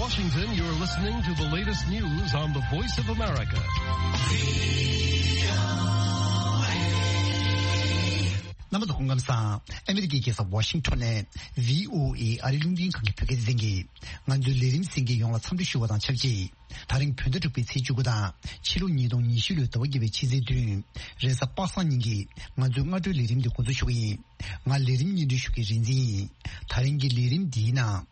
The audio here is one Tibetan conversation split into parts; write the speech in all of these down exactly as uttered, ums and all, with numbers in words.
Washington, you're listening to the latest news on the Voice of America. རྣམ་པ་ཚོ་སྐུ་ཁམས་བཟང་། ཨ་མི་རི་ཀའི་རྒྱལ་ས་ཝ་ཤིང་ཊོན་ནས་བྷི་ཨོ་ཨེ་ཨ་རིའི་རླུང་འཕྲིན་ཁང་གི་བོད་སྐད་སྡེ་ཚན་གྱིས་ང་ཚོའི་ལས་རིམ་གསན་མཁན་ཡོངས་ལ་འཚམས་འདྲི་ཞུ་བ་དང་ཆབས་ཅིག་ད་རིང་བོད་ཟླ་དྲུག་པའི་ཚེས་བཅུ་དགུ་དང་ཕྱི་ལོ་ཉིས་སྟོང་ཉི་ཤུ་ལོའི་ཟླ་བ་བརྒྱད་པའི་ཕྱི་ཚེས་བདུན། རེས་གཟའ་པ་སངས་ཉིན་གྱི་ང་ཚོའི་སྔ་དྲོའི་ལས་རིམ་འདི་འགོ་འཛུགས་ཞུ་གི་ཡིན། ང་ལས་རིམ་སྙན་སྒྲོན་ཞུ་མཁན་རིག་འཛིན་ཡིན། ད་རིང་གི་ལས་རིམ་འདིའི་ནང་།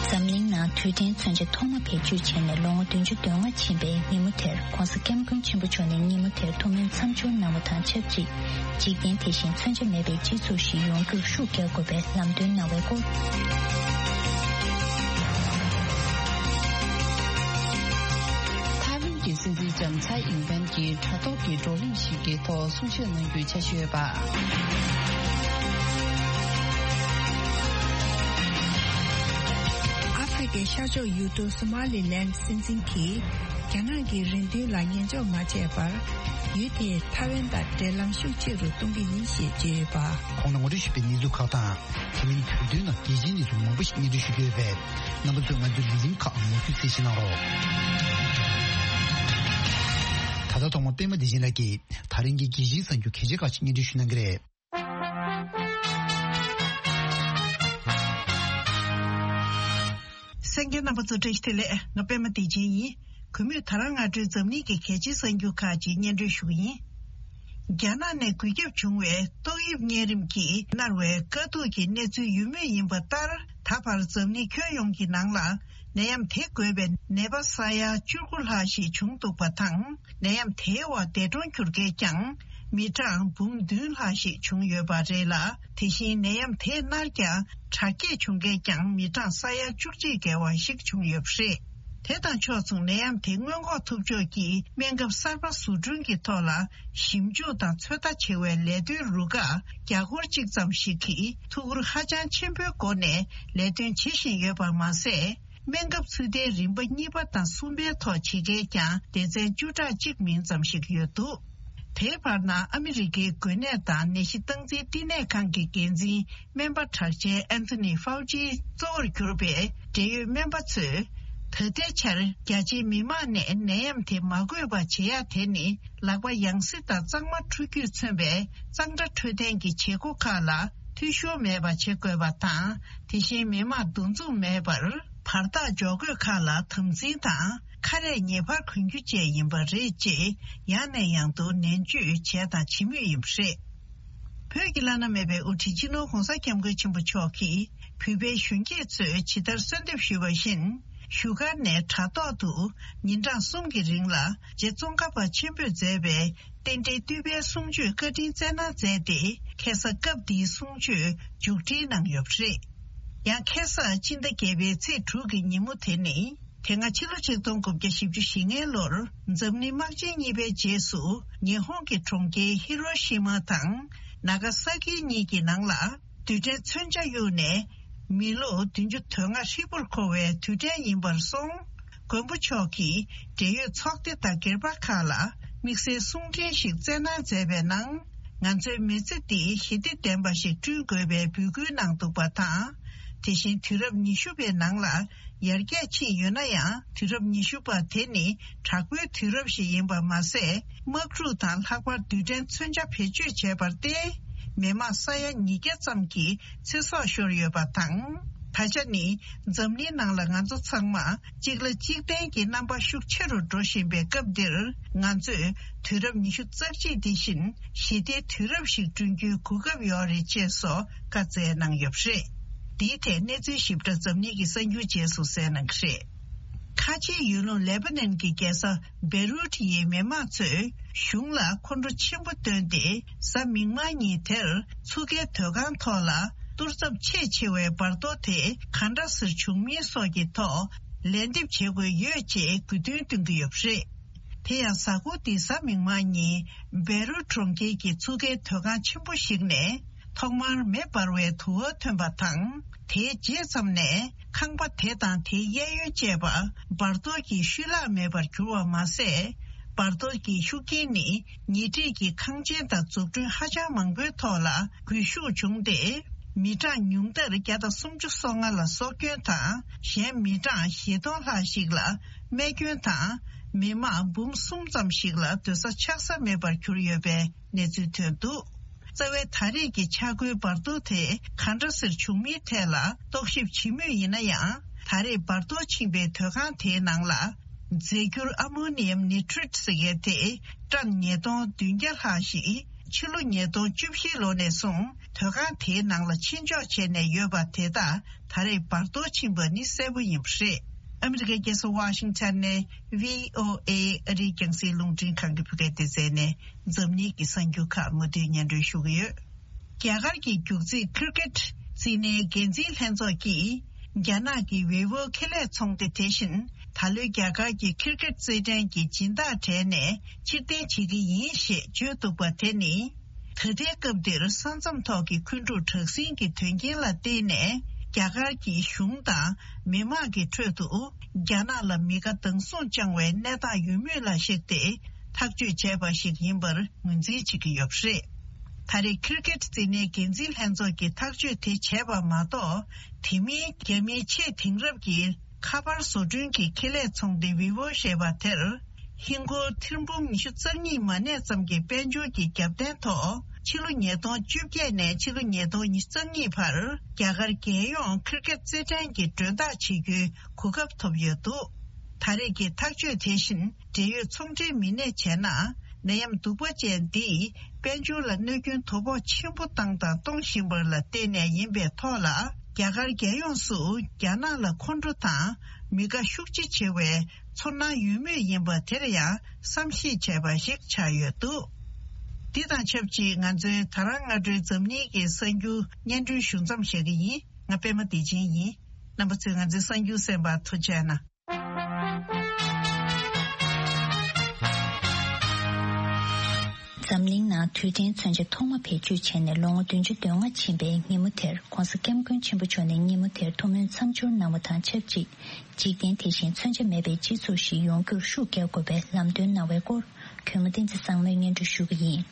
འཛམ་གླིང་ནང་རྡུལ་ཕྲན་མཚོན་ཆ་ཐོག་མ་བེད་སྤྱོད་བྱས་ནས་ལོ་ངོ་བདུན་ཅུ་དོན་ལྔ་ཕྱིན་པའི་ཉིན་མོ་དེར་༧གོང་ས་༧སྐྱབས་མགོན་ཆེན་པོ་མཆོག་ནས་ཉིན་མོ་དེར་ཐུགས་སྨོན་མཚམས་སྦྱོར་གནང་བ་དང་ཆབས་ཅིག་འཇིག་རྟེན་དེ་བཞིན་མཚོན་ཆ་མེད་པའི་སྤྱི་ཚོགས་ཤིག་ཡོང་རྒྱུར་ཤུགས་རྒྱག་དགོས་པའི་ལམ་སྟོན་གནང་བའི་སྐོར། ཐའེ་ཝན་གྱི་སྲིད་འཛིན་ལྕམ་ཚའེ་ཨིན་ཝེན་གྱིས་དྲ་ཐོག་གི་བགྲོ་གླེང་ཞིག་གི་ཐོག་གསུང་བཤད་གནང་རྒྱུའི་འཆར་གཞི་ཡོད་པ། ཨ་ཧྥེ་རི་ཁའི་ཤར་ཕྱོགས་ཡུལ་གྲུ་སོ་མ་ལི་ལན་སྲིད་འཛིན་གྱིས་རྒྱ་ནག་གི་རེ་འདུན་ལ་ཉན་འཇོག་མ་བྱས་པར། ཡུལ་དེས་ཐའེ་ཝན་དང་འབྲེལ་ལམ་ཤུགས་ཆེ་རུ་གཏོང་གི་ཡིན་ཞེས་བརྗོད་ཡོད་པ། གོང་ན་ངོ་སྤྲོད་ཞུས་པའི་གནས་ཚུལ་ཁག་དང་། དེ་མིན་བོད་དོན་ནང་རྒྱལ་སྤྱིའི་གནས་ཚུལ་མང་པོ་ཞིག་སྙན་སྒྲོན་ཞུ་རྒྱུ་ཡོད་པས། རྣམ་པ་ཚོས་ང་ཚོའི་ལས་རིམ་ཁག་མུ་མཐུད་གསན་བཞེས་གནང་རོགས། ད་ལྟ་ཐོག་མར་པད་མ་བདེ་ཆེན་ལགས་ཀྱིས་ད་རིང་གི་རྒྱལ་སྤྱིའི་གསར་འགྱུར་གལ་ཆེ་ཁག་ཅིག་སྙན་སྒྲོན་ཞུ་གནང་གི་རེད། གསན་མཁན་རྣམ་པ་ཚོ་བཀྲ་ཤིས་བདེ་ལེགས། ང་པད་མ་བདེ་ཆེན་ཡིན། གུས་མོས་ད་རང་སྔ་དྲོའི་འཛམ་གླིང་གི་གལ་ཆེའི་གསར་འགྱུར་ཁག་ཅིག་སྙན་སྒྲོན་ཞུ་གི་ཡིན། རྒྱ་ནག་ནས་འགོས་ཁྱབ་བྱུང་བའི་ཏོག་དབྱིབས་གཉན་རིམས་ཀྱིས་མནར་བའི་དཀའ་སྡུག་གི་གནས་ཚུལ་ཡོད་མུས་ཡིན་པ་ལྟར། ད་བར་འཛམ་གླིང་ཁྱོན་ཡོངས་ཀྱི་ནང་ལ་ནད་ཡམས་དེ་འགོས་པའི་ནད་པ་ས་ཡ་བཅུ་དགུ་ལྷག་ཞིག་བྱུང་འདུག་པ་དང་། ནད་ཡམས་དེའི་འོག་འདས་གྲོངས་གྱུར་མཁན་ཀྱང་མི་གྲངས་འབུམ་བདུན་ལྷག་ཞིག་བྱུང་ཡོད་པ་རེད་ལ། དེ་བཞིན་ནད་ཡམས་དེས་མནར་ཀྱང་དྲག་སྐྱེད་བྱུང་མཁན་ཀྱང་མི་གྲངས་ས་ཡ་བཅུ་གཅིག་བརྒལ་བ་ཞིག་བྱུང་ཡོད་པ་རེད། དེ་དང་ཕྱོགས་མཚུངས་ནད་ཡམས་དེ་སྔོན་འགོག་ཐུབ་ཕྱོགས་ཀྱི་སྨན་ཁབ་གསར་པ་བཟོ་སྐྲུན་གྱི་ཐོག་ལ་ཞིབ་འཇུག་དང་ཚོད་ལྟ་བྱེད་པའི་ལས་དོན་རུ་ཁག་བརྒྱ་སྐོར་གཅིག་ཙམ་ཞིག་གིས་ཐུགས་ཁུར་ཧ་ཅང་ཆེན་པོའི་སྒོ་ནས་ལས་དོན་བྱེད་བཞིན་ཡོད་པ་མ་ཟད། སྨན་ཁབ་ཚུལ་ལྡན་རིམ་པ་གཉིས་པ་དང་གསུམ་པའི་ཐོག་བྱེད་མཁན་ཀྱང་སྡེ་ཚན་བཅུ་ཕྲག་གཅིག་མིན་ཙམ་ཞིག་ཡོད་འདུག་དེའི་བར་ན་ཨ་མི་རི་ཀའི་འགོས་ནད་དང་ནད་གཞི་སྟངས་འཛིན་བསྟི་གནས་ཁང་གི་འགན་འཛིན་སྨན་པ་གྲགས་ཅན་ཨན་ཐོ་ནི་ཧྥའུ་ཅིའི་གཙོ་བོར་གྱུར་པའི་འབྲེལ་ཡོད་སྨན་པ་ཚོས། ད་ལྟའི་ཆར་རྒྱ་ཆེའི་མི་མང་ནས་ནད་ཡམས་དེ་མ་འགོས་པ་བྱེད་ཡ་དེ་ནི་ལག་པ་ཡང་སྲིད་དང་གཙང་མ་འཁྲུ་རྒྱུས་མཚོན་པའི་གཙང་སྦྲ་འཕྲོད་བསྟེན་གྱི་བྱེད་སྒོ་ཁག་ལ་འཐུས་ཤོར་མེད་པ་བྱེད་དགོས་པ་དང་། དེ་བཞིན་མི་མང་འདུ་འཛོམས་མེད་པར། བར་ཐག་འཇོག་དགོས་ཁག་ལ་དམ་འཛིན་དང་ཁ་རས་ངེས་པར་གོན་རྒྱུ་བཅས་ཡིན་པ་རེད་ཅེས་ཡང་ནས་ཡང་དུ་ནན་བརྗོད་བྱས་དང་བྱེད་མུས་ཡིན་པ་རེད། བོད་ཀྱི་བླ་ན་མེད་པའི་དབུ་ཁྲིད་སྤྱི་ནོར་༧གོང་ས་༧སྐྱབས་མགོན་ཆེན་པོ་མཆོག་གིས་བོད་པའི་གཞོན་སྐྱེས་ཚོས་ཇི་ལྟར་གསོལ་འདེབས་ཞུས་པ་བཞིན་བཞུགས་སྒར་ནས་དྲ་ཐོག་ཏུ་ཉིན་གྲངས་གསུམ་གྱི་རིང་ལ་རྗེ་ཙོང་ཁ་པ་ཆེན་པོས་མཛད་པའི། རྟེན་འབྲེལ་བསྟོད་པའི་གསུང་ཆོས་བཀའ་དྲིན་སྩལ་གནང་མཛད་དེ། ཁ་སང་སྐབས་འདིའི་གསུང་ཆོས་མཇུག་སྒྲིལ་གནང་ཡོད་པ་རེད། ཡང་ཁ་སང་སྤྱི་ཟླ་བརྒྱད་པའི་ཚེས་དྲུག་གི་ཉིན་མོ་དེ་ནི། དེ་སྔ་ཕྱི་ལོ་ཆིག་སྟོང་དགུ་བརྒྱ་བཞི་བཅུ་ཞེ་ལྔའི་ལོར་འཛམ་གླིང་དམག་ཆེན་གཉིས་པའི་རྗེས་སུ་ཉི་ཧོང་གི་གྲོང་ཁྱེར་ཧི་རོ་ཤི་མ་དང་ན་ག་ས་ཀི་གཉིས་ཀྱི་ནང་ལ་རྡུལ་ཕྲན་མཚོན་ཆ་གཡུགས་ནས། མི་ལོ་བདུན་ཅུ་དོན་ལྔ་ཧྲིལ་པོར་འཁོར་བའི་དུས་དྲན་ཡིན་པར་སོང་། མགོན་པོ་མཆོག་གིས་འབྲེལ་ཡོད་ཚོགས་སྡེ་དང་སྒེར་པ་ཁག་ལ་དམིགས་བསལ་གསུང་འཕྲིན་ཞིག་བསྩལ་གནང་མཛད་པའི་ནང་། ང་ཚོའི་མི་ཚེ་འདི་ཞི་བདེ་ལྡན་པ་ཞིག་བསྐྲུན་དགོས་པའི་འབོད་སྐུལ་གནང་འདུག་པ་དང་། དེ་བཞིན་དུས་རབས་ཉི་ཤུ་པའི་ནང་ལ་ཡར་རྒྱས་ཕྱིན་ཡོད་ན་ཡང་། དུས་རབས་ཉི་ཤུ་པ་དེ་ནི་དྲག་པོའི་དུས་རབས་ཤིག་ཡིན་པ་མ་ཟད། དམག་འཁྲུག་དང་ལྷག་པར་རྡུལ་ཕྲན་མཚོན་ཆ་བེད་སྤྱོད་བྱས་པར་བརྟེན། མི་མང་ས་ཡ་ཉིས་བརྒྱ་ཙམ་གྱི་ཚེ་སྲོག་ཤོར་ཡོད་པ་དང་། ད་ཆ་ནི་འཛམ་གླིང་ནང་ལ་ང་ཚོ་ཚང་མ་གཅིག་ལ་གཅིག་བརྟེན་གྱི་རྣམ་པ་ཤུགས་ཆེ་རུ་འགྲོ་བཞིན་པའི་སྐབས་འདིར། ང་ཚོས་དུས་རབས་ཉི་ཤུ་རྩ་གཅིག་འདི་བཞིན་ཞི་བདེའི་དུས་རབས་ཤིག་བསྐྲུན་རྒྱུའི་གོ་སྐབས་ཡོད་རེད་ཅེས་སོགས་བཀའ་སྩལ་གནང་ཡོད་པ་རེད། འདིའི་ཐད་གནས་ཚུལ་ཞིབ་ཕྲ་འཛམ་གླིང་གི་གསར་འགྱུར་རྗེས་སུ་གསན་གནང་གི་རེད། ཁ་ཆེའི་ཡུལ་ལུང་ལེ་པ་ནན་གྱི་རྒྱལ་ས་བེ་རུད་ཡི་མི་མང་ཚོས་གཞུང་ལ་ཁོང་ཁྲོ་ཆེན་པོ་བཏོན་ཏེ། གཟའ་མིག་དམར་ཉིན་དེར་ཚུགས་ཀའི་སྡོད་ཁང་ཐོག་ལ་གཏོར་ཚབས་ཆེས་ཆེ་བའི་འབར་གཏོར་དེ་ག་འདྲ་སེ་བྱུང་མིན་སོགས་ཀྱི་ཐོག་ལན་འདེབས་བྱེད་དགོས་ཡོད་ཅེས་དགོས་འདུན་བཏོན་གྱི་ཡོད་པ་རེད། དེ་ཡང་གཟའ་འཁོར་འདིའི་གཟའ་མིག་དམར་ཉིན་བེ་རུད་གྲོང་ཁྱེར་གྱི་ཚུགས་ཀའི་སྡོད་ཁང་ཆེན་པོ་ཞིག་ནས། ཐོག་མར་མེ་འབར་བའི་དུ་བ་ཐོན་པ་དང་། དེའི་རྗེས་ཙམ་ནས་ཁང་པ་དེ་དང་དེའི་གཡས་གཡོན་བཅས་པ་འབར་གཏོར་གྱིས་ཤུལ་བརླག་མེད་པར་གྱུར་བ་མ་ཟད། འབར་གཏོར་གྱི་ཤུགས་རྐྱེན་ནི་ཉེ་འཁྲིས་ཀྱི་ཁང་ཆེན་དང་འཛུགས་སྐྲུན་ཧ་ཅང་མང་པོའི་ཐོག་ལ་རྒུད་ཤུགས་བྱུང་སྟེ། མི་གྲངས་ཉུང་མཐར་བརྒྱ་དང་སུམ་ཅུ་སོ་ལྔ་ལ་སྲོག་སྐྱོན་དང་། གཞན་མི་གྲངས་བཞི་སྟོང་ལྷག་ཞིག་ལ་རྨས་སྐྱོན་དང་། མི་མང་འབུམ་གསུམ་ཙམ་ཞིག་ལ་སྡོད་ས་ཆགས་ས་མེད་པར་གྱུར་ཡོད་པའི་གནས་ཚུལ་ཐོན་འདུག། རྩ་བའི་ད་རེས་ཀྱི་ཆག་སྒོའི་འབར་གཏོར་དེ་ག་འདྲ་སེ་བྱུང་མིན་ཐད་ལ་རྟོག་ཞིབ་བྱེད་མུས་ཡིན་ན་ཡང་། ད་རེས་འབར་གཏོར་ཕྱིན་པའི་སྡོད་ཁང་དེའི་ནང་ལ་རྫས་འགྱུར་ཨ་མོ་ནི་ཡམ་ནི་ཊྲེཊ་ཟེར་མཁན་དེ་ཊོན་ཉིས་སྟོང་བདུན་བརྒྱ་ལྷག་ཞིག་ཕྱི་ལོ་ཉིས་སྟོང་བཅུ་བཞི་ལོ་ནས་བཟུང་སྡོད་ཁང་དེའི་ནང་ལ་ཕྱིར་འཇོག་བྱས་ནས་ཡོད་པ་དེ་དག་ད་རེས་འབར་གཏོར་ཕྱིན་པ་ནི་གསལ་པོ་ཡིན་པ་རེད། ཨ་མི་རི་ཀའི་རྒྱལ་ས་ཝ་ཤིང་ཊོན་ནས་བྷི་ཨོ་ཨེ་ཨ་རིའི་རྒྱང་སྲིང་རླུང་འཕྲིན་ཁང་གི་བོད་སྐད་སྡེ་ཚན་ནས་འཛམ་གླིང་གི་གསར་འགྱུར་ཁག་མུ་མཐུད་སྙན་སྒྲོན་ཞུ་གི་ཡོད། རྒྱ་གར་གྱི་རྒྱུག་རྩིས་ཁིར་ཀེད་རྩིས་ནའི་འགན་འཛིན་ལྷན་ཚོགས་ཀྱིས། རྒྱ་ནག་གི་ཝེ་ཝོ་ཁེ་ལས་ཚོང་སྡེ་དེ་བཞིན། ད་ལོའི་རྒྱ་གར་གྱི་ཁིར་ཀེད་རྩེད་འགྲན་གྱི་སྦྱིན་བདག་གྲས་ནས་ཕྱིར་འཐེན་བྱེད་ཀྱི་ཡིན་ཞེས་བརྗོད་འདུག་པ་དེ་ནི། ད་ལྟའི་སྐབས་འདིར་ས་མཚམས་ཐོག་གི་འཁོན་འཁྲུག་དྲག་ཟིང་གི་དོན་རྐྱེན་ལ་བརྟེན་ནས། རྒྱ་གར་གྱི་གཞུང་དང་མི་མང་གི་ཁྲོད་དུ། རྒྱ་ནག་ལ་མི་དགའ་སྡང་ཟུང་བཅངས་བའི་གནས་སྟངས་ཡོད་མུས་ལ་གཞིགས་ཏེ། ཐག་གཅོད་བྱས་པ་ཞིག་ཡིན་པར་ངོས་འཛིན་བྱེད་ཀྱི་ཡོད་པ་རེད། ད་རེས་ཁིར་ཀེད་རྩེད་འགྲན་འགན་འཛིན་ལྷན་ཚོགས་ཀྱིས་ཐག་གཅོད་དེ་བྱས་པ་མ་གཏོགས། དེ་མིན་རྒྱ་མིའི་ཆེས་དེང་རབས་ཀྱི་ཁ་པར་བཟོ་སྐྲུན་གྱི་ཁེ་ལས་ཚོང་སྡེ་ཝི་ཝོ་ཞེས་པ་དེར། ཧིན་སྒོར་ཐེར་འབུམ་ཉི་ཤུ་རྩ་གཉིས་མ་གནས་ཙམ་གྱི་དཔལ་འབྱོར་གྱི་རྒྱབ་རྟེན་ཐོག་ཕྱི་ལོ་ཉིས་སྟོང་བཅོ་བརྒྱད་ནས་ཕྱི་ལོ་ཉིས་སྟོང་ཉི་ཤུ་རྩ་གཉིས་བར་རྒྱ་གར་རྒྱལ་ཡོངས་ཁིར་ཀེད་རྩེད་འགྲན་གྱི་མགྲོན་བདག་བྱེད་རྒྱུའི་གོ་སྐབས་ཐོབ་ཡོད་འདུག། ད་རེས་ཀྱི་ཐག་གཅོད་དེ་བཞིན། འབྲེལ་ཡོད་ཚོང་འབྲེལ་མི་སྣས་བྱས་ན། ནད་ཡམས་གདུག་པ་ཅན་འདིས་དཔལ་འབྱོར་ལ་གནོད་སྐྱོན་དོ་ཕོག་ཆེན་པོ་བཏང་དང་གཏོང་བཞིན་པ་ལ་བརྟེན་ནས་ཡིན་པའི་ཐོག་ལ། རྒྱ་གར་རྒྱལ་ཡོངས་སུ་རྒྱ་ནག་ལ་ཁོང་ཁྲོ་དང་མི་དགའ་ཤུགས་ཆེ་ཆེ་བའི་ཚོར་སྣང་ཡོད་མུས་ཡིན་པ་དེར་ཡང་བསམ་གཞིག་བྱས་པ་ཞིག་ཆགས་ཡོད་འདུག། འདི་དང་ཆབས་ཅིག་ང་ཚོའི་ད་རང་སྔ་དྲོའི་འཛམ་གླིང་གི་གསར་འགྱུར་སྙན་སྒྲོན་ཞུ་མཚམས་བཞག་གི་ཡིན། ང་པད་མ་བདེ་ཆེན་ཡིན། རྣམ་པ་ཚོས་ང་ཚོའི་གསར་འགྱུར་གསན་པར་ཐུགས་རྗེ་གནང་། འཛམ་གླིང་ནང་རྡུལ་ཕྲན་མཚོན་ཆ་ཐོག་མ་བེད་སྤྱོད་བྱས་ནས་ལོ་ངོ་བདུན་ཅུ་དོན་ལྔ་ཕྱིན་པའི་ཉིན་མོ་དེར། ྋགོང་ས་ྋསྐྱབས་མགོན་ཆེན་པོ་མཆོག་ནས་ཉིན་མོ་དེར་ཐུགས་སྨོན་མཚམས་སྦྱོར་གནང་བ་དང་ཆབས་ཅིག་འཇིག་རྟེན་དེ་བཞིན་མཚོན་ཆ་མེད་པའི་སྤྱི་ཚོགས་ཤིག་ཡོང་རྒྱུར་ཤུགས་རྒྱག་དགོས་པའི་ལམ་སྟོན་གནང་བའི་སྐོར། གུས་མོ་བསྟན་འཛིན་བཟང་མོས་སྙན་སྒྲོན་ཞུ་གི་ཡིན།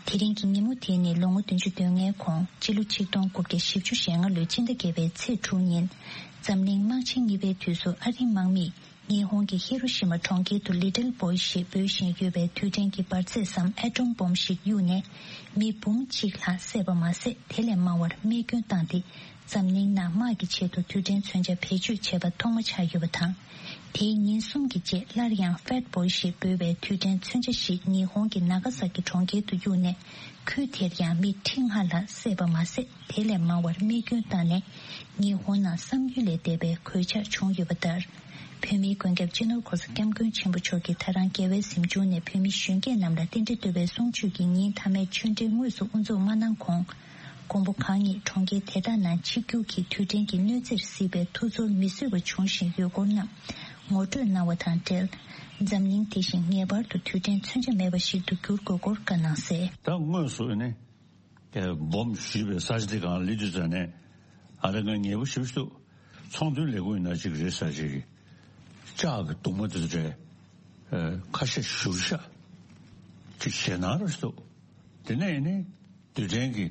དེ་རིང་གི་ཉིན་མོ་དེ་ནི་ལོ་ངོ་བདུན་ཅུ་དོན་ལྔའི་གོང་། སྤྱི་ལོ་ཆིག་སྟོང་དགུ་བརྒྱ་བཞི་བཅུ་ཞེ་ལྔ་ལོའི་སྤྱི་ཟླ་བརྒྱད་པའི་ཚེས་དྲུག་ཉིན། འཛམ་གླིང་དམག་ཆེན་གཉིས་པའི་དུས་སུ་ཨ་རིའི་དམག་མིས་ཉི་ཧོང་གི་ཧི་རོ་ཤི་མ་གྲོང་ཁྱེར་དུ་ལི་ཏིལ་བོའི་ཞེས་འབོད་བཞིན་ཡོད་པའི་རྡུལ་ཕྲན་གྱི་འབར་རྫས་སམ་ཨེ་ཊོམ་བོམ་ཞིག་གཡུགས་ནས། མི་འབུམ་གཅིག་ལྷག་བསད་པ་མ་ཟད། དེ་ལས་མང་བར་རྨས་སྐྱོན་བཏང་སྟེ། འཛམ་གླིང་ནང་དམག་གི་ཆེད་དུ་རྡུལ་ཕྲན་མཚོན་ཆ་བེད་སྤྱོད་བྱས་པ་ཐོག་མ་ཆགས་ཡོད་པ་དང་། དེའི་ཉིན་གསུམ་གྱི་རྗེས། སླར་ཡང་ཧྥེད་བོལ་ཞེས་འབོད་པའི་རྡུལ་ཕྲན་མཚོན་ཆ་ཞིག་ཉི་ཧོང་གི་ནཱ་ག་ས་ཀི་གྲོང་ཁྱེར་དུ་གཡུགས་ནས། ཁུལ་དེར་ཡང་མི་ཁྲི་ལྔ་ལྷག་བསད་པ་མ་ཟད། དེ་ལས་མང་བར་རྨས་སྐྱོན་བཏང་ནས། ཉི་ཧོང་ནང་བསམ་ཡུལ་ལས་འདས་པའི་གོད་ཆག་བྱུང་ཡོད་པ་ལྟར། བོད་མིའི་མགོན་སྐྱབས་སྤྱི་ནོར་༧གོང་ས་༧སྐྱབས་མགོན་ཆེན་པོ་མཆོག་གིས་ད་རང་རྒྱལ་བའི་གཟིམ་ཆུང་ནས་བོད་མི་གཞོན་སྐྱེས་རྣམས་ལ་རྟེན་འབྲེལ་བསྟོད་པའི་གསུང་ཆོས་ཀྱི་ཉིན་མཐའ་མའི་ཆོས་འབྲེལ་དངོས་སུ་དབུ་འཛུགས་མ་གནང་གོང་། མགོན་པོ་གང་ཉིད་གྲོང་ཁྱེར་དེ་དག་ནང་ཆིབས་བསྒྱུར་གྱིས་རྡུལ་ཕྲན་གྱི་གནོད་འཚེར་གཟིགས་པའི་ཐུགས་ཚོར་མི་བཟོད་པ་བྱུང་བཞིན་ཡོད་སྐོར་རྣམས་ངོ་སྤྲོད་གནང་བ་དང་འབྲེལ། འཛམ་གླིང་དེ་བཞིན་ངེས་པར་དུ་རྡུལ་ཕྲན་མཚོན་ཆ་མེད་པ་ཞིག་ཏུ་འགྱུར་དགོས་སྐོར་བཀའ་གནང་གསལ། ད་དངོས་སུ་ནི་བོམ་བཞུས་པའི་ས་ཆ་དེ་སྒང་སླེབས་དུས་ཙམ་ནས། ཨ་རེ་ང་ངལ་པོ་ཞེ་པོ་ཞིག་འདུག། ཚོང་དོན་ལས་ཁུངས་ཡིན་ན་གཅིག་རེད་ཟེར། གཅིག་གིས་ལྕགས་ཀྱི་གདུང་མ་དེ་ཚོ་རེད། ཨ། ཁ་ཤས་བཞུར་ཤག། གཅིག་ཞེད་སྣང་རང་ཞིག་འདུག། དེ་ནས་ནི་རྡུལ་ཕྲན་གྱི་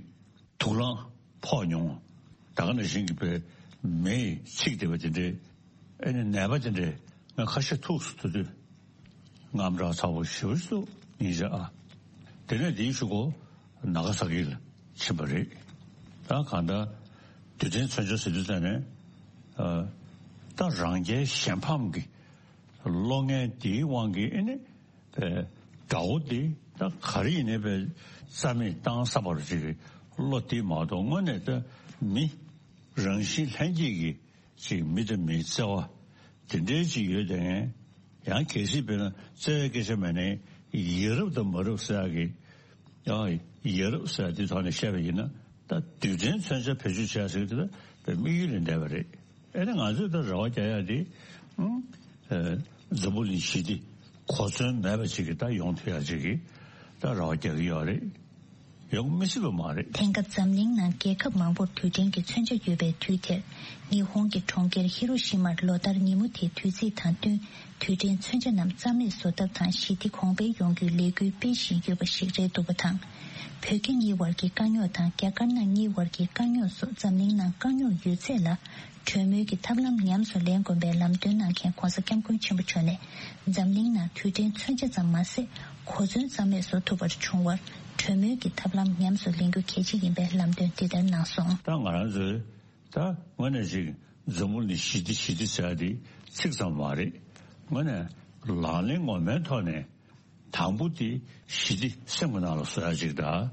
དུག་རླངས་ཕོག་མྱོང་། ད་ག་ནང་བཞིན་གྱི་བའི་མེ་ཡིས་འཚིག་བསྡད་པ་དེ་འདྲའི། ཨེ་ནི་ནད་པ་དེ་འདྲའི་ང་ཁ་ཤས་ཐུག་སོང་། དེ་དུས་དངངས་སྐྲག་ཚ་པོ་ཞེ་པོ་ཞིག་འདུག་ཉིན་ཞག། ཨ། དེ་ནས་དེའི་གཞུག་གུ་ནཱ་ག་ས་ཀི་ལ་ཕྱིན་པ་རེད། ད་གང་ལྟར་རྡུལ་ཕྲན་མཚོན་ཆ་ཟེར་དུས་ཙམ་ནས། ཨ། ད་རང་རྒྱལ་གཞན་ཕམ་གྱི་བློ་ངན་དེའི་དབང་གིས། ཨེ་ནི་པའི་དགྲ་བོ་དེ་ད་ག་རེ་ཡིན་ནའི་པའི་རྩ་མེད་བཏང་ས་བར་ཅིག་གི་བློ་དེ་མ་གཏོགས། དངོས་གནས་ད་མི་རང་བཞིན་ལྷན་སྐྱེས་ཀྱི་ཅིག་མི་དང་མིའི་བརྩེ་བ་དེ་འདྲའི་ཅིག་ཡོད་དེ། ཡང་གལ་སྲིད་དཔེར་ན་བརྩེ་བའི་སྐད་ཆ་མེད་ནའི་ཡ་རབས་དང་མ་རབས་ཟེར་ཡག་གི། ཡང་ཡ་རབས་ཟེར་ཡག་དེ་ཐོག་ནས་བཤད་པ་ཡིན་ན། ད་རྡུལ་ཕྲན་མཚོན་ཆ་བེད་སྤྱོད་བྱས་ཟེར་གྱི་དེ་ད་དམིགས་ཡུལ་ལས་འདས་པ་རེད། ཨེ་ནི་ང་ཚོས་ད་རེ་བ་རྒྱག་ཡག་དེ། ཨ། འཛམ་བུ་གླིང་ཞི་བདེ་གོ་མཚོན་མེད་པ་ཅིག་གི་ད་ཡོང་ཐུབ་ཡག་ཅིག་གི་ད་རེ་བ་རྒྱག་གི་ཡོད་རེད། ཡོང་མི་སྲིད་པ་མ་རེད། དེང་སྐབས་འཛམ་གླིང་ནང་རྒྱལ་ཁབ་མང་པོར་དུས་དྲན་གྱི་མཚོན་ཆ་ཡོད་པའི་དུས་དེར། ཉི་ཧོང་གི་གྲོང་ཁྱེར་ཧི་རོ་ཤི་མར་ལོ་ལྟར་ཉིན་མོ་དེའི་དུས་ཚིགས་དང་བསྟུན། དུས་དྲན་མཚོན་ཆ་རྣམས་རྩ་མེད་བཟོ་ཐབས་དང་ཞི་བདེ་གོང་འཕེལ་ཡོང་རྒྱུའི་ལས་འགུལ་སྤེལ་བཞིན་ཡོད་པ་ཞིག་རེད་འདུག་པ་དང་། བོད་རྒྱ་གཉིས་བར་གྱི་དཀའ་རྙོག་དང་རྒྱ་དཀར་ནག་གཉིས་བར་གྱི་དཀའ་རྙོག་སོགས་འཛམ་གླིང་ནང་དཀའ་རྙོག་ཡོད་ཚད་ལ། གྲོས་མོལ་གྱི་ཐབས་ལམ་ཉམས་སུ་ལེན་དགོས་པའི་ལམ་སྟོན་གནང་མཁན་༧གོང་ས་༧སྐྱབས་མགོན་ཆེན་པོ་མཆོག་ནས། འཛམ་གླིང་ནང་དུས་དྲན་མཚོན་ཆ་ཙམ་མ་ཟད། གོ་མཚོན་རྩ་མེད་བཟོ་ཐུབ་པར་བྱུང་བར། གྲོས་མོལ་གྱི་ཐབས་ལམ་ཉམས་སུ་ལེན་རྒྱུ་གལ་ཆེ་ཡིན་པའི་ལམ་སྟོན་འདི་ལྟར་གནང་སོང་། ད་ང་རང་ཚོས་ད་དངོས་གནས་ཅིག་འཛམ་བུ་གླིང་ཞི་བདེ་ཞི་བདེ་ཟེར་ཡ་དེ་ཚིག་ཙམ་མ་རེད། དངོས་གནས་ལག་ལེན་ངོ་མའི་ཐོག་ནས། དང་པོ་དེ་ཞི་བདེ་སེམས་ཀྱི་ནང་ལ་བཟོ་ཡ་ཅིག་དང་།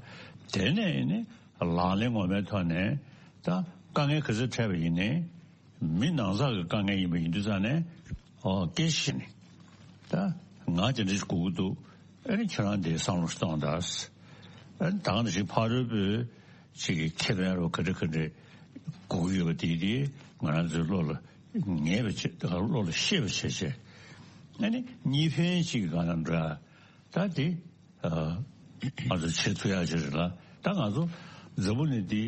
དེ་ནས་ནི་ལག་ལེན་ངོ་མའི་ཐོག་ནས་ད་དཀའ་ངལ་ག་ཚོད་འཕྲད་པ་ཡིན་ནའི། མི་ནང་ཚགས་ཀྱི་དཀའ་ངལ་ཡིན་པ་ཡིན་དུས་ཙང་ནས། ཨོ་སྐད་ཆ་བཤད་ནས། ད་ང་དེ་འདྲ་ཞིག་དགོས་ཀྱི་འདུག་ཨ་ནི་ཁྱེད་རང་དེ་བསམ་བློ་ཞིག་གཏོང་དང་། ཨ་ནི་ད་ག་ནང་བཞིན་ཕ་རོལ་པོའི་ཅིག་གི་ཁེ་ཕན་རོ་ག་འདྲ་ག་འདྲ་དགོས་ཀྱི་ཡོད་པ་དེ་དེ་ང་རང་ཚོའི་བློ་ལ་ངེས་པ་བྱེད། ད་ག་བློ་ལ་ཤེས་པ་བྱེད་བྱས། ཨ་ནི་གཉིས་ཕན་ཅིག་གི་གང་ན་འདྲ། ད་དེ། ཨ། ང་ཚོ་བྱེད་ཐུབ་ཡག་ཅིག་རེད་ལ། ད་ང་ཚོ་འཛམ་བུ་གླིང་འདི་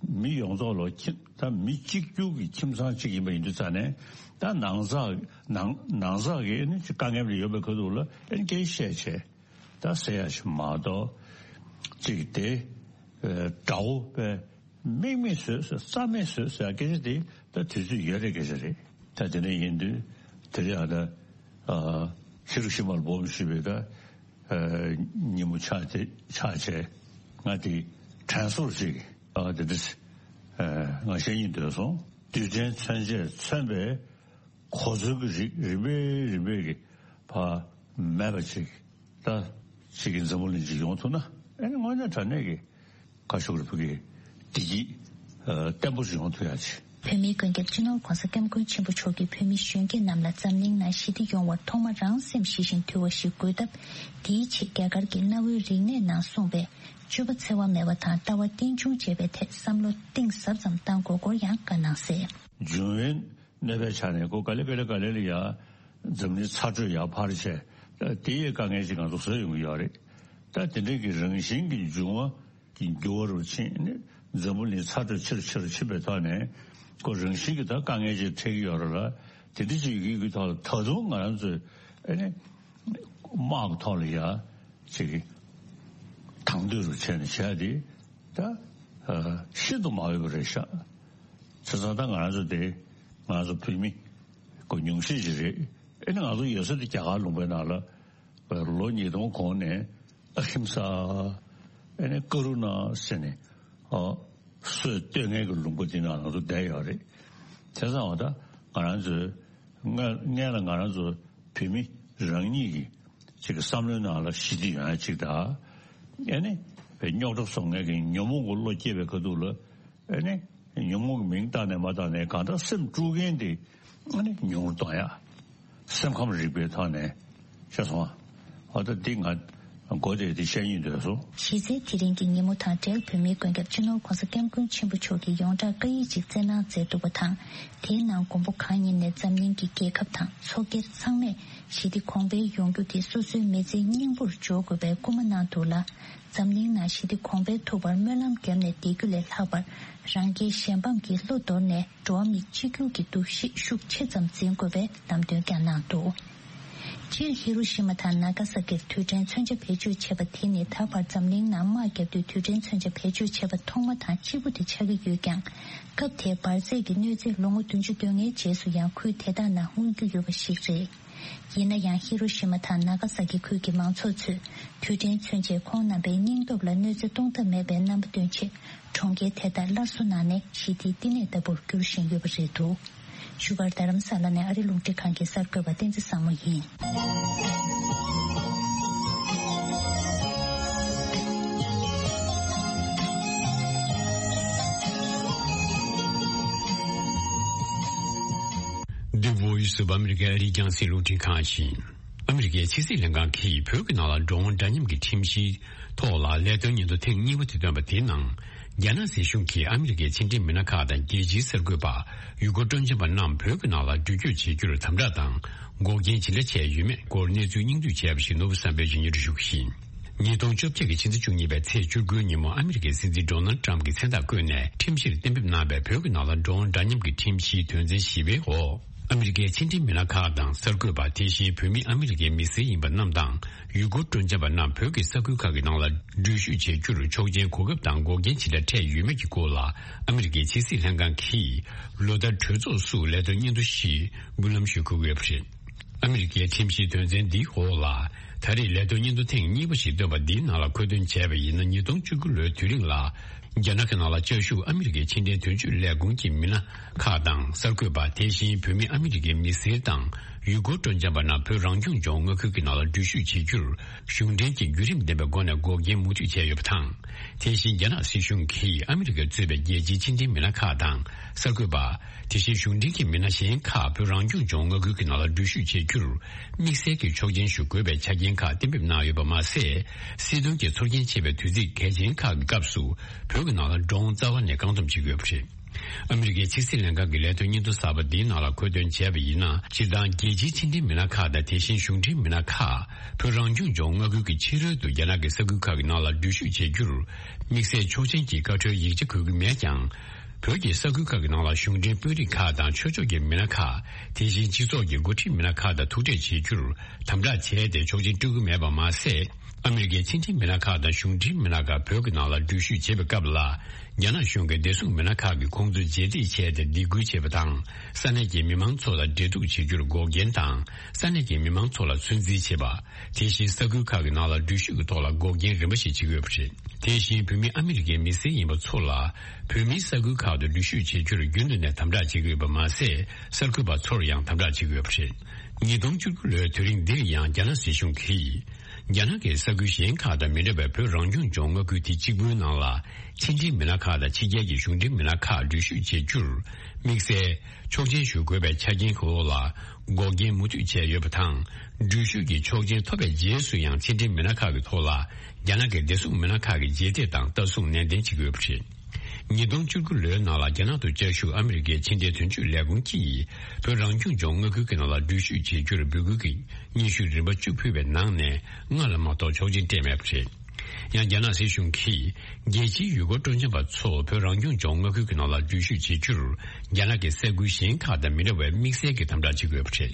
མི་ཡོངས་རྫོགས་ལ་ཁྱིམ། ད་མི་གཅིག་གྱུར་གྱི་ཁྱིམ་ཚང་གཅིག་ཡིན་པ་ཡིན་དུས་ཙང་ནས། ད་ནང་ཚགས། ནང་ནང་ཚགས་ཀྱི་ནི་དཀའ་ངལ་ཡོད་པའི་ཁ་ཐུག་ལ་ཨེ་སྐད་བཤད་བྱས། ད་ཟེར་ཡག་ཞིག་མ་གཏོགས། གཅིག་དེ། ཨ། དགྲ་བོ་པས། དམིགས་མེད་བཟོས་ཟེར། རྩ་མེད་བཟོས་ཟེར་སྐད་ཆ་དེ་ད་དུས་ཚོད་ཡོལ་བའི་སྐད་ཆ་རེད། ད་དེ་འདྲ་ཡིན་དུས་དེ་རིང་ཨ་ད། ཨ། ཧི་རོ་ཤི་མ་ལ་སྦོམ་ཞེས་པའི་ད། ཨ། ཉིན་མོ་ཆགས་དེ་ཆགས་བྱས། ང་དེ་དྲན་གསོ་ཞིག་ཨ་དེ་འདྲ། ཨ། ང་བཤད་སྙིང་འདོད་སོང་། དུས་དྲན་མཚོན་ཆས་མཚོན་པའི་གོ་མཚོན་གྱི་རིགས་རིམ་པས་རིམ་པས་ཀྱི་ཕར་མེད་པ་ཅིག་ད་ཅིག་གི་འཛམ་བུ་གླིང་ཅིག་ཡོང་ཐུབ་ན། ཨ་ནི་དངོས་གནས་དྲང་གནས་ཀྱི་བཀའ་ཤོག་རེ་ཕུལ་གྱི་བདེ་སྐྱིད་ཨ་བརྟན་པོ་ཞིག་ཡོང་ཐུབ་ཡ་ཆེད། བོད་མིའི་མགོན་སྐྱབས་སྤྱི་ནོར་༧གོང་ས་༧སྐྱབས་མགོན་ཆེན་པོ་མཆོག་གིས་བོད་མི་གཞོན་སྐྱེས་རྣམས་ལ་འཛམ་གླིང་ནང་ཞི་བདེ་ཡོང་བར་ཐོག་མར་རང་སེམས་ཞི་ཞིང་དུལ་བ་ཞིག་དགོས་སྟབས། དེའི་ཆེད་རྒྱ་གར་གྱི་གནའ་བོའི་རིག་གནས་ནང་གསུངས་པའི། སྤྱོད་པ་འཚེ་བ་མེད་པ་དང་ལྟ་བ་རྟེན་འབྱུང་བྱེད་པའི་ཐད་བསམ་བློ་གཏིང་ཟབ་ཙམ་གཏང་དགོས་སྐོར་ཡང་བཀའ་གནང་གསལ། འབྱུང་བའི་གནོད་པའི་ཆ་ནས་ཁོ་ག་ལེ་ག་ལེ་ག་ལེ་ལ་ཡ། འཛམ་གླིང་ཚ་དྲོད་ཡར་འཕར་བྱས། དེ་ཡི་དཀའ་ངལ་ཅིག་ང་ཚོ་བཟོ་ཡོང་གི་ཡོད་རེད། ད་དེ་འདྲ་གི་རང་བཞིན་གྱི་འབྱུང་བ་གི་འགྱུར་བ་རུ་ཕྱིན་ནས། འཛམ་བུ་གླིང་ཚ་དྲོད་ཆེ་རུ་ཆེ་རུ་ཕྱིན་པའི་ཐོག་ནས། ཁོ་རང་བཞིན་གྱི་ད་དཀའ་ངལ་ཅིག་འཕྲད་ཀྱི་ཡོད་རེད་ལ། དེ་འདྲ་ཅིག་ཡོད་ཀྱི་ཐོག་ལ་ད་དུང་ང་རང་ཚོས་ཨ་ནི་དམག་གི་ཐོག་ལ་ཡ་ཅིག་དང་དོད་རུ་བྱས་ནས་བྱས་ཏེ། ད་ཨ་ཤིན་ཏུ་མ་འོས་པ་རེད་ཤག་བྱས་ཙང་ད་ང་རང་ཚོ་དེ་ང་ཚོ་བོད་མི་ཁོ་ཉུང་ཤས་ཅིག་རེད། ཨ་ནི་ང་ཚོ་ཡོད་ས་དེ་རྒྱ་གར་ལུང་པའི་ནང་ལ་ལོ་ཉིས་སྟོང་གོང་ནས་ཨ་ཧིམ་ས། ཨ་ནི་ཀ་རུ་ན་ཟེར་ནས་ཨ་སྲོལ་གཏོད་མཁན་གྱི་ལུང་པ་དེ་ནང་ང་ཚོ་བསྡད་ཡོད་རེད། བྱས་ཙང་བ་ད་ང་རང་ཚོའི་སྔ་སྔན་ལ་ང་རང་ཚོ་བོད་མི་རང་ཉིད་ཀྱི་ཅིག་གི་བསམ་བློའི་ནང་ལ་ཞི་བདེ་ཡོང་ཡ་ཅིག་དང་། ཨ་ནི་རྙོག་དྲ་བཟོ་མཁན་གྱི་ཉོན་མོངས་ཀྱི་བློ་སྐྱེས་པའི་ཁ་ཐུག་ལ། ཨ་ནི་ཉོན་མོངས་ཀྱི་མིང་བཏགས་ནས་མ་བཏགས་ནས་གང་ལྟར་སེམས་དཀྲུག་མཁན་དེ་ཨ་ནི་ཉུང་རུ་གཏོང་ཡ། སེམས་ཁམས་རིག་པའི་ཐོག་ནས་ཤེས་སོང་ཨ། ཨ་ད་འདི་ང་མགོ་དེ་དེ་བཤད་སྙིང་འདོད་སོང་། གཞི་རྩའི་དེ་རིང་གི་ཉིན་མོ་དང་འབྲེལ་བོད་མིའི་མགོན་སྐྱབས་སྤྱི་ནོར་༧གོང་ས་༧སྐྱབས་མགོན་ཆེན་པོ་མཆོག་གིས་ཡོངས་གྲགས་བཀའ་ཡིག་ཅིག་བསྩལ་གནང་མཛད་འདུག་པ་དང་། དེའི་ནང་མགོན་པོ་གང་ཉིད་ནས་འཛམ་གླིང་གི་རྒྱལ་ཁབ་དང་ཚོགས་སྒེར་ཚང་མས་ཞི་བདེ་གོང་འཕེལ་ཡོང་རྒྱུ་དེ་སོ་སོའི་མི་ཚེའི་སྙིང་པོར་འཇོག་དགོས་པའི་སྐུལ་མ་གནང་འདུག་ལ། འཛམ་གླིང་ནང་ཞི་བདེ་གོང་འཕེལ་ཐུབ་པར་སྨོན་ལམ་བརྒྱབ་ནས་བསྡད་རྒྱུ་ལས་ལྷག་པར། རང་རྒྱལ་གཞན་ཕམ་གྱི་བློ་དོར་ནས་འགྲོ་བ་མི་གཅིག་གྱུར་གྱི་འདུ་ཤེས་ཤུགས་ཆེ་ཙམ་འཛིན་དགོས་པའི་ལམ་སྟོན་ཀྱང་གནང་འདུག་སྤྱིར་ཧི་རོ་ཤི་མ་དང་ན་ག་ས་ཀིར་དུས་དྲན་མཚོན་ཆ་བེད་སྤྱོད་བྱས་པ་དེ་ནི་ད་བར་འཛམ་གླིང་ནང་དམག་བརྒྱབ་དུས་དུས་དྲན་མཚོན་ཆ་བེད་སྤྱོད་བྱས་པ་ཐོག་མ་དང་གཅིག་པུ་དེ་ཆགས་ཀྱི་ཡོད་ཀྱང་། སྐབས་དེའི་འབར་རྫས་ཀྱི་གནོད་འཚེ་ལོ་ངོ་བདུན་ཅུ་དོན་ལྔའི་རྗེས་སུ་ཡང་ཁུལ་དེ་དག་ནང་མངོན་རྒྱུ་ཡོད་པ་ཞིག་རེད། ཡིན་ན་ཡང་ཧི་རོ་ཤི་མ་དང་ན་ག་ས་ཀི་ཁུལ་གྱི་མང་ཚོགས་ཚོས་དུས་དྲན་མཚོན་ཆས་ཁོང་རྣམ་པའི་སྙིང་སྟོབས་ལ་གནོད་འཚེ་གཏོང་ཐབས་མེད་པའི་རྣམ་པ་སྟོན་ཆེད། གྲོང་ཁྱེར་དེ་དག་སླར་གསོ་གནང་ནས་ཞི་བདེའི་བསྟི་གནས་ལྟ་བུར་འགྱུར་བཞིན་ཡོད་པ་རེད་འདུག་བཞུགས་སྒར་རྡ་རམ་ས་ལ་ནས་ཨ་རི་རླུང་འཕྲིན་ཁང་གི་གསར་འགོད་པ་བསྟན་འཛིན་བཟང་མོ་ཡིན། The Voice of America ཨ་རིའི་རྒྱང་སྲིང་རླུང་འཕྲིན་ཁང་ཡིན། ཨ་མི་རི་ཀའི་ཕྱི་སྲིད་ལྷན་ཁང་གིས་བོད་ཀྱི་ནང་ལ་འགྲོ་འོང་འདྲ་མཉམ་གྱི་ཁྲིམས་གཞིའི་ཐོག་ལ་ལས་དོན་སྙན་ཐོ་ཐེངས་གཉིས་པ་དེ་བཏོན་པ་དེའི་ནང་། རྒྱ་ནག་སྲིད་གཞུང་གིས་ཨ་མི་རི་ཀའི་ཕྱི་འབྲེལ་མི་སྣ་ཁག་དང་རྒྱལ་སྤྱིའི་གསར་འགོད་པ། ཡུལ་སྐོར་སྤྲོ་འཆམ་པ་རྣམས་བོད་ཀྱི་ནང་ལ་འགྲུལ་སྐྱོད་བྱེད་རྒྱུར་དམ་དྲག་དང་། འགོག་རྐྱེན་ཇི་འདྲ་བྱས་ཡོད་མེད་སྐོར་གནས་ཚུལ་སྙིང་བསྡུས་བྱས་པ་ཞིག་ནོར་བུ་བསམ་འཕེལ་གྱིས་སྙན་སྒྲོན་ཞུ་གི་ཡིན། ཉིས་སྟོང་བཅོ་བརྒྱད་ཀྱི་ཕྱི་ཟླ་བཅུ་གཉིས་པའི་ཚེས་བཅུ་དགུའི་ཉིན་མོ། ཨ་མི་རི་ཀའི་སྲིད་འཛིན་ཌོ་ནལ་ཌི་ཊརམ་ཕི་གྱིས་མཚན་རྟགས་བཀོད་ནས་ཁྲིམས་གཞིར་གཏན་འབེབས་གནང་བའི་བོད་ཀྱི་ནང་ལ་ཌྲོན་འདྲ་མཉམ་གྱི་ཁྲིམས་གཞིའི་དོན་ཚན་བཞི་པའི་འོག་ཨ་མི་རི་ཀའི་ཕྱི་འབྲེལ་མི་སྣ་ཁག་དང་གསར་འགོད་པ། དེ་བཞིན་བོད་མི་ཨ་མི་རི་ཀའི་མི་སེར་ཡིན་པ་རྣམས་དང་། ཡུལ་སྐོར་སྤྲོ་འཆམ་པ་རྣམས་བོད་ཀྱི་ས་ཁུལ་ཁག་གི་ནང་ལ་འགྲུལ་བཞུད་བྱེད་རྒྱུར་ཆོག་མཆན་གོ་སྐབས་དང་འགོག་རྐྱེན་ཇི་འདྲ་འཕྲད་ཡོད་མེད་ཀྱི་སྐོར་ལ། ཨ་མི་རི་ཀའི་ཕྱི་སྲིད་ལྷན་ཁང་གིས་ལོ་ལྟར་གྲོས་ཚོགས་སུ་ལས་དོན་སྙན་ཐོ་ཞིག་འབུལ་ལམ་ཞུ་དགོས་ཡོད་པ་རེད། ཨ་མི་རི་ཀའི་ཁྲིམས་གཞིའི་དོན་ཚན་འདིའི་འོག་ལ། ད་རེས་ལས་དོན་སྙན་ཐོ་ཐེངས་གཉིས་པ་ཞིག་བཏོན་པ་འདིའི་ནང་ལ་མཁོ་འདོན་བྱས་པ་ཡིན་ན། ཉིས་སྟོང་བཅུ་དགུ་ལོའི་དུས་རིང་ལ། རྒྱ་ནག་གི་ནང་ལ་བཅའ་བཞུགས་ཨ་མི་རི་ཀའི་ཕྱི་འབྲེལ་དོན་གཅོད་ལས་ཁུངས་ཀྱི་མི་སྣ་ཁག་དང་གསར་འགོད་པ། དེ་བཞིན་བོད་མི་ཨ་མི་རི་ཀའི་མི་སེར་དང་ཡུལ་སྐོར་སྤྲོ་འཆམ་པ་རྣམས་བོད་རང་སྐྱོང་ལྗོངས་མངའ་ཁུལ་གྱི་ནང་ལ་འགྲུལ་བཞུད་བྱེད་རྒྱུར། གཞུང་འབྲེལ་གྱི་བརྒྱུད་རིམ་ལྡན་པའི་སྒོ་ནས་འགོག་རྐྱེན་མུ་མཐུད་བྱས་ཡོད་པ་དང་། དེ་བཞིན་རྒྱ་ནག་སྲིད་གཞུང་གིས་ཨ་མི་རི་ཀར་གཙོས་པའི་རྒྱལ་སྤྱིའི་ཕྱི་འབྲེལ་མི་སྣ་ཁག་དང་གསར་འགོད་པ། དེ་བཞིན་གཞུང་འབྲེལ་གྱི་མི་སྣ་གཞན་ཁག་བོད་རང་སྐྱོང་ལྗོངས་མངའ་ཁུལ་གྱི་ནང་ལ་འགྲུལ་བཞུད་བྱེད་རྒྱུར། དམིགས་བསལ་གྱི་ཆོག་མཆན་ཞུ་དགོས་པའི་ཆ་རྐྱེན་ཁག་གཏན་འབེབས་གནང་ཡོད་པ་མ་ཟད། སྲིད་དོན་གྱི་ཚོར་སྐྱེན་ཆེ་བའི་དུས་ཚིགས་གལ་ཆེན་ཁག་གི་སྐབས་སུ། བོད་ཀྱི་ནང་ལ་ཌྲོན་རྩ་བ་ནས་བཀག་སྡོམ་བྱེད་དགོས་པ་རེད། ཨ་མི་རི་ཀའི་ཕྱི་སྲིད་ལྷན་ཁང་གི་ལས་དོན་སྙན་ཐོ་གསར་པ་འདིའི་ནང་ལ་མཁོ་འདོན་བྱས་པ་ཡིན་ན། སྤྱིར་བཏང་རྒྱལ་སྤྱིའི་ཕྱི་འབྲེལ་མི་སྣ་ཁག་དང་། དེ་བཞིན་གཞུང་འབྲེལ་མི་སྣ་ཁག་བོད་རང་སྐྱོང་ལྗོངས་མངའ་ཁུལ་གྱི་ཕྱི་རོལ་དུ་རྒྱ་ནག་གི་ས་ཁུལ་ཁག་གི་ནང་ལ་འགྲུལ་བཞུད་བྱེད་རྒྱུར། དམིགས་བསལ་ཆོག་མཆན་གྱི་བཀའ་འཁྲོལ་ཡིག་ཆ་དགོས་ཀྱི་མེད་ཀྱང་། བོད་ཀྱི་ས་ཁུལ་ཁག་གི་ནང་ལ་གཞུང་འབྲེལ་དཔོན་རིགས་ཁག་དང་ཆོས་ཕྱོགས་ཀྱི་མི་སྣ་ཁག་དེ་བཞིན་སྤྱི་ཚོགས་ཀྱི་འགོ་ཁྲིད་མི་སྣ་ཁག་དང་ཐུག་འཕྲད་བྱེད་རྒྱུར་དམ་དྲག་བྱས་ཏེ། ཆོག་མཆན་སྤྲོད་ཀྱི་མེད་པ་མ་ཟད། ཨ་མི་རི་ཀའི་ཕྱི་འབྲེལ་མི་སྣ་ཁག་དང་གཞུང་འབྲེལ་མི་སྣ་ཁག་བོད་ཀྱི་ནང་ལ་འགྲུལ་བཞུད་བྱེད་པའི་སྐབས་ལ། རྒྱ་ནག་གཞུང་གིས་བདེ་སྲུང་མི་སྣ་ཁག་གིས་ཁོང་ཚོར་རྗེས་འདེད་བྱས་ཏེ་སྡིགས་སྐུལ་བྱེད་པ་དང་། ས་གནས་ཀྱི་མི་མང་ཚོ་ལ་འབྲེལ་གཏུག་བྱེད་རྒྱུར་འགོག་རྐྱེན་དང་། ས་གནས་ཀྱི་མི་མང་ཚོ་ལ་ཚོད་འཛིན་བྱེད་པ། དེ་བཞིན་ས་ཁུལ་ཁག་གི་ནང་ལ་འགྲུལ་བཞུད་ཀྱི་ཐོག་ལ་འགོག་རྐྱེན་རིམ་པ་ཞིག་བྱེད་ཀྱི་ཡོད་པ་རེད། དེ་བཞིན་བོད་མི་ཨ་མི་རི་ཀའི་མི་སེར་ཡིན་པ་ཚོ་ལ། བོད་མིའི་ས་ཁུལ་ཁག་ཏུ་འགྲུལ་བཞུད་བྱེད་རྒྱུར་རྒྱུན་དུ་ནས་དམ་དྲག་བྱེད་ཀྱི་ཡོད་པ་མ་ཟད། གསར་འགོད་པ་ཚོར་ཡང་དམ་དྲག་བྱེད་ཀྱི་ཡོད་པ་རེད། ཉིས་སྟོང་བཅུ་དགུ་ལོའི་དུས་རིང་འདིར་ཡང་རྒྱ་ནག་སྲིད་གཞུང་གིས། རྒྱ་ནག་གི་ས་ཁུལ་གཞན་ཁག་དང་མི་འདྲ་བའི་བོད་རང་སྐྱོང་ལྗོངས་མངའ་ཁུལ་དེ་གཅིག་པུའི་ནང་ལ། ཕྱི་འབྲེལ་མི་སྣ་ཁག་དང་ཕྱི་རྒྱལ་གྱི་གཞུང་འབྲེལ་མི་སྣ་ཁག་འགྲུལ་བཞུད་བྱེད་རྒྱུར། དམིགས་བསལ་ཆོག་མཆན་ཞུ་དགོས་པའི་ཆ་རྐྱེན་གྱི་འོག་ལ། འགོག་རྐྱེན་མུ་མཐུད་བྱས་ཡོད་པ་དང་། འགྲུལ་བཞུད་ཀྱི་ཆོག་མཆན་ཐོབ་པའི་རྗེས་སུ་ཡང་ཕྱི་འབྲེལ་མི་སྣ་ཁག་གི་ཐོག་ལ། རྒྱ་ནག་གི་བདེ་སྲུང་མི་སྣ་ཁག་གིས་རྗེས་འདེད་དང་ལྟ་སྲུང་ནན་ཏན་བྱེད་ཀྱི་ཡོད་པ་རེད། ཉིས་སྟོང་བཅུ་དགུ་ལོའི་ནང་ལ་རྒྱ་ནག་ཏུ་བཅའ་བཞུགས་ཨ་མི་རི་ཀའི་ཕྱི་འབྲེལ་དོན་གཅོད་ལས་ཁུངས་ཀྱིས། བོད་རང་སྐྱོང་ལྗོངས་མངའ་ཁུལ་གྱི་ནང་ལ་འགྲུལ་བཞུད་བྱེད་རྒྱུར་འབོད་སྐུལ་གྱི་སྙན་ཞུ་རིམ་པ་བཅུ་ཕུལ་བའི་ནང་ནས། ལྔ་ལ་མ་གཏོགས་ཆོག་མཆན་སྤྲད་མེད་པ་རེད། ཡང་རྒྱ་ནག་སྲིད་གཞུང་གིས། རྒྱལ་སྤྱིའི་ཡུལ་སྐོར་སྤྲོ་འཆམ་པ་ཚོ་བོད་རང་སྐྱོང་ལྗོངས་མངའ་ཁུལ་གྱི་ནང་ལ་འགྲུལ་བཞུད་བྱེད་རྒྱུར། རྒྱ་ནག་གི་ས་ཁུལ་གཞན་ཁག་དང་མི་འདྲ་བའི་དམིགས་བསལ་གྱི་དམ་དྲག་བྱེད་དགོས་པ་རེད།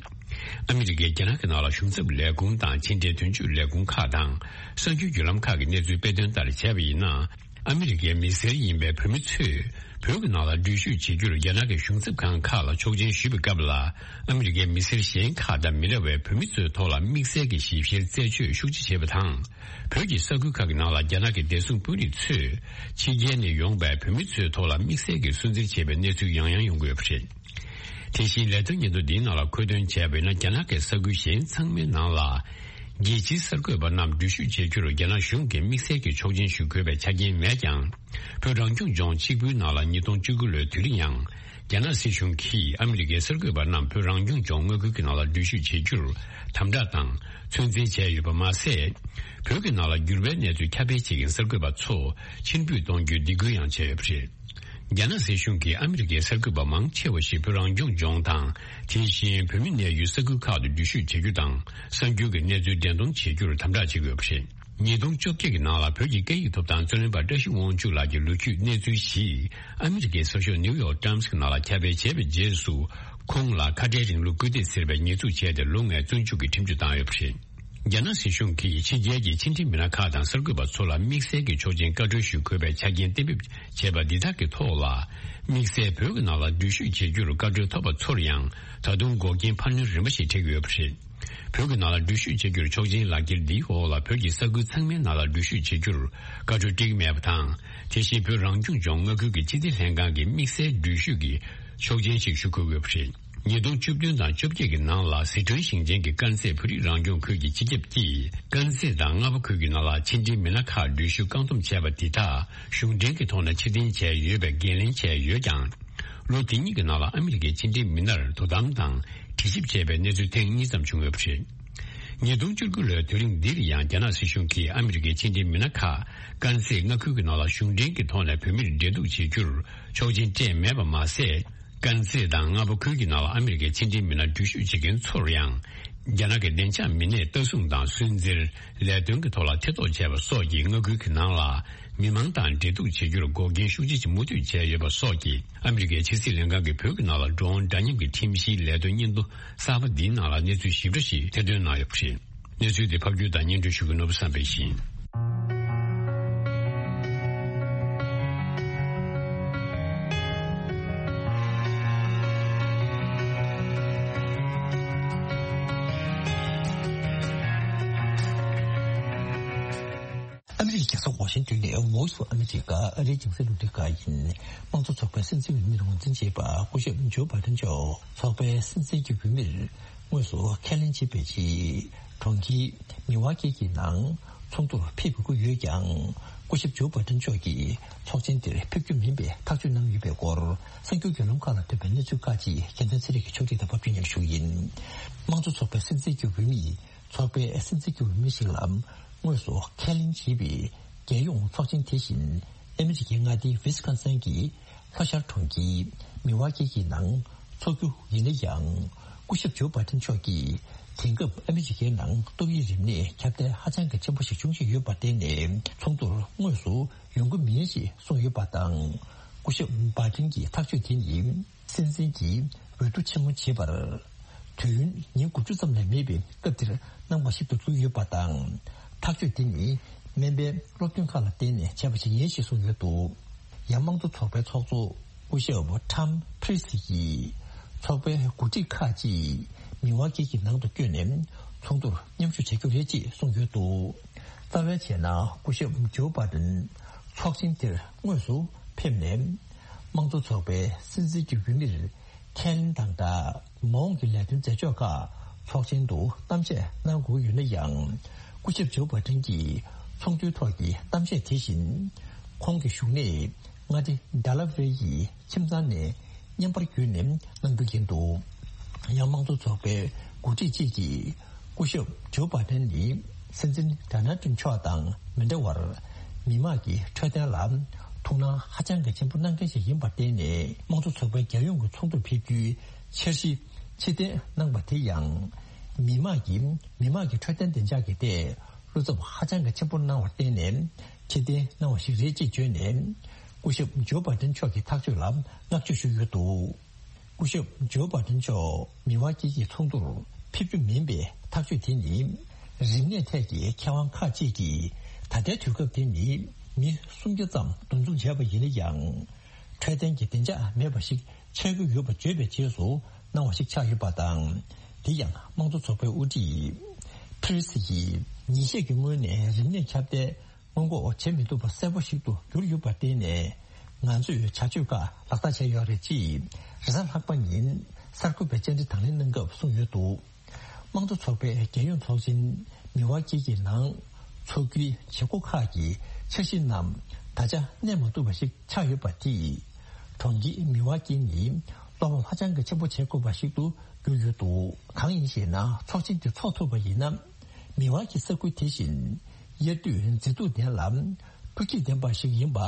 ཨ་མི་རི་ཀས་རྒྱ་ནག་གི་ནང་ལ་གཞུང་ཚབ་ལས་ཁུངས་དང་ཕྱི་འབྲེལ་དོན་གཅོད་ལས་ཁུངས་ཁག་དང་། གསར་འགྱུར་བརྒྱུད་ལམ་ཁག་གི་གནས་ཚུལ་སྤེལ་དོན་ལྟར་བྱས་པ་ཡིན་ན། ཨ་མི་རི་ཀའི་མི་སེར་ཡིན་པའི་བོད་མི་ཚོས། བོད་ཀྱི་ནང་ལ་འགྲུལ་བཞུད་བྱེད་རྒྱུར་རྒྱ་ནག་གི་གཞུང་ཚབ་ཁང་ཁག་ལ་ཆོག་མཆན་ཞུས་པའི་སྐབས་ལ། ཨ་མི་རི་ཀའི་མི་སེར་གཞན་ཁག་དང་མི་འདྲ་བའི་བོད་མི་ཚོའི་ཐོག་ལ་དམིགས་བསལ་གྱི་ཞིབ་བཤེར་རྩད་གཅོད་ཤུགས་ཆེ་བྱེད་པ་དང་། བོད་ཀྱི་ས་ཁུལ་ཁག་གི་ནང་ལ་རྒྱ་ནག་གི་བདེ་སྲུང་དཔོན་རིགས་ཚོས། ཕྱི་རྒྱལ་ནས་ཡོང་པའི་བོད་མི་ཚོའི་ཐོག་ལ་དམིགས་བསལ་གྱི་སུན་གཙེར་བྱེད་པའི་གནས་ཚུལ་ཡང་ཡང་ཡོང་གི་ཡོད་པ་རེད། དེ་བཞིན་ལས་དོན་སྙན་ཐོ་འདིའི་ནང་ལ་མཁོ་འདོན་བྱས་པ་ཡིན་ན། རྒྱ་ནག་གི་ས་ཁུལ་གཞན་ཚང་མའི་ནང་ལ། རྒྱལ་སྤྱིའི་གསར་འགོད་པ་རྣམས་འགྲུལ་བཞུད་བྱེད་རྒྱུར་རྒྱ་ནག་གཞུང་གིས་དམིགས་བསལ་གྱི་ཆོག་མཆན་ཞུ་དགོས་པའི་ཆ་རྐྱེན་མེད་ཀྱང་། བོད་རང་སྐྱོང་ལྗོངས་གཅིག་པུའི་ནང་ལ་ཉིས་སྟོང་བཅུ་དགུ་ལོའི་དུས་རིང་ཡང་། རྒྱ་ནག་སྲིད་གཞུང་གིས་ཨ་མི་རི་ཀའི་གསར་འགོད་པ་རྣམས་བོད་རང་སྐྱོང་ལྗོངས་མངའ་ཁུལ་གྱི་ནང་ལ་འགྲུལ་བཞུད་བྱེད་རྒྱུར་དམ་དྲག་དང་ཚོད་འཛིན་བྱས་ཡོད་པ་མ་ཟད། བོད་ཀྱི་ནང་ལ་འགྱུར་བའི་གནས་ཚུལ་ཁྱབ་སྤེལ་བྱེད་མཁན་གསར་འགོད་པ་ཚོ་ཕྱིར་འབུད་གཏོང་རྒྱུའི་སྡིགས་སྐུལ་ཡང་བྱས་ཡོད་པ་རེད། རྒྱ་ནག་སྲིད་གཞུང་གིས་ཨ་མི་རི་ཀའི་གསར་འགོད་པ་མང་ཆེ་བ་ཞིག་བོད་རང་སྐྱོང་ལྗོངས་དང་། དེ་བཞིན་བོད་མི་གནས་ཡུལ་ས་ཁུལ་ཁག་ཏུ་འགྲུལ་བཞུད་བྱེད་རྒྱུ་དང་། གསར་འགྱུར་གྱི་གནས་ཚུལ་འགྲེམས་སྟོན་བྱེད་རྒྱུར་དམ་དྲག་བྱེད་དགོས་པ་རེད། ཉིས་སྟོང་བཅོ་བརྒྱད་ཀྱི་ནང་ལ་བོད་ཀྱི་སྐད་ཡིག་ཐོབ་ཐང་རྩོད་ལེན་པ་བཀྲ་ཤིས་དབང་ཕྱུག་ལགས་ཀྱི་ལོ་རྒྱུས་གནས་ཚུལ་ཞིག་ཨ་མི་རི་ཀའི་གསར་ཤོག་ནིའུ་ཡོག་ཊའིམ་སི་གི་ནང་ལ་ཁྱབ་སྤེལ་བྱས་པའི་རྗེས་སུ། ཁོང་ལ་ཁ་བྲལ་རིང་ལུགས་སྐུལ་འདེད་ཟེར་བའི་ཉེས་འཛུགས་བྱས་ཏེ་ལོ་ལྔའི་བཙོན་འཇུག་གི་ཁྲིམས་གཅོད་བཏང་ཡོད་པ་རེད། རྒྱ་ནག་སྲིད་གཞུང་གིས་ཕྱི་རྒྱལ་གྱི་ཕྱི་འབྲེལ་མི་སྣ་ཁག་དང་གསར་འགོད་པ་ཚོ་ལ་དམིགས་བསལ་གྱི་ཆོག་མཆན་བཀའ་འཁྲོལ་ཞུ་དགོས་པའི་ཆ་རྐྱེན་གཏན་འབེབས་བྱས་པ་འདི་དག་གི་ཐོག་ལ། དམིགས་བསལ་བོད་ཀྱི་ནང་ལ་འགྲུལ་བཞུད་བྱེད་རྒྱུར་བཀའ་འཁྲོལ་ཐོབ་པ་ཚོར་ཡང་ད་དུང་འགོག་རྐྱེན་འཕར་སྣོན་རིམ་པ་ཞིག་འཕྲད་ཀྱི་ཡོད་པ་རེད། བོད་ཀྱི་ནང་ལ་འགྲུལ་བཞུད་བྱེད་རྒྱུར་ཆོག་མཆན་ལག་འཁྱེར་འདིའི་འོག་ལ་བོད་ཀྱི་ས་ཁུལ་ཚང་མའི་ནང་ལ་འགྲུལ་བཞུད་བྱེད་རྒྱུར་བཀའ་འཁྲོལ་སྤྲད་ཀྱི་མེད་པ་དང་། དེ་བཞིན་བོད་རང་སྐྱོང་ལྗོངས་མངའ་ཁུལ་གྱི་ཕྱི་སྲིད་ལྷན་ཁང་གིས་དམིགས་བསལ་འགྲུལ་བཞུད་ཀྱི་ཆོག་མཆན་ཞིག་ཞུ་དགོས་ཡོད་པ་རེད། ཉིས་སྟོང་བཅུ་བདུན་དང་བཅོ་བརྒྱད་ཀྱི་ནང་ལ་ཟི་ཁྲོན་ཞིང་ཆེན་གྱི་དཀར་མཛེས་བོད་རིགས་རང་སྐྱོང་ཁུལ་གྱི་སྤྱི་ཁྱབ་ཀྱིས་དཀར་མཛེས་དང་རྔ་པ་ཁུལ་གྱི་ནང་ལ་ཕྱི་འབྲེལ་མི་སྣ་ཁག་འགྲུལ་བཞུད་བཀག་སྡོམ་བྱས་པ་དེ་དག་གཞུང་འབྲེལ་གྱི་ཐོག་ནས་ཕྱིར་འཐེན་བྱས་ཡོད་པའི་འགན་ལེན་བྱས་ཡོད་ཀྱང་། ལོ་དེ་གཉིས་ཀྱི་ནང་ལ་ཨ་མི་རི་ཀའི་ཕྱི་འབྲེལ་མི་སྣར་དོ་དམ་དང་དྲི་ཞིབ་བྱས་པའི་གནས་ཚུལ་ཐེངས་གཉིས་ཙམ་བྱུང་ཡོད་པ་རེད། ཉིས་སྟོང་བཅུ་དགུ་ལོའི་དུས་རིང་འདིར་ཡང་རྒྱ་ནག་སྲིད་གཞུང་གིས་ཨ་མི་རི་ཀའི་ཕྱི་འབྲེལ་མི་སྣ་ཁག་དཀར་མཛེས་མངའ་ཁུལ་གྱི་ནང་ལ་གཞུང་འབྲེལ་གྱི་ཐོག་ནས་བོད་མིར་འབྲེལ་གཏུག་བྱེད་རྒྱུར་ཆོག་མཆན་སྤྲད་མེད་པ་མ་ཟད། དཀར་མཛེས་དང་རྔ་པ་ཁུལ་གྱི་ནང་ལ་ཨ་མི་རི་ཀའི་ཕྱི་འབྲེལ་མི་སྣ་འགྲུལ་བཞུད་བྱེད་མཁན་ཚོར་ཡང་ རྒྱ་ནག་གི་བདེ་འཇགས་མི་སྣས་ལྟ་སྲུང་དང་སུན་གཙེར། ལས་དོན་གྱི་ཐོག་ལ་ཐེ་གཏོགས་བྱས་པ་སོགས་ཀྱི་མངའ་ཁུལ་གྱི་ནང་ལ་མི་མང་དང་འབྲེལ་གཏུག་བྱེད་རྒྱུར་འགོག་རྐྱེན་ཤུགས་ཆེ་ཞིག་མུ་མཐུད་བྱས་ཡོད་པ་སོགས་ཀྱིས་ཨ་མི་རི་ཀའི་ཕྱི་སྲིད་ལྷན་ཁང་གིས་བོད་ཀྱི་ནང་ལ་འགྲོ་འོང་འདྲ་མཉམ་གྱི་ཁྲིམས་གཞིའི་ལས་དོན་སྙན་ཐོ་གསར་པ་འདིའི་ནང་ལ་གནས་ཚུལ་ཞིབ་ཕྲ་ཞིག་ཐེར་འདོན་གནང་ཡོད་པ་རེད། གནས་ཚུལ་དེ་ཕབ་སྒྱུར་དང་སྙན་སྒྲོན་ཞུ་མཁན་ནོར་བུ་བསམ་འཕེལ་ཡིན། ཨ་མི་རི་ཀའི་རྒྱལ་ས་ཝ་ཤིང་ཏོན་ནས་Voice of America ཨ་རིའི་རྒྱང་སྲིང་རླུང་འཕྲིན་ཁང་ཡིན། དམངས་གཙོ་ཚོགས་པའི་སྲིད་འཛིན་འོས་མིར་ངོས་འཛིན་བྱས་པ་སྐུ་ཞབས་ཇོ་བྷ་ཏན་མཆོག་ཚོགས་པའི་སྲིད་འཛིན་གྱི་འོས་མིར་དངོས་སུ་ཁས་ལེན་བྱེད་པའི་ཆེད་གྲོང་ཁྱེར་མི་ཝ་ཀི་གི་ནང་ཚོགས་འདུར་ཕེབས་དགོས་ཀྱི་ཡོད་ཀྱང་། སྐུ་ཞབས་ཇོ་བྷ་ཏན་མཆོག་གིས་ཚོགས་ཆེན་དེར་ཕེབས་རྒྱུ་མིན་པའི་ཐག་གཅོད་གནང་ཡོད་པའི་སྐོར་གསར་འགྱུར་བརྒྱུད་ལམ་ཁག་ལ་ཐོན་པའི་གནས་ཚུལ་ཁག་ཅིག་རྒྱལ་མཚན་ཚེ་རིང་གིས་ཕྱོགས་སྒྲིག་དང་ཕབ་སྒྱུར་སྙན་ཞུ་ཡིན། དམངས་གཙོ་ཚོགས་པའི་སྲིད་འཛིན་གྱི་འོས་མི་ཚོགས་པའི་སྲིད་འཛིན་གྱི་འོས་མི་ཞིག་ལ་དངོས་སུ་ཁས་ལེན་བྱས་པའི་རྒྱལ་ཡོངས་ཚོགས་ཆེན་དེ་བཞིན་ཨ་མི་རི་ཀའི་མངའ་སྡེ་ཝི་སི་ཀོན་སིན་གྱི་ལྷོ་ཤར་གྲོང་ཁྱེར་མི་ཝ་ཀི་གི་ནང་འཚོགས་རྒྱུ་ཡིན་ན་ཡང་། སྐུ་ཞབས་ཇོ་བྷ་ཏན་མཆོག་གིས་དེང་སྐབས་ཨ་མི་རི་ཀའི་ནང་ཏོག་དབྱིབས་རིམས་ནད་ཁྱབ་གདལ་ཧ་ཅང་གི་ཆེན་པོ་ཞིག་འབྱུང་བཞིན་ཡོད་པར་བརྟེན་ནས་ཚོགས་འདུར་དངོས་སུ་ཡོང་གི་མིན་ཞེས་གསུངས་ཡོད་པ་དང་། སྐུ་ཞབས་བྷ་ཏན་གྱི་ཐག་གཅོད་དེ་ནི། སྲིད་འཛིན་གྱི་འོས་བསྡུ་ཆེན་མོ་བྱེད་པར། དུས་ཡུན་ཉིན་དགུ་བཅུ་ཙམ་ལས་མེད་པའི་སྐབས་དེར་གནང་བ་ཞིག་ཏུ་བརྩིས་ཡོད་པ་དང་། ཐག་གཅོད་དེ་ནི་སྨན་པའི་སློབ་སྟོན་ཁག་ལ་བརྟེན་ནས་བྱས་པ་ཞིག་ཡིན་ཞེས་གསུངས་ཡོད་འདུག་ཡང་དམངས་གཙོ་ཚོགས་པའི་ཚོགས་གཙོ་སྐུ་ཞབས་ཊམ་ཕི་རི་སི་ཡིས། ཚོགས་པའི་འགོ་ཁྲིད་ཁག་ཅིག་མི་ཝ་ཀི་གི་ནང་དུ་བསྐྱོད་ནས་ཚོགས་འདུར་མཉམ་ཞུགས་བྱ་རྒྱུ་རེད་ཅེས་གསུངས་ཡོད་འདུག་རྩ་བའི་ཆ་ནས་སྐུ་ཞབས་ཇོ་བྷ་ཏན་ཚོགས་ཆེན་དེར་དངོས་སུ་ཕེབས་ནས། དམངས་གཙོ་ཚོགས་པའི་སྲིད་འཛིན་གྱི་འོས་མིར་ཁས་ལེན་དང་སྦྲགས། མ་འོངས་ཀྱི་ལས་དོན་མཛད་ཕྱོགས་ཁག་ཚོགས་ཆེན་དུ་གཏམ་བཤད་གནང་དགོས་ཡོད་ན་ཡང་། སྐུ་ཞབས་ཇོ་བྷ་ཏན་གྱིས་ཚོགས་འདུའི་ཐོག་གི་གཏམ་བཤད་དེ་བཞིན། ཁོང་གི་བཞུགས་གནས་མངའ་སྡེ་ཌེ་ལ་ཝེར་ཡི་ཁྱིམ་ཚང་ནས་བརྙན་པར་བརྒྱུད་ནས་གནང་རྒྱུ་ཡིན་འདུག་ཡང་དམངས་གཙོ་ཚོགས་པའི་འགོ་ཁྲིད་ཅིག་གིས། སྐུ་ཞབས་ཇོ་བྷ་ཏན་ནི་སྲིད་འཛིན་ཌོ་ནལ་ཊམ་མཆོག་དང་མི་འདྲ་བར། མི་དམངས་ཀྱི་འཕྲོད་བསྟེན་ལ་ཐུགས་སྣང་ཧ་ཅང་གི་ཆེན་པོ་གནང་མཁན་ཞིག་ཡིན་པར་བརྟེན་ནས། དམངས་གཙོ་ཚོགས་པའི་རྒྱལ་ཡོངས་ཀྱི་ཚོགས་འདུར་ཕེབས་རྒྱུའི་འཆར་གཞི་ཕྱིར་འཐེན་གནང་པ་དེ་ཡང་། མི་དམངས་ཀྱི་མི་དམངས་ཀྱི་འཕྲོད་བསྟེན་བདེ་འཇགས་ཀྱི་ཐད་བློ་འཚབ་ཧ་ཅང་གི་ཆེན་པོ་གནང་བར་བརྟེན་ནས་ཕྱིར་འཐེན་གནང་བ་ཞིག་རེད་ཅེས་བརྗོད་ནས། སྐུ་ཞབས་ཇོ་བྷ་ཏན་མཆོག་གི་ཐག་གཅོད་ལ་བསྔགས་བརྗོད་ཞུས་ཡོད་འདུག་སྐུ་ཞབས་ཇོ་བྷ་ཏན་མཆོག་མི་དབང་སྐྱིད་ཀྱི་ཚོགས་འདུར་ཕེབས་རྒྱུ་མིན་པའི་ཐག་གཅོད་དེ་ནི། རིམས་ནད་ཐད་ཀྱི་མཁས་དབང་ཁག་ཅིག་གིས་ད་ལྟའི་དུས་སྐབས་དེ་ནི་མི་སུམ་བརྒྱ་ཙམ་འདུ་འཛོམས་བྱས་པ་ཡིན་ན་ཡང་། འཕྲོད་བསྟེན་གྱི་བདེ་འཇགས་མེད་པ་ཞིག་ཆགས་ཀྱི་ཡོད་པ་བརྗོད་པའི་རྗེས་སུ་གནང་བ་ཞིག་ཆགས་ཡོད་པ་དང་། དེ་ཡང་དམངས་གཙོ་ཚོགས་པའི་དབུ་ཁྲིད་ཕི་རི་སི་ཡིས་ཉིན་ཤས་ཀྱི་སྔོན་ནས་རིམས་ནད་ཁྱབ་གདལ། སྔོན་འགོག་བྱེད་མི་ཐུབ་པ་གསལ་པོ་ཞིག་ཏུ་གྱུར་ཡོད་པར་བརྟེན་ནས། ང་ཚོས་བྱ་སྤྱོད་ཁག་ལག་བསྟར་བྱས་ཡོད་རེད་ཅེས་རེས་གཟའ་ལྷག་པ་ཉིན་གསར་འགོད་པས་བཅར་འདྲི་དང་ལེན་གནང་སྐབས་གསུངས་ཡོད་འདུག་དམངས་གཙོ་ཚོགས་པའི་རྒྱལ་ཡོངས་ཚོགས་ཆེན་མི་དབང་སྐྱིད་ཀྱི་ནང་འཚོགས་རྒྱུའི་བྱེད་སྒོ་ཁག་གི་འཆར་གཞི་རྣམས་ད་ཆ་གནས་མ་ཐུབ་པ་ཞིག་ཆགས་ཡོད་པ་དེས། གྲོང་ཁྱེར་མི་དབང་སྐྱིད་ནི་བློ་ཕམ་ཧ་ཅང་གི་ཆེན་པོ་བྱེད་དགོས་པ་ཞིག་ཏུ་གྱུར་ཡོད་འདུག་གང་ཡིན་ཞེ་ན། ཚོགས་ཆེན་དེ་འཚོགས་ཐུབ་པ་ཡིན་ན། མི་དབང་གི་ས་ཁུལ་དེ་བཞིན་དབྱར་དུས་མཛེས་སྡུག་ལྡན་ལ་སྤུས་ཚད་ལྡན་པ་ཞིག་ཡིན་པ།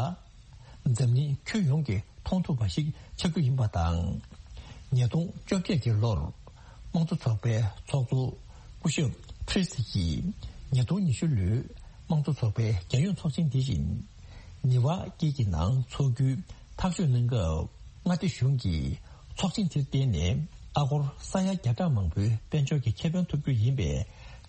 འཛམ་གླིང་ཁྱོན་ཡོངས་ཀྱིས་མཐོང་ཐུབ་པ་ཞིག་ཆགས་རྒྱུ་ཡིན་པ་དང་། ཉིས་སྟོང་བཅོ་བརྒྱད་ཀྱི་ལོར་དམངས་གཙོ་ཚོགས་པའི་ཚོགས་གཙོ་སྐུ་ཞབས་ཕི་རི་སི་ཡིས་ཉིས་སྟོང་ཉི་ཤུ་ལོའི་དམངས་གཙོ་ཚོགས་པའི་རྒྱལ་ཡོངས་ཚོགས་ཆེན་དེ་བཞིན་མི་དབང་སྐྱིད་ཀྱི་ནང་འཚོགས་རྒྱུའི་ཐག་གཅོད་གནང་སྐབས། མངའ་སྡེ་གཞུང་གིས་ཚོགས་ཆེན་དེར་བརྟེན་ནས་ཨ་སྒོར་ས་ཡ་བརྒྱ་ཕྲག་མང་པོའི་དཔལ་འབྱོར་གྱི་ཁེ་ཕན་ཐོབ་རྒྱུ་ཡིན་པའི་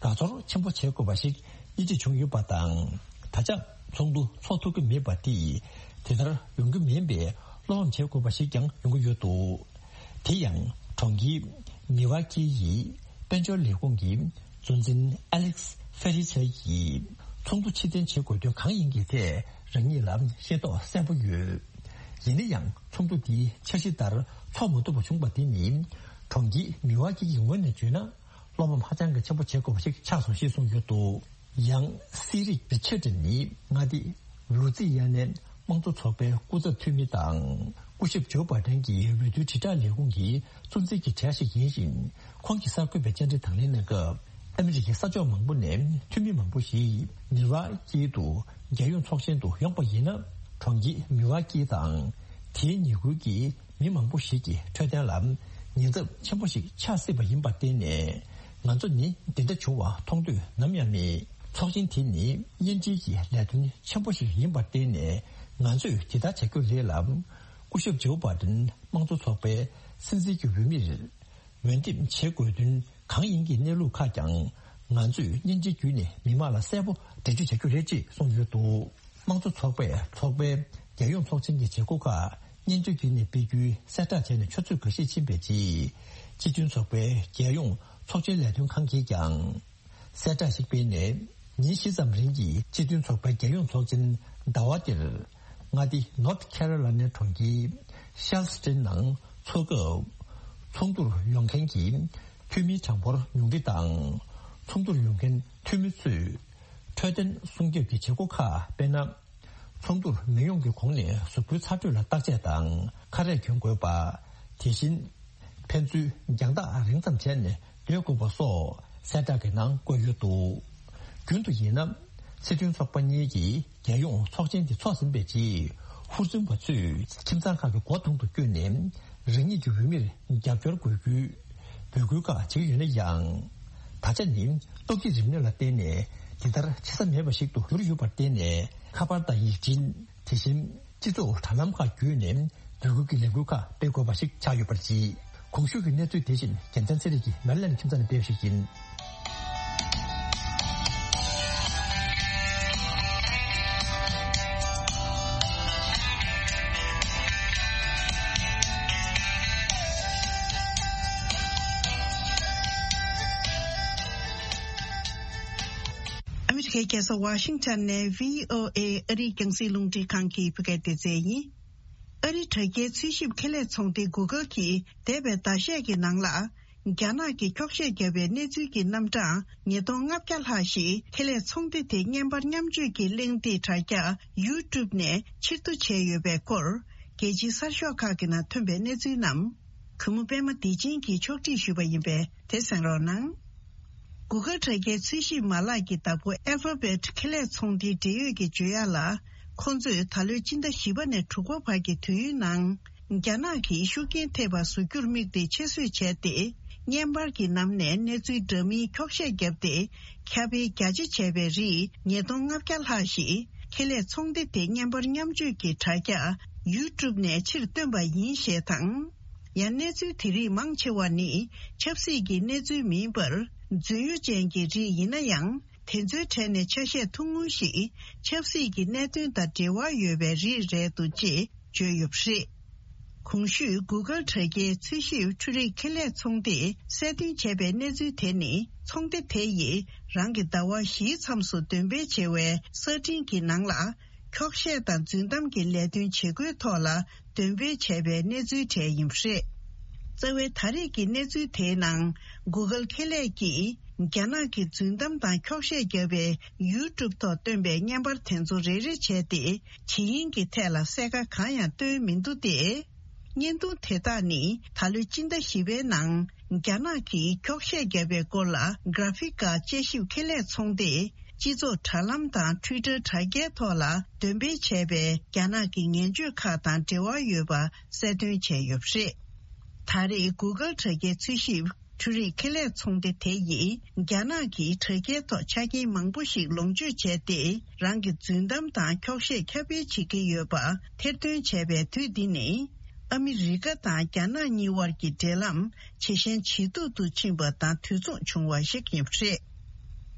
དགའ་ཚོར་ཆེན་པོ་བྱེད་དགོས་པ་ཞིག་དབྱེ་འབྱེད་བྱུང་ཡོད་པ་དང་། ད་ཆ་ཚོགས་འདུ་འཚོགས་ཐུབ་ཀྱི་མེད་པ་དེས་དེ་ལྟར་ཡོང་གི་མིན་པའི་བློ་ཕམ་བྱེད་དགོས་པ་ཞིག་ཀྱང་ཡོང་གི་ཡོད་འདུག་དེ་ཡང་གྲོང་ཁྱེར་མི་ཝ་ཀི་ཡི་དཔལ་འབྱོར་ལས་ཁུངས་ཀྱི་གཙོ་འཛིན་ཨ་ལེག་སི་ཧྥེ་རི་ཚེ་ཡིས་ཚོགས་འདུ་ཕྱིར་འཐེན་བྱེད་དགོས་དོན་གང་ཡིན་གྱི་ཐད་རང་ཉིད་ལ་ཤེས་རྟོགས་གསལ་པོ་ཡོད། ཡིན་ན་ཡང་ཚོགས་འདུ་འདིའི་འཆར་གཞི་ལྟར་འཚོགས་མ་ཐུབ་པ་བྱུང་བ་དེ་ནི་གྲོང་ཁྱེར་མི་ཝ་ཀི་ཡི་ངོས་ནས་བརྗོད་ན་བློ་ཕམ་ཧ་ཅང་གི་ཆེན་པོ་བྱེད་དགོས་པ་ཞིག་ཆགས་སོང་ཞེས་གསུངས་ཡོད་འདུག་ཡང་སི་རིག་རི་ཆར་ཌི་ནི་མངའ་སྡེ་ལུ་ཙི་ཡ་ནའི་དམངས་གཙོ་ཚོགས་པའི་སྐུ་ཚབ་འཐུས་མི་དང་སྐུ་ཞབས་ཇོ་བྷ་ཏན་གྱི་འོས་བསྡུའི་དྲིལ་བསྒྲགས་ལས་ཁུངས་ཀྱི་གཙོ་འཛིན་གྱི་གྲས་ཤིག་ཡིན་ཞིང་། ཁོང་གིས་གསར་འགོད་པའི་བཅར་འདྲི་དང་ལེན་གནང་སྐབས། ཨ་མི་རི་ཀའི་ས་ཕྱོགས་མང་པོ་ནས་འཐུས་མི་མང་པོ་ཞིག་མི་ཝ་ཀི་དུ་རྒྱལ་ཡོངས་ཚོགས་ཆེན་དུ་ཡོང་པ་ཡིན་ན། གྲོང་ཁྱེར་མི་ཝ་ཀི་དང་དེའི་ཉེ་ཁུལ་གྱི་མི་མང་པོ་ཞིག་གི་འཕྲོད་བསྟེན་ལ་ཉེན་ཚབས་ཆེན་པོ་ཞིག་ཆགས་སྲིད་པ་ཡིན་པར་བརྟེན་ནས། ང་ཚོ་ནི་འདི་འདྲ་བྱུང་བ་མཐོང་འདོད་ནམ་ཡང་མེད། ཚོགས་ཆེན་དེ་ནི་བརྙན་འཕྲིན་གྱི་ལས་དོན་ཆེན་པོ་ཞིག་ཡིན་པར་བརྟེན་ནས། ང་ཚོས་དེ་ལྟར་བྱ་རྒྱུ་རེད་ལ། སྐུ་ཞབས་ཇོ་བྷའི་ཌེན་དམངས་གཙོ་ཚོགས་པའི་སྲིད་འཛིན་གྱི་འོས་མིར་འོས་འདེམས་བྱེད་དགོས་དོན་གང་ཡིན་གྱི་གནས་ལུགས་ཁག་ཀྱང་། ང་ཚོས་བརྙན་འཕྲིན་བརྒྱུད་ནས་མི་མང་ལ་གསལ་པོ་འགྲེལ་བརྗོད་བྱ་རྒྱུ་རེད་ཅེས་གསུངས་ཡོད་འདུག། དམངས་གཙོ་ཚོགས་པས་ཚོགས་པའི་རྒྱལ་ཡོངས་ཚོགས་ཆེན་གྱི་བྱེད་སྒོ་ཁག་བརྙན་བརྒྱུད་བརྒྱུད་ནས་སྤེལ་རྒྱུའི་གསལ་བསྒྲགས་བྱས་ནས་ཆུ་ཚོད་འགའ་ཤས་ཕྱིན་པའི་རྗེས། སྤྱི་མཐུན་ཚོགས་པའི་རྒྱལ་ཡོངས་ཚོགས་ཆེན་ལས་དོན་ཁང་གིས་ཀྱང་གསལ་བསྒྲགས་ཤིག་སྤེལ་ནས། ཉིན་བཞི་ཙམ་རིང་གི་སྤྱི་མཐུན་ཚོགས་པའི་རྒྱལ་ཡོངས་ཚོགས་ཆེན་ཟླ་བ་འདིར། མངའ་སྡེ་North Carolina་གྲོང་ཁྱེར་Charleston་ནང་འཚོགས་སྐབས། ཚོགས་འདུར་ཡོང་མཁན་གྱི་འཐུས་མིའི་གྲངས་འབོར་ཉུང་འཕྲི་དང་། ཚོགས་འདུར་ཡོང་མཁན་འཐུས་མི་ཚོས་འཕྲོད་བསྟེན་སྲུང་སྐྱོབ་ཀྱི་བྱེད་སྒོ་ཁག་དཔེར་ན། ཚོགས་འདུར་མི་ཡོང་གི་གོང་ནས་གཟུགས་པོའི་ཚ་དྲོད་ལ་བརྟག་དཔྱད་དང་ཁ་རས་གྱོན་དགོས་པ། དེ་བཞིན། ཕན་ཚུན་རྒྱང་ཐག་རིང་ཙམ་བྱས་ནས་སྡོད་དགོས་པ་སོགས་གསལ་བསྒྲགས་ཀྱི་ནང་བཀོད་ཡོད་འདུག། རྒྱུན་དུ་ཡིན་ན། སྲིད་དོན་ཚོགས་པ་གཉིས་ཀྱི་རྒྱལ་ཡོངས་ཚོགས་ཆེན་དེ་ཚོགས་ཟིན་པའི་རྗེས། ཧུར་བརྩོན་པ་ཚོས་ཁྱིམ་ཚང་ཁག་གི་སྒོ་དྲུང་དུ་བསྐྱོད་ནས། རང་ཉིད་ཀྱི་འོས་མིར་རྒྱབ་སྐྱོར་དགོས་རྒྱུའི་འབོད་སྐུལ་ཁག་བྱེད་ཀྱི་ཡོད་ན་ཡང་། ད་ཆ་ནི་སྟོབས་ཀྱི་རིམས་ནད་ལ་བརྟེན་ནས་འདི་ལྟར་བྱེད་ས་མེད་པ་ཞིག་ཏུ་གྱུར་ཡོད་པར་བརྟེན་ནས། ཁ་པར་དང་ཡིག་འཕྲིན། དེ་བཞིན། སྤྱི་ཚོགས་དྲ་ལམ་ཁག་བརྒྱུད་ནས་འབོད་སྐུལ་གྱི་ལས་འགུལ་ཁག་སྤེལ་དགོས་པ་ཞིག་ཆགས་ཡོད་པར་བརྩི། གོང་ཞུས་ཀྱི་གནས་ཚུལ་དེ་བཞིན་རྒྱལ་མཚན་ཚེ་རིང་གིས་མེ་རི་ལེན་ཌི་ཁྱིམ་ཚང་ནས་སྤེལ་བ་ཞིག་ཡིན། ཨ་མི་རི་ཀའི་རྒྱལ་ས་ཝ་ཤིང་ཊོན་ནས་བྷི་ཨོ་ཨེ་ཨ་རིའི་རྒྱང་སྲིང་རླུང་འཕྲིན་ཁང་གི་བོད་སྐད་སྡེ་ཚན་ཡིན། ཨ་རིའི་དྲ་རྒྱའི་འཚོལ་ཞིབ་ཁེ་ལས་ཚོང་སྡེ་གུ་གལ་གྱིས་འདས་པའི་ཟླ་ཤས་ཀྱི་ནང་ལ། རྒྱ་ནག་གིས་འཁྱོག་བཤད་བརྒྱབ་པའི་གནས་ཚུལ་གྱི་རྣམ་གྲངས་ཉིས་སྟོང་ལྔ་བརྒྱ་ལྷག་ཞིག་ཁེ་ལས་ཚོང་སྡེ་དེ་བརྙན་པར་མཉམ་སྤྱོད་ཀྱི་གླེང་སྟེགས་དྲ་རྒྱ་YouTube་ནས་ཕྱིར་བསྡུ་བྱས་ཡོད་པའི་སྐོར། རྒྱལ་སྤྱིའི་གསར་ཤོག་ཁག་གི་ནང་ཐོན་པའི་གནས་ཚུལ་རྣམས། གུས་མོ་པད་མ་བདེ་ཆེན་གྱིས་ཕྱོགས་སྒྲིག་ཞུས་པ་ཡིན་པས། དེ་གསན་རོགས་གནང་། Google་དྲ་རྒྱའི་འཚོལ་ཞིབ་མ་ལག་གི་བདག་པོ་Alphabet་ཁེ་ལས་ཚོང་སྡེའི་འབྲེལ་ཡོད་ཀྱིས་བརྗོད་ཡག་ལ། ཁོང་ཚོས་ད་ལོའི་སྤྱི་ཟླ་བཞི་པ་ནས་དྲུག་པ་བར་གྱི་དུས་ཡུན་ནང་། རྒྱ་ནག་གིས་ཤུགས་རྐྱེན་ཐེབས་པ་བཟོ་རྒྱུར་དམིགས་ཏེ་ཆེད་བཟོས་བྱས་ཏེ། བརྙན་པར་གྱི་ནང་ནས་གནས་ཚུལ་འདྲ་མིན་འཁྱོག་བཤད་བརྒྱབ་སྟེ། ཁྱབ་སྤེལ་རྒྱ་ཆེ་བྱས་པའི་རིགས་ཉིས་སྟོང་ལྔ་བརྒྱ་ལྷག་ཞིག་ཁེ་ལས་ཚོང་སྡེ་དེ་བརྙན་པར་མཉམ་སྤྱོད་ཀྱི་དྲ་རྒྱ་YouTube་ནས་ཕྱིར་བཏོན་པ་ཡིན་ཞེས་དང་། ཡང་གནས་ཚུལ་དེ་རིགས་མང་ཆེ་བ་ནི་ཆབ་སྲིད་ཀྱི་གནས་ཚུལ་མིན་པར། རྫུན་གཡོ་ཅན་གྱི་རིགས་ཡིན་ན་ཡང་། དེ་ཚོའི་གྲས་ནས་ཆ་ཤས་ཐུང་ངུ་ཞིག་ཆབ་སྲིད་ཀྱི་གནད་དོན་དང་འབྲེལ་བ་ཡོད་པའི་རིགས་རེད་འདུག་ཅེས་བརྗོད་ཡོད་པ་རེད། གོང་ཞུས་Google་དྲ་རྒྱའི་འཚོལ་ཞིབ་འཕྲུལ་རིག་ཁེ་ལས་ཚོང་སྡེས་གསལ་སྟོན་བྱས་པའི་གནས་ཚུལ་དེ་ནི། ཚོང་སྡེ་དེ་ཡིས་རང་གི་ཟླ་བ་བཞིའི་མཚམས་སུ་འདོན་སྤེལ་བྱེད་པའི་གསར་འཕྲིན་གྱི་ནང་ལ། འཁྱོག་བཤད་དང་རྫུན་གཏམ་གྱི་ལས་དོན་བྱེད་སྒོའི་ཐོག་ལ་འདོན་སྤེལ་བྱས་པའི་གནས་ཚུལ་གྲས་ཡིན་པ་རེད། རྩ་བའི་ད་རེས་ཀྱི་གནས་ཚུལ་དེའི་ནང་། Google་ཁེ་ལས་ཀྱིས་རྒྱ་ནག་གི་རྫུན་གཏམ་དང་འཁྱོག་བཤད་བརྒྱབ་པའི་YouTube་ཐོག་བཏོན་པའི་བརྙན་པར་དེ་ཚོ་རེ་རེ་བྱས་ཏེ། ཇི་ཡིན་གྱི་ཐད་ལ་གསལ་ཁ་གང་ཡང་བཏོན་མི་འདུག་སྟེ། བརྙན་ཐུང་དེ་དག་ནི་ད་ལོའི་སྤྱི་ཟླ་བཞི་པའི་ནང་རྒྱ་ནག་གིས་འཁྱོག་བཤད་བརྒྱབ་པའི་སྐོར་ལ་Graphika་དཔྱད་ཞིབ་ཁེ་ལས་ཚོང་སྡེས་སྤྱི་ཚོགས་དྲ་ལམ་དང་Twitter་དྲ་རྒྱའི་ཐོག་ལ་འདོན་སྤེལ་བྱས་པའི་རྒྱ་ནག་གི་ངན་བྱུས་ཁག་དང་འབྲེལ་བ་ཡོད་པ་གསལ་སྟོན་བྱས་ཡོད་པ་རེད། ད་རེས་Google་དྲ་རྒྱའི་འཚོལ་ཞིབ་འཕྲུལ་རིག་ཁེ་ལས་ཚོང་སྡེ་དེ་ཡིས་རྒྱ་ནག་གི་དྲ་རྒྱའི་ཐོག་ཆ་རྐྱེན་མང་པོ་ཞིག་ལོངས་སྤྱོད་བྱས་ཏེ། རང་གི་རྫུན་གཏམ་དང་འཁྱོག་བཤད་ཁྱབ་སྤེལ་བྱེད་ཀྱི་ཡོད་པ་ཐེར་འདོན་བྱས་པའི་དུས་འདི་ནི། ཨ་མི་རི་ཀ་དང་རྒྱ་ནག་གཉིས་དབར་གྱི་འབྲེལ་ལམ་ཇེ་ཞན་ཇེ་སྡུག་ཏུ་ཕྱིན་པ་དང་དུས་མཚུངས་བྱུང་བ་ཞིག་ཡིན་པ་རེད།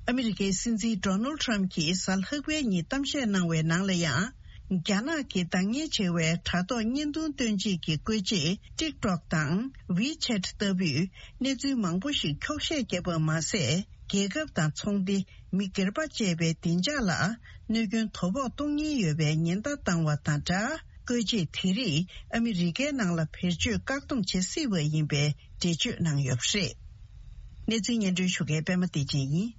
ཨ་མི་རི་ཀའི་སྲིད་འཛིན་Donald Trump་གྱིས་གཟའ་ལྷག་པའི་ཉིན་གཏམ་བཤད་གནང་བའི་ནང་ལ་ཡང་། རྒྱ་ནག་གི་བདག་གཉེར་བྱེད་པའི་དྲ་ཐོག་བརྙན་ཐུང་སྟོན་བྱེད་ཀྱི་བཀོལ་ཆས་TikTok་དང་WeChat་ལྟ་བུའི་གནས་ཚུལ་མང་པོ་ཞིག་འཁྱོག་བཤད་བརྒྱབ་པ་མ་ཟད། རྒྱལ་ཁབ་དང་ཚོང་སྡེ། མི་སྒེར་པ་བཅས་པའི་བདེ་འཇགས་ལ་གནོད་སྐྱོན་དོ་ཕོག་གཏོང་ཉེན་ཡོད་པའི་ཉེན་བརྡ་བཏང་བ་དང་སྦྲགས། བཀོལ་ཆས་དེ་རིགས་ཨ་མི་རི་ཀའི་ནང་ལ་བེད་སྤྱོད་བཀག་སྡོམ་བྱེད་སྲིད་པ་ཡིན་པའི་འགྲེལ་བརྗོད་གནང་ཡོད་པ་རེད། གནས་ཚུལ་སྙན་སྒྲོན་ཞུ་མཁན་པད་མ་བདེ་ཆེན་ཡིན།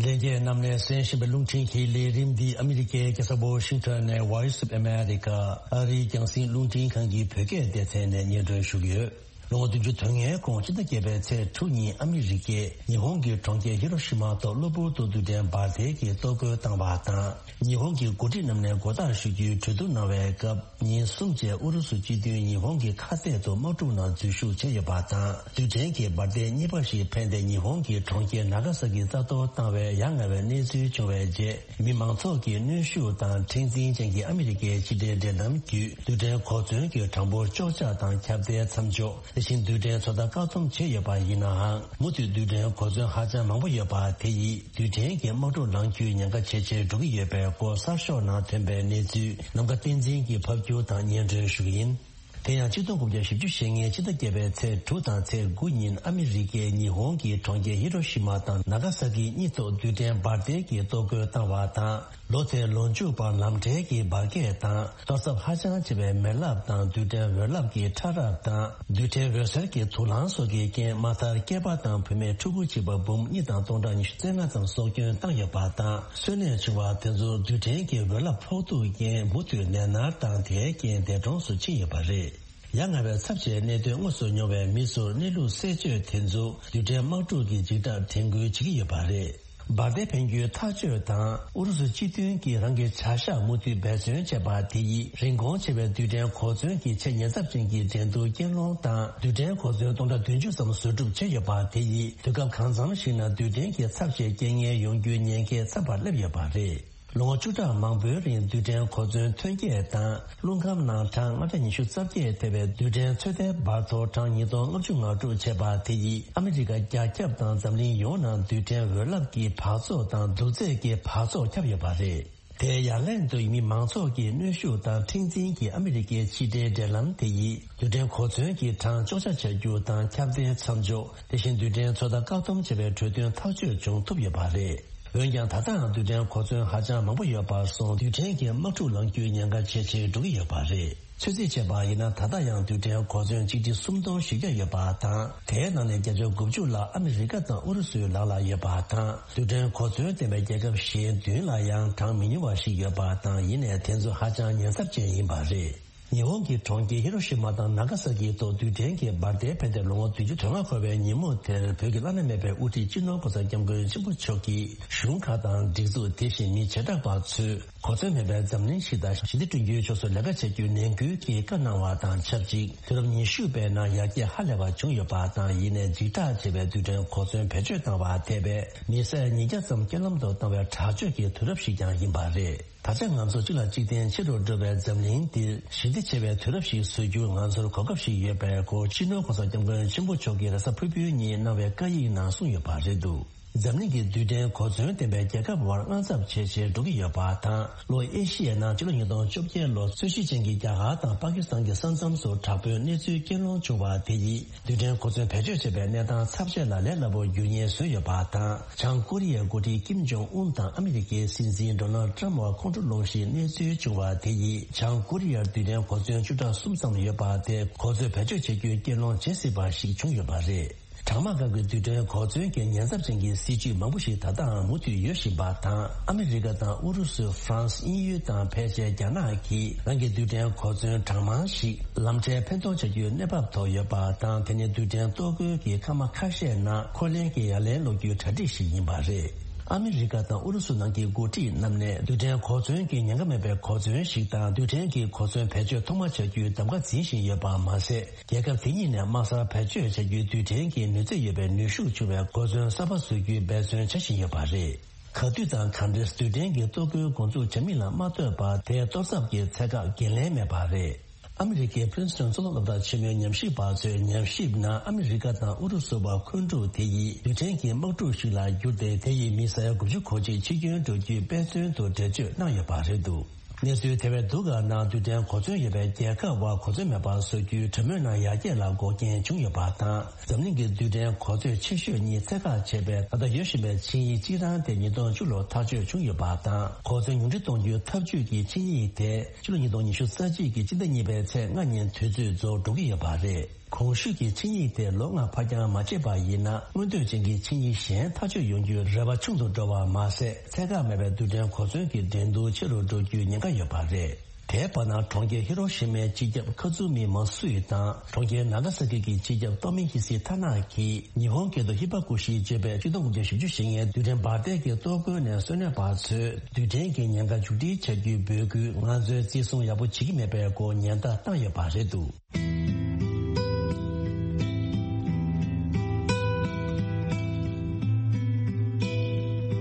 ལྷན་རྒྱས་རྣམས་ནས་གསན་བཞིན་པའི་རླུང་འཕྲིན་གྱི་ལས་རིམ་འདི་ཨ་མི་རི་ཀའི་རྒྱལ་ས་ཝོ་ཤིང་ཊོན་ནས་Voice of America་ཨ་རིའི་རྒྱང་སྲིང་རླུང་འཕྲིན་ཁང་གི་བོད་སྐད་སྡེ་ཚན་ནས་སྙན་སྒྲོན་ཞུ་གི་ཡོད། ལོ་ངོ་བདུན་ཅུ་དོན་ལྔའི་གོང་སྤྱི་ཟླ་བརྒྱད་པའི་ཚེས་དྲུག་ཉིན་ཨ་མི་རི་ཀས་ཉི་ཧོང་གི་གྲོང་ཁྱེར་ཧི་རོ་ཤི་མ་ཐོག་གློ་བུར་དུ་རྡུལ་ཕྲན་འབར་མདེལ་གྱིས་གཏོར་རྒོལ་བཏང་བ་དང་། ཉི་ཧོང་གི་འགོ་ཁྲིད་རྣམས་ནས་མགོ་བཏགས་ཞུ་རྒྱུའི་གྲོས་བསྡུར་གནང་བའི་སྐབས། ཉིན་གསུམ་རྗེས་ཨུ་རུ་སུ་སྤྱི་མཐུན་ཉི་ཧོང་གི་ཁ་གཏད་དུ་དམག་འཁྲུག་ནང་འཛུལ་ཞུགས་བྱས་ཡོད་པ་དང་། རྡུལ་ཕྲན་གྱི་འབར་མདེལ་གཉིས་པ་ཞིག་འཕེན་ཏེ་ཉི་ཧོང་གི་གྲོང་ཁྱེར་ནཱ་ག་ས་ཀི་རྩ་གཏོར་བཏང་བའི་ཡ་ང་བའི་གནས་ཚུལ་བྱུང་བའི་རྗེས། མི་མང་ཚོགས་ཀྱི་གནོན་ཤུགས་དང་མཁྲེགས་འཛིན་ཅན་གྱི་ཨ་མི་རི་ཀའི་ཕྱི་འབྲེལ་འབྲེལ་ལམ་བརྒྱུད། རྡུལ་ཕྲན་གོ་མཚོན་གྱི་གྲངས་འབོར་གཅོག་ཆ་དང་ཁྱབ་གདལ་མཚམས་འཇོག་དེ་བཞིན་རྡུལ་ཕྲན་ཚོད་ལྟ་བཀག་སྡོམ་བྱས་ཡོད་པ་ཡིན་ནའང་། མུ་མཐུད་རྡུལ་ཕྲན་གོ་མཚོན་ཧ་ཅང་མང་པོ་ཡོད་པ་དེ་ཡིས། རྡུལ་ཕྲན་གྱི་དམག་འཁྲུག་ལངས་རྒྱུའི་ཉེན་ཁ་ཇེ་ཆེར་འགྲོ་གི་ཡོད་པའི་སྐོར་གསར་ཤོག་ནང་ཐོན་པའི་གནས་ཚུལ་ནམ་མཁའ་བསྟན་འཛིན་གྱིས་ཕབ་སྒྱུར་དང་སྙན་སྒྲོན་ཞུ་གི་ཡིན། དེ་ཡང་ཆིག་སྟོང་དགུ་བརྒྱ་བཞི་བཅུ་ཞེ་ལྔའི་ཕྱི་ཟླ་བརྒྱད་པའི་ཚེས་དྲུག་དང་ཚེས་དགུ་ཉིན་ཨ་མི་རི་ཀས་ཉི་ཧོང་གི་གྲོང་ཁྱེར་ཧི་རོ་ཤི་མ་དང་ནཱ་ག་ས་ཀི་གཉིས་ཐོག་རྡུལ་ཕྲན་འབར་མདེལ་གྱིས་གཏོར་རྒོལ་བཏང་བ་དང་། ལོ་དེའི་ལོ་མཇུག་བར་ལམ་འཕྲལ་གྱི་འབར་གས་དང་གཏོར་ཚབས་ཧ་ཅང་ཆེ་བའི་མེ་རླབས་དང་རྡུལ་ཕྲན་འོད་རླབས་ཀྱི་ཕྲ་རབ་དང་། རྡུལ་ཕྲན་འོད་ཟེར་གྱི་དུག་རླངས་སོགས་ཀྱི་རྐྱེན་མ་མཐར་སྐྱེས་པ་དང་བུད་མེད་ཕྲུ་གུ་གཅིག་པ་འབུམ་གཉིས་དང་སྟོང་ཕྲག་ཉི་ཤུ་རྩ་ལྔ་ཙམ་སྲོག་སྐྱོན་བཏང་ཡོད་པ་དང་། གསོན་གནས་བྱུང་བ་དེ་ཚོ་རྡུལ་ཕྲན་གྱི་འོད་རླབས་ཕོག་ཐུག་རྐྱེན་མུ་མཐུད་ནད་མནར་དང་། དེའི་རྐྱེན་འདས་གྲོངས་སུ་ཕྱིན་ཡོད་པ་རེད། ཡ་ང་བའི་ཚབས་ཆེའི་གནད་དོན་དངོས་སུ་མྱོང་བའི་མི་ཚོར་གནས་ལུགས་གསལ་བརྗོད་དེ་ཚོ་རྡུལ་ཕྲན་དམག་འཁྲུག་གི་འཇིགས་སྐྲག་དྲན་སྐུལ་བྱེད་ཀྱི་ཡོད་པ་རེད། འབར་མདེལ་འཕེན་རྒྱུའི་ཐག་གཅོད་དང་། ཨུ་རུ་སུ་སྤྱི་མཐུན་གྱིས་རང་གི་བྱ་གཞག་མུ་མཐུད་འབད་བརྩོན་བྱས་པ་དེ་ཡིས། རིན་གོང་ཆེ་བའི་རྡུལ་ཕྲན་གོ་མཚོན་གྱི་ཆེས་ཉེན་ཚབས་ཅན་གྱི་འགྲན་བསྡུར་རྐྱེན་སློང་དང་། རྡུལ་ཕྲན་གོ་མཚོན་སྟོང་ཕྲག་བདུན་ཅུ་ཙམ་བཟོ་སྒྲུབ་བྱས་ཡོད་པ་དེ་ཡིས། དུས་སྐབས་གང་འཚམ་ཞིག་ན་རྡུལ་ཕྲན་གྱི་ཚབས་ཆེའི་རྐྱེན་ངན་ཡོང་རྒྱུའི་ཉེན་ཁ་འཚམས་པར་སླེབས་ཡོད་པ་རེད། ལོ་ངོ་བཅུ་ཕྲག་མང་པོའི་རིང་རྡུལ་ཕྲན་གོ་མཚོན་ཐོན་སྐྱེད་དང་། རླུང་ཁམས་ནང་གྲངས་ལྔ་བརྒྱ་ཉི་ཤུ་རྩ་བརྒྱད་ཐེ་བའི་རྡུལ་ཕྲན་ཚོད་ལྟའི་འབར་མཐོ་གྲངས་ཉིས་སྟོང་ལྔ་བཅུ་ང་དྲུག་བྱས་པ་དེ་ཡིས། ཨ་མི་རི་ཀ་རྒྱ་ཁྱབ་དང་འཛམ་གླིང་ཡོངས་ནང་རྡུལ་ཕྲན་འོད་རླབས་ཀྱི་འབག་བཙོག་དང་རྡུལ་རྫས་ཀྱི་འབག་བཙོག་ཁྱབ་ཡོད་པ་རེད། དེའི་ཡ་ལན་དུ་མི་མང་ཚོགས་ཀྱི་གནོན་ཤུགས་དང་མཁྲེགས་འཛིན་གྱིས་ཨ་མི་རི་ཀའི་ཕྱི་འབྲེལ་འབྲེལ་ལམ་དེ་ཡིས། རྡུལ་ཕྲན་གོ་མཚོན་གྱི་གྲངས་གཅོག་ཆ་བྱ་རྒྱུ་དང་ཁྱབ་གདལ་མཚམས་འཇོག་དེ་བཞིན་རྡུལ་ཕྲན་ཚོད་ལྟ་བཀག་སྡོམ་བྱེད་པའི་གྲོས་མཐུན་ཐག་གཅོད་བྱུང་ཐུབ་ཡོད་པ་རེད། འོན་ཀྱང་། ད་ལྟའང་རྡུལ་ཕྲན་གོ་མཚོན་ཧ་ཅང་མང་པོ་ཡོད་པར་སོང་། རྡུལ་ཕྲན་གྱི་དམག་འཁྲུག་ལངས་རྒྱུའི་ཉེན་ཁ་ཇེ་ཆེར་འགྲོ་གི་ཡོད་པ་རེད། ཚོད་རྩིས་བྱས་པ་ཡིན་ན། ད་ལྟ་ཡང་རྡུལ་ཕྲན་གོ་མཚོན་ཆིག་ཁྲི་སུམ་སྟོང་བཞི་བརྒྱ་ཡོད་པ་དང་། དེའི་ནང་ནས་བརྒྱ་ཆ་དགུ་བཅུ་ལྷག་ཨ་མི་རི་ཀ་དང་ཨུ་རུ་སུའི་ལག་ལ་ཡོད་པ་དང་། རྡུལ་ཕྲན་གོ་མཚོན་ལྡན་པའི་རྒྱལ་ཁབ་གཞན་བདུན་ལ་ཡང་གྲངས་མི་ཉུང་བ་ཞིག་ཡོད་པ་དང་། ཡིན་ནའི་དེ་ཚོ་ཧ་ཅང་ཉེན་ཚབས་ཅན་ཡིན་པ་རེད། ཉི་ཧོང་གི་གྲོང་ཁྱེར་ཧི་རོ་ཤི་མ་དང་ནཱ་ག་ས་ཀིའི་ཐོག་རྡུལ་ཕྲན་གྱི་འབར་མདེལ་འཕེན་ཏེ་ལོ་ངོ་བདུན་ཅུ་དོན་ལྔ་འཁོར་བའི་ཉིན་མོ་དེར། བོད་ཀྱི་བླ་ན་མེད་པའི་དབུ་ཁྲིད་སྤྱི་ནོར་༸གོང་ས་༸སྐྱབས་མགོན་ཆེན་པོ་མཆོག་གིས། གཞུང་ཁག་དང་སྒྲིག་འཛུགས་དེ་བཞིན་མི་བྱེ་བྲག་པ་ཚོས། གོ་མཚོན་མེད་པའི་འཛམ་གླིང་ཞིག་དང་ཞི་བདེ་བསྐྲུན་རྒྱུའི་ཕྱོགས་སུ་ལས་ཀ་བྱ་རྒྱུའི་ནན་སྐུལ་གྱི་བཀའ་གནང་བ་དང་ཆབས་ཅིག་དུས་རབས་ཉི་ཤུ་པའི་ནང་ཡར་རྒྱས་ཧ་ལས་པ་བྱུང་ཡོད་པ་དང་། ཡིན་ནའི་འཇིགས་སྐྲག་ཆེ་བའི་རྡུལ་ཕྲན་གོ་མཚོན་བེད་སྤྱོད་བཏང་བ་ཐེ་བའི་མི་སེར་ཉིས་བརྒྱ་ཙམ་རྐྱེན་ལམ་དུ་བཏང་བའི་དྲག་སྤྱོད་ཀྱི་དུས་རབས་ཤིག་ཀྱང་ཡིན་པ་རེད། ད་ཆ་ང་ཚོ་གཅིག་ལ་གཅིག་བརྟེན་ཆེ་རུ་འགྲོ་བའི་འཛམ་གླིང་འདིར་ཞི་བདེ་ཆེ་བའི་དུས་རབས་ཤིག་བཟོ་རྒྱུར་ང་ཚོར་གོ་སྐབས་ཤིག་ཡོད་པའི་སྐོར་སྤྱི་ནོར་༸གོང་ས་༸སྐྱབས་མགོན་ཆེན་པོ་མཆོག་གིས་རེས་གཟའ་ཕུར་བུའི་ཉིན་གནང་བའི་བཀའ་ཡིག་ནང་གསུངས་ཡོད་པ་རེད་འདུག་འཛམ་གླིང་གི་རྡུལ་ཕྲན་གོ་མཚོན་ལྡན་པའི་རྒྱལ་ཁབ་བར་དངངས་འཚབ་ཇེ་ཆེར་འགྲོ་གི་ཡོད་པ་དང་། ལྷོ་ཨེ་ཤི་ཡའི་ནང་ཕྱི་ལོ་ཉིས་སྟོང་བཅོ་བརྒྱད་ལོར་རྩོད་གཞི་ཅན་གྱི་རྒྱ་གར་དང་པ་ཀི་སི་ཐན་གྱི་ས་མཚམས་སུ་དྲག་པོའི་གནས་ཚུལ་རྐྱེན་སློང་བྱུང་བ་དེ་ཡིས། རྡུལ་ཕྲན་གོ་མཚོན་བེད་སྤྱོད་བྱེད་པའི་གནས་སྟངས་ཚབས་ཆེ་ལ་ལས་སླ་པོར་འགྱུར་ཉེན་བཟོས་ཡོད་པ་དང་། བྱང་ཀོ་རི་ཡའི་འགོ་ཁྲིད་ཀིམ་ཇོང་ཨུན་དང་ཨ་མི་རི་ཀའི་སྲིད་འཛིན་ཌོ་ནལ་ཏྲམ་བར་ཁོང་ཁྲོ་སློང་གཞིའི་གནས་ཚུལ་བྱུང་བ་དེ་ཡིས། བྱང་ཀོ་རི་ཡར་རྡུལ་ཕྲན་གོ་མཚོན་བཅུ་ཕྲག་གསུམ་ཙམ་ཡོད་པ་དེ་གོ་མཚོན་བེད་སྤྱོད་བྱེད་རྒྱུའི་རྐྱེན་སློང་བྱེད་སྲིད་པ་ཞིག་བྱུང་ཡོད་པ་རེད། གྲང་དམག་སྐབས་ཀྱི་རྡུལ་ཕྲན་གོ་མཚོན་གྱི་ཉེན་ཚབས་ཅན་གྱི་སྲིད་ཇུས་མང་པོ་ཞིག་ད་ལྟའང་མུ་མཐུད་ཡོད་བཞིན་པ་དང་། ཨ་མི་རི་ཀ་དང་ཨུ་རུ་སུ། ཧྥ་རན་སི། དབྱིན་ཡུལ་དང་ཕལ་ཆེར་རྒྱ་ནག་གིས་རང་གི་རྡུལ་ཕྲན་གོ་མཚོན་གྲངས་མང་ཞིག་ལམ་འཕྲལ་འཕེན་གཏོང་བྱ་རྒྱུའི་གནས་བབ་ཐོག་ཡོད་པ་དང་། དེ་ནི་རྡུལ་ཕྲན་གཏོར་རྒོལ་གྱི་སྐར་མ་ཁ་ཤས་ནང་འཁོར་ལེན་གྱི་ཡ་ལན་སློག་རྒྱུའི་གྲ་སྒྲིག་ཞིག་ཡིན་པ་རེད། ཨ་མི་རི་ཀ་དང་ཨུ་རུ་སུ་ནང་གི་འགོ་ཁྲིད་རྣམས་ནས་རྡུལ་ཕྲན་གོ་མཚོན་གྱི་ཉེན་ཁ་མེད་པའི་གོ་མཚོན་ཞིག་དང་། རྡུལ་ཕྲན་གྱི་གོ་མཚོན་བེད་སྤྱོད་ཐོག་མ་བྱ་རྒྱུའི་གདམ་ག་འཛིན་བཞིན་ཡོད་པ་མ་ཟད། རྒྱལ་ཁབ་དེ་གཉིས་ནས་དམག་སར་བེད་སྤྱོད་བྱ་རྒྱུའི་རྡུལ་ཕྲན་གྱི་ནུས་ཚད་ཡོད་པའི་ནུས་ཤུགས་ཆུང་བའི་གོ་མཚོན་གསར་པ་བཟོ་རྒྱུའི་འབད་བརྩོན་བྱ་བཞིན་ཡོད་པ་རེད། ག་དུས་དང་ག་འདྲས་རྡུལ་ཕྲན་གྱི་གཏོར་རྒོལ་འགོ་འཛུགས་བྱ་མིན་ལ་མ་ལྟོས་པར། དེའི་གཏོར་ཚབས་ཀྱི་ཚད་བཀག་འགན་ལེན་མེད་པ་རེད། ཨ་མི་རི་ཀའི་Princeton་གཙུག་ལག་སློབ་གྲྭ་ཆེན་མོའི་ཉམས་ཞིབ་པ་ཚོས་ཉམས་ཞིབ་ནང་། ཨ་མི་རི་ཀ་དང་ཨུ་རུ་སུ་བར་འཁོན་འཁྲུག་དེ་ཡིས་རྡུལ་ཕྲན་གྱི་དམག་འཁྲུག་ཞིག་ལ་འགྱུར་ཏེ། དེ་ཡིས་མི་ས་ཡ་དགུ་བཅུ་གོ་གཅིག་འཆི་སྐྱོན་འགྲོ་རྒྱུའི་དཔེ་མཚོན་དུ་འགྲེལ་བརྗོད་གནང་ཡོད་པ་རེད་འདུག་གནས་ཚུལ་དེ་བས་སྡུག་ག་ནང་། རྡུལ་ཕྲན་གོ་མཚོན་ཡོད་པའི་རྒྱལ་ཁབ་བར་གོ་མཚོན་མེད་པར་བཟོ་རྒྱུའི་གྲོས་མོལ་ནང་ཡར་རྒྱས་ལ་འགོག་རྐྱེན་བྱུང་ཡོད་པ་དང་། འཛམ་གླིང་གི་རྡུལ་ཕྲན་གོ་མཚོན་ཆེ་ཤོས་གཉིས་ཚད་བཀག་བྱས་པའི་ད་ལྟ་ཡོད་བཞིན་པའི་ཆིངས་ཡིག་གཅིག་རང་དེ་ཉིས་སྟོང་བཅུ་ལོར་ཐག་གཅོད་བྱུང་ཡོད་པ་དང་། གོ་མཚོན་ཉུང་འཕྲི་གཏོང་རྒྱུའི་ཐབས་ཇུས་ཀྱི་ཆིངས་ཡིག་དེ་ཕྱི་ལོ་ཉིས་སྟོང་ཉི་ཤུ་རྩ་གཅིག་གི་སྤྱི་ཟླ་གཉིས་པའི་ཚེས་ལྔ་ཉིན་དུས་ཚོད་རྫོགས་འགྲོ་གི་ཡོད་པ་རེད། གོང་ཞུས་ཀྱི་ཆིངས་ཡིག་དེ་ལོ་ལྔ་ཕར་འགྱངས་མ་བྱས་པ་ཡིན་ན། མངོན་འདོད་ཅན་གྱི་ཆིངས་ཡིག་གཞན་ཐག་གཅོད་ཡོང་རྒྱུའི་རེ་བ་ཆུང་དུ་འགྲོ་བ་མ་ཟད། ཚད་བཀག་མེད་པའི་རྡུལ་ཕྲན་གོ་མཚོན་གྱི་འགྲན་བསྡུར་ཆེ་རུ་འགྲོ་རྒྱུའི་ཉེན་ཁ་ཡོད་པ་རེད། དེའི་བར་ན་གྲོང་ཁྱེར་ཧི་རོ་ཤི་མའི་སྤྱི་ཁྱབ་ཁ་ཛུ་མི་མ་སུ་ཡི་དང་གྲོང་ཁྱེར་ན་ག་ས་ཀི་གི་སྤྱི་ཁྱབ་ཏོ་མི་ཧི་སི་ཐ་ན་གིས་ཉི་ཧོང་སྐད་དུ་ཧི་པ་ཀུ་ཤི་ཅེས་པའི་ཆིག་སྟོང་དགུ་བརྒྱ་བཞི་བཅུ་ཞེ་ལྔའི་རྡུལ་ཕྲན་འབར་མདེལ་གྱི་གཏོར་རྒོལ་ནས་གསོན་གནས་པ་ཚོས་རྡུལ་ཕྲན་གྱི་ཉེན་ཁ་མཇུག་སྒྲིལ་བྱ་རྒྱུའི་འབོད་སྐུལ་ང་ཚོས་བརྩི་སྲུང་ཡག་པོ་བྱེད་ཀྱི་མེད་པའི་སྐོར་ཉེན་བརྡ་བཏང་ཡོད་པ་རེད་འདུག་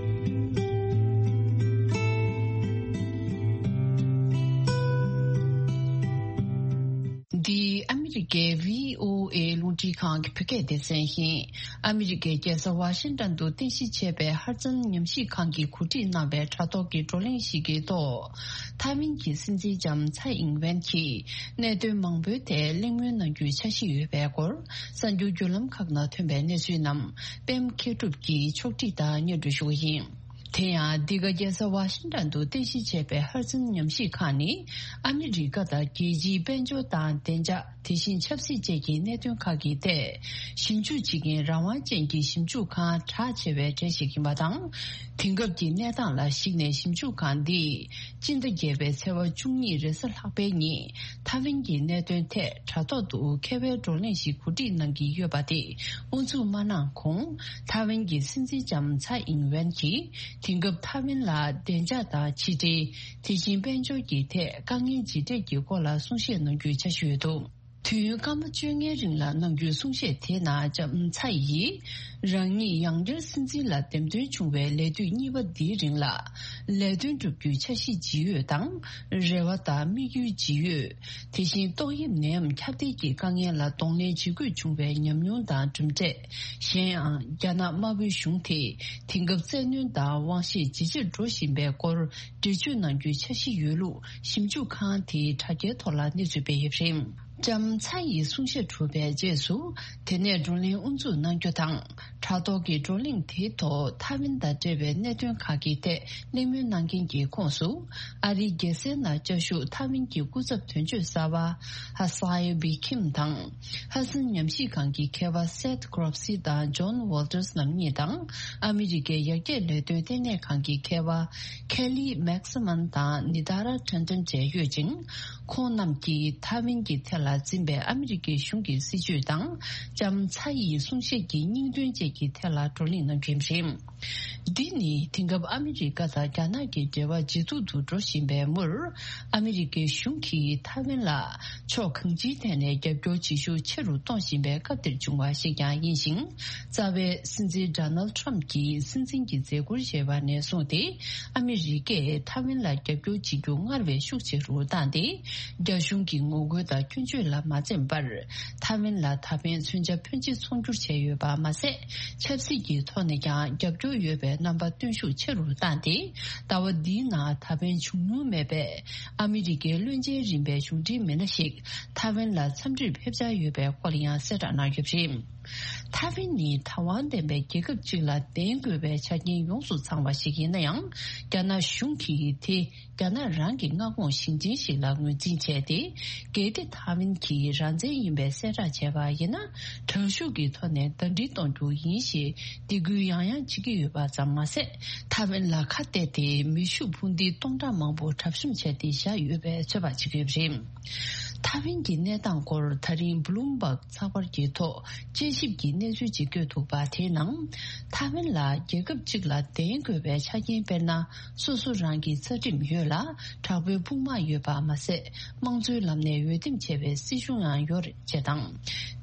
འདི་ཨ་མི་རི་ཀའི་བྷི་ཨོ་ཨེ་རླུང་འཕྲིན་ཁང་གི་བོད་སྐད་སྡེ་ཚན་ཡིན། ཨ་མི་རི་ཀའི་རྒྱལ་ས་ཝ་ཤིང་ཏོན་དུ་རྟེན་གཞི་བྱས་པའི་ཧར་ཙན་ཉམས་ཞིབ་ཁང་གིས་གོ་སྒྲིག་གནང་བའི་དྲ་ཐོག་གི་བགྲོ་གླེང་ཞིག་གི་ཐོག་ཐའེ་ཝན་གྱི་སྲིད་འཛིན་ལྕམ་ཚའེ་ཨིང་ཝེན་གྱིས་གནད་དོན་མང་པོའི་ཐད་གླེང་མོལ་གནང་རྒྱུའི་འཆར་གཞི་ཡོད་པའི་སྐོར་གསར་འགྱུར་བརྒྱུད་ལམ་ཁག་ནང་ཐོན་པའི་གནས་ཚུལ་རྣམས་པད་མ་མཁས་གྲུབ་ཀྱིས་ཕྱོགས་སྒྲིག་དང་སྙན་སྒྲོན་ཞུ་བ་ཡིན། དེ་ཡང་འདི་ག་རྒྱལ་ས་ཝ་ཤིང་ཏོན་དུ་རྟེན་གཞི་བྱས་པའི་ཧར་ཙིན་ཉམས་ཞིབ་ཁང་ནི་ཨ་མི་རི་ཀ་དང་རྒྱལ་སྤྱིའི་དཔལ་འབྱོར་དང་བདེ་འཇགས། དེ་བཞིན་ཆབ་སྲིད་བཅས་ཀྱི་གནད་དོན་ཁག་གི་ཐད་ཞིབ་འཇུག་བྱེད་མཁན་རང་དབང་ཅན་གྱི་ཞིབ་འཇུག་ཁང་གྲགས་ཆེ་བའི་གྲས་ཤིག་ཡིན་པ་དང་། དེང་སྐབས་ཀྱི་གནས་སྟངས་ལ་གཞིགས་ནས་ཞིབ་འཇུག་ཁང་འདིས་སྤྱི་ཟླ་བརྒྱད་པའི་ཚེས་པ་བཅུ་གཉིས་རེས་གཟའ་ལྷག་པའི་ཉིན་ཐའེ་ཝན་གྱི་གནད་དོན་ཐད་དྲ་ཐོག་ཏུ་མཁས་པའི་བགྲོ་གླེང་ཞིག་གོ་སྒྲིག་གནང་གི་ཡོད་པ་དེ་དབུ་འཛུགས་མ་གནང་གོང་ཐའེ་ཝན་གྱི་སྲིད་འཛིན་ལྕམ་ཚའེ་ཨིང་ཝེན་གྱིས་དེང་སྐབས་ཐའེ་ཝན་ལ་བདེ་འཇགས་དང་ཕྱི་འབྲེལ། དེ་བཞིན་དཔལ་འབྱོར་གྱི་ཐད་དཀའ་ངལ་ཇི་འཕྲད་ཀྱི་སྐོར་ལ་གསུང་བཤད་གནང་རྒྱུའི་འཆར་གཞི་ཡོད་འདུག་དུས་ཡུན་སྐར་མ་བཅོ་ལྔའི་རིང་ལ་གནང་རྒྱུའི་གསུང་བཤད་དེའི་ནང་ལྕམ་ཚའེ་ཡིས་རང་ཉིད་ཡང་བསྐྱར་སྲིད་འཛིན་ལ་འདེམས་ཐོན་བྱུང་བའི་ལས་དུས་གཉིས་པ་འདིའི་རིང་ལ་ལས་དོན་བསྒྲུབ་རྒྱུའི་འཆར་གཞི་ཇི་ཡོད་དང་། རེ་བ་དང་དམིགས་ཡུལ་ཇི་ཡོད། དེ་བཞིན་ཏོག་དབྱིབས་ནད་ཡམས་ཁྱབ་གདལ་གྱི་དཀའ་ངལ་ལ་གདོང་ལེན་བྱེད་དགོས་བྱུང་བའི་ཉམས་མྱོང་དང་གྲུབ་འབྲས། གཞན་ཡང་རྒྱ་ནག་དམར་པོའི་གཞུང་དེས་དེང་སྐབས་བཙན་གནོན་དང་དབང་ཤེད་ཇེ་ཆེར་འགྲོ་བཞིན་པའི་སྐོར་འགྲེལ་བརྗོད་གནང་རྒྱུའི་འཆར་གཞི་ཡོད་ལུགས་ཞིབ་འཇུག་ཁང་དེའི་དྲ་རྒྱའི་ཐོག་ལ་གནས་ཚུལ་སྤེལ་ཡོད་པ་རེད། ལྕམ་ཚའེ་ཡི་གསུང་བཤད་གྲུབ་པའི་རྗེས་སུ་དེ་ནས་བགྲོ་གླེང་དབུ་འཛུགས་གནང་རྒྱུ་དང་། དྲ་ཐོག་གི་བགྲོ་གླེང་དེའི་ཐོག་ཐའེ་ཝན་དང་འབྲེལ་བའི་གནད་དོན་ཁག་གི་ཐད་གླེང་མོལ་གནང་མཁན་གྱི་ཁོངས་སུ་ཨ་རིའི་རྒྱལ་སའི་ནང་བཅའ་བཞུགས་ཐའེ་ཝན་གྱི་སྐུ་ཚབ་དོན་གཅོད་གསར་པ་ཧ་སའེ་བི་ཁིམ་དང་། ཧ་སན་ཉམས་ཞིབ་ཁང་གི་མཁས་པ་སེད་གྷོ་རོབ་སི་དང་ཇོན་ཝོལ་ཏར་སི་རྣམ་གཉིས་དང་ཨ་མི་རི་ཀའི་ཡར་རྒྱས་ལས་དོན་ལྟེ་གནས་ཁང་གི་མཁས་པ་ཁེ་ལི་མེག་སི་མན་དང་ནི་ད་ར་ཁྲན་ཏན་བཅས་ཡོད་ཅིང་། ཁོང་རྣམས་ཀྱིས་ཐའེ་ཝན་གྱི་ཐད་ལ་འཛིན་པའི་ཨ་མི་རི་ཀའི་གཞུང་གི་སྲིད་བྱུས་དང་ལྕམ་ཚའེ་ཡི་གསུང་བཤད་ཀྱི་སྙིང་དོན་བཅས་ཀྱི་ཐད་ལ་བགྲོ་གླེང་གནང་རྒྱུ་ཡིན་པ་རེད། འདི་ནི་དེང་སྐབས་ཨ་མི་རི་ཀ་དང་རྒྱ་ནག་གི་འབྲེལ་བ་ཇེ་སྡུག་ཏུ་འགྲོ་བཞིན་པའི་མུར། ཨ་མི་རི་ཀའི་གཞུང་གིས་ཐའེ་ཝན་ལ་ཕྱོགས་གང་ཅིའི་ཐད་ནས་རྒྱབ་སྐྱོར་བྱེད་ཤུགས་ཆེ་རུ་གཏོང་བཞིན་པའི་སྐབས་འདིར་བྱུང་བ་ཞིག་ཀྱང་ཡིན་ཞིང་། རྩ་བའི་སྲིད་འཛིན་ཌོ་ནལ་ཊམ་གྱིས་སྲིད་འཛིན་གྱི་མཛད་ཁུར་བཞེས་པ་ནས་བཟུང་སྟེ། ཨ་མི་རི་ཀས་ཐའེ་ཝན་ལ་རྒྱབ་སྐྱོར་བྱེད་རྒྱུ་སྔར་བས་ཤུགས་ཆེ་རུ་བཏང་སྟེ། རྒྱ་གཞུང་གི་ངོ་རྒོལ་དང་སྐྱོན་བརྗོད་ལ་མ་འཛེམས་པར། ཐའེ་ཝན་ལ་ད་ཕན་མཚོན་ཆ་ཕོན་ཆེ་ཚོང་སྒྱུར་བྱས་ཡོད་པ་མ་ཟད། ཆབ་སྲིད་ཀྱི་ཐོག་ནས་ཀྱང་རྒྱབ་སྐྱོར་ཡོད་པའི་རྣམ་པ་སྟོན་ཤུགས་ཆེ་རུ་བཏང་སྟེ། ཟླ་བ་འདིའི་ནང་ད་ཕན་བྱུང་མྱོང་མེད་པའི་ཨ་མི་རི་ཀའི་བློན་ཆེན་རིམ་པའི་གཞུང་འབྲེལ་མི་སྣ་ཞིག་ཐའེ་ཝན་ལ་འཚམས་འདྲིར་ཕེབས་འཆར་ཡོད་པའི་སྐོར་ཡང་གསལ་བསྒྲགས་གནང་ཡོད་པ་རེད། ཐའེ་ཝན་ནི་བདག་དབང་ལྡན་པའི་རྒྱལ་ཁབ་ཅིག་ལ་ལྡན་དགོས་པའི་ཆ་རྐྱེན་ཡོངས་སུ་ཚང་བ་ཞིག་ཡིན་ན་ཡང་། རྒྱ་ནག་གཞུང་གིས་དེ་རྒྱ་ནག་རང་གི་མངའ་ཁོངས་ཞིང་ཆེན་ཞིག་ལ་ངོས་འཛིན་བྱས་ཏེ། གལ་ཏེ་ཐའེ་ཝན་གྱིས་རང་བཙན་ཡིན་པའི་གསལ་བསྒྲགས་བྱས་པ་ཡིན་ན། དྲག་ཤུགས་ཀྱི་ཐོག་ནས་ཟླ་སྒྲིལ་གཏོང་རྒྱུ་ཡིན་ཞེས་སྡིགས་སྐུལ་ཡང་ཡང་བྱེད་ཀྱི་ཡོད་པ་ཙམ་མ་ཟད། ཐའེ་ཝན་ལ་ཁ་གཏད་དེ་མེ་ཤུགས་འཕུར་མདེལ་སྟོང་ཕྲག་མང་པོ་གྲབས་གཤོམ་བྱས་ཏེ་བཞག་ཡོད་པའི་ཚོད་དཔག་བྱེད་ཀྱི་ཡོད་པ་རེད། ཐའེ་ཝན་གྱི་གནས་སྟངས་སྐོར་ད་རིང་བྷ་ལུམ་བྷག་ཚགས་པར་གྱི་ཐོག་དཔྱད་ཞིབ་ཀྱི་གནས་ཚུལ་ཅིག་བཀོད་འདུག་པ། དེའི་ནང་། ཐའེ་ཝན་ལ་རྒྱལ་ཁབ་གཅིག་ལ་ལྡན་དགོས་པའི་ཆ་རྐྱེན་དཔེར་ན། སོ་སོ་རང་གི་རྩ་ཁྲིམས་ཡོད་ལ། དྲག་པོའི་དཔུང་དམག་ཡོད་པ་མ་ཟད། དམངས་གཙོའི་ལམ་ནས་འོས་འདེམས་བྱས་པའི་སྲིད་གཞུང་ཡང་ཡོད་རེད་ཅེས་དང་།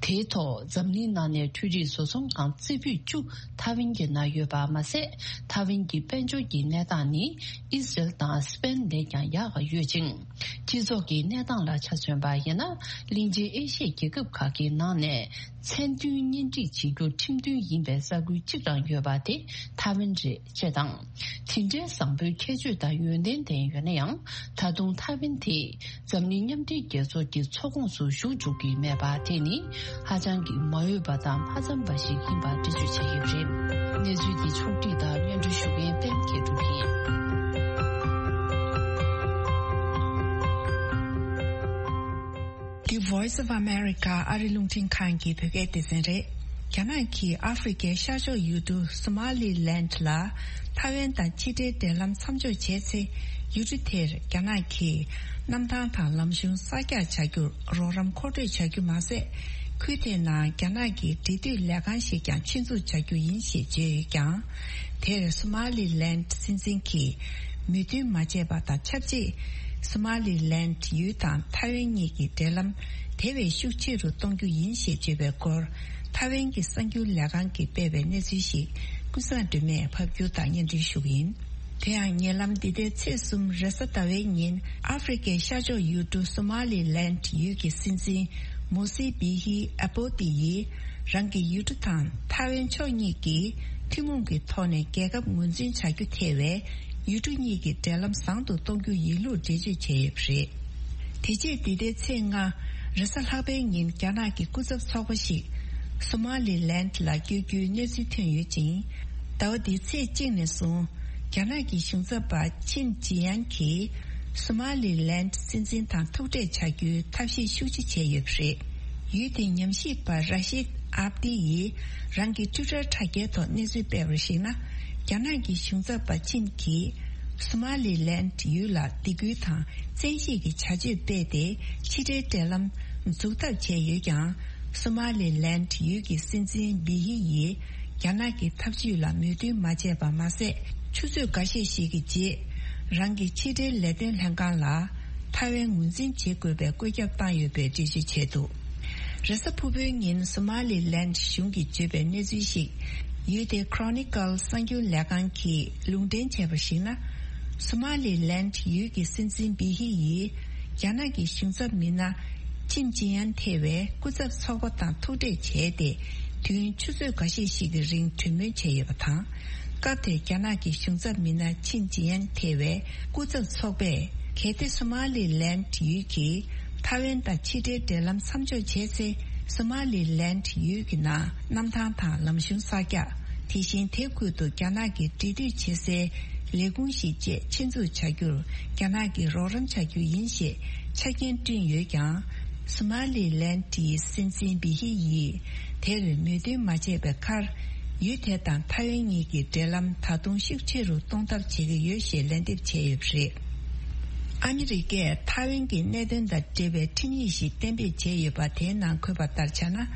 དེའི་ཐོག་འཛམ་གླིང་ནང་ནས་འཕྲུལ་རིག་བཟོ་ཚོང་ཁང་རྩེ་ཕུད་བཅུ་ཐའེ་ཝན་གྱི་ནང་ཡོད་པ་མ་ཟད། ཐའེ་ཝན་གྱི་དཔལ་འབྱོར་གྱི་གནས་སྟངས་ནི་ཨི་སི་རལ་དང་སི་པེན་ལས་ཀྱང་ཡག་ཡོད་ཅིང་། སྤྱི་ཚོགས་ཀྱི་གནས་སྟངས་ལ་ཆ་མཚོན་པ་ཡིན་ན། གླིང་ཆེན་ཨེ་ཤི་ཡའི་རྒྱལ་ཁབ་ཁག་གི་ནང་ནས་མཚན་མཐུན་གཉེན་སྒྲིག་བྱེད་རྒྱུ་ཁྲིམས་མཐུན་ཡིན་པའི་ས་ཁུལ་གཅིག་རང་ཡོད་པ་དེ་ཐའེ་ཝན་རེད་ཅེས་དང་། དེ་འདྲའི་བཟང་པོའི་ཁྱད་ཆོས་དང་ཡོན་ཏན་ལྡན་ཡོད་ན་ཡང་། ད་དུང་ཐའེ་ཝན་དེ་འཛམ་གླིང་མཉམ་འབྲེལ་རྒྱལ་ཚོགས་ཀྱི་ཚོགས་ཁོངས་སུ་ཞུགས་འཇུག་གི་མེད་པ་དེ་ནི་ཧ་ཅང་གི་མ་འོས་པ་དང་མ་འཚམས་པ་ཞིག་ཡིན་པར་འགྲེལ་བརྗོད་བྱས་ཡོད་པ་རེད། གནས་ཚུལ་འདི་ཕྱོགས་བསྒྲིགས་དང་སྙན་སྒྲོན་ཞུ་མཁན་པད་མ་མཁས་གྲུབ་ཡིན། འདི་Voice of America ཨ་རི་རླུང་འཕྲིན་ཁང་གི་བོད་སྐད་སྡེ་ཚན་རེད། རྒྱ་ནག་གིས་ཨ་ཧྥེ་རི་ཁའི་ཤར་ཕྱོགས་ཡུལ་གྲུ་སོ་མ་ལི་ལན་ལ་ཐའེ་ཝན་དང་ཕྱི་འབྲེལ་འབྲེལ་ལམ་མཚམས་འཇོག་བྱས་ཚེ། ཡུལ་གྲུ་དེར་རྒྱ་ནག་གིས་གནམ་ཐང་དང་ལམ་གཞུང་གསར་རྒྱག་བྱ་རྒྱུར་རོགས་རམ་མཁོ་སྤྲོད་བྱ་རྒྱུ་མ་ཟད། ཁུལ་དེའི་ནང་རྒྱ་ནག་གི་འབྲེལ་མཐུད་ལས་ཁང་ཞིག་ཀྱང་ཆེད་འཛུགས་བྱ་རྒྱུ་ཡིན་ཞེས་བརྗོད་ཡོད་ཀྱང་། དེར་སོ་མ་ལི་ལན་སྲིད་འཛིན་གྱིས་མོས་མཐུན་མ་བྱས་པ་དང་ཆབས་ཅིག་སོ་མ་ལི་ལན་ཡུལ་དང་ཐའེ་ཝན་གཉིས་ཀྱི་འབྲེལ་ལམ་དེ་བས་ཤུགས་ཆེ་རུ་གཏོང་རྒྱུ་ཡིན་ཞེས་བརྗོད་པའི་སྐོར། ཐའེ་ཝན་གྱི་གསར་འགྱུར་ལས་ཁང་གིས་སྤེལ་བའི་གནས་ཚུལ་ཞིག་ཀུན་བཟང་སྒྲོལ་མས་ཕབ་སྒྱུར་དང་སྙན་སྒྲོན་ཞུ་གི་ཡིན། དེ་ཡང་ཉེ་ལམ་འདི་ཟླའི་ཚེས་གསུམ་རེས་གཟའ་ཟླ་བའི་ཉིན་ཨ་ཧྥེ་རི་ཁའི་ཤར་ཕྱོགས་ཡུལ་གྲུ་སོ་མ་ལི་ལན་ཡུལ་གྱི་སྲིད་འཛིན་མོ་སི་བི་ཧི་ཨ་པོ་ཏི་ཡིས་རང་གི་ཡུལ་གྲུ་དང་ཐའེ་ཝན་ཕྱོགས་གཉིས་ཀྱིས་ཐུན་མོང་གི་ཐོག་ནས་རྒྱལ་ཁབ་ངོས་འཛིན་བྱ་རྒྱུ་ཐེ་བའི་ཡུལ་གྲུ་གཉིས་ཀྱི་འབྲེལ་ལམ་བཟང་དུ་གཏོང་རྒྱུ་ཡིན་ལུགས་འགྲེལ་བརྗོད་བྱས་ཡོད་པ་རེད། དེ་རྗེས་འདི་ཟླའི་ཚེས་ལྔ་རེས་གཟའ་ལྷག་པའི་ཉིན་རྒྱ་ནག་གི་སྐུ་ཚབ་ཚོགས་པ་ཞིག་སོ་མ་ལི་ལན་ལ་བསྐྱོད་རྒྱུའི་གནས་ཚུལ་ཐོན་ཡོད་ཅིང་། ཟླ་བ་འདིའི་ཚེས་གཅིག་ནས་བཟུང་རྒྱ་ནག་གི་གཞུང་ཚབ་པ་ཆིན་ཅི་ཡན་གྱིས་སོ་མ་ལི་ལན་སྲིད་འཛིན་དང་ཐུག་འཕྲད་བྱ་རྒྱུའི་ཐབས་ཤེས་ཤུགས་ཆེ་བྱས་ཡོད་པ་རེད། ཡུལ་དེའི་ཉམས་ཞིབ་པ་ར་ཤིད་ཨབ་ཏི་ཡིས་རང་གི་ཊུ་ཊར་དྲ་རྒྱའི་ཐོག་གནས་ཚུལ་སྤེལ་བར་གཞིགས་ན། རྒྱ་ནག་གི་གཞུང་ཚབ་པ་ཆིན་གྱིས་སོ་མ་ལི་ལན་ཡུལ་ལ་སྡིགས་སྐུལ་དང་བཙན་ཤེད་ཀྱི་བྱ་སྤྱོད་སྤེལ་ཏེ་ཕྱི་འབྲེལ་འབྲེལ་ལམ་འཛུགས་ཐབས་བྱས་ཡོད་ཀྱང་། སོ་མ་ལི་ལན་ཡུལ་གྱི་སྲིད་འཛིན་བི་ཧི་ཡིས་རྒྱ་ནག་གི་ཐབས་ཇུས་ལ་མོས་མཐུན་མ་བྱས་པ་མ་ཟད། ཆུ་ཚོད་འགའ་ཤས་ཤིག་གི་རྗེས་རང་གི་ཕྱི་འབྲེལ་ལས་དོན་ལྷན་ཁང་ལ་ཐའེ་ཝན་ངོས་འཛིན་བྱེད་དགོས་པའི་བཀོད་ཁྱབ་བཏང་ཡོད་པའི་འགྲེལ་བརྗོད་བྱས་འདུག་རེས་གཟའ་ཕུར་བུའི་ཉིན་སོ་མ་ལི་ལན་གཞུང་གིས་བརྗོད་པའི་གནས་ཚུལ་ཞིག་ཡུལ་དེའི་Chronicle གསར་འགྱུར་ལས་ཁང་གིས་ལུང་འདྲེན་བྱས་པར་གཞིགས་ན། སོ་མ་ལི་ལན་ཡུལ་གྱི་སྲིད་འཛིན་བི་ཧི་ཡིས་རྒྱ་ནག་གི་གཞུང་ཚབ་མི་སྣ་ཆིན་ཅི་ཡན་ཐེ་བའི་སྐུ་ཚབ་ཚོགས་པ་དང་ཐུག་འཕྲད་བྱས་ཏེ། དུས་ཡུན་ཆུ་ཚོད་འགའ་ཤས་ཤིག་གི་རིང་གྲོས་མོལ་བྱས་ཡོད་པ་དང་། སྐབས་དེར་རྒྱ་ནག་གི་གཞུང་ཚབ་མི་སྣ་ཆིན་ཅི་ཡན་ཐེ་བའི་སྐུ་ཚབ་ཚོགས་པས། གལ་ཏེ་སོ་མ་ལི་ལན་ཡུལ་གྱིས་ཐའེ་ཝན་དང་ཕྱི་འབྲེལ་འབྲེལ་ལམ་མཚམས་འཇོག་བྱས་ཚེ། སོ་མ་ལི་ལན་ཡུལ་གྱི་ནང་གནམ་ཐང་དང་ལམ་གཞུང་གསར་རྒྱག་དེ་བཞིན་དེ་ཁུལ་དུ་རྒྱ་ནག་གི་འབྲེལ་མཐུད་བྱེད་སའི་ལས་ཁུངས་ཤིག་བཅས་ཆེད་འཛུགས་བྱ་རྒྱུར་རྒྱ་ནག་གིས་རོགས་རམ་བྱ་རྒྱུ་ཡིན་ཞེས་ཆ་རྐྱེན་བསྐྲུན་ཡོད་ཀྱང་། སོ་མ་ལི་ལན་ཡི་སྲིད་འཛིན་བི་ཧི་ཡིས་དེར་མོས་མཐུན་མ་བྱས་པའི་ཁར། ཡུལ་དེ་དང་ཐའེ་ཝན་གཉིས་ཀྱི་འབྲེལ་ལམ་ད་དུང་ཤུགས་ཆེ་རུ་གཏོང་ཐབས་བྱེད་ཀྱི་ཡོད་ཞེས་ལན་འདེབས་བྱས་ཡོད་པ་རེད། ཨ་མི་རི་ཀས་ཐའེ་ཝན་གྱི་གནད་དོན་དང་འབྲེལ་བའི་ཁྲིམས་ཡིག་ཞིག་གཏན་འབེབས་བྱས་ཡོད་པ། དེའི་ནང་འཁོད་པ་ལྟར་ཆགས་ན།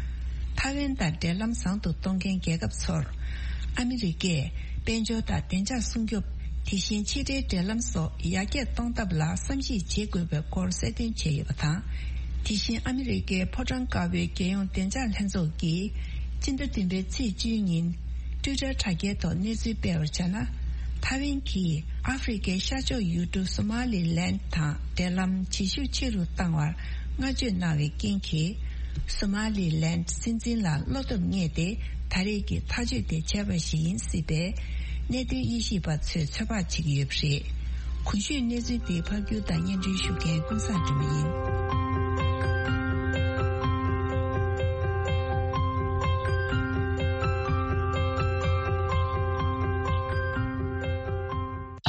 ཐའེ་ཝན་དང་འབྲེལ་ལམ་བཟང་དུ་གཏོང་མཁན་རྒྱལ་ཁབ་ཚོར་ཨ་མི་རི་ཀས་དཔལ་འབྱོར་དང་བདེ་འཇགས་སྲུང་སྐྱོབ། དེ་བཞིན་ཕྱི་འབྲེལ་འབྲེལ་ལམ་སོགས་ཡར་རྒྱས་གཏོང་ཐབས་ལ་བསམ་གཞིག་བྱེད་དགོས་པའི་སྐོར་གསལ་སྟོན་བྱས་ཡོད་པ་དང་། དེ་བཞིན་ཨ་མི་རི་ཀའི་ཕོ་བྲང་དཀར་པོའི་རྒྱལ་ཡོངས་བདེ་འཇགས་ལྷན་ཚོགས་ཀྱིས་སྤྱི་ཟླ་བདུན་པའི་ཚེས་བཅུའི་ཉིན་ཊུའི་ཊར་དྲ་རྒྱའི་ཐོག་གནས་ཚུལ་སྤེལ་བར་བྱས་ན། ཐའེ་ཝན་གྱིས་ཨ་ཧྥེ་རི་ཁའི་ཤར་ཕྱོགས་ཡུལ་གྲུ་སོ་མ་ལི་ལན་དང་འབྲེལ་ལམ་བྱེད་ཤུགས་ཆེ་རུ་བཏང་བར་བསྔགས་བརྗོད་གནང་བའི་རྐྱེན་གྱིས། སོ་མ་ལི་ལན་སྲིད་འཛིན་ལ་བློ་སྟོབས་རྙེད་དེ། ད་རེས་ཀྱི་ཐག་གཅོད་དེ་བྱས་པ་ཞིག་ཡིན་སྲིད་པས། གནད་དོན་དབྱེ་ཞིབ་པ་ཚོས་ཚོད་དཔག་བྱེད་ཀྱི་ཡོད་པ་རེད། གོང་ཞུས་གནས་ཚུལ་དེ་ཕབ་སྒྱུར་དང་སྙན་སྒྲོན་ཞུ་མཁན་ཀུན་བཟང་སྒྲོལ་མ་ཡིན།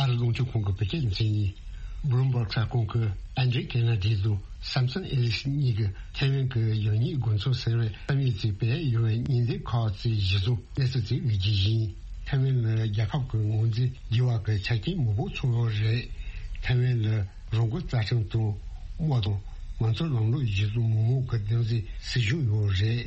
ཨ་རི་རླུང་འཕྲིན་ཁང་གི་བོད་སྐད་སྡེ་ཚན་ཡིན། Bloomberg གསར་ཁང་གིས་ཨན་ཌྲེ་ཀེ་ན་ཌི་དང་སམ་སོན་ཨེ་ལིས་གཉིས་ཀྱིས་ཐའེ་ཝན་གྱི་གཞོན་ནུའི་དགོན་ཚོགས་ཟེར་བའི་བསམ་ཡས་གཙོས་པའི་ཡོད་པའི་ཉེ་འདབས་ཁག་ཅིག་གཞི་བཟུང་གནས་ཚུལ་ཅིག་སླེབས་རྒྱུ་ཡིན། ཐའེ་ཝན་ལ་རྒྱལ་ཁབ་ཀྱི་ངོས་འཛིན་བགྱི་བ་གི་ཆ་རྐྱེན་མང་པོ་ཚང་ཡོད་རེད། ཐའེ་ཝན་ལ་རང་དབང་རྩ་ཁྲིམས་དང་དམངས་དང་མང་གཙོའི་ལམ་ལུགས་གཞི་བཟུང་མི་མང་གི་བདག་འཛིན་སྲིད་གཞུང་ཡོད་རེད།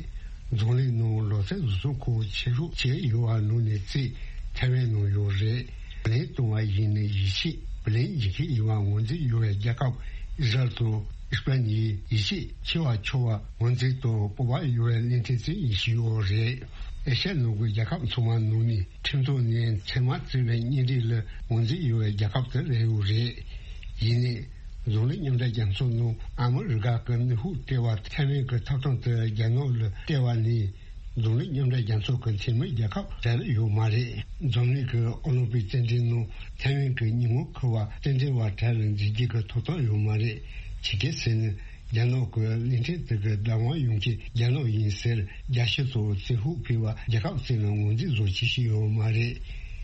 འཛམ་གླིང་ནང་ལོ་ཚད་བཟོ་ཚོང་ཁང་ཆེ་ཤོས་བྱས་ཡོད་པ་ནང་ནས་གཅིག་ཐའེ་ཝན་ནང་ཡོད་རེད། བརླན་གཏོང་བ་ཡིན་ནའི་ཡིད་ཆེས་བརླན་བྱེད་མཁན་ཡིན་པ་ངོས་འཛིན་ཡོད་པའི་རྒྱལ་ཁབ་ཨི་ཟ་རེལ་དང་ཨི་སི་པ་ནིའི་ཡིད་ཆེས་ཆེ་བ་ཆུང་བ་ངོས་འཛིན་དང་སྤོབས་པ་ཡོད་པའི་གླིང་ཕྲན་ཅིག་ཡིན་བཞིན་ཡོད་རེད། ཨེ་ཤ་ཡ་ནང་གི་རྒྱལ་ཁབ་ཚང་མ་ནང་ནས་ཁྲིམས་ཐོག་ནས་མཚན་མ་བརྩི་བའི་གཉེན་སྒྲིག་ལ་ངོས་འཛིན་ཡོད་པའི་རྒྱལ་ཁབ་དེ་རེད་ཡོད་རེད། ཡིན་ནའི། འཛམ་གླིང་མཉམ་འབྲེལ་རྒྱལ་ཚོགས་ནང་ཨ་མི་རི་ཀ་གི་ནུས་ཤུགས་སྤྲད་པ་ཐའེ་ཝན་གྱི་ཐོབ་ཐང་དེ་རྒྱ་ནག་ལ་སྤྲད་པ་ནས། འཛམ་གླིང་མཉམ་འབྲེལ་རྒྱལ་ཚོགས་ཀྱི་འཐུས་མི་རྒྱལ་ཁབ་གྲལ་ལ་ཡོད་མ་རེད། འཛམ་གླིང་གི་ཨོ་ལིམ་པིག་རྩེད་འགྲན་ནང་ཐའེ་ཝན་གྱི་ཉིན་མོ་འཁོར་བ་རྩེད་འགྲན་པ་གྲལ་ལ་འཛུལ་རྒྱུ་གི་ཐོབ་ཐང་ཡོད་མ་རེད། ཇི་སྐད་ཟེར་ན། རྒྱ་ནག་གི་གླིང་ཕྲན་དེ་གི་བདག་དབང་ཡོང་མཁན་རྒྱ་ནག་ཡིན་ཟེར། རྒྱལ་སྤྱི་ཚོགས་བཙན་ཤུགས་སྤེལ་བ་རྒྱལ་ཁབ་གཅིག་ལ་ངོས་འཛིན་བཟོ་བྱེད་བཞིན་ཡོད་མ་རེད།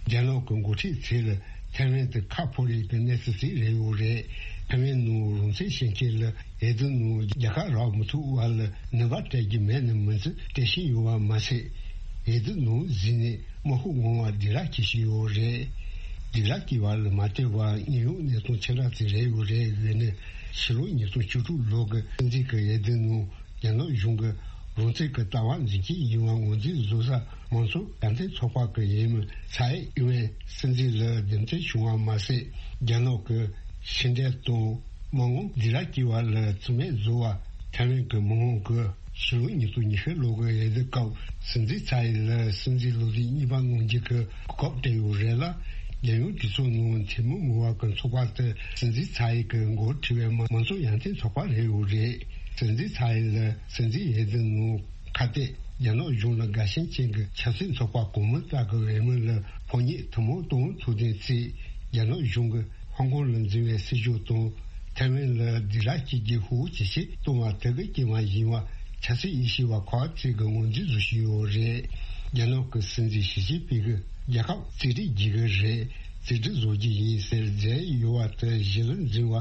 རྒྱ་ནག་གི་འགོ་ཁྲིད་ཚོས་ལ་ཐའེ་ཝན་དེ་ཁ་ཕོ་རེ་གི་གནས་ཚུལ་ཞིག་རེད་ཡོད་རེད། ཐའེ་ཝན་ནང་རང་བཙན་བྱེད་མཁན་ལ་འོས་བསྡུ་ནང་རྒྱལ་ཁ་རག་མི་ཐུབ་བར་ལ་ནུས་པ་སྤྲད་རྒྱུ་མེད་ནི་མིན་ཚུལ་སྤྲད་བཞིན་ཡོད་པ་མ་ཟད། འོས་བསྡུ་ནང་འཛུལ་ནས་དམག་ཤོག་ངོ་མ་སྡིགས་ར་སྐྱེ་བཞིན་ཡོད་རེད། སྡིགས་ར་སྐྱེ་བ་ལ་མ་ལྟོས་པར་དངོས་ཡོད་གནས་སྟངས་ཆེ་ར་ཙིག་རེད་ཡོད་རེད་ཡོད་ནས། ཕྱི་ལོ་ཉིས་སྟོང་བཅུ་དྲུག་ལོ་གི་སྲིད་འཛིན་གྱི་འོས་བསྡུ་ནང་རྒྱ་ནག་གཞུང་གི་རང་བཙན་གྱི་ལྟ་བ་འཛིན་སྤྱོད་ཡིན་པ་ངོས་འཛིན་བཟོ་ས་མང་གཙོ་ཡར་ཐོན་ཚོགས་པ་གི་འོས་མི་ཚའེ་ཨིན་ཝེན་སྲིད་འཛིན་ལ་འདེམས་ཐོན་བྱུང་བ་མ་ཟད། རྒྱ་ནག་གི་ཕྱི་འབྲེལ་དང་མི་དབང་སྡིགས་ར་སྐྱེ་བ་ལ་བརྩི་མེད་བཟོ་བ་ཐའེ་ཝན་གྱི་མི་དབང་གི་ཕྱི་ལོ་ཉིས་སྟོང་ཉི་ཤུ་ལོ་གི་འོས་བསྡུ་སྐབས་སྲིད་འཛིན་ཚའེ་ལ་སྲིད་འཛིན་ལོ་དུས་གཉིས་པ་གནང་རྒྱུ་གི་གོ་སྐབས་སྤྲད་ཡོད་རེད་ལ། རྒྱལ་ཡོངས་གྲོས་ཚོགས་ནང་འཐུས་མི་མང་བ་གི་ཚོགས་པ་དེ་སྲིད་འཛིན་ཚའེ་གི་འགོ་ཁྲིད་པའི་མང་གཙོ་ཡར་ཐོན་ཚོགས་པ་རེད་ཡོད་རེད། སྲིད་འཛིན་ཚའེ་ལ་སྲིད་འཛིན་འོས་བསྡུ་ནང་ཁ་གཏད་རྒྱ་ནག་གཞུང་ལ་དགའ་ཞེན་ཅན་གྱི་ཆབ་སྲིད་ཚོགས་པ་གོང་མ་ལྟ་གི་འོས་མི་ལ་ཕོ་ཉ་ཐུན་མོང་ཏོང་ཐུག་ལྡན་བརྩིས། རྒྱ་ནག་གཞུང་གིས་ཧོང་ཀོང་ལ་འཛིན་པའི་སྲིད་ཇུས་དང་ཐའེ་ཝན་ལ་སྡིགས་ར་སྐྱེ་རྒྱུ་ཤུགས་ཇེ་ཆེ་གཏོང་བ་དེ་གི་རྐྱེན་པ་ཡིན་པ་ཆབ་སྲིད་དབྱེ་ཞིབ་པ་ཁག་ཅིག་གིས་ངོས་འཛིན་བཟོ་བཞིན་ཡོད་རེད། རྒྱ་ནག་གི་སྲིད་འཛིན་ཞི་ཅིན་ཕིང་གིས་རྒྱལ་ཁབ་རྩིས་སྤྲོད་བགྱི་གི་རེད། རྩིས་སྤྲོད་བཟོ་རྒྱུ་ཡིན་ཟེར་མཛད་ཡོད་པ་དེ་གཞི་ལ་འཛིན་པ་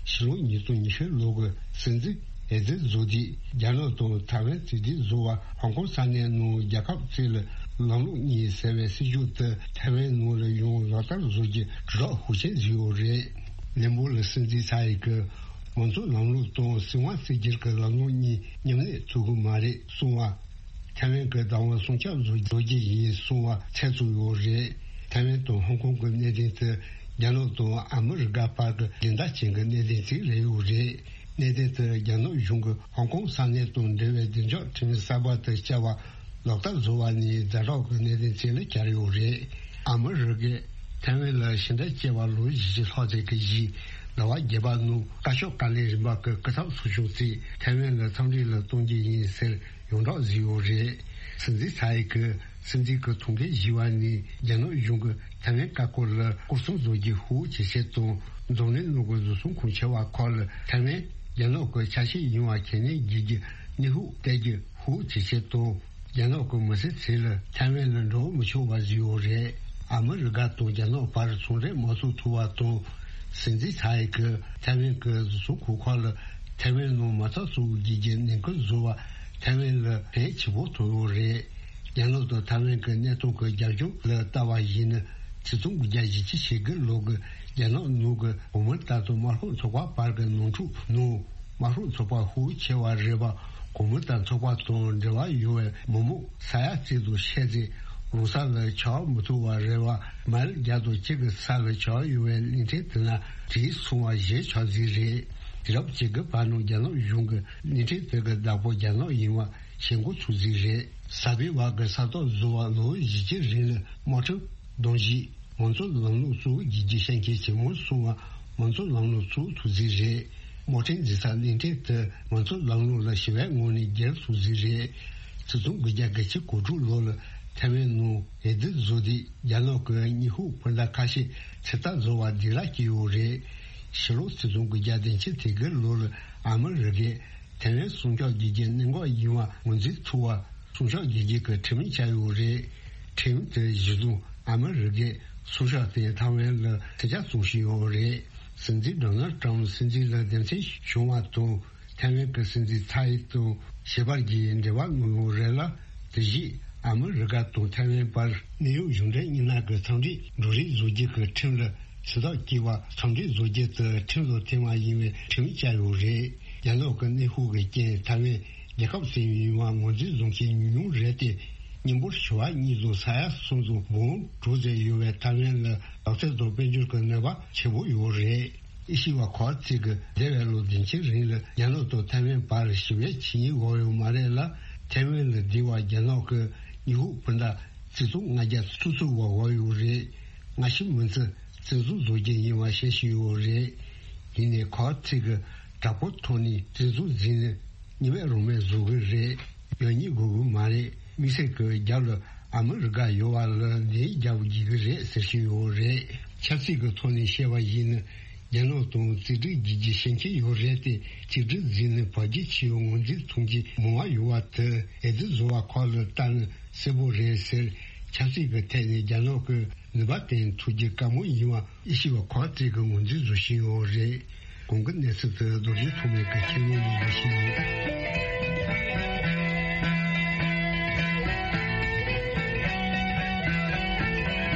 ཕྱི་ལོ་ཉིས་སྟོང་ཉི་ཤུ་ལོ་གི་སྲིད་འཛིན་འོས་བསྡུ་བཟོ་དུས་རྒྱ་ནག་དང་ཐའེ་ཝན་རྩིས་སྤྲོད་བཟོ་བ་ཧོང་ཀོང་ས་གནས་ནང་རྒྱལ་ཁབ་གཅིག་ལ་ལམ་ལུགས་གཉིས་ཟེར་བའི་སྲིད་ཇུས་དེ་ཐའེ་ཝན་ནང་ལ་ཡང་ལག་བསྟར་བཟོ་རྒྱུ་དྲིལ་བསྒྲགས་ཤུགས་ཆེན་བཟོས་ཡོད་རེད། ལན་པོ་ལ་སྲིད་འཛིན་ཚའེ་གིས་མང་གཙོ་ལམ་ལུགས་དང་སྲིད་དབང་བཙན་སྒྱུར་གྱི་ལམ་ལུགས་གཉིས་མཉམ་གནས་ཐུབ་ཀྱི་མ་རེད་གསུངས་པ། ཐའེ་ཝན་གྱི་བདག་དབང་སྲུང་སྐྱོབ་བཟོ་བཟོ་རྒྱུ་ཡིན་གསུངས་པ་ཚད་ཚུད་ཡོད་རེད། ཐའེ་ཝན་དང་ཧོང་ཀོང་གི་གནད་དོན་དེ་རྒྱ་ནག་དང་ཨ་མི་རི་ཀ་བར་གྱི་སྦྱིན་བདག་ཅན་གྱི་གནད་དོན་ཅིག་རེད་ཡོད་རེད། གནད་དོན་དེ་རྒྱ་ནག་གཞུང་གིས་ཧོང་ཀོང་ས་གནས་དང་འབྲེལ་བའི་བདེ་འཇགས་ཁྲིམས་གསར་པ་དེ་བསྐྱར་བ་ལག་བསྟར་བཟོ་བ་ནས་ཛ་དྲག་གི་གནད་དོན་ཅིག་ལ་གྱར་ཡོད་རེད། ཨ་མི་རི་ཀས་ཐའེ་ཝན་ལ་ཕྱི་འབྲེལ་བྱས་པ་ལོ་བཞི་བཅུ་ལྷག་ཙམ་གྱི་རྗེས་ཟླ་བ་བརྒྱད་པ་ནང་བཀའ་ཤོག་བཀའ་ལན་རིམ་པ་གི་སྐུ་ཚབ་ཚོགས་ཆུང་གིས་ཐའེ་ཝན་ལ་འཚམས་འདྲི་ལ་གཏོང་རྒྱུ་ཡིན་ཟེར་ཡོངས་གྲགས་བཟོས་ཡོད་རེད། སྲིད་འཛིན་ཚའེ་གིས་སྲིད་འཛིན་གྱི་ཐུགས་འགན་བཞེས་པ་ནས་རྒྱ་ནག་གཞུང་གིས་ཐའེ་ཝན་བཀའ་བཀོད་ལ་སྐོར་སྲུང་བཟོ་རྒྱུ་ཤུགས་ཇེ་ཆེ་དང་། འཛམ་གླིང་ནང་གི་བཟོ་ཚོང་ཁང་ཆེ་བ་ཁག་ལ་ཐའེ་ཝན་རྒྱ་ནག་གི་ཆ་ཤས་ཡིན་པ་ཁས་ལེན་བགྱིད་རྒྱུ་གནོན་ཤུགས་སྤྲད་རྒྱུ་ཤུགས་ཇེ་ཆེ་དང་། རྒྱ་ནག་གི་མི་སེར་ཚོ་ལ་ཐའེ་ཝན་ལ་འགྲོ་མི་ཆོག་པ་བཟོས་ཡོད་རེད། ཨ་མི་རི་ཀ་དང་རྒྱ་ནག་བར་ཚོང་འབྲེལ་མ་བཙུགས་ཐུབ་པ་དང་། སྲིད་འཛིན་ཚའེ་གིས་ཐའེ་ཝན་གྱི་བཟོ་ཚོང་ཁང་ཁག་ལ་ཐའེ་ཝན་ནང་མ་རྩ་བཙུགས་རྒྱུ་གི་ཉེན་ཁ་བཟོ་བ་ཐའེ་ཝན་ལ་ཕན་ཆེ་པོ་ཐོགས་ཡོད་རེད། རྒྱ་ནག་དང་ཐའེ་ཝན་གྱི་གནས་སྟངས་ཀྱི་རྒྱབ་ལྗོངས་ལ་ལྟ་བ་ཡིན་ན། ཆིག་སྟོང་དགུ་བརྒྱ་བཞི་བཅུ་ཞེ་དགུ་ལོ་གི་རྒྱ་ནག་ནང་གི་གོང་མ་ལྟ་དང་དམར་ཤོག་ཚོགས་པ་བར་གྱི་ནོར་འཁྲུག་ནང་། དམར་ཤོག་ཚོགས་པ་ཤུགས་ཆེ་བ་རེད་པ། གོང་མ་ལྟ་ཚོགས་པ་དང་འབྲེལ་བ་ཡོད་པའི་མི་མང་ས་ཡ་གཅིག་དང་ཕྱེད་ཙམ་རང་ས་ལ་ཆགས་མི་ཐུབ་པ་རེད་པ། མལ་བརྒྱ་དང་གཅིག་གི་ས་ལ་ཆགས་ཡོད་པའི་གླིང་ཕྲན་དེ་ན་བྲེལ་སོང་བ་ཞེས་ཆགས་རྩིས་རེད། དུས་རབས་ཅིག་གི་བར་ནང་རྒྱ་ནག་གཞུང་གིས་གླིང་ཕྲན་དེ་གི་བདག་པོ་རྒྱ་ནག་ཡིན་པ་ཤེས་འགོ་ཚུགས་རྩིས་རེད། གསར་སྤེལ་བ་གི་ས་ཐོག་བཟོ་བ་ལོ་བཞི་བཅུ་རིང་ལ་དམག་ཁྲིམས་གདམ་གཤིས། མང་གཙོ་ལམ་ལུགས་གཙོ་བོ་བགྱིད་རྒྱུ་ཤན་ཁྱེར་ཇེ་མང་སོང་བ་མང་གཙོ་ལམ་ལུགས་གཙོ་བོ་ཐུགས་རྩིས་རེད། དམག་ཁྲིམས་འཛིན་ས་གླིང་ཕྲན་དེ་མང་གཙོ་ལམ་ལུགས་ལ་ཞི་བའི་ངང་ནས་སྒེར་ཐུགས་རྩིས་རེད། ཆིག་སྟོང་དགུ་བརྒྱ་གྱ་གཅིག་གོ་དྲུག་ལོ་ལ་ཐའེ་ཝན་ནང་འོས་བསྡུ་བཟོ་དུས་རྒྱ་ནག་གི་དངོས་ཤུགས་སྤུན་ཟླ་ཁ་ཤས་ཚོད་ལྟ་བཟོ་བ་སྡིགས་ར་སྐྱེས་ཡོད་རེད། ཕྱི་ལོ་ཆིག་སྟོང་དགུ་བརྒྱ་བདུན་ཅུ་དོན་དགུ་ལོ་ལ་ཨ་མི་རི་ཀས་ཐའེ་ཝན་སྲུང་སྐྱོབ་བགྱིད་རྒྱུ་གནད་འགག་ཡིན་པ་ངོས་འཛིན་ཐུབ་པ། སྲུང་སྐྱོབ་བགྱིད་རྒྱུ་གི་ཁྲིམས་ཡིག་བཅའ་ཡོད་རེད། ཁྲིམས་དེ་གཞི་བཟུང་ཨ་མི་རི་ཀས་སྲུང་སྐྱོབ་དེ་ཐའེ་ཝན་ལ་ཐེ་ཇ་བཙོང་བཞིན་ཡོད་རེད། སྲིད་འཛིན་ཌོ་ནལ་ཊམ་སྲིད་འཛིན་ལ་འདེམས་ཐོན་བྱུང་བ་དང་ཐའེ་ཝན་གྱི་སྲིད་འཛིན་ཚའེ་དང་ཞལ་པར་གྱིས་འབྲེལ་བ་གནང་ཡོད་རེད་ལ། དེ་བཞིན་ཨ་མི་རི་ཀ་དང་ཐའེ་ཝན་བར་གནད་ཡོད་གཞུང་འབྲེལ་གཉིས་སྣ་གི་འཚམས་འདྲིའི་འབྲུ་རིགས་བཟོ་རྒྱུ་གི་ཁྲིམས་ལ་ཕྱི་ཐག་བཀོད་པ་འཚམས་འདྲི་བཟོ་རྒྱུ་དེ་ཁྲིམས་ལ་འཐེན་པ་ཡིན་པའི་ཁྲིམས་བཅའ་ཡོད་རེད། རྒྱ་ནག་གི་གནོན་ཤུགས་ཀྱི་རྐྱེན་ཐའེ་ཝན་རྒྱལ་ཁབ་ཟིན་ཡིན་པ་ངོས་འཛིན་བཟུང་མཁན་ཉུང་ཉུང་རེད་དེ། མི་འབོར་ཆེ་བ་གཉིས་དང་ས་ཡ་གསུམ་དང་འབུམ་དྲུག་ཙམ་ཡོད་པའི་ཐའེ་ཝན་ལ་དག་ཐེར་དང་དཔལ་འབྱོར་གྱི་གནོད་པ་ཆེན་པོ་ཡོད་རེད། དབྱེ་ཞིབ་པ་ཁག་ཅིག་གིས་འདས་པའི་ལོ་བདུན་ཅུ་རིང་ལ་རྒྱ་ནག་དང་ཐའེ་ཝན་བར་ཞི་བའི་ཆིངས་ཡིག་འོག་ཡོད་མ་རེད་ལ། ཐའེ་ཝན་ལ་སྡོད་པ་རྒྱ་ནག་གི་དངོས་ཤུགས་སྤུན་ཟླ་ཆིག་སྟོང་ལྔ་བརྒྱ་སོ་སོ་བ་འོག་ཡོད་རེད། སྔ་ཕྱི་མུ་མཐུད་བཙན་འཛུལ་བཟོ་རྒྱུ་ཡིན་པ་བཤད་བཞིན་ཡོད་རེད། ཡིན་ནའི་ཁག་ཅིག་གིས་དྲག་པོའི་ཐོག་ནས་བཙན་འཛུལ་བཟོས་ནས་གཉིས་མེད་རང་མེད་བཟོ་གི་རེད། ཡོང་སྙིང་དགོས་གི་མ་རེད། དམིགས་བསལ་གྱི་རྒྱབ་ལ་ཨ་མི་རི་ཀ་ཡོད་པ་ལ་ལན་རྒྱག་དགོས་ཀྱི་རེད་ཟེར་བཞིན་ཡོད་རེད། ཆབ་སྲིད་ཀྱི་ཐོག་ནས་བཤད་པ་ཡིན་ན། རྒྱ་ནག་དང་རྩིས་སྤྲོད་བགྱིད་རྒྱུ་ཤན་ཁྱེར་ཡོད་རེད་དེ། གཅིག་སྒྲིལ་འཛིན་ནས་བར་ཆད་ཆེ་བའི་ངོས་འཛིན་མཐོང་རྒྱུ་མང་བ་ཡོད་པ་དེ་འོས་བསྡུ་བཟོ་བ་ཁག་ལ་ལྟ་ན་གསལ་པོ་རེད་ཟེར། ཆབ་སྲིད་ཀྱི་ཐད་ནས་རྒྱ་ནག་གི་ནུས་པ་བསྟན་ཐུབ་རྒྱུ་དཀའ་མོ་ཡིན་པ་དབྱེ་ཞིབ་པ་ཁག་ཅིག་གིས་ངོས་འཛིན་བཟོ་བཞིན་ཡོད་རེད། གོང་གི་གནས་ཚུལ་དེ་རྡོ་རྗེ་ཐོགས་མེད་ཀྱིས་ཁྱེར་ཡོང་ནས་ལས་ཤིག་ཡིན།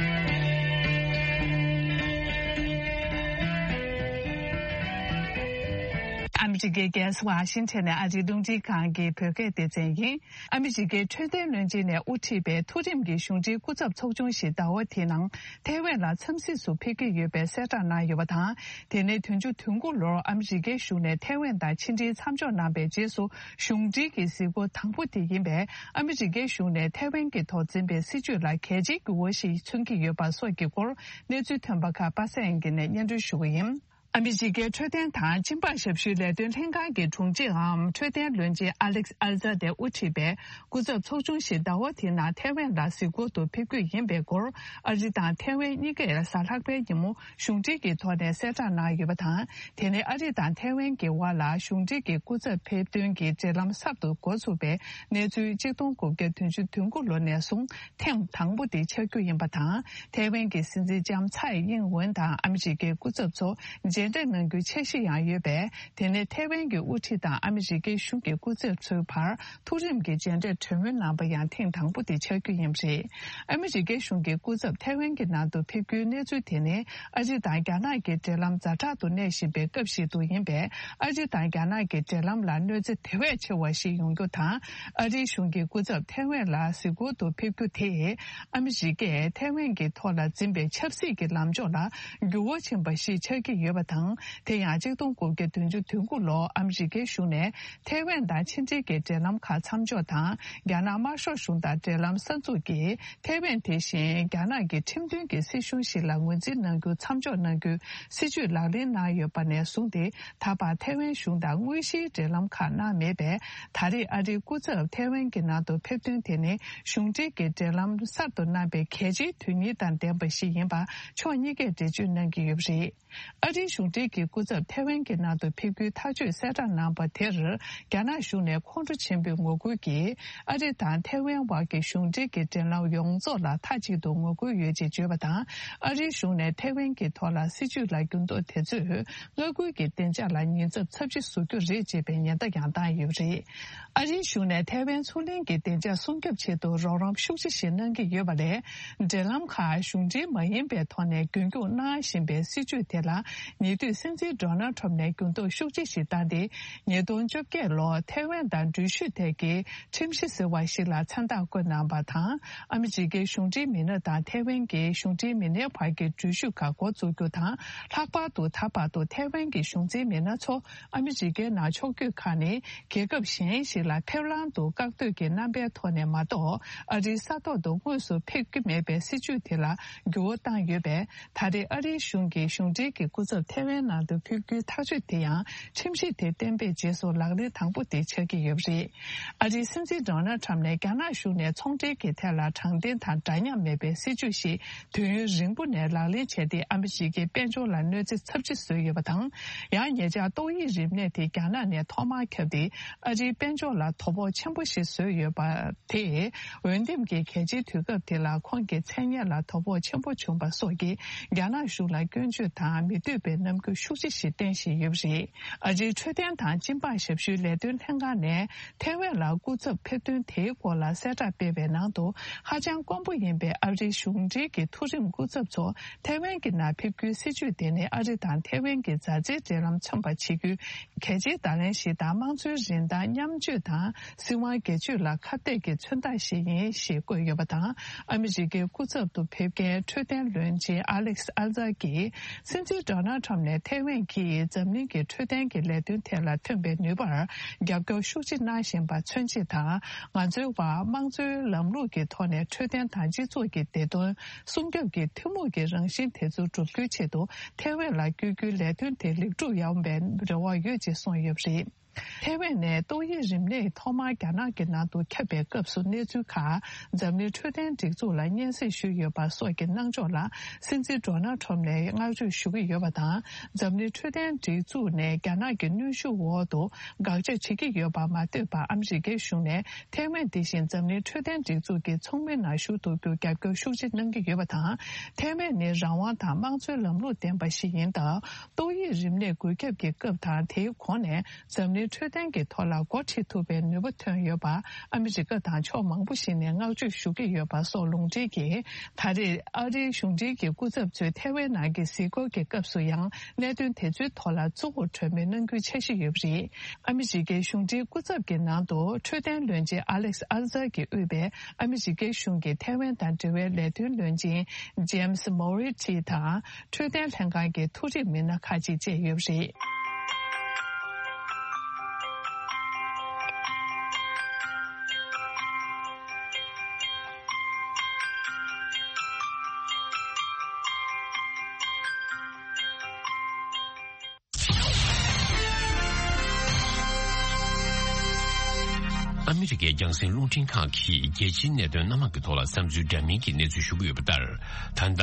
ཕྱི་རྒྱལ་རྒྱལ་ས་ཝ་ཤིང་ཊོན་ནས་ཨ་རིའི་རླུང་འཕྲིན་ཁང་གི་བོད་སྐད་སྡེ་ཚན་ཡིན། ཨ་མི་རི་ཀའི་འཕྲོད་བསྟེན་བློན་ཆེན་ནས་དབུ་ཁྲིད་པའི་མཐོ་རིམ་གྱི་གཞུང་འབྲེལ་སྐུ་ཚབ་ཚོགས་ཆུང་ཞིག་ཟླ་བ་དེའི་ནང་ཐའེ་ཝན་ལ་འཚམས་གཟིགས་སུ་ཕེབས་ཀྱི་ཡོད་པའི་གསལ་བསྒྲགས་གནང་ཡོད་པ་དང་། དེ་ནི་བདུན་ཅུ་དོན་དགུ་ལོར་ཨ་མི་རི་ཀའི་གཞུང་ནས་ཐའེ་ཝན་དང་ཕྱི་འབྲེལ་མཚམས་འཇོག་གནང་པའི་རྗེས་སུ་གཞུང་འབྲེལ་གྱི་གཟིགས་སྐོར་དང་པོ་དེ་ཡིན་པས། ཨ་མི་རི་ཀའི་གཞུང་ནས་ཐའེ་ཝན་གྱི་ཐོག་འཛིན་པའི་སྲིད་བྱུས་ལ་གལ་ཆེའི་འགྱུར་བ་ཞིག་མཚོན་གྱི་ཡོད་པ་སོགས་ཀྱི་སྐོར་གནས་ཚུལ་ཐོན་པ་ཁག་པ་སངས་དབྱངས་སྐྱིད་ནས་སྙན་སྒྲོན་ཞུ་གི་ཡིན། ཨ་མི་རི་ཀའི་འཕྲོད་བསྟེན་དང་སྦྱིན་པ་ཞབས་ཞུའི་ལས་དོན་ལྷན་ཁང་གི་དྲུང་ཆེའམ་འཕྲོད་བསྟེན་བློན་ཆེན་ཨ་ལེག་ཨལ་ཛ་དེ་དབུ་ཁྲིད་པའི་སྐུ་ཚབ་ཚོགས་ཆུང་ཞིག་ཟླ་བ་དེའི་ནང་ཐའེ་ཝན་ལ་གཟིགས་སྐོར་དུ་ཕེབས་རྒྱུ་ཡིན་པའི་སྐོར། ཨ་རི་དང་ཐའེ་ཝན་གཉིས་ཀས་གཟའ་ལྷག་པའི་ཉིན་མོ་གཞུང་འབྲེལ་གྱི་ཐོག་ནས་གསལ་བསྒྲགས་གནང་ཡོད་པ་དང་། དེ་ནི་ཨ་རི་དང་ཐའེ་ཝན་གྱི་དབར་ལ་གཞུང་འབྲེལ་གྱི་སྐུ་ཚབ་ཕེབས་ཐོན་གྱི་འབྲེལ་ལམ་གསར་དུ་འགོ་ཚུགས་པའི་གནས་ཚུལ་གཅིག་སྟོང་དགུ་བརྒྱ་བདུན་ཅུ་དོན་དགུ་ལོ་ནས་བཟུང་ཐེངས་དང་པོ་དེ་ཆགས་རྒྱུ་ཡིན་པ་དང་། ཐའེ་ཝན་གྱི་སྲིད་འཛིན་ལྕམ་ཚའེ་དབྱིན་ཝེན་དང་ཨ་མི་རི་ཀའི་སྐུ་ཚབ་ཚོ་མཇལ་འཕྲད་གནང་རྒྱུའི་འཆར་གཞི་ཡང་ཡོད་པས། དེ་ནི་ཐའེ་ཝན་གྱི་དབུ་ཁྲིད་དང་ཨ་མི་རི་ཀའི་གཞུང་གི་སྐུ་ཚབ་ཚོའི་བར་མཐོ་རིམ་གྱི་མཇལ་འཕྲད་གྲོས་མོལ་གནང་པ་ཡང་ཐེངས་དང་པོ་དེ་ཆགས་རྒྱུ་ཡིན་པ་རེད། ཨ་མི་རི་ཀའི་གཞུང་གི་སྐུ་ཚབ་ཐའེ་ཝན་གྱི་ནང་དུ་ཕེབས་རྒྱུའི་གནས་ཚུལ་དེ་ནི་ཨ་རི་དང་རྒྱ་ནག་གི་འབྲེལ་ལམ་ཛ་དྲག་ཏུ་གནས་བཞིན་པའི་སྐབས་ཤིག་ཏུ་ཡིན་པས། ཨ་རི་དང་རྒྱ་ནག་གི་འབྲེལ་ལམ་ལ་གནོད་འཚེ་དེ་བས་ཆེ་བ་ཞིག་ཡོང་རྒྱུ་དང་། ཨ་རིའི་གཞུང་གི་སྐུ་ཚབ་ཐའེ་ཝན་ལ་གཟིགས་སྐོར་དུ་ཕེབས་རྒྱུ་དེས་ཨ་མི་རི་ཀས་ཐའེ་ཝན་གྱི་ཐོག་ལ་འཛིན་པའི་ཆབ་སྲིད་ཀྱི་ལངས་ཕྱོགས་ལ་འགྱུར་བ་ཕྱིན་པ་ཞིག་ཆགས་ཀྱི་ཡོད་པ་དང་། དེ་ཡང་གཅིག་སྟོང་དགུ་བརྒྱ་བདུན་ཅུ་དོན་དགུ་ལོར་ཨ་མི་རི་ཀའི་གཞུང་ནས་ཐའེ་ཝན་དང་ཕྱི་འབྲེལ་གྱི་འབྲེལ་ལམ་ཁག་མཚམས་འཇོག་དང་། རྒྱ་ནག་དམར་ཤོག་གཞུང་དང་འབྲེལ་ལམ་གསར་འཛུགས་ཀྱིས། ཐའེ་ཝན་དེ་བཞིན་རྒྱ་ནག་གི་ཁྲིམས་མཐུན་གྱི་སྲིད་གཞུང་ཞིག་ལ་ངོས་འཛིན་གནང་རྒྱུ་མཚམས་འཇོག་གནང་རྒྱུའི་སྲིད་བྱུས་ལག་ལེན་གནང་ཡོད་པ་ནས་བཟུང་སྟེ། ད་བར་ཐའེ་ཝན་གཞུང་དང་དངོས་གཞིའི་འབྲེལ་ལམ་ཁག་གནང་མེད་པས། ད་རེས་ཨ་རིའི་སྐུ་ཚབ་ཐའེ་ཝན་གྱི་ནང་དུ་ཕེབས་ཐོན་དེ་ནི་གཞུང་འབྲེལ་གྱི་འབྲེལ་ལམ་གསར་དུ་གནང་པའི་གལ་ཆེའི་དོན་སྙིང་དང་ལྡན་པ་ཞིག་ཡིན་པ་ཕྱོགས་གཉིས་ཀས་འགྲེལ་བརྗོད་གནང་གི་ཡོད་པ་རེད། ཨ་རིའི་གཞུང་འབྲེལ་གྱི་སྐུ་ཚབ་ཐའེ་ཝན་གྱི་ནང་དུ་ཕེབས་རྒྱུའི་ཐག་གཅོད་གསལ་བསྒྲགས་གནང་པ་དེར། རྒྱ་ནག་གཞུང་ནས་ཁོང་ཁྲོ་ཆེན་པོས་ངོ་རྒོལ་གྱིས། ཨ་རི་དང་ཐའེ་ཝན་དབར་གྱི་གཞུང་འབྲེལ་གྱི་འབྲེལ་ལམ་ཡོངས་རྫོགས་ལ་མཐའ་གཅིག་ཏུ་ངོ་རྒོལ་ཡོད་ཅེས་བརྗོད་པ་དང་། ཨ་རིའི་གཞུང་ནས་ཐའེ་ཝན་གྱི་ཐོག་ལ་སྲིད་བྱུས་ལ་འགྱུར་ལྡོག་དེ་ཚོས་མངའ་ཁུལ་གྱི་བདེ་འཇགས་ལ་ཉེན་ཚབས་ཚབས་ཆེ་བཟོ་རྒྱུ་རེད་ཅེས་པའི་ཉེན་བརྡ་ཡང་བཏང་ཡོད་པ་རེད། ཨ་རིའི་གཞུང་ནས་ཐའེ་ཝན་མཚོ་གླིང་གི་བདེ་འཇགས་སྲུང་སྐྱོབ་ཆེད་དུ་རོགས་རམ་ཤུགས་ཆེ་ཞིག་གནང་གི་ཡོད་པ་ལས། འབྲེལ་ལམ་ཁག་གཞུང་འབྲེལ་མ་ཡིན་པའི་ཐོག་ནས་རྒྱུན་འཁྱོངས་གནང་བཞིན་པའི་སྲིད་བྱུས་དེ་ལ། ཉེ་དུས་སྲིད་འཛིན་ཌོ་ནལ་ཁྲམ་ནས་འགྱུར་ལྡོག་ཤུགས་ཆེ་ཞིག་བཏང་སྟེ། ཉིས་སྟོང་བཅོ་བརྒྱད་ལོར་ཐའེ་ཝན་དང་འགྲུལ་བཞུད་ཐད་ཀྱི་ཁྲིམས་གཞི་ཟེར་བ་ཞིག་ལ་མཚན་རྟགས་བཀོད་གནང་བ་དང་། ཨ་མི་རི་ཀའི་གཞུང་འབྲེལ་མི་སྣ་དང་ཐའེ་ཝན་གྱི་གཞུང་འབྲེལ་མི་སྣའི་བར་གྱི་འགྲུལ་བཞུད་ཁག་འགོ་འཛུགས་རྒྱུ་དང་། ལྷག་པར་དུ་ད་བར་དུ་ཐའེ་ཝན་གྱི་གཞུང་འཛིན་མི་སྣ་ཚོ། ཨ་མི་རི་ཀའི་ནང་ཕྱོགས་བསྐྱོད་ཁག་ནི་རྒྱལ་ཁབ་གཞན་ཞིག་ལ་ཕེབས་ལམ་དུ་བཀག་སྡོད་ཀྱི་རྣམ་པའི་ཐོག་ནས་མ་གཏོགས། ཨ་རིའི་ས་ཐོག་ཏུ་དངོས་སུ་ཕེབས་ཀྱི་མེད་པའི་སྲིད་བྱུས་དེ་ལ་འགྱུར་བ་བཏང་ཡོད་པས། ད་རེས་ཨ་རིའི་གཞུང་གིས་གཞུང་འབྲེལ་གྱི་སྐུ་ཚབ་ཐའེ་ཝན་ནང་དུ་ཕེབས་རྒྱུའི་ཐག་གཅོད་དེ་ཡང་། ཁྲིམས་གཞི་དེ་གཏན་འབེབས་རྗེས་སུ་ལག་ལེན་དང་པོ་དེ་ཆགས་ཀྱི་ཡོད་པ་རེད། ཨ་རིའི་སྲིད་འཛིན་ཌོ་ནལ་ཁྲམ་ནས་རྒྱ་ནག་གཞུང་ནས་ཚོང་འབྲེལ་གྱི་ཐད་ལ་དྲང་བདེན་དང་འདྲ་མཉམ་མེད་པའི་སྲིད་བྱུས་ཤིག་དུས་ཡུན་རིང་པོ་ནས་ལག་ལེན་བྱས་ཏེ། ཨ་མི་རི་ཀའི་དཔལ་འབྱོར་ལ་གནོད་འཚེ་ཚབས་ཆེ་བཟོས་ཡོད་པ་དང་། ཡང་ཉེ་ཆར་ཏོག་དབྱིབས་རིམས་ནད་དེ་རྒྱ་ནག་ནས་ཐོག་མར་ཁྱབ་སྟེ། ཨ་རིའི་དཔལ་འབྱོར་ལ་དོ་ཕོག་ཆེན་པོ་ཞིག་བཟོས་ཡོད་པ་དེས། འོས་འདེམས་ཀྱི་གལ་ཆེའི་དུས་སྐབས་དེ་ལ་ཁོང་གི་མཚན་སྙན་ལ་དོ་ཕོག་ཆེན་པོ་བྱུང་པ་སོགས་ཀྱིས། རྒྱ་ནག་གཞུང་ལ་སྐྱོན་བརྗོད་དང་མི་འདོད་པའི་རྣམ་འགྱུར་ཤུགས་ཆེ་ཞིག་བསྟན་བཞིན་ཡོད་པ་རེད། ཨ་རིའི་འཕྲོད་བསྟེན་དང་སྦྱིན་པ་ཞབས་ཞུའི་ལས་དོན་ལྷན་ཁང་ནས། ཐའེ་ཝན་ལ་སྐུ་ཚབ་ཕེབས་ཐོན་དེའི་སྐོར་ལ་གསལ་བསྒྲགས་སྤེལ་བའི་ནང་དུ། ཧ་ཅང་དཀོན་པོ་ཡིན་པའི་ཨ་རིའི་གཞུང་འབྲེལ་གྱི་མཐོ་རིམ་སྐུ་ཚབ་ཚོ་ཐའེ་ཝན་གྱི་ནང་ཕེབས་རྒྱུའི་སྲིད་བྱུས་དེ་ནི། ཨ་རི་དང་ཐའེ་ཝན་གྱི་མཛའ་བརྩེའི་འབྲེལ་ལམ་མཚོན་པར་བྱེད་རྒྱུའི་གལ་ཆེའི་བརྡ་ལན་ཞིག་དང་། དམངས་གཙོའི་རིན་ཐང་མཉམ་སྤྱོད་དང་སྲིད་དབང་སྒེར་གཅོད་ལ་ཁ་གཏད་ཀྱི་མཚོན་རྟགས་ཤིག་ཡིན་ཞེས་བཀོད་ཡོད་པ་དང་། ཨ་མི་རི་ཀའི་སྐུ་ཚབ་ཏུ་ཕེབས་མཁན་འཕྲོད་བསྟེན་བློན་ཆེན་ཨ་ལེག་སི་ཨལ་ཛར་གྱིས། སྲིད་འཛིན་ཌོ་ནལ་ཁྲམ་ནས་ཐའེ་ཝན་གྱིས་འཛམ་གླིང་གི་འཕྲོད་བསྟེན་གྱི་ལས་དོན་ཐད་ལ་ཐོན་པའི་ནུས་པར་རྒྱབ་སྐྱོར་ཤུགས་ཆེ་གནང་བཞིན་པ་མཚོན་བྱེད་དང་། ང་ཚོའི་བར་དམངས་གཙོའི་ལམ་ལུགས་ཀྱི་ཐོག་ནས་འཕྲོད་བསྟེན་དང་སྤྱི་ཚོགས་ཀྱི་བདེ་དོན་སྲུང་སྐྱོབ་ཀྱི་ཐུན་མོང་གི་རང་བཞིན་དེ་ཚོ་བསྒྲུབ་རྒྱུའི་ཆེད་དུ། ཐའེ་ཝན་ལ་བསྐྱོད་རྒྱུའི་ལས་དོན་དེ་ལེགས་གྲུབ་ཡོང་བའི་རེ་བ་ཡོད་ཅེས་གསུངས་ཡོད་པ་རེད། ཐའེ་ཝན་ནས་ཏོག་དབྱིབས་རིམས་ནད་ཐོག་མར་རྒྱ་ནག་གི་ནང་དུ་ཁྱབ་པའི་སྐབས་སུ། གནས་ཚུལ་ཁག་འཛམ་གླིང་འཕྲོད་བསྟེན་སྒྲིག་འཛུགས་ལ་སྙན་སེང་ཞུས་ཡོད་པ་སོགས་ཀྱི་གནང་ཕྱོགས་ལ། སྲིད་འཛིན་ཌོ་ནལ་ཁྲམ་ནས་བསྔགས་བརྗོད་ཞུ་གི་ཡོད་པ་དང་། འཛམ་གླིང་འཕྲོད་བསྟེན་སྒྲིག་འཛུགས་ནས་རྒྱ་ནག་གི་གནོན་ཤུགས་འོག་ཏུ་དགག་བྱ་བྱེད་ཀྱི་ཡོད་པ་མ་ལྟོས་པར། ཨ་མི་རི་ཀའི་གཞུང་ནས་ཐའེ་ཝན་དེ་བཞིན་འཛམ་གླིང་འཕྲོད་བསྟེན་སྒྲིག་འཛུགས་ཀྱི་ཚོགས་མིའི་ནང་ཞུགས་ཐུབ་རྒྱུར་རྒྱབ་སྐྱོར་ཤུགས་ཆེ་གནང་གི་ཡོད་པ་དང་། ཐའེ་ཝན་ནི་རང་དབང་དང་དམངས་གཙོའི་ལམ་ལུགས་ལྡན་པ་ཞིག་ཡིན་སྟབས། ཏོག་དབྱིབས་རིམས་ནད་འགོས་ཁྱབ་ཀྱི་སྐབས་དང་། དེའི་གོང་ནས་འཛམ་གླིང་ འཕྲོད་བསྟེན་གྱི་ཐོག་ལ་འགོ་ཁྲིད་ཐུབ་པའི་ནུས་པ་ཐོན་ཡོད་པ་ཨ་མི་རི་ཀ་དང་ཕྱོགས་མང་པོ་ཞིག་ནས་བསྔགས་བརྗོད་ཞུ་གི་ཡོད་པ་སོགས་ལུང་འདྲེན་གྱིས། ད་རེས་ཨ་རིའི་གཞུང་འབྲེལ་གྱི་སྐུ་ཚབ་ཚོས་ཐའེ་ཝན་ནང་གི་གཟིགས་སྐོར་གྱི་སྐབས་སུ་ཡང་གནད་དོན་དེ་ཚོའི་ཐོག་ལ་གཙོ་བོར་གྲོས་མོལ་གནང་རྒྱུའི་འཆར་གཞི་ཡོད་པ་རེད། ཨ་མི་རི་ཀའི་གཞུང་འབྲེལ་སྐུ་ཚབ་ཀྱི་ནང་དུ་འཕྲོད་བསྟེན་བློན་ཆེན་ཨ་ལེག་ཨར་ཛར་གྱིས་དབུས་པའི་ཨ་མི་རི་ཀའི་གཞུང་གི་ཐའེ་ཝན་དང་འབྲེལ་བའི་ལས་དོན་བློན་ཆེན་ཇེམ་སི་མོ་རི་ཊི་དང་། འཕྲོད་བསྟེན་ལྷན་ཁང་གི་མཐོ་རིམ་མི་སྣ་ཁག་ཅིག་བཅས་ཡོད་པ་རེད། ཨ་མི་རི་ཀའི་རྒྱང་སྲིང་རླུང་འཕྲིན་ཁང་གིས་རྒྱལ་སྤྱིའི་གནད་དོན་སྣ་མང་གི་ཐོག་ལ་བསམ་ཚུལ་འདྲ་མིན་གྱི་གནས་ཚུལ་ཞུ་གི་ཡོད་པ་ལྟར། ད་ལྟ་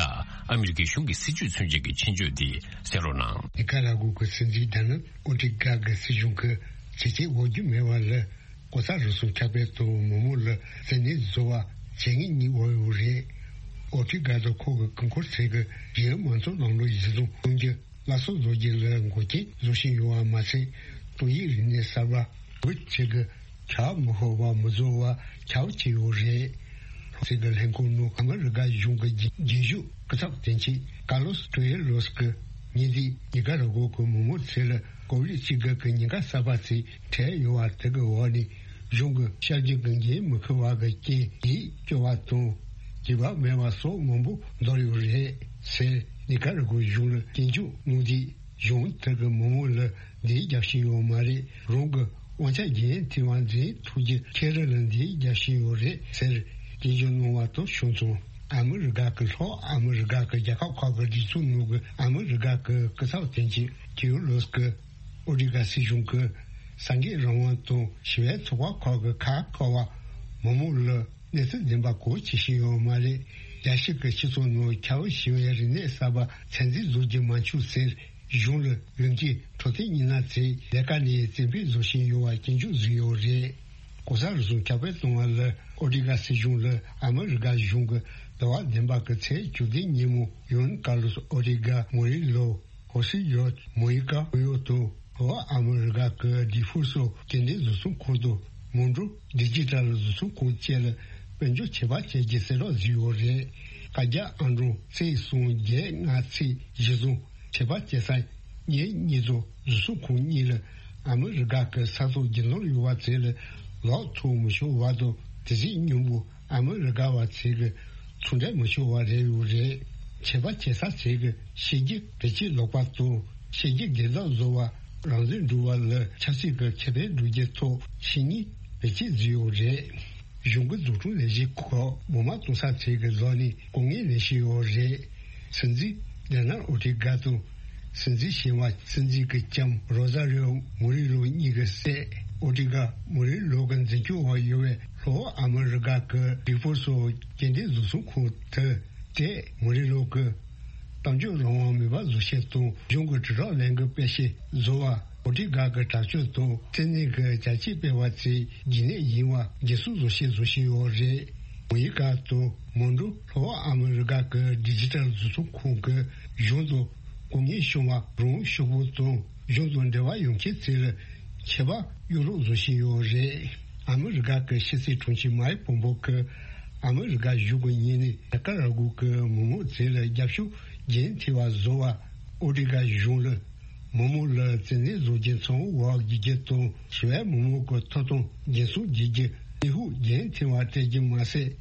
ཨ་མི་རི་ཀའི་གཞུང་གི་སྲིད་བྱུས་མཚོན་བྱེད་ཀྱི་ཆེད་བརྗོད་འདི་གསན་རོགས་གནང་། ནི་ཀ་ར་གོ་གི་སྲིད་འཛིན་ཌོ་ནལ་ཨོ་ཏི་ཀ་གི་སྲིད་གཞུང་གི་བྱས་རྗེས་འོག་རྒྱུ་མེད་པ་ལ། ལྐོག་ཟ་རུལ་སུངས་ཁྱབ་སྤེལ་དང་མི་མང་ལ་བཙན་གནོན་བཟོ་བ་བྱེད་ངེས་གཉིས་འོག་ཡོད་རེད། ཨོ་ཏི་ཀ་དང་ཁོ་གི་སྐུ་འཁོར་ཚོས་གི་གཞན་མང་ཚོགས་ནང་ལོགས་ཡིད་བཟུང་གཏོང་རྒྱུ། སླར་གསོ་བཟོ་རྒྱུ་ལ་འགོག་རྐྱེན་བཟོ་བཞིན་ཡོད་པ་མ་ཟད། ཏོག་དབྱིབས་རིམས་ནད་གསར་པ་བོད་ཆེད་ཀྱི་ཁྱབ་མི་ཤོར་བ་མི་བཟོ་བ་ཁྱབ་བྱས་ཡོད་རེད། ལྷོ་ཕྱོགས་ཀྱི་ལྷན་ཁང་ནང་ཨ་མི་རི་ཀ་གཞུང་གི་རྒྱུན་ཞུགས་སྐུ་ཚབ་དོན་གཅོད་ཀར་ལོ་སི་ཀྲེ་ཡེ་ལོ་སི་ཀི་ཉིན་དེའི་ཉི་ཀ་ར་གོ་གི་མི་མང་ཚོ་ལ་ཀོ་བིད་བཅུ་དགུ་གི་ཉེན་ཁ་གསར་པ་ཚོའི་འཕྲད་ཡོད་པ་དེ་གི་འོག་ནས། གཞུང་གི་བྱ་སྤྱོད་ཀྱི་འགན་མི་འཁུར་བ་གི་རྐྱེན་ཡིད་སྐྱོ་བ་དང་། སྐྱིད་པ་མེད་པ་སོགས་མང་པོ་འདུག་ཡོད་རེད་ཟེར། ནི་ཀ་ར་གོ་གཞུང་ལ་སྐྱོན་བརྗོད་གནང་དུས། གཞུང་དེ་གི་མི་མང་ལ་འདི་རྒྱབ་བཞིན་ཡོད་མ་རེད། རང་གི་དབང་ཆ་འགན་འཁྱེར་བ་འཛིན་ཐུབ་རྒྱུ་ཁྱེད་རང་ལ་འདི་རྒྱབ་བཞིན་ཡོད་རེད་ཟེར། སྐྱོན་བརྗོད་གནང་བ་དང་ཕྱོགས་མཚུངས། ཨ་མི་རི་ཀ་གི་ལྷོ་ཨ་མི་རི་ཀ་གི་རྒྱལ་ཁབ་ཁག་གི་སྒྲིག་འཛུགས་ནང་གི་ཨ་མི་རི་ཀ་གི་སྐུ་ཚབ་དོན་གཅོད་ཀེ་ཡོ་ལོ་སི་ཀི། ཨོ་ཏི་ཀ་སྲིད་གཞུང་གི་སངས་རྒྱས་རང་དབང་དང་ཞི་བའི་ཚོགས་པ་ཁག་གི་ཁ་བཀག་པ། མི་མང་ལ་གནས་ཚུལ་བདེན་པ་གང་བྱེད་བཞིན་ཡོད་མ་རེད། རྒྱལ་སྤྱི་གི་སྤྱི་ཚོགས་ནང་ཁྱབ་ཞི་བའི་རིག་གནས་གསར་པ་ཚད་འཛིན་བཟོ་རྒྱུ་མ་འཁྱོངས་ཟེར། གཞུང་ལ་ཡོང་གི་འཕྲོད་བསྟེན་མི་སྣ་ཚོས་ལས་ཀ་ནས་བཙན་ཕོད་བཟོ་བཞིན་ཡོད་པ་སྐྱོན་བརྗོད་བཟོས་ཡོད་རེད། ལྐོག་ཟ་རུལ་སུངས་ཁྱབ་སྤེལ་གཏོང་བ་ལ་ཨོ་ཏི་ཀ་སྲིད་གཞུང་ལ་ཨ་མི་རི་ཀ་གཞུང་གི་ཟླ་བ་བདུན་པ་གི་ཚེས་བཅུ་བདུན་ཉིན་མོ་ཡོན་ཀར་ལོ་སི་ཨོ་ཏི་ཀ་མོ་རི་ལོ། ཧོ་སི་ཡོད་མོ་ཡི་ཀ་ཧོ་ཡོ་དང་ལྷོ་ཨ་མི་རི་ཀ་གི་ཌི་ཧྥུ་སོ་སྐྱེལ་འདྲེན་བཟོ་ཚོང་ཁང་དང་མོན་གྲོ་ཌི་ཇི་ཊལ་བཟོ་ཚོང་ཁང་བཅས་ལ་དཔལ་འབྱོར་ཆད་པ་བཅད་རྒྱུ་གསལ་བསྒྲགས་བཟོས་ཡོད་རེད། བཀའ་རྒྱ་ཨང་གྲངས་ཚེག་གསུམ་བརྒྱད་ལྔ་ཚེག་བཞི་བཟུང་ཆད་པ་བཅད་ས་ཉིན་གཉིས་ཚོ་བཟོ་ཚོང་ཁང་གཉིས་ལ་ཨ་མི་རི་ཀ་གི་ས་ཐོག་རྒྱུ་ནོར་ཡོད་པ་ཚོས་ལ་ལག་ཐོགས་མི་ཆོག་བར་དུ་དེ་གཟིགས་སྙིང་པོ། ཨ་མི་རི་ཀ་བ་ཚོས་ཀྱི་ཚོང་འབྲེལ་མི་ཆོག་པ་རེད་ཡོད་རེད། ཆད་པ་བཅད་ས་ཚོས་ཀྱི་ཤེས་རྒྱུ་བེད་སྤྱོད་ལོག་པ་དང་ཤེས་རྒྱུ་སྒེར་བདག་བཟོ་བ་རང་བཙན་སྒྲུབ་པ་ལ་ཆབ་སྲིད་ཀྱི་ཁེ་ཕན་སྒྲུབ་རྒྱུ་ཐོག་ཤེས་ཉེས་བེད་སྤྱོད་བཟོས་ཡོད་རེད། གཞུང་གི་འཛུགས་སྐྲུན་ལས་གཞི་ཁག་མོ་མ་གཏོང་ས་ཚོས་ཀྱི་ལོག་ནས་ལྐོག་རྔན་ལེན་བཞིན་ཡོད་རེད། སྲིད་འཛིན་ཌོ་ནལ་ཨོ་ཏི་ཀ་དང་། སྲིད་འཛིན་གཞན་པ་སྲིད་འཛིན་གྱི་ལྕམ་རོ་ཟ་རིའོ་མུ་རི་ལོ་གཉིས་ཀྱི་སྲས་ཨོ་ཏི་ཀ་མུ་རི་ལོ་གི་འཛིན་སྐྱོང་འོག་ཡོད་པའི་ལྷོ་ཨ་མི་རི་ཀ་གི་ཌི་ཧྥུ་སོ་སྐྱེལ་འདྲེན་བཟོ་ཚོང་ཁང་དུ་ཏེ་མུ་རི་ལོ་གི་གཏམ་བརྗོད་རང་དབང་མེད་པ་བཟོ་བྱེད་དང་གཞུང་གི་དྲིལ་བསྒྲགས་ལས་འགུལ་སྤེལ་བྱེད་བཟོ་བ། ཨོ་ཏི་ཀ་གི་དྲག་སྤྱོད་དང་བཙན་གནོན་གྱི་བྱ་སྤྱོད་སྤེལ་བ་ཚོའི་རྒྱུན་གནས་ཡིན་པ་འགན་སྲུང་བཟོ་བྱེད་བཟོ་བཞིན་ཡོད་རེད། མོ་ཡི་ཀ་དང་མོན་གྲོ་ལྷོ་ཨ་མི་རི་ཀ་གི་ཌི་ཇི་ཊལ་བཟོ་ཚོང་ཁང་གི་གཞུང་དང་ལྐོག་རྔན་ཤོར་བ་རང་ཤོག་བུ་དང་གཞུང་དང་འབྲེལ་བ་ཡོད་མཁན་ཚོ་ལ་ཆད་པ་གཡུག་རོགས་བཟོ་བཞིན་ཡོད་རེད། ཨ་མི་རི་ཀ་གི་ཕྱི་སྲིད་དྲུང་ཆེ་མའེ་ཕོམ་པོ་གིས་ཨ་མི་རི་ཀ་གཞུང་གི་ཉེ་གནས་ནི་ཀ་ར་གུ་ཀི་མི་མང་ཚོ་ལ་རྒྱབ་སྐྱོར་རྒྱུན་མཐུད་པ་བཟོ་བ། ཨོ་ཊི་ག་གཞུང་ལ་མི་མང་ལ་བཙན་གནོན་བཟོ་རྒྱུ་ཚང་བ་བརྒྱུད་རྒྱུ་དང་ཞི་བའི་མི་མང་གི་ཐོབ་ཐང་འགན་སྲུང་བྱེད་རྒྱུ་གནས་ལུགས་རྒྱུན་མཐུད་པ་སྤྲད་རྒྱུ་མ་ཟད།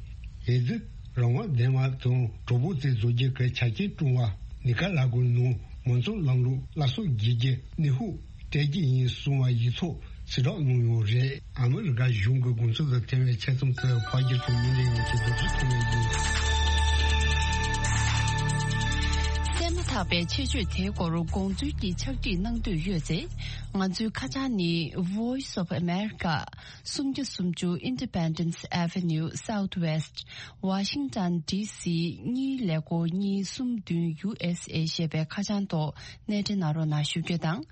འོས་བསྡུ་རང་དབང་ལྡན་པ་དང་གྲོགས་པོ་བཙན་བཟོ་རྒྱུ་གི་ཆ་རྐྱེན་བསྐྲུན་པ། ནི་ཀ་ར་གུ་ནང་མང་གཙོ་ལམ་ལུགས་སླར་གསོ་བྱེད་རྒྱུ་གནས་ལུགས་སྤྲད་རྒྱུ་ཡིན་གསུངས་པ་ཡིག་ཚོགས་གསལ་བསྒྲགས་གནང་ཡོད་རེད། ཨ་མི་རི་ཀ་གཞུང་གི་དགོངས་ཚུལ་དང་འཐད་པའི་ཆེད་རྩོམ་དེ་ཕར་རྒྱག་ཐུབ་མི་འདྲ་ཡོང་ཆེད་འདུག་ཚུལ་གསུངས་ཡོད་ཡིན། གསན་མ་ཐག་པའི་ཆེད་བརྗོད་དེའི་སྐོར་དགོངས་ཚུལ་གྱི་ཕྱག་བྲིས་གནང་འདོད་ཡོད་ཚེ། ང་ཚོའི་ཁ་བྱང་ནི། Voice of America། སུམ་བརྒྱ་སུམ་ཅུ་Independence Avenue Southwest། Washington D C གཉིས་ཀླད་ཀོར་གཉིས་གསུམ་བདུན་U S A ཞེས་པའི་ཁ་བྱང་ཐོག་གནས་འབྲེལ་གནང་རོགས་གནང་ཞུ་རྒྱུ་དང་།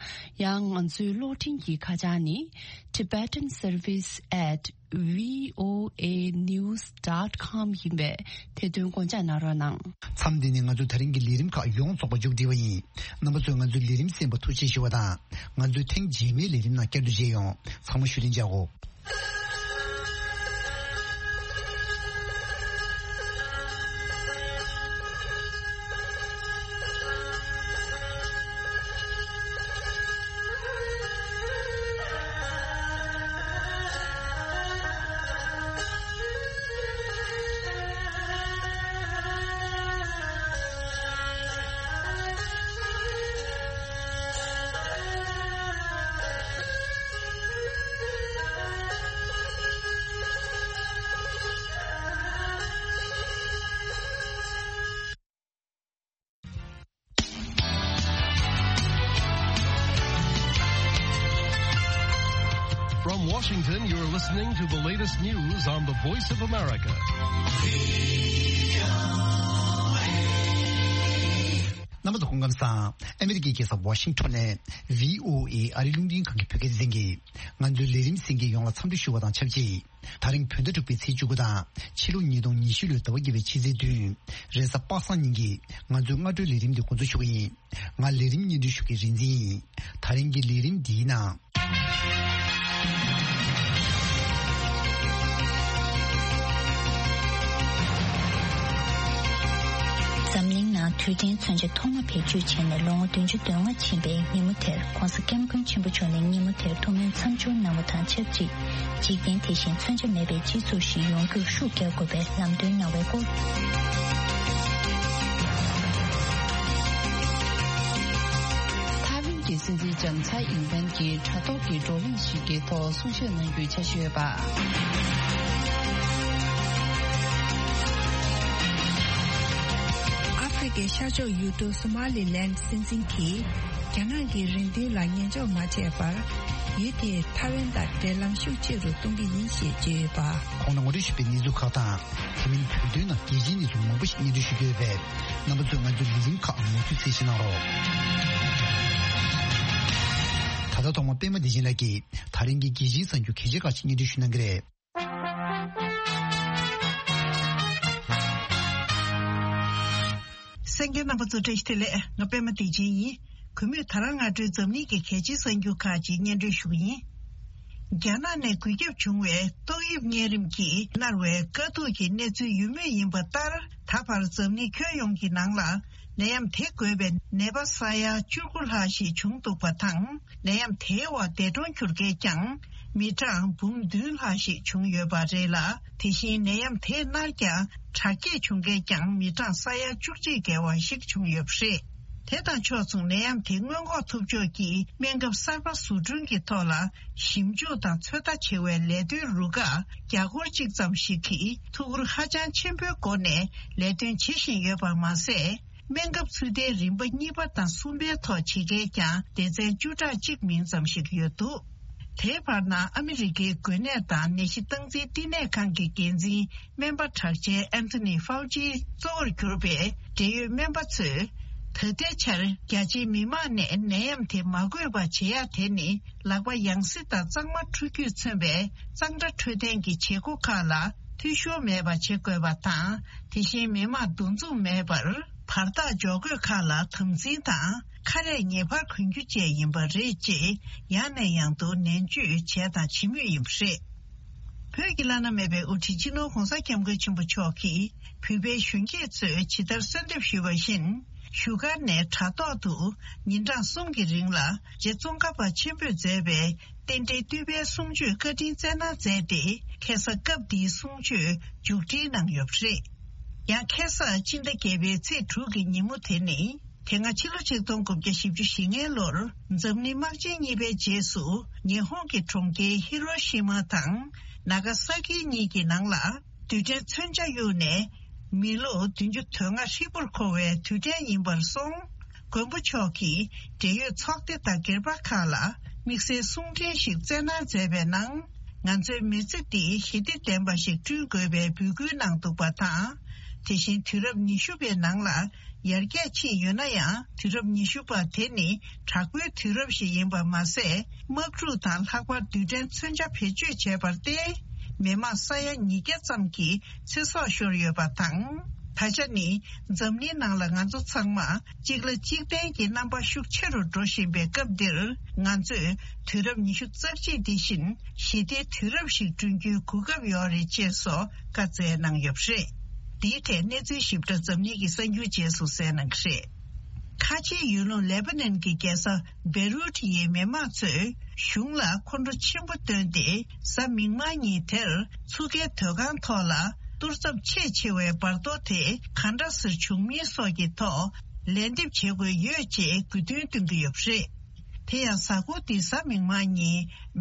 ཡང་ང་ཚོའི་གློག་འཕྲིན་གྱི་ཁ་བྱང་ནི། Tibetan Service at V O A news dot com ཡིན་པས་དེ་དོན་དགོངས་འཇགས་གནང་རོགས་གནང་། མཚམས་འདི་ནས་ང་ཚོའི་ད་རིང་གི་ལས་རིམ་ཁག་ཡོངས་རྫོགས་པ་མཇུག་སྒྲིལ་བ་ཡིན། རྣམ་པ་ཚོས་ང་ཚོའི་ལས་རིམ་གསན་པར་ཐུགས་རྗེ་ཆེ་ཞུ་བ་དང་། ང་ཚོའི་ཐེངས་རྗེས་མའི་ལས་རིམ་ནང་བསྐྱར་དུ་མཇལ་ཡོང་། ཚང་མ་བཞུགས་གདན་འཇགས་སྒོ། From Washington, you're listening to the latest news on the Voice of America. རྣམ་པ་ཚོ་སྐུ་ཁམས་བཟང་། ཨ་མི་རི་ཀའི་རྒྱལ་ས་ཝ་ཤིང་ཊོན་ནས་V O A ཨ་རི་རླུང་འཕྲིན་ཁང་གི་བོད་སྐད་སྡེ་ཚན་གྱིས་ང་ཚོའི་ལས་རིམ་གསན་མཁན་ཡོངས་ལ་འཚམས་འདྲི་ཞུ་བ་དང་ཆབས་ཅིག་ད་རིང་བོད་ཟླ་དྲུག་པའི་ཚེས་བཅུ་དགུ་དང་ཕྱི་ལོ་ཉིས་སྟོང་ཉི་ཤུ་ལོའི་ཟླ་བ་བརྒྱད་པའི་ཕྱི་ཚེས་བདུན། རེས་གཟའ་པ་སངས་ཉིན་གྱི་ང་ཚོའི་སྔ་དྲོའི་ལས་རིམ་འདི་འགོ་འཛུགས་ཞུ་གི་ཡིན། ང་ལས་རིམ་སྙན་སྒྲོན་ཞུ་མཁན་རིག་འཛིན་ཡིན། ད་རིང་གི་ལས་རིམ་འདིའི་ནང་། འཛམ་གླིང་ནང་དུས་དྲན་མཚོན་ཆ་ཐོག་མ་བེད་སྤྱོད་བྱས་ནས་ལོ་ངོ་བདུན་ཅུ་དོན་ལྔ་ཕྱིན་པའི་ཉིན་མོ་དེར་༧གོང་ས་༧སྐྱབས་མགོན་ཆེན་པོ་མཆོག་ནས་ཉིན་མོ་དེར་ཐུགས་སྨོན་མཚམས་སྦྱོར་གནང་བ་དང་ཆབས་ཅིག་འཇིག་རྟེན་དེ་བཞིན་མཚོན་ཆ་མེད་པའི་སྤྱི་ཚོགས་ཤིག་ཡོང་རྒྱུར་ཤུགས་རྒྱག་དགོས་པའི་ལམ་སྟོན་གནང་བའི་སྐོར། ཐའེ་ཝན་གྱི་སྲིད་འཛིན་ལྕམ་ཚའེ་ཨིན་ཝེན་གྱིས་དྲ་ཐོག་གི་བགྲོ་གླེང་ཞིག་གི་ཐོག་གསུང་བཤད་གནང་རྒྱུའི་འཆར་གཞི་ཡོད་པ། ཨ་ཧྥེ་རི་ཁའི་ཤར་ཕྱོགས་ཡུལ་གྲུ་སོ་མ་ལི་ལན་སྲིད་འཛིན་གྱིས་རྒྱ་ནག་གི་རེ་འདུན་ལ་ཉན་འཇོག་མ་བྱས་པར། ཡུལ་དེས་ཐའེ་ཝན་དང་འབྲེལ་ལམ་ཤུགས་ཆེ་རུ་གཏོང་གི་ཡིན་ཞེས་བརྗོད་ཡོད་པ། གོང་ན་ངོ་སྤྲོད་ཞུས་པའི་གནས་ཚུལ་ཁག་དང་། དེ་མིན་བོད་དོན་ནང་རྒྱལ་སྤྱིའི་གནས་ཚུལ་མང་པོ་ཞིག་སྙན་སྒྲོན་ཞུ་རྒྱུ་ཡོད་པས། རྣམ་པ་ཚོས་ང་ཚོའི་ལས་རིམ་ཁག་མུ་མཐུད་གསན་བཞེས་གནང་རོགས། ད་ལྟ་ཐོག་མར་པད་མ་བདེ་ཆེན་ལགས་ཀྱིས་ད་རིང་གི་རྒྱལ་སྤྱིའི་གསར་འགྱུར་གལ་ཆེ་ཁག་ཅིག་སྙན་སྒྲོན་ཞུ་གནང་གི་རེད། གསན་མཁན་རྣམ་པ་ཚོ་བཀྲ་ཤིས་བདེ་ལེགས། ང་པད་མ་བདེ་ཆེན་ཡིན། གུས་མོས་ད་རང་སྔ་དྲོའི་འཛམ་གླིང་གི་གལ་ཆེའི་གསར་འགྱུར་ཁག་ཅིག་སྙན་སྒྲོན་ཞུ་གི་ཡིན། རྒྱ་ནག་ནས་འགོས་ཁྱབ་བྱུང་བའི་ཏོག་དབྱིབས་གཉན་རིམས་ཀྱིས་མནར་བའི་དཀའ་སྡུག་གི་གནས་ཚུལ་ཡོད་མུས་ཡིན་པ་ལྟར། ད་བར་འཛམ་གླིང་ཁྱོན་ཡོངས་ཀྱི་ནང་ལ་ནད་ཡམས་དེ་འགོས་པའི་ནད་པ་ས་ཡ་བཅུ་དགུ་ལྷག་ཞིག་བྱུང་འདུག་པ་དང་། ནད་ཡམས་དེའི་འོག་འདས་གྲོངས་གྱུར་མཁན་ཀྱང་མི་གྲངས་འབུམ་བདུན་ལྷག་ཞིག་བྱུང་ཡོད་པ་རེད་ལ། དེ་བཞིན་ནད་ཡམས་དེས་མནར་ཀྱང་དྲག་སྐྱེད་བྱུང་མཁན་ཀྱང་མི་གྲངས་ས་ཡ་བཅུ་གཅིག་བརྒལ་བ་ཞིག་བྱུང་ཡོད་པ་རེད། དེ་དང་ཕྱོགས་མཚུངས་ནད་ཡམས་དེ་སྔོན་འགོག་ཐུབ་ཕྱོགས་ཀྱི་སྨན་ཁབ་གསར་པ་བཟོ་སྐྲུན་གྱི་ཐོག་ལ་ཞིབ་འཇུག་དང་ཚོད་ལྟ་བྱེད་པའི་ལས་དོན་རུ་ཁག་བརྒྱ་སྐོར་གཅིག་ཙམ་ཞིག་གིས་ཐུགས་ཁུར་ཧ་ཅང་ཆེན་པོའི་སྒོ་ནས་ལས་དོན་བྱེད་བཞིན་ཡོད་པ་མ་ཟད། སྨན་ཁབ་ཚུལ་ལྡན་རིམ་པ་གཉིས་པ་དང་གསུམ་པའི་ཐོག་བྱེད་མཁན་ཀྱང་སྡེ་ཚན་བཅུ་ཕྲག་གཅིག་མིན་ཙམ་ཞིག་ཡོད་འདུག་དེའི་བར་ན་ཨ་མི་རི་ཀའི་འགོས་ནད་དང་ནད་གཞི་སྟངས་འཛིན་བསྟི་གནས་ཁང་གི་འགན་འཛིན་སྨན་པ་གྲགས་ཅན་ཨན་ཐོ་ནི་ཧྥའུ་ཅིའི་གཙོ་བོར་གྱུར་པའི་འབྲེལ་ཡོད་སྨན་པ་ཚོས། ད་ལྟའི་ཆར་རྒྱ་ཆེའི་མི་མང་ནས་ནད་ཡམས་དེ་མ་འགོས་པ་བྱེད་ཡག་དེ་ནི་ལག་པ་ཡང་སེ་དང་གཙང་མ་འཁྲུ་རྒྱུས་མཚོན་པའི་གཙང་སྦྲ་འཕྲོད་བསྟེན་གྱི་བྱེད་སྒོ་ཁག་ལ་འཐུས་ཤོར་མེད་པ་བྱེད་དགོས་པ་དང་། དེ་བཞིན་མི་མང་འདུ་འཛོམས་མེད་པར་བར་ཐག་འཇོག་དགོས་ཁག་ལ་དམ་འཛིན་དང་། ཁ་རས་ངེས་པར་གོན་རྒྱུ་བཅས་ཡིན་པ་རེད་ཅེས་ཡང་ནས་ཡང་དུ་ནན་བརྗོད་བྱས་དང་བྱེད་མུས་ཡིན་པ་རེད། བོད་ཀྱི་བླ་ན་མེད་པའི་དབུ་ཁྲིད་སྤྱི་ནོར་༧གོང་ས་༧སྐྱབས་མགོན་ཆེན་པོ་མཆོག་གིས་བོད་པའི་གཞོན་སྐྱེས་ཚོས་ཇི་ལྟར་གསོལ་འདེབས་ཞུས་པ་བཞིན། བཞུགས་སྒར་ནས་དྲ་ཐོག་ཏུ་ཉིན་གྲངས་གསུམ་གྱི་རིང་ལ་རྗེ་ཙོང་ཁ་པ་ཆེན་པོས་མཛད་པའི་རྟེན་འབྲེལ་བསྟོད་པའི་གསུང་ཆོས་བཀའ་དྲིན་སྩལ་གནང་མཛད་དེ། ཁ་སང་སྐབས་འདིའི་གསུང་ཆོས་མཇུག་སྒྲིལ་གནང་ཡོད་པ་རེད། ཡང་ཁ་སང་སྤྱི་ཟླ་བརྒྱད་པའི་ཚེས་དྲུག་གི་ཉིན་མོ་དེ་ནི། དེ་སྔ་ཕྱི་ལོ་ཆིག་སྟོང་དགུ་བརྒྱ་བཞི་བཅུ་ཞེ་ལྔའི་ལོར་འཛམ་གླིང་དམག་ཆེན་གཉིས་པའི་རྗེས་སུ་ཉི་ཧོང་གི་གྲོང་ཁྱེར་ཧི་རོ་ཤི་མ་དང་ན་ག་ས་ཀི་གཉིས་ཀྱི་ནང་ལ་རྡུལ་ཕྲན་མཚོན་ཆ་གཡུགས་ནས་མི་ལོ་བདུན་ཅུ་དོན་ལྔ་ཧྲིལ་པོར་འཁོར་བའི་དུས་དྲན་ཡིན་པར་སོང་། མགོན་པོ་མཆོག་གིས་འབྲེལ་ཡོད་ཚོགས་སྡེ་དང་སྒེར་པ་ཁག་ལ་དམིགས་བསལ་གསུང་འཕྲིན་ཞིག་སྩལ་གནང་མཛད་པའི་ནང་། ང་ཚོའི་མི་ཚེ་འདི་ཞི་བདེ་ལྡན་པ་ཞིག་བསྐྲུན་དགོས་པའི་འབོད་སྐུལ་གནང་འདུག་པ་དང་། དེ་བཞིན་དུས་རབས་ཉི་ཤུ་པའི་ནང་ལ་ཡར་རྒྱས་ཕྱིན་ཡོད་ན་ཡང་། དུས་རབས་ཉི་ཤུ་པ་དེ་ནི་དྲག་པོའི་དུས་རབས་ཤིག་ཡིན་པ་མ་ཟད། དམག་འཁྲུག་དང་ལྷག་པར་རྡུལ་ཕྲན་མཚོན་ཆ་བེད་སྤྱོད་བྱས་པར་བརྟེན། མི་མང་ས་ཡ་ཉིས་བརྒྱ་ཙམ་གྱི་ཚེ་སྲོག་ཤོར་ཡོད་པ་དང་། ད་ཆ་ནི་འཛམ་གླིང་ནང་ལ་ང་ཚོ་ཚང་མ་གཅིག་ལ་གཅིག་བརྟེན་གྱི་རྣམ་པ་ཤུགས་ཆེ་རུ་འགྲོ་བཞིན་པའི་སྐབས་འདིར། ང་ཚོས་དུས་རབས་ཉི་ཤུ་རྩ་གཅིག་འདི་བཞིན་ཞི་བདེའི་དུས་རབས་ཤིག་བསྐྲུན་རྒྱུའི་གོ་སྐབས་ཡོད་རེད་ཅེས་སོགས་བཀའ་སྩལ་གནང་ཡོད་པ་རེད། འདིའི་ཐད་གནས་ཚུལ་ཞིབ་ཕྲ་འཛམ་གླིང་གི་གསར་འགྱུར་རྗེས་སུ་གསན་གནང་གི་རེད། ཁ་ཆེའི་ཡུལ་ལུང་ལེ་པ་ནན་གྱི་རྒྱལ་ས་བེ་རུད་ཡི་མི་མང་ཚོས་གཞུང་ལ་ཁོང་ཁྲོ་ཆེན་པོ་བཏོན་ཏེ། གཟའ་མིག་དམར་ཉིན་དེར་མཚུར་ཁའི་སྡོད་ཁང་ཐོག་ལ་གཏོར་ཚབས་ཆེས་ཆེ་བའི་འབར་གཏོར་དེ་ག་འདྲ་སེ་བྱུང་མིན་སོགས་ཀྱི་ཐོག་ལན་འདེབས་བྱེད་དགོས་ཡོད་ཅེས་དགོས་འདུན་བཏོན་གྱི་ཡོད་པ་རེད། དེ་ཡང་གཟའ་འཁོར་འདིའི་གཟའ་མིག་དམར་ཉིན་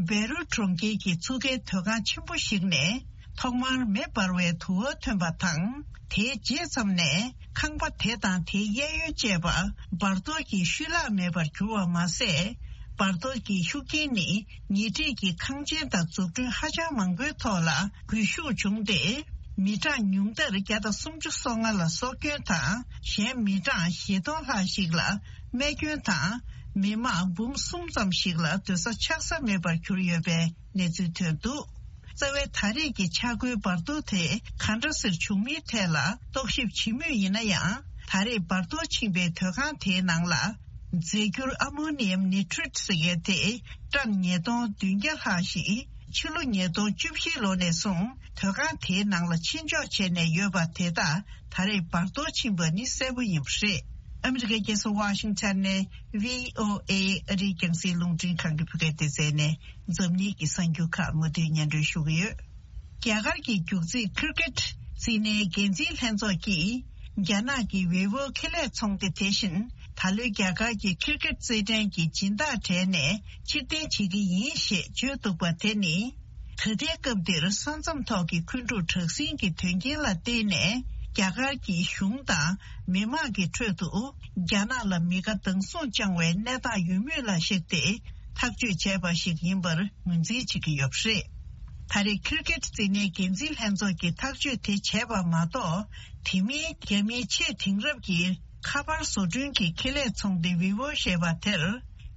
བེ་རུད་གྲོང་ཁྱེར་གྱི་མཚུར་ཁའི་སྡོད་ཁང་ཆེན་པོ་ཞིག་ནས་ཐོག་མར་མེ་འབར་བའི་དུ་བ་ཐོན་པ་དང་། དེའི་རྗེས་ཙམ་ནས་ཁང་པ་དེ་དང་དེའི་གཡས་གཡོན་བཅས་པ་འབར་གཏོར་གྱིས་ཤུལ་ལྷག་མེད་པར་གྱུར་བ་མ་ཟད། འབར་གཏོར་གྱི་ཤུགས་རྐྱེན་ནི་ཉེ་འཁྲིས་ཀྱི་ཁང་ཆེན་དང་འཛུགས་སྐྲུན་ཧ་ཅང་མང་པོའི་ཐོག་ལ་སྒུལ་ཤུགས་བྱུང་སྟེ། མི་གྲངས་ཉུང་མཐར་བརྒྱ་དང་སུམ་ཅུ་སོ་ལྔ་ལ་སྲོག་སྐྱོན་དང་། གཞན་མི་གྲངས་བཞི་སྟོང་ལྷག་ཞིག་ལ་རྨས་སྐྱོན་དང་། མི་མང་འབུམ་གསུམ་ཙམ་ཞིག་ལ་སྡོད་ས་ཆགས་ས་མེད་པར་གྱུར་ཡོད་པའི་གནས་ཚུལ་ཐོན་འདུག། རྩ་བའི་ད་རེས་ཀྱི་ཆག་སྒོའི་འབར་གཏོར་དེ་ག་འདྲ་སེ་བྱུང་མིན་ཐད་ལ་རྟོག་ཞིབ་བྱེད་མུས་ཡིན་ན་ཡང་། ད་རེས་འབར་གཏོར་ཕྱིན་པའི་སྡོད་ཁང་དེའི་ནང་ལ་རྫས་འགྱུར་ཨ་མོ་ནི་ཡམ་ནི་ཊྲེཊ་ཟེར་མཁན་དེ་ཀྲམ་ཉིས་སྟོང་བདུན་བརྒྱ་ལྷག་ཞིག་ཕྱི་ལོ་ཉིས་སྟོང་བཅུ་བཞི་ལོ་ནས་བཟུང་སྡོད་ཁང་དེའི་ནང་ལ་ཕྱིར་འཇོག་བྱས་ནས་ཡོད་པ་དེ་དག་ད་རེས་འབར་གཏོར་ཕྱིན་པ་ནི་གསལ་པོ་ཡིན་པ་རེད། ཨ་མི་རི་ཀའི་རྒྱལ་ས་ཝ་ཤིང་ཊོན་ནས་བྷི་ཨོ་ཨེ་ཨ་རིའི་རྒྱང་སྲིང་རླུང་འཕྲིན་ཁང་གི་བོད་སྐད་སྡེ་ཚན་ནས་འཛམ་གླིང་གི་གསར་འགྱུར་ཁག་མུ་མཐུད་སྙན་སྒྲོན་ཞུ་གི་ཡོད། རྒྱ་གར་གྱི་རྒྱུག་རྩིས་ཁིར་ཀེད་རྩིས་ནའི་འགན་འཛིན་ལྷན་ཚོགས་ཀྱིས། རྒྱ་ནག་གི་ཝེ་ཝོ་ཁེ་ལས་ཚོང་སྡེ་དེ་བཞིན་ད་ལོའི་རྒྱ་གར་གྱི་ཁིར་ཀེད་རྩེད་འགྲན་གྱི་སྦྱིན་བདག་གྲས་ནས་ཕྱིར་འཐེན་བྱེད་ཀྱི་ཡིན་ཞེས་བརྗོད་འདུག་པ་དེ་ནི། ད་ལྟའི་སྐབས་འདིར་ས་མཚམས་ཐོག་གི་འཁོན་འཁྲུག་དྲག་ཟིང་གི་དོན་རྐྱེན་ལ་བརྟེན་ནས། རྒྱ་གར་གྱི་གཞུང་དང་མི་མང་གི་ཁྲོད་དུ་རྒྱ་ནག་ལ་མི་དགའ་སྡང་ཟུག་བཅངས་པའི་གནས་སྟངས་ཡོད་མུས་ལ་གཞིགས་ཏེ་ཐག་གཅོད་བྱས་པ་ཞིག་ཡིན་པར་ངོས་འཛིན་བྱེད་ཀྱི་ཡོད་པ་རེད། ད་རེས་ཁིར་ཀེད་རྩེད་འགྲན་འགན་འཛིན་ལྷན་ཚོགས་ཀྱིས་ཐག་གཅོད་དེ་བྱས་པ་མ་གཏོགས། དེ་མིན་རྒྱ་མིའི་ཆེས་དེང་རབས་ཀྱི་ཁ་པར་བཟོ་སྐྲུན་གྱི་ཁེ་ལས་ཚོང་སྡེ་ཝི་ཝོ་ཞེས་པ་དེར།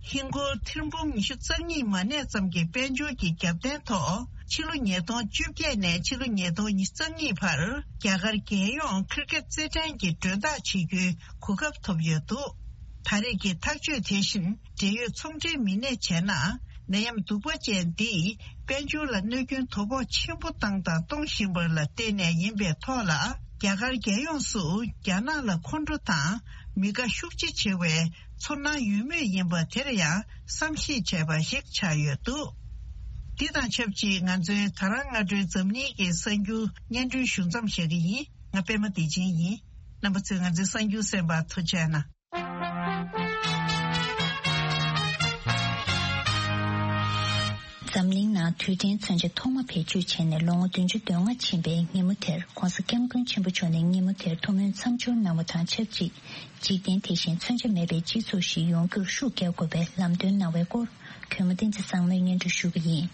ཧིན་སྒོར་ཐེར་འབུམ་ཉི་ཤུ་རྩ་གཉིས་མ་གནས་ཙམ་གྱི་དཔལ་འབྱོར་གྱི་རྒྱབ་རྟེན་ཐོག་ཕྱི་ལོ་ཉིས་སྟོང་བཅོ་བརྒྱད་ནས་ཕྱི་ལོ་ཉིས་སྟོང་ཉི་ཤུ་རྩ་གཉིས་བར་རྒྱ་གར་རྒྱལ་ཡོངས་ཁིར་ཀེད་རྩེད་འགྲན་གྱི་མགྲོན་བདག་བྱེད་རྒྱུའི་གོ་སྐབས་ཐོབ་ཡོད་འདུག། ད་རེས་ཀྱི་ཐག་གཅོད་དེ་བཞིན་འབྲེལ་ཡོད་ཚོང་འབྲེལ་མི་སྣས་བྱས་ན། ནད་ཡམས་གདུག་པ་ཅན་འདིས་དཔལ་འབྱོར་ལ་གནོད་སྐྱོན་དོ་ཕོག་ཆེན་པོ་བཏང་དང་གཏོང་བཞིན་པ་ལ་བརྟེན་ནས་ཡིན་པའི་ཐོག་ལ། རྒྱ་གར་རྒྱལ་ཡོངས་སུ་རྒྱ་ནག་ལ་ཁོང་ཁྲོ་དང་མི་དགའ་ཤུགས་ཆེ་བྱེད་པའི་ཚོར་སྣང་ཡོད་མུས་ཡིན་པ་དེར་ཡང་བསམ་ཤེས་བྱས་པ་ཞིག་ཆགས་ཡོད་འདུག། འདི་དང་ཆབས་ཅིག་ང་ཚོའི་ད་རང་སྔ་དྲོའི་འཛམ་གླིང་གི་གསར་འགྱུར་སྙན་སྒྲོན་ཞུ་མཚམས་བཞག་གི་ཡིན། ང་པད་མ་བདེ་ཆེན་ཡིན། རྣམ་པ་ཚོས་ང་ཚོའི་གསར་འགྱུར་གསན་པར་ཐུགས་རྗེ་གནང་། འཛམ་གླིང་ནང་དུས་དྲན་མཚོན་ཆ་ཐོག་མ་བེད་སྤྱོད་བྱས་ནས་ལོ་ངོ་བདུན་ཅུ་དོན་ལྔ་ཕྱིན་པའི་ཉིན་མོ་དེར། ྋགོང་ས་ྋསྐྱབས་མགོན་ཆེན་པོ་མཆོག་ནས་ཉིན་མོ་དེར་ཐུགས་སྨོན་མཚམས་སྦྱོར་གནང་བ་དང་ཆབས་ཅིག་འཇིག་རྟེན་དེ་བཞིན་མཚོན་ཆ་མེད་པའི་སྤྱི་ཚོགས་ཤིག་ཡོང་རྒྱུར་ཤུགས་རྒྱག་དགོས་པའི་ལམ་སྟོན་གནང་བའི་སྐོར། གུས་མོ་བསྟན་འཛིན་བཟང་མོས་སྙན་སྒྲོན་ཞུ་གི་ཡིན།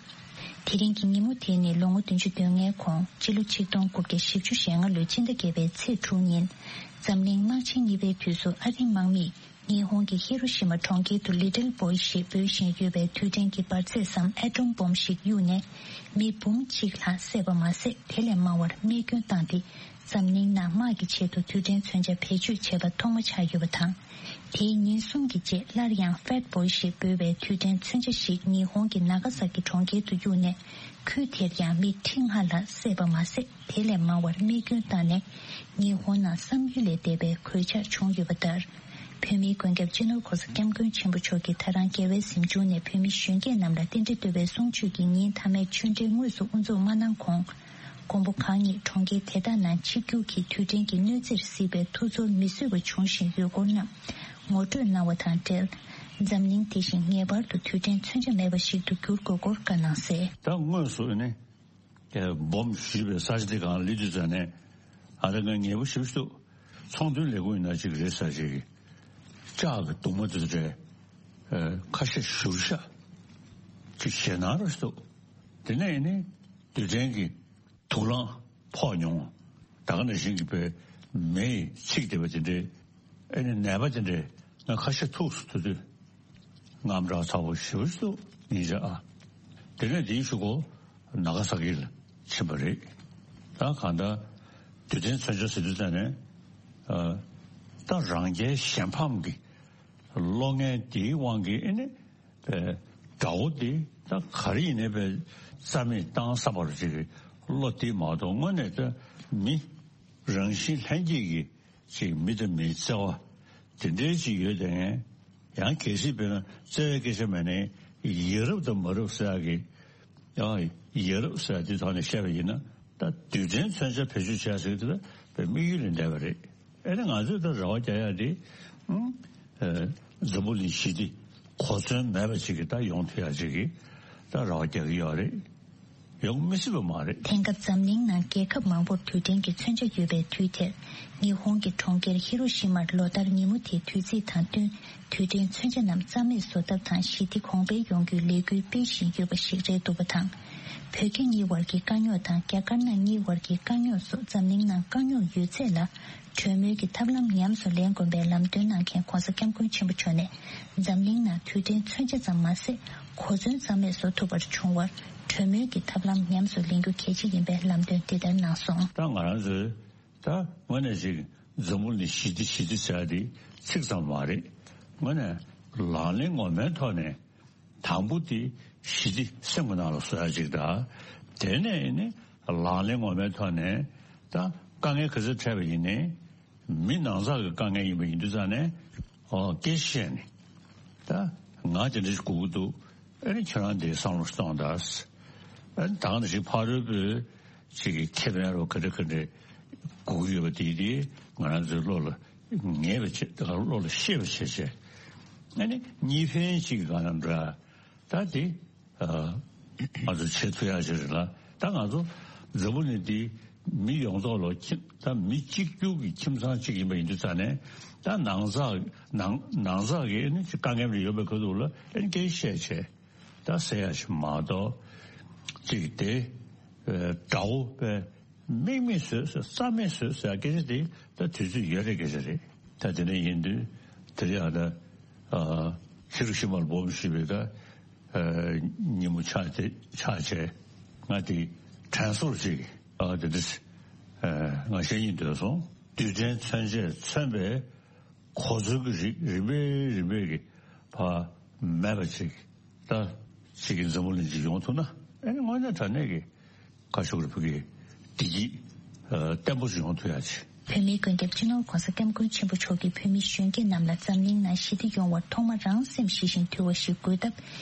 དེ་རིང་གི་ཉིན་མོ་དེ་ནི་ལོ་ངོ་བདུན་ཅུ་དོན་ལྔའི་གོང་སྤྱི་ལོ་ཆིག་སྟོང་དགུ་བརྒྱ་བཞི་བཅུ་ཞེ་ལྔ་ལོའི་སྤྱི་ཟླ་བརྒྱད་པའི་ཚེས་དྲུག་ཉིན། འཛམ་གླིང་དམག་ཆེན་གཉིས་པའི་དུས་སུ་ཨ་རིའི་དམག་མིས་ཉི་ཧོང་གི་ཧི་རོ་ཤི་མ་གྲོང་ཁྱེར་དུ་Little Boy ཞེས་འབོད་བཞིན་ཡོད་པའི་དུས་དྲན་གྱི་འབར་རྫས་སམ་ཨེ་ཊོམ་བོམ་ཞིག་གཡུགས་ནས། མི་འབུམ་གཅིག་ལྷག་བསད་པ་མ་ཟད། དེ་ལས་མང་བར་རྨས་སྐྱོན་བཏང་སྟེ། འཛམ་གླིང་ནང་དམག་གི་ཆེད་དུ་དུས་དྲན་མཚོན་ཆ་བེད་སྤྱོད་བྱས་པ་ཐོག་མ་ཆགས་ཡོད་པ་དང་། དེའི་ཉིན་གསུམ་གྱི་རྗེས་སླར་ཡང་Fat Boy ཞེས་འབོད་པའི་དུས་དྲན་མཚོན་ཆ་ཞིག་ཉི་ཧོང་གི་ནཱ་ག་ས་ཀི་གྲོང་ཁྱེར་དུ་གཡུགས་ནས། ཁུལ་དེར་ཡང་མི་ཁྲི་ལྔ་ལྷག་བསད་པ་མ་ཟད། དེ་ལས་མང་བར་རྨས་སྐྱོན་བཏང་ནས། ཉི་ཧོང་ནང་བསམ་ཡུལ་ལས་འདས་པའི་གོད་ཆག་བྱུང་ཡོད་པ་ལྟར། བོད་མིའི་མགོན་སྐྱབས་སྤྱི་ནོར་ྋགོང་ས་ྋསྐྱབས་མགོན་ཆེན་པོ་མཆོག་གིས་ད་རང་རྒྱལ་བའི་གཟིམ་ཆུང་ནས་བོད་མི་གཞོན་སྐྱེས་རྣམས་ལ་རྟེན་འབྲེལ་བསྟོད་པའི་གསུང་ཆོས་ཀྱི་ཉིན་མཐའ་མའི་ཆོས་འབྲེལ་དངོས་སུ་དབུ་འཛུགས་མ་གནང་གོང་། མགོན་པོ་གང་ཉིད་གྲོང་ཁྱེར་དེ་དག་ནང་ཆིབས་བསྒྱུར་གྱིས་དུས་དྲན་གྱི་གནོད་འཚེར་གཟིགས་པའི་ཐུགས་ཚོར་མི་བཟོད་པ་བྱུང་བཞིན་ཡོད་སྐོར་རྣམས་ངོ་སྤྲོད་གནང་བ་དང་འབྲེལ། འཛམ་གླིང་དེ་བཞིན་ངེས་པར་དུ་དུས་དྲན་མཚོན་ཆ་མེད་པ་ཞིག་ཏུ་འགྱུར་དགོས་སྐོར་བཀའ་གནང་གསལ། ད་དངོས་སུ་ནི་སྦོམ་ཞུས་པའི་ས་ཆ་དེ་གང་སླེབས་དུས་ཙམ་ནས། ཨ་རེ་ང་ངལ་པོ་ཞེ་པོ་ཞིག་འདུག། ཚོང་དོན་ལས་ཁུངས་ཡིན་ན་ཅིག་རེད་ཟེར་ཞིག་གིས་ལྕགས་ཀྱི་གདུང་མ་དེ་ཚོ་སྤྲད། ཁ་ཤས་བཞུར་ཤག་ཅིག་ཞེད་སྣང་ར་ཞིག་འདུག། དེ་ནས་ཡིན་ནི་དུས་དྲན་གྱི་དུག་རླངས་ཕོག་མྱོང་། ད་ག་ནང་བཞིན་གྱི་བོད་མི་ཡིས་ཚིག་བསྡད་པ་དེ་འདྲའི། ཨེ་ནི་ནད་པ་དེ་འདྲའི་ང་ཁ་ཤས་ཐུག་སོང་། དེ་དུས་དངངས་སྐྲག་ཚ་པོ་ཞེ་པོ་ཞིག་འདུག་ཉིན་ཞག་ཨ། དེ་ནས་དེའི་གཞུག་གུ་ནཱ་ག་ས་ཀི་ལ་ ཕྱིན་པ་རེད། ད་གང་ལྟར་རྡུལ་ཕྲན་མཚོན་ཆ་ཟེར་དུས་ཙམ་ནས་ཨ་ད་རང་རྒྱལ་གཞན་ཕམ་གྱི་བློ་ངན་དེའི་དབང་གིས་ཨེ་ནི་པའི་དགྲ་བོ་དེ་ད་ག་རེ་ཡིན་ནའི་པའི་རྩ་མེད་བཏང་ས་བར་ཅིག་གི་བློ་དེ་མ་གཏོགས་དངོས་གནས་ད་མི་རང་བཞིན་ལྷན་སྐྱེས་ཀྱི་ཅིག་མི་དང་མིའི་བརྩེ་བ་དེ་འདྲའི་ཅིག་ཡོད་དེ། ཡང་གལ་སྲིད་དཔེར་ན་བརྩེ་བའི་སྐད་ཆ་མེད་ནའི་ཡ་རབས་དང་མ་རབས་ཟེར་ཡག་གི་ཡང་ཡ་རབས་ཟེར་ཡག་དེ་ཐོག་ནས་བཤད་པ་ཡིན་ན། ད་རྡུལ་ཕྲན་མཚོན་ཆ་བེད་སྤྱོད་བྱས་ཟེར་གྱི་དེ་ད་དམིགས་ཡུལ་ལས་འདས་པ་རེད། ཨེ་ནི་ང་ཚོས་ད་རེ་བ་རྒྱག་ཡག་དེ་ཨ་འཛམ་བུ་གླིང་ཞི་བདེ་གོ་མཚོན་མེད་པ་ཅིག་གི་ད་ཡོང་ཐུབ་ཡག་ཅིག་གི་ད་རེ་བ་རྒྱག་གི་ཡོད་རེད། ཡོང་མི་སྲིད་པ་མ་རེད། དེང་སྐབས་འཛམ་གླིང་ནང་རྒྱལ་ཁབ་མང་པོར་རྡུལ་ཕྲན་གྱི་མཚོན་ཆ་ཡོད་པའི་དུས་དེར། ཉི་ཧོང་གི་གྲོང་ཁྱེར་ཧི་རོ་ཤི་མར་ལོ་ལྟར་ཉིན་མོ་དེའི་དུས་ཚིགས་དང་བསྟུན། རྡུལ་ཕྲན་མཚོན་ཆ་རྣམས་རྩ་མེད་བཟོ་ཐབས་དང་ཞི་བདེ་གོང་འཕེལ་ཡོང་རྒྱུའི་ལས་འགུལ་སྤེལ་བཞིན་ཡོད་པ་ཞིག་རེད་འདུག་པ་དང་། བོད་རྒྱ་གཉིས་བར་གྱི་དཀའ་རྙོག་དང་རྒྱ་དཀར་ནག་གཉིས་བར་གྱི་དཀའ་རྙོག་སོགས། འཛམ་གླིང་ནང་དཀའ་རྙོག་ཡོད་ཚད་ལ་གྲོས་མོལ་གྱི་ཐབས་ལམ་ཉམས་སུ་ལེན་དགོས་པའི་ལམ་སྟོན་གནང་མཁན་༧གོང་ས་༧སྐྱབས་མགོན་ཆེན་པོ་མཆོག་ནས། འཛམ་གླིང་ནང་རྡུལ་ཕྲན་མཚོན་ཆ་ཙམ་མ་ཟད། གོ་མཚོན་རྩ་མེད་བཟོ་ཐུབ་པར་བྱུང་བར། གྲོས་མོལ་གྱི་ཐབས་ལམ་ཉམས་སུ་ལེན་རྒྱུ་གལ་ཆེ་ཡིན་པའི་ལམ་སྟོན་འདི་ལྟར་གནང་སོང་། ད་ང་རང་ཚོས་ད་དངོས་གནས་ཅིག་འཛམ་བུ་གླིང་ཞི་བདེ་ཞི་བདེ་ཟེར་ཡག་དེ་ཚིག་ཙམ་མ་རེད། དངོས་གནས་ལག་ལེན་ངོ་མའི་ཐོག་ནས་དང་པོ་དེ་ཞི་བདེ་སེམས་ཀྱི་ནང་ལ་བཟོ་ཡག་ཅིག་དང་། དེ་ནས་ནི་ལག་ལེན་ངོ་མའི་ཐོག་ནས་ད་དཀའ་ངལ་ག་ཚོད་འཕྲད་པ་ཡིན་ནའི། མི་ནང་ཚགས་ཀྱི་དཀའ་ངལ་ཡིན་པ་ཡིན་དུས་ཙང་ནས་ཨོ་སྐད་ཆ་བཤད་ནས། ད་ང་དེ་འདྲ་ཞིག་དགོས་ཀྱི་འདུག་ཨ་ནི་ཁྱེད་རང་དེ་བསམ་བློ་གཏོང་དང་། ཨ་ནི་ད་ག་ནང་བཞིན་ཕ་རོལ་པོའི་ཅིག་གི་ཁེ་ཕན་རོ་ག་འདྲ་ག་འདྲ་དགོས་ཀྱི་ཡོད་པ་དེ་དེ་ང་རང་ཚོའི་བློ་ལ་ངེས་པ་བྱས། ད་ག་བློ་ལ་ཤེས་པ་བྱས་བྱས། ཨ་ནི་གཉིས་ཕན་ཅིག་གི་གང་ལ་འདྲ་ད་དེ། ཨ་ང་ཚོ་བྱེད་ཐུབ་ཡག་ཅིག་རེད་ལ། ད་ང་ཚོ་འཛམ་བུ་གླིང་འདི་མི་ཡོངས་རྫོགས་ལ་ཁྱིམ་ད་མི་གཅིག་གྱུར་གྱི་ཁྱིམ་ཚང་གཅིག་ཡིན་པ་ཡིན་དུས་ཙང་ནས། ད་ནང་ཚགས་ནང་ནང་ཚགས་ཀྱི་ཨ་ནི་དཀའ་ངལ་རེ་ཡོད་པའི་ཁ་ཐུག་ལ་ཨ་ནི་སྐད་ཆ་བཤད་བྱས་ད་ཟེར་ཡག་ཞིག་མ་གཏོགས། གཅིག་དེ་དགྲ་བོ་པས་དམིགས་མེད་བཟོས་ཟེར། རྩ་མེད་བཟོས་ཟེར་སྐད་ཆ་དེ་ད་དུས་ཚོད་ཡོལ་རེད་སྐད་ཆ་རེད། ད་དེ་འདྲ་ཡིན་དུས་དེ་རེད་ཨ། ད་ཧི་རོ་ཤི་མར་སྦོམ་ཞེས་པའི་ད་ཉིན་མོ་ཆགས་ཏེ་ཆགས་བྱས་ང་དེ་དྲན་གསོ་ཅིག་ཨ་དེ་འདྲ་ང་བཤད་སྙིང་འདོད་སོང་། རྡུལ་ཕྲན་མཚོན་ཆས་མཚོན་པའི་གོ་མཚོན་གྱི་རིགས་རིམ་པས་རིམ་པས་ཀྱི་ཕར་མེད་པ་ཅིག་ད་ཅིག་གི་འཛམ་བུ་གླིང་ཅིག་ཡོང་ཐུབ་ན་ཨ་ནི་དངོས་གནས་དྲང་གནས་ཀྱི་ཁ་ཤོག་རི་བུ་གི་བདེ་སྐྱིད་བརྟན་པོ་ཞིག་ཡོང་ཐུབ་ཡག་ཅིག་བོད་མིའི་མགོན་སྐྱབས་སྤྱི་ནོར་༧གོང་ས་༧སྐྱབས་མགོན་ཆེན་པོ་མཆོག་གིས་བོད་མི་གཞོན་སྐྱེས་རྣམས་ལ་འཛམ་གླིང་ནང་ཞི་བདེ་ཡོང་བར་ཐོག་མར་རང་སེམས་ཞི་ཞིང་དུལ་བ་ཞིག་དགོས་སྟབས།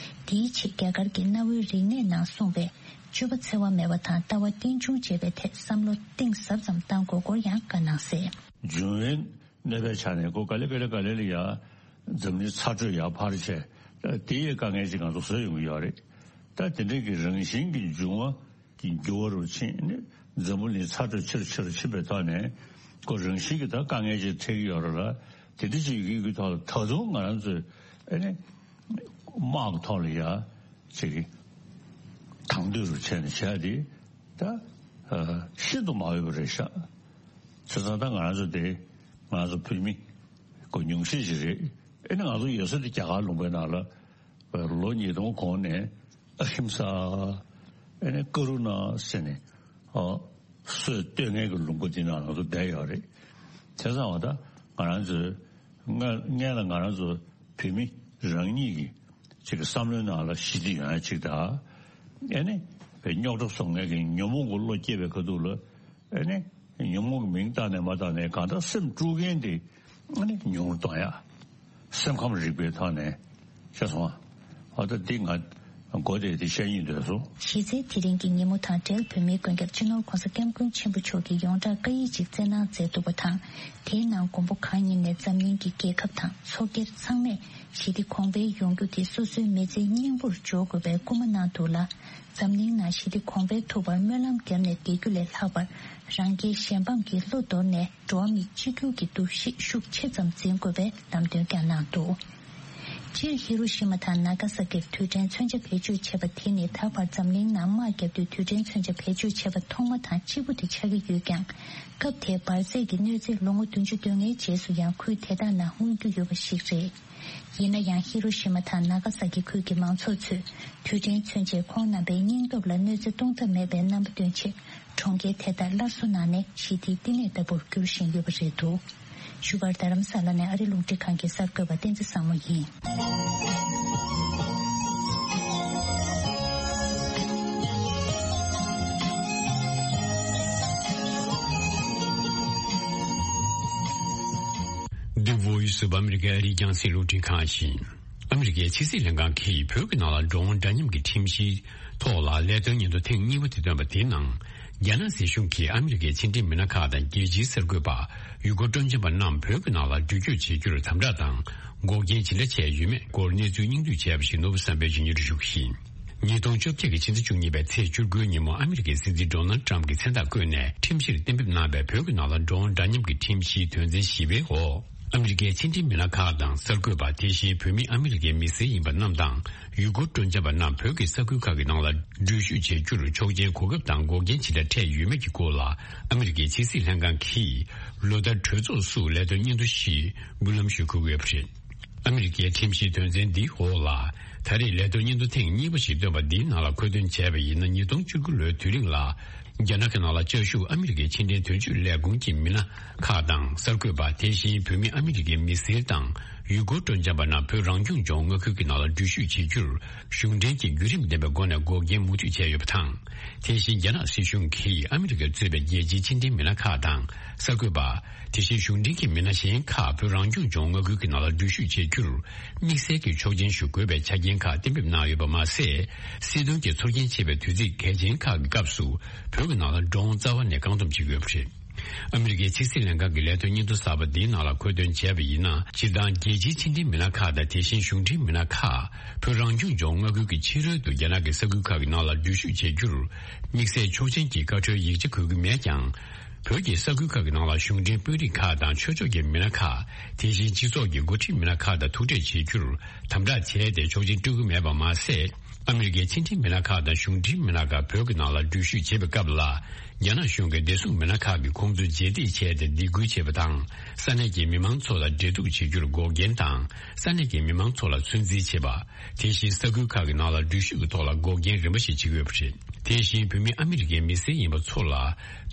དེའི་ཆེད་རྒྱ་གར་གྱི་གནའ་བོའི་རིག་གནས་ནང་གསུངས་པའི། སྤྱོད་པ་འཚེ་བ་མེད་པ་དང་ལྟ་བ་རྟེན་འབྱུང་བཅས་པའི་ཐད་བསམ་བློ་གཏིང་ཟབ་ཙམ་གཏང་དགོས་སྐོར་ཡང་བཀའ་གནང་གསལ། འབྱུང་བའི་གནོད་པའི་ཆ་ནས་ཁོ་ག་ལེ་ག་ལེ་ག་ལེ་ལ་ཡ་འཛམ་གླིང་ཚ་དྲོད་ཡར་འཕར་བྱས། དེ་ཡི་དཀའ་ངལ་ཅིག་ང་ཚོ་བཟོ་ཡོང་གི་ཡོད་རེད། ད་དེ་འདྲའི་གི་རང་བཞིན་གྱི་འབྱུང་བ་གི་འགྱུར་བ་རུ་ཕྱིན་ནས་འཛམ་བུ་གླིང་ཚ་དྲོད་ཆེ་རུ་ཆེ་རུ་ཕྱིན་པའི་ཐོག་ནས་ཁོ་རང་བཞིན་གྱི་ད་དཀའ་ངལ་ཅིག་འཕྲད་ཀྱི་ཡོད་རེད་ལ། དེ་འདྲ་ཅིག་ཡོད་ཀྱི་ཐོག་ལ་ད་དུང་ང་རང་ཚོས་ཨ་ནི་དམག་གི་ཐོག་ལ་ཡ་ཅིག་དང་དོད་རུ་བྱས་ནས་བྱས་ཏེ་ད་ཤིན་ཏུ་མ་འོས་པ་རེད་ཤག་བྱས་ཙང་ད་ང་རང་ཚོ་དེ་ང་ཚོ་བོད་མི་ཁོ་ཉུང་ཤས་ཤིག་རེད། ཨ་ནི་ང་ཚོ་ཡོད་ས་དེ་རྒྱ་གར་ལུང་པའི་ནང་ལ། ལོ་ཉིས་སྟོང་གོང་ནས་ཨ་ཧིམ་ས་ཨ་ནི་ཀ་རུ་ན་ཟེར་ནས་ཨ་སྲོལ་གཏོད་མཁན་གྱི་ལུང་པ་འདི་ནང་ང་ཚོ་བསྡད་ཡོད་རེད། བྱས་ཙང་བ་ད་ང་རང་ཚོའི་སྔ་སྔན་ལ་ང་རང་ཚོ་བོད་མི་རང་ཉིད་ཀྱི་ཅིག་གི་བསམ་བློའི་ནང་ལ་ཞི་བདེ་ཡོང་ཡ་ཅིག་དང་། ཨ་ནི་རྙོག་དྲ་བཟོ་མཁན་གྱི་ཉོན་མོངས་ཀྱི་བློ་སྐྱེས་པའི་ཁ་ཐུག་ལ། ཨ་ནི་ཉོན་མོངས་ཀྱི་མིང་བཏགས་ནས་མ་བཏགས་ནས་གང་ལྟར་སེམས་དཀྲུག་མཁན་དེ་ཨ་ནི་ཉུང་རུ་གཏོང་ཡ། སེམས་ཁམས་རིག་པའི་ཐོག་ནས་ཤེས་སོང་ཨ། ད་འདི་ང་མགོ་བདེ་དེ་བཤད་སྙིང་འདོད་སོང་། གཞི་རྩའི་དེ་རིང་གི་ཉིན་མོ་དང་འབྲེལ་བོད་མིའི་མགོན་སྐྱབས་སྤྱི་ནོར་༧གོང་ས་༧སྐྱབས་མགོན་ཆེན་པོ་མཆོག་གིས་ཡོངས་གྲགས་བཀའ་ཡིག་ཅིག་བསྩལ་གནང་མཛད་འདུག་པ་དང་། དེའི་ནང་མགོན་པོ་གང་ཉིད་ནས་འཛམ་གླིང་གི་རྒྱལ་ཁབ་དང་ཚོགས་སྒེར་ཚང་མས་ཞི་བདེ་གོང་འཕེལ་ཡོང་རྒྱུ་དེ་སོ་སོའི་མི་ཚེའི་སྙིང་པོར་འཇོག་དགོས་པའི་སྐུལ་མ་གནང་འདུག་ལ། འཛམ་གླིང་ནང་ཞི་བདེ་གོང་འཕེལ་ཐུབ་པར་སྨོན་ལམ་བརྒྱབ་ནས་བསྡད་རྒྱུ་ལས་ལྷག་པར། རང་རྒྱལ་གཞན་ཕམ་གྱི་བློ་དོར་ནས་འགྲོ་བ་མི་གཅིག་གྱུར་གྱི་འདུ་ཤེས་ཤུགས་ཆེ་ཙམ་འཛིན་དགོས་པའི་ལམ་སྟོན་ཀྱང་གནང་འདུག་སྤྱིར་ཧི་རོ་ཤི་མ་དང་ན་ག་ས་ཀིར་རྡུལ་ཕྲན་མཚོན་ཆ་བེད་སྤྱོད་བྱས་པ་དེ་ནི་ད་བར་འཛམ་གླིང་ནང་དམག་བརྒྱབ་དུས་རྡུལ་ཕྲན་མཚོན་ཆ་བེད་སྤྱོད་བྱས་པ་ཐོག་མ་དང་གཅིག་པུ་དེ་ཆགས་ཀྱི་ཡོད་ཀྱང་། སྐབས་དེའི་འབར་རྫས་ཀྱི་གནོད་འཚེ་ལོ་ངོ་བདུན་ཅུ་དོན་ལྔའི་རྗེས་སུ་ཡང་ཁུལ་དེ་དག་ནང་མངོན་རྒྱུ་ཡོད་པ་ཞིག་རེད། ཡིན་ན་ཡང་ཧི་རོ་ཤི་མ་དང་ན་ག་ས་ཀི་ཁུལ་གྱི་མང་ཚོགས་ཚོས་རྡུལ་ཕྲན་མཚོན་ཆས་ཁོང་རྣམ་པའི་སྙིང་སྟོབས་ལ་གནོད་འཚེ་གཏོང་ཐབས་མེད་པའི་རྣམ་པ་སྟོན་ཆེད། གྲོང་ཁྱེར་དེ་དག་སླར་གསོ་གནང་ནས་ཞི་བདེའི་བསྟི་གནས་ལྟ་བུར་འགྱུར་བཞིན་ཡོད་པ་རེད་འདུག་བཞུགས་སྒར་རྡ་རམ་ས་ལ་ནས་ཨ་རི་རླུང་འཕྲིན་ཁང་གི་གསར་འགོད་པ་བསྟན་འཛིན་བཟང་མོ་ཡིན། འདི་Voice of America ཨ་རིའི་རྒྱང་སྲིང་རླུང་འཕྲིན་ཁང་ཡིན། ཨ་མི་རི་ཀའི་ཕྱི་སྲིད་ལྷན་ཁང་གིས་བོད་ཀྱི་ནང་ལ་འགྲོ་འོང་འདྲ་མཉམ་གྱི་ཁྲིམས་གཞིའི་ཐོག་ལ་ལས་དོན་སྙན་ཐོ་ཐེངས་གཉིས་པ་དེ་བཏོན་པ་དེའི་ནང་། རྒྱ་ནག་སྲིད་གཞུང་གིས་ཨ་མི་རི་ཀའི་ཕྱི་འབྲེལ་མི་སྣ་ཁག་དང་རྒྱལ་སྤྱིའི་གསར་འགོད་པ་ཡུ་གུར་སྤྲོ་འཆམ་པ་རྣམས་བོད་ཀྱི་ནང་ལ་འགྲུལ་སྐྱོད་བྱེད་རྒྱུར་དམ་དྲག་དང་འགོག་རྐྱེན་ཇི་འདྲ་བྱས་ཡོད་མེད་སྐོར་གནས་ཚུལ་སྙིང་བསྡུས་བྱས་པ་ཞིག་ནོར་བུ་བསམ་འཕེལ་གྱིས་སྙན་སྒྲོན་ཞུ་གི་ཡིན། ཉིས་སྟོང་བཅོ་བརྒྱད་ཀྱི་ཕྱི་ཟླ་བཅུ་གཉིས་པའི་ཚེས་བཅུ་དགུའི་ཉིན་མོ་ཨ་མི་རི་ཀའི་སྲིད་འཛིན་ཌོ་ནལ་ཊམ་གྱིས་མཚན་རྟགས་བཀོད་ནས་ཁྲིམས་གཞིར་གཏན་འབེབས་གནང་བའི་བོད་ཀྱི་ནང་ལ་འགྲོ་འོང་འདྲ་མཉམ་གྱི་ཁྲིམས་གཞིའི་དོན་ཚན་བཞི་པའི་འོག་ཨ་མི་རི་ཀའི་ཕྱི་འབྲེལ་མི་སྣ་ཁག་དང་གསར་འགོད་པ། དེ་བཞིན་བོད་མི་ཨ་མི་རི་ཀའི་མི་སེར་ཡིན་པ་རྣམས་དང་ཡུ་གུར་སྤྲོ་འཆམ་པ་རྣམས་བོད་ཀྱི་ས་ཁུལ་ཁག་གི་ནང་ལ་འགྲུལ་བཞུད་བྱེད་རྒྱུར་ཆོག་མཆན་གོ་སྐབས་དང་འགོག་རྐྱེན་ཇི་འདྲ་འཕྲད་ཡོད་མེད་ཀྱི་སྐོར་ལ་ཨ་མི་རི་ཀའི་ཕྱི་སྲིད་ལྷན་ཁང་གིས་ལོ་ལྟར་གྲོས་ཚོགས་སུ་ལས་དོན་སྙན་ཐོ་ཞིག་འབུལ་ལམ་ཞུ་དགོས་ཡོད་པ་རེད། ཨ་མི་རི་ཀའི་ཁྲིམས་གཞིའི་དོན་ཚན་འདིའི་འོག་ལ། ད་རེས་ལས་དོན་སྙན་ཐོ་ཐེངས་གཉིས་པ་ཞིག་བཏོན་པ་འདིའི་ནང་ལ་མཁོ་འདོན་བྱས་པ་ཡིན་ན། ཉིས་སྟོང་བཅུ་དགུ་ལོའི་དུས་རིང་ལ། རྒྱ་ནག་གི་ནང་ལ་བཅའ་བཞུགས་ཨ་མི་རི་ཀའི་ཕྱི་འབྲེལ་དོན་གཅོད་ལས་ཁུངས་ཀྱི་མི་སྣ་ཁག་དང་གསར་འགོད་པ། དེ་བཞིན་བོད་མི་ཨ་མི་རི་ཀའི་མི་སེར་དང་ཡུ་གུར་སྤྲོ་འཆམ་པ་རྣམས་བོད་རང་སྐྱོང་ལྗོངས་མངའ་ཁུལ་གྱི་ནང་ལ་འགྲུལ་བཞུད་བྱེད་རྒྱུར། གཞུང་འབྲེལ་གྱི་བརྒྱུད་རིམ་ལྡན་པའི་སྒོ་ནས་འགོག་རྐྱེན་མུ་མཐུད་བྱས་ཡོད་པ་དང་། དེ་བཞིན་རྒྱ་ནག་སྲིད་གཞུང་གིས་ཨ་མི་རི་ཀས་གཙོས་པའི་རྒྱལ་སྤྱིའི་ཕྱི་འབྲེལ་མི་སྣ་ཁག་དང་གསར་འགོད་པ། དེ་བཞིན་གཞུང་འབྲེལ་གྱི་མི་སྣ་གཞན་ཁག་བོད་རང་སྐྱོང་ལྗོངས་མངའ་ཁུལ་གྱི་ནང་ལ་འགྲུལ་བཞུད་བྱེད་རྒྱུར་དམིགས་བསལ་གྱི་ཆོག་མཆན་ཞུ་དགོས་པའི་ཆ་རྐྱེན་ཁག་གཏན་འབེབས་གནང་ཡོད་པ་མ་ཟད། སྲིད་དོན་གྱི་ཚོར་སྐྱེན་ཆེ་བའི་དུས་ཚིགས་གལ་ཆེན་ཁག་གི་སྐབས་སུ་བོད་ཀྱི་ནང་ལ་འགྲོ་འོང་རྩ་བ་ནས་བཀག་སྡོམ་བྱེད་ཀྱི་ཡོད་པ་རེད། ཨ་མི་རི་ཀའི་ཕྱི་སྲིད་ལྷན་ཁང་གི་ལས་དོན་སྙན་ཐོ་གསར་པ་འདིའི་ནང་ལ་མཁོ་འདོན་བྱས་པ་ཡིན་ན། སྤྱིར་བཏང་རྒྱལ་སྤྱིའི་ཕྱི་འབྲེལ་མི་སྣ་ཁག་དང་། དེ་བཞིན་གཞུང་འབྲེལ་མི་སྣ་ཁག་བོད་རང་སྐྱོང་ལྗོངས་མངའ་ཁུལ་གྱི་ཕྱི་རོལ་དུ་རྒྱ་ནག་གི་ས་ཁུལ་ཁག་གི་ནང་ལ་འགྲུལ་བཞུད་བྱེད་རྒྱུར་དམིགས་བསལ་ཆོག་མཆན་གྱི་བཀའ་འཁྲོལ་ཡིག་ཆ་དགོས་ཀྱི་མེད་ཀྱང་། བོད་ཀྱི་ས་ཁུལ་ཁག་གི་ནང་ལ་གཞུང་འབྲེལ་དཔོན་རིགས་ཁག་དང་ཆོས་ཕྱོགས་ཀྱི་མི་སྣ་ཁག་དེ་བཞིན་སྤྱི་ཚོགས་ཀྱི་འགོ་ཁྲིད་མི་སྣ་ཁག་དང་ཐུག་འཕྲད་བྱེད་རྒྱུར་དམ་དྲག་བྱས་ཏེ་ཆོག་མཆན་སྤྲོད་ཀྱི་མེད་པ་མ་ཟད། ཨ་མི་རི་ཀའི་ཕྱི་འབྲེལ་མི་སྣ་ཁག་དང་གཞུང་འབྲེལ་མི་སྣ་ཁག་བོད་ཀྱི་ནང་ལ་འགྲུལ་བཞུད་བྱེད་པའི་སྐབས་ལ། རྒྱ་ནག་གཞུང་གི་བདེ་སྲུང་མི་སྣ་ཁག་གིས་ཁོང་ཚོའི་རྗེས་འདེད་བྱས་ཏེ་སྡིགས་སྐུལ་བྱེད་པ་དང་། ས་གནས་ཀྱི་མི་མང་ཚོ་ལ་འབྲེལ་གཏུག་བྱེད་རྒྱུར་འགོག་རྐྱེན་དང་། ས་གནས་ཀྱི་མི་མང་ཚོ་ལ་ཚོད་འཛིན་བྱེད་པ། དེ་བཞིན་ས་ཁུལ་ཁག་གི་ནང་ལ་འགྲུལ་བཞུད་ཀྱི་ཐོག་ལ་འགོག་རྐྱེན་རིམ་པ་ཞིག་བྱེད་ཀྱི་ཡོད་པ་རེད། དེ་བཞིན་བོད་མི་ཨ་མི་རི་ཀའི་མི་སེར་ཡིན་པ་ཚོ་ལ།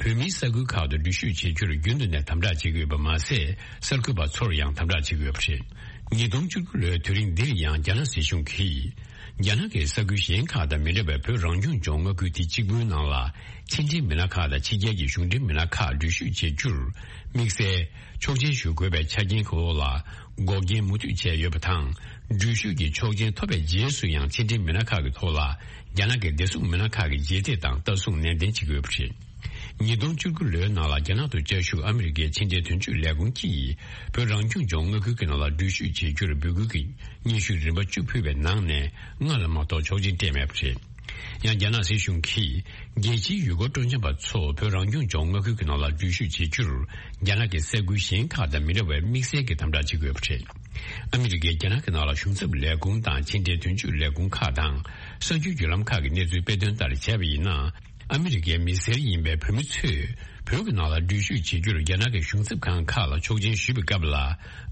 བོད་མིའི་ས་ཁུལ་ཁག་ཏུ་འགྲུལ་བཞུད་བྱེད་རྒྱུར་རྒྱུན་དུ་ནས་དམ་དྲག་བྱེད་ཀྱི་ཡོད་པ་མ་ཟད། གསར་འགོད་པ་ཚོར་ཡང་དམ་དྲག་བྱེད་ཀྱི་ཡོད་པ་རེད། ཉིས་སྟོང་བཅུ་དགུ་ལོའི་དུས་རིང་འདིར་ཡང་རྒྱ་ནག་སྲིད་གཞུང་གིས། རྒྱ་ནག་གི་ས་ཁུལ་གཞན་ཁག་དང་མི་འདྲ་བའི་བོད་རང་སྐྱོང་ལྗོངས་མངའ་ཁུལ་དེ་གཅིག་པུའི་ནང་ལ། ཕྱི་འབྲེལ་མི་སྣ་ཁག་དང་ཕྱི་རྒྱལ་གྱི་གཞུང་འབྲེལ་མི་སྣ་ཁག་འགྲུལ་བཞུད་བྱེད་རྒྱུར། དམིགས་བསལ་ཆོག་མཆན་ཞུ་དགོས་པའི་ཆ་རྐྱེན་གྱི་འོག་ལ། འགོག་རྐྱེན་མུ་མཐུད་བྱས་ཡོད་པ་དང་། འགྲུལ་བཞུད་ཀྱི་ཆོག་མཆན་ཐོབ་པའི་རྗེས་སུ་ཡང་ཕྱི་འབྲེལ་མི་སྣ་ཁག་གི་ཐོག་ལ། རྒྱ་ནག་གི་བདེ་སྲུང་མི་སྣ་ཁག་གིས་རྗེས་འདེད་དང་ལྟ་སྲུང་ནན་ཏན་བྱེད་ཀྱི་ཡོད་པ་རེད། ཉིས་སྟོང་བཅུ་དགུ་ལོའི་ནང་ལ་རྒྱ་ནག་ཏུ་བཅའ་བཞུགས་ཨ་མི་རི་ཀའི་ཕྱི་འབྲེལ་དོན་གཅོད་ལས་ཁུངས་ཀྱིས། བོད་རང་སྐྱོང་ལྗོངས་མངའ་ཁུལ་གྱི་ནང་ལ་འགྲུལ་བཞུད་བྱེད་རྒྱུར་འབོད་སྐུལ་གྱི་སྙན་ཞུ་རིམ་པ་བཅུ་ཕུལ་བའི་ནང་ནས་ལྔ་ལ་མ་གཏོགས་ཆོག་མཆན་སྤྲད་མེད་པ་རེད། ཡང་རྒྱ་ནག་སྲིད་གཞུང་གིས། རྒྱལ་སྤྱིའི་ཡུལ་སྐོར་སྤྲོ་འཆམ་པ་ཚོ་བོད་རང་སྐྱོང་ལྗོངས་མངའ་ཁུལ་གྱི་ནང་ལ་འགྲུལ་བཞུད་བྱེད་རྒྱུར། རྒྱ་ནག་གི་ས་ཁུལ་གཞན་ཁག་དང་མི་འདྲ་བའི་དམིགས་བསལ་གྱི་དམ་དྲག་བྱེད་དགོས་པ་རེད། ཨ་མི་རི་ཀའི་རྒྱ་ནག་གི་ནང་ལ་གཞུང་ཚབ་ལས་ཁུངས་དང་ཕྱི་འབྲེལ་དོན་གཅོད་ལས་ཁུངས་ཁག་དང་། གསར་འགྱུར་བརྒྱུད་ལམ་ཁག་གི་གནས་ཚུལ་སྤེལ་དོན་ལྟར་བྱས་པ་ཡིན་ན། ཨ་མི་རི་ཀའི་མི་སེར་ཡིན་པའི་བོད་མི་ཚོས། བོད་ཀྱི་ནང་ལ་འགྲུལ་བཞུད་བྱེད་རྒྱུར་རྒྱ་ནག་གི་གཞུང་ཚབ་ཁང་ཁག་ལ་ཆོག་མཆན་ཞུས་པའི་སྐབས་ལ།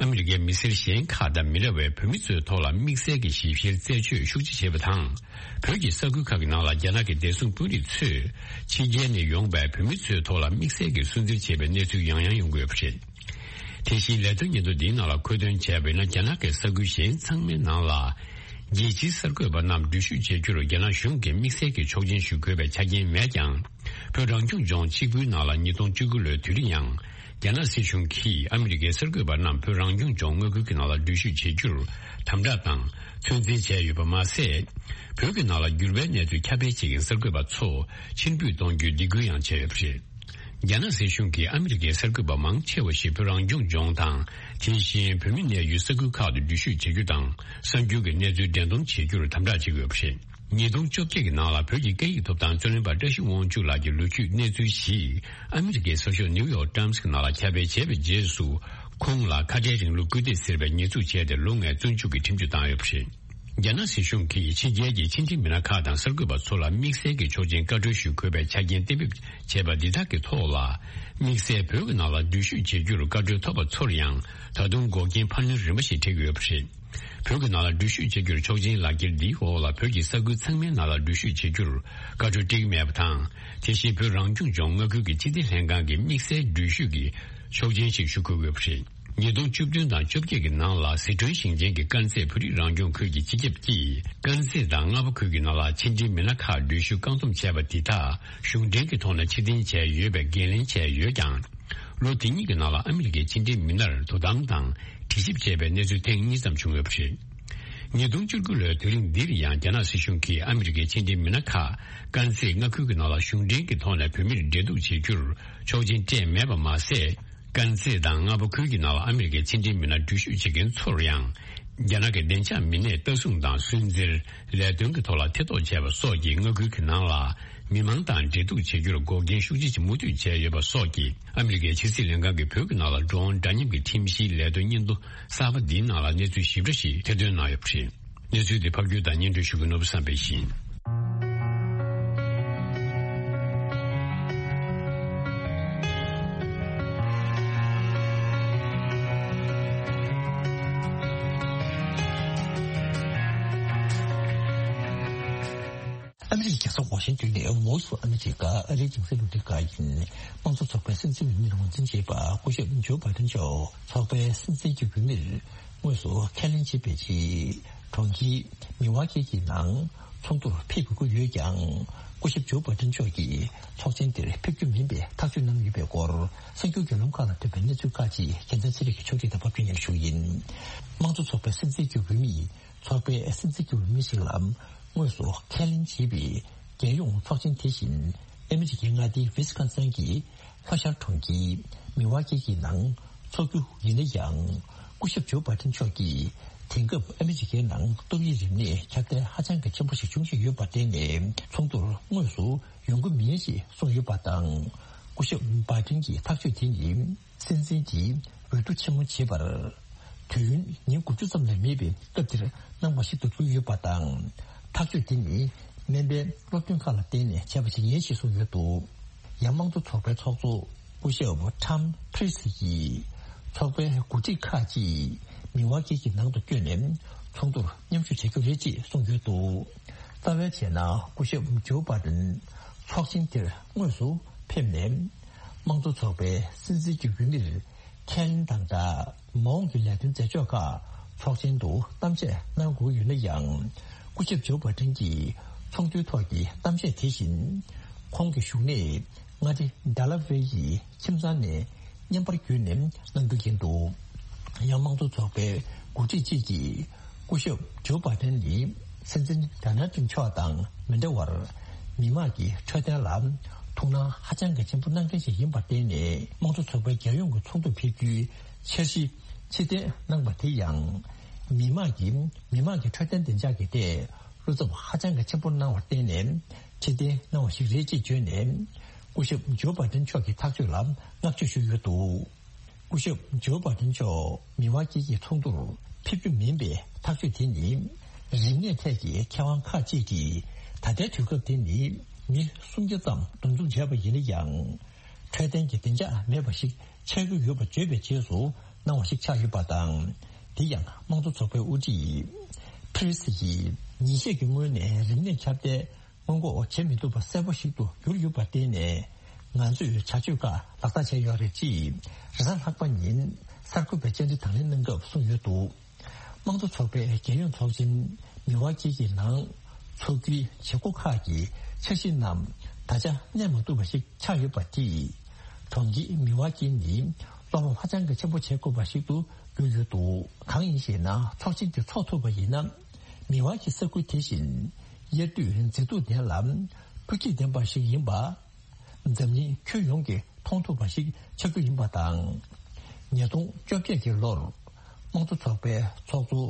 ཨ་མི་རི་ཀའི་མི་སེར་གཞན་ཁག་དང་མི་འདྲ་བའི་བོད་མི་ཚོའི་ཐོག་ལ་དམིགས་བསལ་གྱི་ཞིབ་བཤེར་རྩད་གཅོད་ཤུགས་ཆེ་བྱས་པ་དང་། བོད་ཀྱི་ས་ཁུལ་ཁག་གི་ནང་ལ་རྒྱ་ནག་གི་བདེ་སྲུང་དཔོན་རིགས་ཚོས། ཕྱི་རྒྱལ་ནས་ཡོང་པའི་བོད་མི་ཚོའི་ཐོག་ལ་དམིགས་བསལ་གྱི་སུན་གཙེར་བྱས་པའི་གནས་ཚུལ་ཡང་ཡང་ཡོང་གི་ཡོད་པ་རེད། དེ་བཞིན་ལས་དོན་སྙན་ཐོ་འདིའི་ནང་ལ་མཁོ་འདོན་བྱས་པ་ཡིན་ན། རྒྱ་ནག་གི་ས་ཁུལ་གཞན་ཚང་མའི་ནང་ལ། རྒྱལ་སྤྱིའི་གསར་འགོད་པ་རྣམས་འགྲུལ་བཞུད་བྱེད་རྒྱུར་རྒྱ་ནག་གཞུང་གིས་དམིགས་བསལ་གྱི་ཆོག་མཆན་ཞུ་དགོས་པའི་ཆ་རྐྱེན་མེད་ཀྱང་། བོད་རང་སྐྱོང་ལྗོངས་གཅིག་པུའི་ནང་ལ་ཉིས་སྟོང་བཅུ་དགུ་ལོའི་དུས་རིང་ཡང་། རྒྱ་ནག་སྲིད་གཞུང་གིས་ཨ་མི་རི་ཀའི་གསར་འགོད་པ་རྣམས་བོད་རང་སྐྱོང་ལྗོངས་མངའ་ཁུལ་གྱི་ནང་ལ་འགྲུལ་བཞུད་བྱེད་རྒྱུར་དམ་དྲག་དང་ཚོད་འཛིན་བྱས་ཡོད་པ་མ་ཟད། བོད་ཀྱི་ནང་ལ་འགྱུར་བའི་གནས་ཚུལ་ཁྱབ་སྤེལ་བྱེད་མཁན་གསར་འགོད་པ་ཚོ་ཕྱིར་འབུད་གཏོང་རྒྱུའི་སྡིགས་སྐུལ་ཡང་བྱས་ཡོད་པ་རེད། རྒྱ་ནག་སྲིད་གཞུང་གིས་ཨ་མི་རི་ཀའི་གསར་འགོད་པ་མང་ཆེ་བ་ཞིག་བོད་རང་སྐྱོང་ལྗོངས་དང་། དེ་བཞིན་བོད་མི་གནས་ཡུལ་ས་ཁུལ་ཁག་ཏུ་འགྲུལ་བཞུད་བྱེད་རྒྱུ་དང་། གསར་འགྱུར་གྱི་གནས་ཚུལ་འགྲན་སྡོམ་བྱེད་རྒྱུར་དམ་དྲག་བྱེད་ཀྱི་ཡོད་པ་རེད། ཉིས་སྟོང་བཅོ་བརྒྱད་ཀྱི་ནང་ལ་བོད་ཀྱི་སྐད་ཡིག་ཐོབ་ཐང་རྩོད་ལེན་པ་བཀྲ་ཤིས་དབང་ཕྱུག་ལགས་ཀྱི་ལོ་རྒྱུས་གནས་ཚུལ་ཞིག་ཨ་མི་རི་ཀའི་གསར་ཤོག་ནིའུ་ཡོག་ཊའིམ་སི་གི་ནང་ལ་ཁྱབ་སྤེལ་བྱས་པའི་རྗེས་སུ། ཁོང་ལ་ཁ་བྲལ་རིང་ལུགས་སྐུལ་འདེད་ཟེར་བའི་ཉེས་འཛུགས་བྱས་ཏེ་ལོ་ལྔའི་བཙོན་འཇུག་གི་ཁྲིམས་གཅོད་བཏང་ཡོད་པ་རེད། རྒྱ་ནག་སྲིད་གཞུང་གིས་ཕྱི་རྒྱལ་གྱི་ཕྱི་འབྲེལ་མི་སྣ་ཁག་དང་གསར་འགོད་པ་ཚོ་ལ་དམིགས་བསལ་གྱི་ཆོག་མཆན་བཀའ་འཁྲོལ་ཞུ་དགོས་པའི་ཆ་རྐྱེན་གཏན་འབེབས་བྱས་པ་འདི་དག་གི་ཐོག་ལ། དམིགས་བསལ་བོད་ཀྱི་ནང་ལ་འགྲུལ་བཞུད་བྱེད་རྒྱུར་བཀའ་འཁྲོལ་ཐོབ་པ་ཚོར་ཡང་ད་དུང་འགོག་རྐྱེན་འཕར་སྣོན་རིམ་པ་ཞིག་འཕྲད་ཀྱི་ཡོད་པ་རེད། བོད་ཀྱི་ནང་ལ་འགྲུལ་བཞུད་བྱེད་རྒྱུར་ཆོག་མཆན་ལག་འཁྱེར་འདིའི་འོག་ལ་བོད་ཀྱི་ས་ཁུལ་ཚང་མའི་ནང་ལ་འགྲུལ་བཞུད་བྱེད་རྒྱུར་བཀའ་འཁྲོལ་སྤྲད་ཀྱི་མེད་པ་དང་། དེ་བཞིན་བོད་རང་སྐྱོང་ལྗོངས་མངའ་ཁུལ་གྱི་སྤྱི་བདེ་ལྷན་ཁང་གི་དམིགས་བསལ་འགྲུལ་བཞུད་ཀྱི་ཆོག་མཆན་ཞིག་ཞུ་དགོས་ཡོད་པ་རེད། ཉིས་སྟོང་བཅུ་བདུན་དང་བཅོ་བརྒྱད་ཀྱི་ནང་ལ་ཟི་ཁྲོན་ཞིང་ཆེན་གྱི་དཀར་མཛེས་བོད་རིགས་རང་སྐྱོང་ཁུལ་གྱི་སྤྱི་ཁྱབ་ཀྱིས་དཀར་མཛེས་དང་རྔ་པ་ཁུལ་གྱི་ནང་ལ་ཕྱི་འབྲེལ་མི་སྣ་ཁག་འགྲུལ་བཞུད་བཀག་སྡོམ་བྱས་པ་འདི་དག་གཞུང་འབྲེལ་གྱི་ཐོག་ནས་ཕྱིར་འཐེན་བྱས་ཡོད་པའི་འགན་ལེན་བྱས་ཡོད་ཀྱང་། ལོ་དེ་གཉིས་ཀྱི་ནང་ལ་ཨ་མི་རི་ཀའི་ཕྱི་འབྲེལ་མི་སྣར་དོ་དམ་དང་དྲི་ཞིབ་བྱས་པའི་གནས་ཚུལ་ཐེངས་གཉིས་ཙམ་བྱུང་ཡོད་པ་རེད། ཉིས་སྟོང་བཅུ་དགུ་ལོའི་དུས་རིང་འདིར་ཡང་རྒྱ་ནག་སྲིད་གཞུང་གིས་ཨ་མི་རི་ཀའི་ཕྱི་འབྲེལ་མི་སྣ་ཁག་དཀར་མཛེས་མངའ་ཁུལ་གྱི་ནང་ལ་གཞུང་འབྲེལ་གྱི་ཐོག་ནས་བོད་མིར་འབྲེལ་གཏུག་བྱེད་རྒྱུར་ཆོག་མཆན་སྤྲད་མེད་པ་མ་ཟད། དཀར་མཛེས་དང་རྔ་པ་ཁུལ་གྱི་ནང་ལ་ཨ་མི་རི་ཀའི་ཕྱི་འབྲེལ་མི་སྣ་འགྲུལ་བཞུད་བྱེད་མཁན་ཚོར་ཡང་། རྒྱ་ནག་གི་བདེ་འཇགས་མི་སྣས་ལྟ་སྲུང་དང་སུན་གཙེར། ལས་དོན་གྱི་ཐོག་ལ་ཐེ་གཏོགས་བྱས་པ་སོགས་ཀྱིས་མངའ་ཁུལ་གྱི་ནང་ལ་མི་མང་དང་འབྲེལ་གཏུག་བྱེད་རྒྱུར་འགོག་རྐྱེན་ཤུགས་ཆེ་ཞིག་མུ་མཐུད་བྱས་ཡོད་པ་སོགས་ཀྱིས་ཨ་མི་རི་ཀའི་ཕྱི་སྲིད་ལྷན་ཁང་གིས་བོད་ཀྱི་ནང་ལ་འགྲོ་འོང་འདྲ་མཉམ་གྱི་ཁྲིམས་གཞིའི་ལས་དོན་སྙན་ཐོ་གསར་པ་འདིའི་ནང་ལ་གནས་ཚུལ་ཞིབ་ཕྲ་ཞིག་ཐེར་འདོན་གནང་ཡོད་པ་རེད། གནས་ཚུལ་འདི་ཕབ་སྒྱུར་དང་སྙན་སྒྲོན་ཞུ་མཁན་ནོར་བུ་བསམ་འཕེལ་ཡིན། ཨ་མི་རི་ཀའི་རྒྱལ་ས་ཝ་ཤིང་ཏོན་ནས་Voice of America ཨ་རིའི་རྒྱང་སྲིང་རླུང་འཕྲིན་ཁང་ཡིན། དམངས་གཙོ་ཚོགས་པའི་སྲིད་འཛིན་འོས་མིར་ངོས་འཛིན་བྱས་པ་སྐུ་ཞབས་ཇོ་བྷའི་ཏན་མཆོག་ཚོགས་པའི་སྲིད་འཛིན་གྱི་འོས་མིར་དངོས་སུ་ཁས་ལེན་བྱས་པའི་རྗེས། གྲོང་ཁྱེར་མི་ཝ་ཀི་གི་ནང་ཚོགས་འདུར་ཕེབས་དགོས་ཀྱི་ཡོད་ཀྱང་། སྐུ་ཞབས་ཇོ་བྷའི་ཏན་མཆོག་གིས་ཚོགས་ཆེན་དེར་ཕེབས་རྒྱུ་མིན་པའི་ཐག་གཅོད་གནང་ཡོད་པའི་སྐོར་གསར་འགྱུར་བརྒྱུད་ལམ་ཁག་ལ་ཐོན་པའི་གནས་ཚུལ་ཁག་ཅིག་རྒྱལ་མཚན་ཚེ་རིང་གིས་ཕྱོགས་སྒྲིག་དང་ཕབ་སྒྱུར་སྙན་ཞུ་ཡིན། དམངས་གཙོ་ཚོགས་པའི་སྲིད་འཛིན་གྱི་འོས་མི་ཡིས། ཚོགས་པའི་སྲིད་འཛིན་གྱི་འོས་མི་ཞིག་ལ་དངོས་སུ་ཁས་ལེན་བྱས་པའི་རྒྱལ་ཡོངས་ཚོགས་ཆེན་དེ་བཞིན་ཨ་མི་རི་ཀའི་མངའ་སྡེ་ཝི་སི་ཀོན་སིན་གྱི་ལྷོ་ཤར་གྲོང་ཁྱེར་མི་ཝ་ཀི་གི་ནང་འཚོགས་རྒྱུ་ཡིན་ན་ཡང་། སྐུ་ཞབས་ཇོ་བྷའི་ཏན་མཆོག་གིས་དེང་སྐབས་ཨ་མི་རི་ཀའི་ནང་ཏོག་དབྱིབས་རིམས་ནད་ཁྱབ་གདལ་ཧ་ཅང་གི་ཆེན་པོ་ཞིག་འབྱུང་བཞིན་ཡོད་པར་བརྟེན་ནས་ཚོགས་འདུར་དངོས་སུ་ཡོང་གི་མིན་ཞེས་གསུངས་ཡོད་པ་དང་། སྐུ་ཞབས་བྷའི་ཏན་གྱི་ཐག་གཅོད་དེ་ནི། སྲིད་འཛིན་གྱི་འོས་བསྡུ་ཆེན་མོ་བྱེད་པར། དུས་ཡུན་ཉིན་དགུ་བཅུ་ཙམ་ལས་མེད་པའི་སྐབས་དེར་གནང་བ་ཞིག་ཏུ་གྱུར་ཡོད་པ་དང་། ཐག་གཅོད་དེ་ནི་སྨན་པའི་སློབ་སྟོན་ཁག་ལ་བརྟེན་ནས་བྱས་པ་ཞིག་ཡིན་ཞེས་གསུངས་ཡོད་འདུག། ཡང་དམངས་གཙོ་ཚོགས་པའི་ཚོགས་གཙོ་སྐུ་ཞབས་ཊམ་ཕི་རི་སི་ཡིས་ཚོགས་པའི་འགོ་ཁྲིད་ཁག་ཅིག་མི་ཝ་ཀི་གི་ནང་དུ་བསྐྱོད་ནས་ཚོགས་འདུར་མཉམ་ཞུགས་བྱེད་རྒྱུ་རེད་ཅེས་གསུངས་ཡོད་འདུག། རྩ་བའི་ཆ་ནས་སྐུ་ཞབས་ཇོ་བྷའི་ཏན་ཚོགས་ཆེན་དེར་དངོས་སུ་ཕེབས་ནས། དམངས་གཙོ་ཚོགས་པའི་སྲིད་འཛིན་གྱི་འོས་མིར་ཁས་ལེན་དང་སྦྲགས། མ་འོངས་ཀྱི་ལས་དོན་མཛད་ཕྱོགས་ཁག་ཚོགས་ཆེན་དུ་གཏམ་བཤད་གནང་དགོས་ཡོད་ན་ཡང་། སྐུ་ཞབས་ཇོ་བྷའི་ཏན་གྱིས་ཚོགས་འདུའི་ཐོག་གི་གཏམ་བཤད་དེ་བཞིན། ཁོང་གི་བཞུགས་གནས་མངའ་སྡེ་ཌེ་ལ་ཝེ་ཡི་ཁྱིམ་ཚང་ནས་བརྙན་པར་བརྒྱུད་ནས་གནང་རྒྱུ་ཡིན་འདུག། ཡང་དམངས་གཙོ་ཚོགས་པའི་འགོ་ཁྲིད་ཅིག་གིས། སྐུ་ཞབས་ཇོ་བྷའི་ཏན་ནི་སྲིད་འཛིན་ཌོ་ནལ་ཏྲམ་མཆོག་དང་མི་འདྲ་བར། མི་དམངས་ཀྱི་འཕྲོད་བསྟེན་ལ་ཐུགས་སྣང་ཧ་ཅང་གི་ཆེན་པོ་གནང་མཁན་ཞིག་ཡིན་པར་བརྟེན་ནས། དམངས་གཙོ་ཚོགས་པའི་རྒྱལ་ཡོངས་ཀྱི་ཚོགས་འདུར་ཕེབས་རྒྱུའི་འཆར་གཞི་ཕྱིར་འཐེན་གནང་བ་དེ་ཡང་། མི་དམངས་ཀྱིས་མི་དམངས་ཀྱི་འཕྲོད་བསྟེན་བདེ་འཇགས་ཀྱི་ཐད་བློ་འཚབ་ཧ་ཅང་གི་ཆེན་པོ་གནང་བར་བརྟེན་ནས་ཕྱིར་འཐེན་གནང་བ་ཞིག་རེད་ཅེས་བརྗོད་ནས། སྐུ་ཞབས་ཇོ་བྷའི་ཏན་མཆོག་གི་ཐག་གཅོད་ལ་བསྔགས་བརྗོད་ཞུས་ཡོད་འདུག། སྐུ་ཞབས་ཇོ་བྷའི་ཏན་མཆོག་མི་དབང་དཀྱིལ་གྱི་ཚོགས་འདུར་ཕེབས་རྒྱུ་མིན་པའི་ཐག་གཅོད་དེ་ནི། རིམས་ནད་ཐད་ཀྱི་མཁས་དབང་ཁག་ཅིག་གིས་ད་ལྟའི་དུས་སྐབས་དེ་ནི་མི་སུམ་བརྒྱ་ཙམ་འདུ་འཛོམས་བྱས་པ་ཡིན་ན་ཡང་། འཕྲོད་བསྟེན་གྱི་བདེ་འཇགས་མེད་པ་ཞིག་ཆགས་ཀྱི་ཡོད་པ་བརྗོད་པའི་རྗེས་སུ་གནང་བ་ཞིག་ཆགས་ཡོད་པ་དང་། དེ་ཡང་དམངས་གཙོ་ཚོགས་པའི་དབུ་ཁྲིད་ཕི་རི་སི་ཡིས་ཉིན་ཤས་ཀྱི་སྔོན་ནས་རིམས་ནད་ཁྱབ་གདལ། སྔོན་འགོག་བྱེད་མི་ཐུབ་པ་གསལ་པོ་ཞིག་ཏུ་གྱུར་ཡོད་པར་བརྟེན་ནས། ང་ཚོས་བྱ་སྤྱོད་ཁག་ལག་བསྟར་བྱས་ཡོད་རེད་ཅེས། རེས་གཟའ་ལྷག་པ་ཉིན་གསར་འགོད་པའི་བཅར་འདྲི་དང་ལེན་གནང་སྐབས་གསུངས་ཡོད་འདུག། དམངས་གཙོ་ཚོགས་པའི་རྒྱལ་ཡོངས་ཚོགས་ཆེན་མི་དབང་དཀྱིལ་གྱི་ནང་འཚོགས་རྒྱུའི་བྱེད་སྒོ་ཁག་གི་འཆར་གཞི་རྣམས་ད་ཆ་གནས་མ་ཐུབ་པ་ཞིག་ཆགས་ཡོད་པ་དེས། གྲོང་ཁྱེར་མི་དབང་དཀྱིལ་ནི་བློ་ཕམ་ཧ་ཅང་གི་ཆེན་པོ་བྱེད་དགོས་པ་ཞིག་ཏུ་གྱུར་ཡོད་འདུག། གང་ཡིན་ཞེ་ན། ཚོགས་ཆེན་དེ་འཚོགས་ཐུབ་པ་ཡིན་ན། མི་དབང་གི་ས་ཁུལ་དེ་བཞིན། དབྱར་དུས་མཛེས་སྡུག་ལྡན་ལ། སྤུས་ཚད་ལྡན་པ་ཞིག་ཡིན་པ། འཛམ་གླིང་ཁྱོན་ཡོངས་ཀྱིས་མཐོང་ཐུབ་པ་ཞིག་ཆགས་རྒྱུ་ཡིན་པ་དང་། ཉིས་སྟོང་བཅོ་བརྒྱད་ཀྱི་ལོར། དམངས་གཙོ་ཚོགས་པའི་ཚོགས་གཙོ་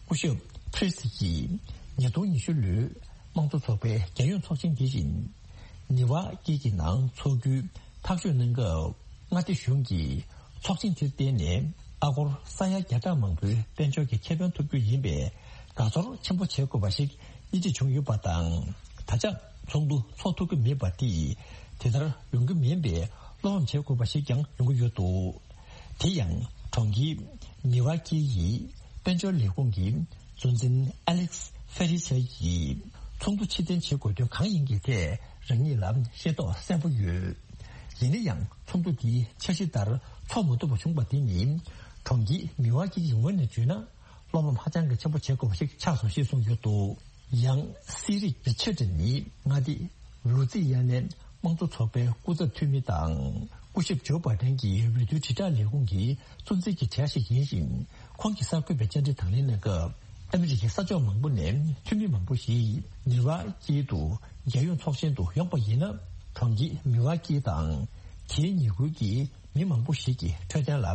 སྐུ་ཞབས་ཕི་རི་སི་ཡིས། ཉིས་སྟོང་ཉི་ཤུ་ལོའི་དམངས་གཙོ་ཚོགས་པའི་རྒྱལ་ཡོངས་ཚོགས་ཆེན་དེ་བཞིན། མི་དབང་དཀྱིལ་གྱི་ནང་འཚོགས་རྒྱུའི་ཐག་གཅོད་གནང་སྐབས། མངའ་སྡེ་གཞུང་གིས་ཚོགས་ཆེན་དེར་བརྟེན་ནས་ ཨ་སྒོར་ས་ཡ་བརྒྱ་ཕྲག་མང་པོའི་དཔལ་འབྱོར་གྱི་ཁེ་ཕན་ཐོབ་རྒྱུ་ཡིན་པས། དགའ་ཚོར་ཆེན་པོ་བྱེད་དགོས་པ་ཞིག་སྙིང་བྲིས་བྱུང་ཡོད་པ་དང་། ད་ཆ་ཚོགས་འདུ་འཚོགས་ཐུབ་ཀྱི་མེད་པ་དེས་དེ་ལྟར་ཡོང་གི་མིན་པའི་བློ་ཕམ་བྱེད་དགོས་པ་ཞིག་ཀྱང་ཡོང་གི་ཡོད་འདུག་དེ་ཡང་གྲོང་ཁྱེར་མི་ཝ་ཀི་ཡི་དཔལ་འབྱོར་ལས་ཁུངས་ཀྱི་གཙོ་འཛིན་ཨ་ལེགས་ཧྥེ་རི་ཆེ་ཡིས་ཚོགས་འདུ་ཕྱིར་འཐེན་བྱེད་དགོས་དོན་གང་ཡིན་གྱི་ཐད་རང་ཉིད་ལ་ཤེས་རྟོགས་གསལ་པོ་ཡོད། ཡིན་ན་ཡང་ཚོགས་འདུ་འདིའི་འཆར་གཞི་ལྟར་འཚོགས་མ་ཐུབ་པ་བྱུང་བ་དེ་ནི་གྲོང་ཁྱེར་མི་ཝ་ཀི་ཡི་ངོས་ནས་བརྗོད་ན། བློ་ཕམ་ཧ་ཅང་གི་ཆེན་པོ་བྱེད་དགོས་པ་ཞིག་ཆགས་སོང་ཞེས་གསུངས་ཡོད་འདུག་ཡང་སི་རིག་རི་ཆར་ཌི་ནི་མངའ་སྡེ་ལུ་ཙི་ཡ་ནའི་དམངས་གཙོ་ཚོགས་པའི་སྐུ་ཚབ་འཐུས་མི་དང་། སྐུ་ཞབས་ཇོ་བྷ་ཌེན་གྱི་འོས་བསྡུ་དྲིལ་བསྒྲགས་ལས་ཁུངས་ཀྱི་གཙོ་འཛིན་གྱི་གྲས་ཤིག་ཡིན་ཞིང་། ཁོང་གིས་གསར་འགོད་པའི་བཅར་འདྲི་དང་ལེན་གནང་སྐབས། ཨ་མི་རི་ཀའི་ས་ཕྱོགས་མང་པོ་ནས་འཐུས་མི་མང་པོ་ཞིག་ནི་ཝ་ཀི་དུ་རྒྱལ་ཡོངས་ཚོགས་ཆེན་དུ་ཡོང་པ་ཡིན་ན། གྲོང་ཁྱེར་མི་ཝ་ཀི་དང་དེའི་ཉེ་ཁུལ་གྱི་མི་མང་པོ་ཞིག་གི་འཕྲོད་བསྟེན་ལ་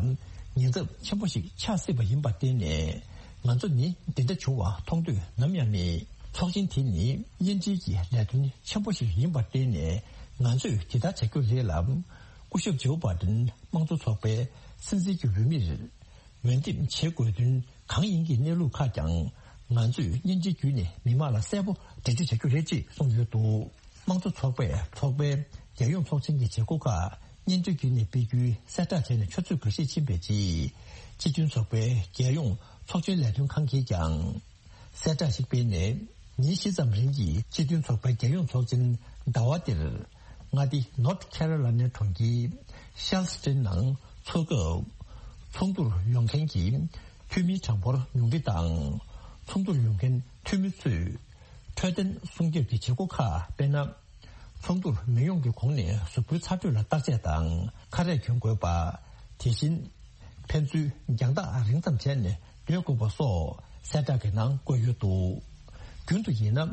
ཉེན་ཚབས་ཆེན་པོ་ཞིག་ཆགས་སྲིད་པ་ཡིན་པར་བརྟེན་ནས། ང་ཚོ་ནི་འདི་འདྲ་བྱུང་བ་མཐོང་འདོད་ནམ་ཡང་མེད། ཚོགས་ཆེན་དེ་ནི་གཉེན་སྒྲིག་གི་ལས་དོན་ཆེན་པོ་ཞིག་ཡིན་པར་བརྟེན་ནས། ང་ཚོས་དེ་ལྟར་བྱ་རྒྱུ་རེད་ལ། སྐུ་ཞབས་ཇོ་བྷ་ཌེན་དམངས་གཙོ་ཚོགས་པའི་སྲིད་འཛིན་གྱི་འོས་མིར་འོས་འདེམས་བྱེད་དགོས་དོན་གང་ཡིན་གྱི་གནས་ལུགས་ཁག་ཀྱང་ང་ཚོས་གཉེན་སྒྲིག་བརྒྱུད་ནས་མི་མང་ལ་གསལ་པོ་འགྲེལ་བརྗོད་བྱ་རྒྱུ་རེད་ཅེས་གསུངས་ཡོད་འདུག་དམངས་གཙོ་ཚོགས་པས་ཚོགས་པའི་རྒྱལ་ཡོངས་ཚོགས་ཆེན་གྱི་བྱེད་སྒོ་ཁག་སྙན་ཐོའི་བརྒྱུད་ནས་སྤེལ་རྒྱུའི་གསལ་བསྒྲགས་བྱས་ནས་ཆུ་ཚོད་འགའ་ཤས་ཕྱིན་པའི་རྗེས། སྤྱི་མཐུན་ཚོགས་པའི་རྒྱལ་ཡོངས་ཚོགས་ཆེན་ལས་དོན་ཁང་གིས་ཀྱང་གསལ་བསྒྲགས་ཤིག་སྤེལ་ནས། ཉིན་བཞི་ཙམ་རིང་གི་སྤྱི་མཐུན་ཚོགས་པའི་རྒྱལ་ཡོངས་ཚོགས་ཆེན་ཟླ་བ་འདིར་མངའ་སྡེ་North Carolina གྲོང་ཁྱེར་Charleston ནང་འཚོགས་སྐབས། ཚོགས་འདུར་ཡོང་མཁན་གྱི་འཐུས་མིའི་གྲངས་འབོར་ཉུང་འཕྲི་དང་། ཚོགས་འདུར་ཡོང་མཁན་འཐུས་མི་ཚོས་འཕྲོད་བསྟེན་སྲུང་སྐྱོབ་ཀྱི་བྱེད་སྒོ་ཁག་དཔེར་ན། ཚོགས་འདུར་མི་ཡོང་གི་གོང་ནས་གཟུགས་པོའི་ཚ་དྲོད་ལ་བརྟག་དཔྱད་དང་ཁ་རས་གྱོན་དགོས་པ། དེ་བཞིན་ཕན་ཚུན་རྒྱང་ཐག་རིང་ཙམ་བྱས་ནས་སྡོད་དགོས་པ་སོགས་གསལ་བསྒྲགས་ཀྱི་ནང་བཀོད་ཡོད་འདུག་རྒྱུན་དུ་ཡིན་ན།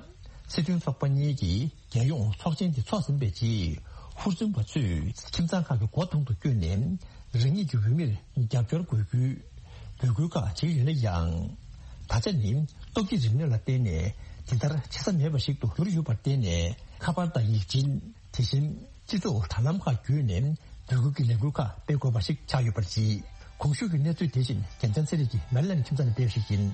སྲིད་དོན་ཚོགས་པ་གཉིས་ཀྱིས་རྒྱལ་ཡོངས་ཚོགས་ཆེན་དེ་འཚོགས་ཟིན་པའི་རྗེས། ཧུར་བརྩོན་པ་ཚོས་ཁྱིམ་ཚང་ཁག་གི་སྒོ་ཐང་དུ་བསྐྱོད་ནས། རང་ཉིད་ཀྱི་འོས་མིར་རྒྱབ་སྐྱོར་དགོས་རྒྱུའི་འབོད་སྐུལ་ཁག་བྱེད་ཀྱི་ཡོད་ན་ཡང་། ད་ཆ་ནི་སྟོབས་ཀྱི་རིག་གནས་ལ་བརྟེན་ནས་དེ་ལྟར་བྱེད་ས་མེད་པ་ཞིག་ཏུ་གྱུར་ཡོད་པར་བརྟེན་ནས། ཁ་པར་དང་ཡིག་ཆེན། དེ་བཞིན་སྤྱི་ཚོགས་དྲ་ལམ་ཁག་བརྒྱུད་ནས་འབོད་སྐུལ་གྱི་ལས་འགུལ་ཁག་སྤེལ་དགོས་པ་ཞིག་ཆགས་ཡོད་པར་གཟིགས། གོང་ཞུས་ཀྱི་གནས་ཚུལ་དེ་བཞིན་རྒྱལ་མཚན་ཚེ་རིང་གིས་མེ་རི་ལན་ཁྱིམ་ཚང་ནས་སྤེལ་བ་ཞིག་ཡིན།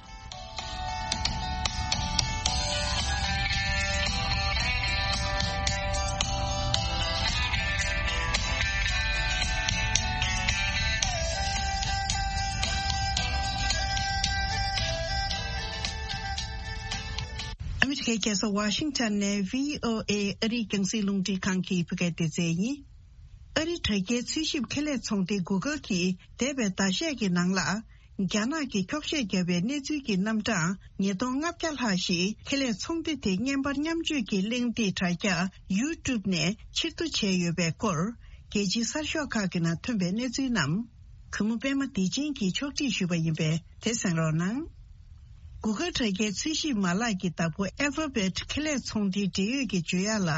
ཨ་མི་རི་ཀའི་རྒྱལ་ས་ཝ་ཤིང་ཊོན་ནས་བྷི་ཨོ་ཨེ་ཨ་རིའི་རྒྱང་སྲིང་རླུང་འཕྲིན་ཁང་གི་བོད་སྐད་སྡེ་ཚན་ཡིན། ཨ་རིའི་དྲ་རྒྱའི་འཚོལ་ཞིབ་ཁེ་ལས་ཚོང་སྡེ་Google གྱིས་འདས་པའི་ཟླ་ཤས་ཀྱི་ནང་ལ། རྒྱ་ནག་གིས་འཁྱོག་བཤད་བརྒྱབ་པའི་གནས་ཚུལ་གྱི་རྣམ་གྲངས་ཉིས་སྟོང་ལྔ་བརྒྱ་ལྷག་ཞིག་ཁེ་ལས་ཚོང་སྡེ་དེ་བརྙན་པར་མཉམ་སྤྱོད་ཀྱི་གླེང་སྟེགས་དྲ་རྒྱ་YouTube ནས་ཕྱིར་བསྡུ་བྱས་ཡོད་པའི་སྐོར། རྒྱལ་སྤྱིའི་གསར་ཤོག་ཁག་གི་ནང་ཐོན་པའི་གནས་ཚུལ་རྣམས། གུས་མོ་པད་མ་བདེ་ཆེན་གྱིས་ཕྱོགས་སྒྲིག་ཞུས་པ་ཡིན་པས་དེ་གསན་རོགས་གནང་། Google དྲ་རྒྱའི་འཚོལ་ཞིབ་མ་ལག་གི་བདག་པོ་Alphabet ཁེ་ལས་ཚོང་སྡེའི་འབྲེལ་ཡོད་ཀྱིས་བརྗོད་ཡག་ལ།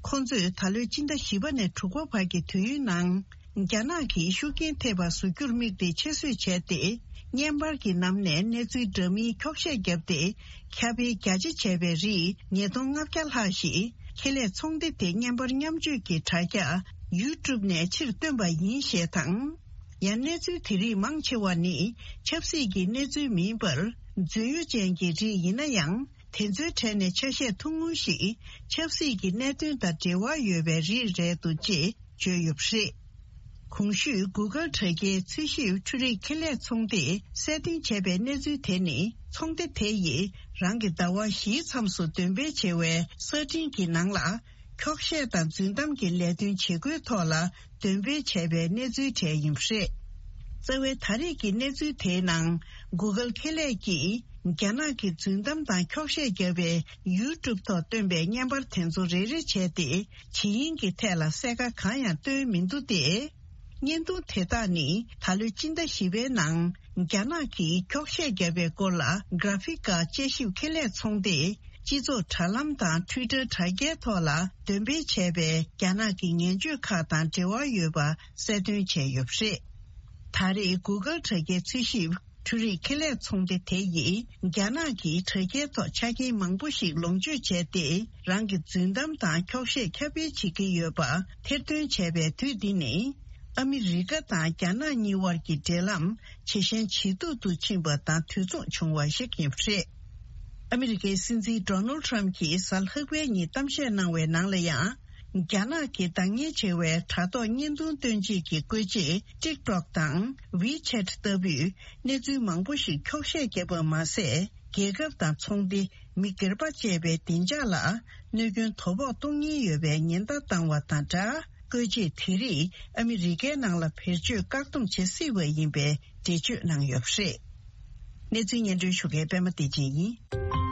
ཁོང་ཚོས་ད་ལོའི་སྤྱི་ཟླ་བཞི་པ་ནས་དྲུག་པ་བར་གྱི་དུས་ཡུན་ནང་། རྒྱ་ནག་གིས་ཤུགས་རྐྱེན་ཐེབས་པ་བཟོ་རྒྱུར་དམིགས་ཏེ་ཆེད་བཟོས་བྱས་ཏེ། བརྙན་པར་གྱི་ནང་ནས་གནས་ཚུལ་འདྲ་མིན་འཁྱོག་བཤད་བརྒྱབ་སྟེ། ཁྱབ་སྤེལ་རྒྱ་ཆེ་བྱས་པའི་རིགས་ཉིས་སྟོང་ལྔ་བརྒྱ་ལྷག་ཞིག་ཁེ་ལས་ཚོང་སྡེ་དེ་བརྙན་པར་མཉམ་སྤྱོད་ཀྱི་དྲ་རྒྱ་YouTube ནས་ཕྱིར་བཏོན་པ་ཡིན་ཞེས་དང་། ཡང་གནས་ཚུལ་དེ་རིགས་མང་ཆེ་བ་ནི་ཆབ་སྲིད་ཀྱི་གནས་ཚུལ་མིན་པར། རྫུན་གཡོ་ཅན་གྱི་རིགས་ཡིན་ན་ཡང་། དེ་ཚོའི་གྲས་ནས་ཆ་ཤས་ཐུང་ངུ་ཞིག་ཆབ་སྲིད་ཀྱི་གནད་དོན་དང་འབྲེལ་བ་ཡོད་པའི་རིགས་རེད་འདུག་ཅེས་བརྗོད་ཡོད་པ་རེད། གོང་ཞུས་Google དྲ་རྒྱའི་འཚོལ་ཞིབ་འཕྲུལ་རིག་ཁེ་ལས་ཚོང་སྡེས་གསལ་སྟོན་བྱས་པའི་གནས་ཚུལ་དེ་ནི། ཚོང་སྡེ་དེ་ཡིས་རང་གི་ཟླ་བ་བཞིའི་མཚམས་སུ་འདོན་སྤེལ་བྱེད་པའི་གསར་འཕྲིན་གྱི་ནང་ལ། འཁྱོག་བཤད་དང་རྫུན་གཏམ་གྱི་ལས་དོན་བྱེད་སྒོའི་ཐོག་ལ་འདོན་སྤེལ་བྱས་པའི་གནས་ཚུལ་གྲས་ཡིན་པ་རེད། རྩ་བའི་ད་རེས་ཀྱི་གནས་ཚུལ་དེའི་ནང་། Google ཁེ་ལས་ཀྱིས་རྒྱ་ནག་གི་རྫུན་གཏམ་དང་འཁྱོག་བཤད་བརྒྱབ་པའི་YouTube ཐོག་བཏོན་པའི་བརྙན་པར་དེ་ཚོ་རེ་རེ་བྱས་ཏེ། ཇི་ཡིན་གྱི་ཐད་ལ་གསལ་ཁ་གང་ཡང་བཏོན་མི་འདུག་སྟེ། བརྙན་ཐུང་དེ་དག་ནི་ད་ལོའི་སྤྱི་ཟླ་བཞི་པའི་ནང་རྒྱ་ནག་གིས་འཁྱོག་བཤད་བརྒྱབ་པའི་སྐོར་ལ་Graphika དཔྱད་ཞིབ་ཁེ་ལས་ཚོང་སྡེས་སྤྱི་ཚོགས་དྲ་ལམ་དང་Twitter དྲ་རྒྱའི་ཐོག་ལ་འདོན་སྤེལ་བྱས་པའི་རྒྱ་ནག་གི་ངན་བྱུས་ཁག་དང་འབྲེལ་བ་ཡོད་པ་གསལ་སྟོན་བྱས་ཡོད་པ་རེད། ད་རེས་Google དྲ་རྒྱའི་འཚོལ་ཞིབ་འཕྲུལ་རིག་ཁེ་ལས་ཚོང་སྡེ་དེ་ཡིས་རྒྱ་ནག་གི་དྲ་རྒྱའི་ཐོག་ཆ་རྐྱེན་མང་པོ་ཞིག་ལོངས་སྤྱོད་བྱས་ཏེ། རང་གི་རྫུན་གཏམ་དང་འཁྱོག་བཤད་ཁྱབ་སྤེལ་བྱེད་ཀྱི་ཡོད་པ་ཐེར་འདོན་བྱས་པའི་དུས་འདི་ནི། ཨ་མི་རི་ཀ་དང་རྒྱ་ནག་གཉིས་དབར་གྱི་འབྲེལ་ལམ་ཇེ་ཞན་ཇེ་སྡུག་ཏུ་ཕྱིན་པ་དང་དུས་མཚུངས་བྱུང་བ་ཞིག་ཡིན་པ་རེད། ཨ་མི་རི་ཀའི་སྲིད་འཛིན་ཌོ་ནལ་ཊམ་གྱིས་གཟའ་ལྷག་པའི་ཉིན་གཏམ་བཤད་གནང་བའི་ནང་ལ་ཡང་། རྒྱ་ནག་གི་འདང་ངེས་ཆེ་བའི་དྲ་ཐོག་བརྙན་ཐུང་སྟོན་བྱེད་ཀྱི་བཀོལ་ཆས་ཊིག་ཊོག་དང་ཝི་ཆེ་ཊི་ལྟ་བུས་གནས་ཚུལ་མང་པོ་ཞིག་འཁྱོག་བཤད་བརྒྱབ་པ་མ་ཟད། རྒྱལ་ཁབ་དང་ཚོང་སྡེ། མི་སྒེར་པ་བཅས་པའི་བདེ་འཇགས་ལ་གནོད་སྐྱོན་དོ་ཕོག་གཏོང་ཉེན་ཡོད་པའི་ཉེན་བརྡ་བཏང་བ་དང་སྦྲགས། བཀོལ་ཆས་དེ་རིགས་ཨ་མི་རི་ཀའི་ནང་ལ་བེད་སྤྱོད་བཀག་སྡོམ་བྱེད་སྲིད་པ་ཡིན་པའི་འགྲེལ་བརྗོད་གནང་ཡོད་པ་རེད། གནས་ཚུལ་སྙན་སྒྲོན་ཞུ་མཁན་པད་མ་བདེ་ཆེན་ཡིན།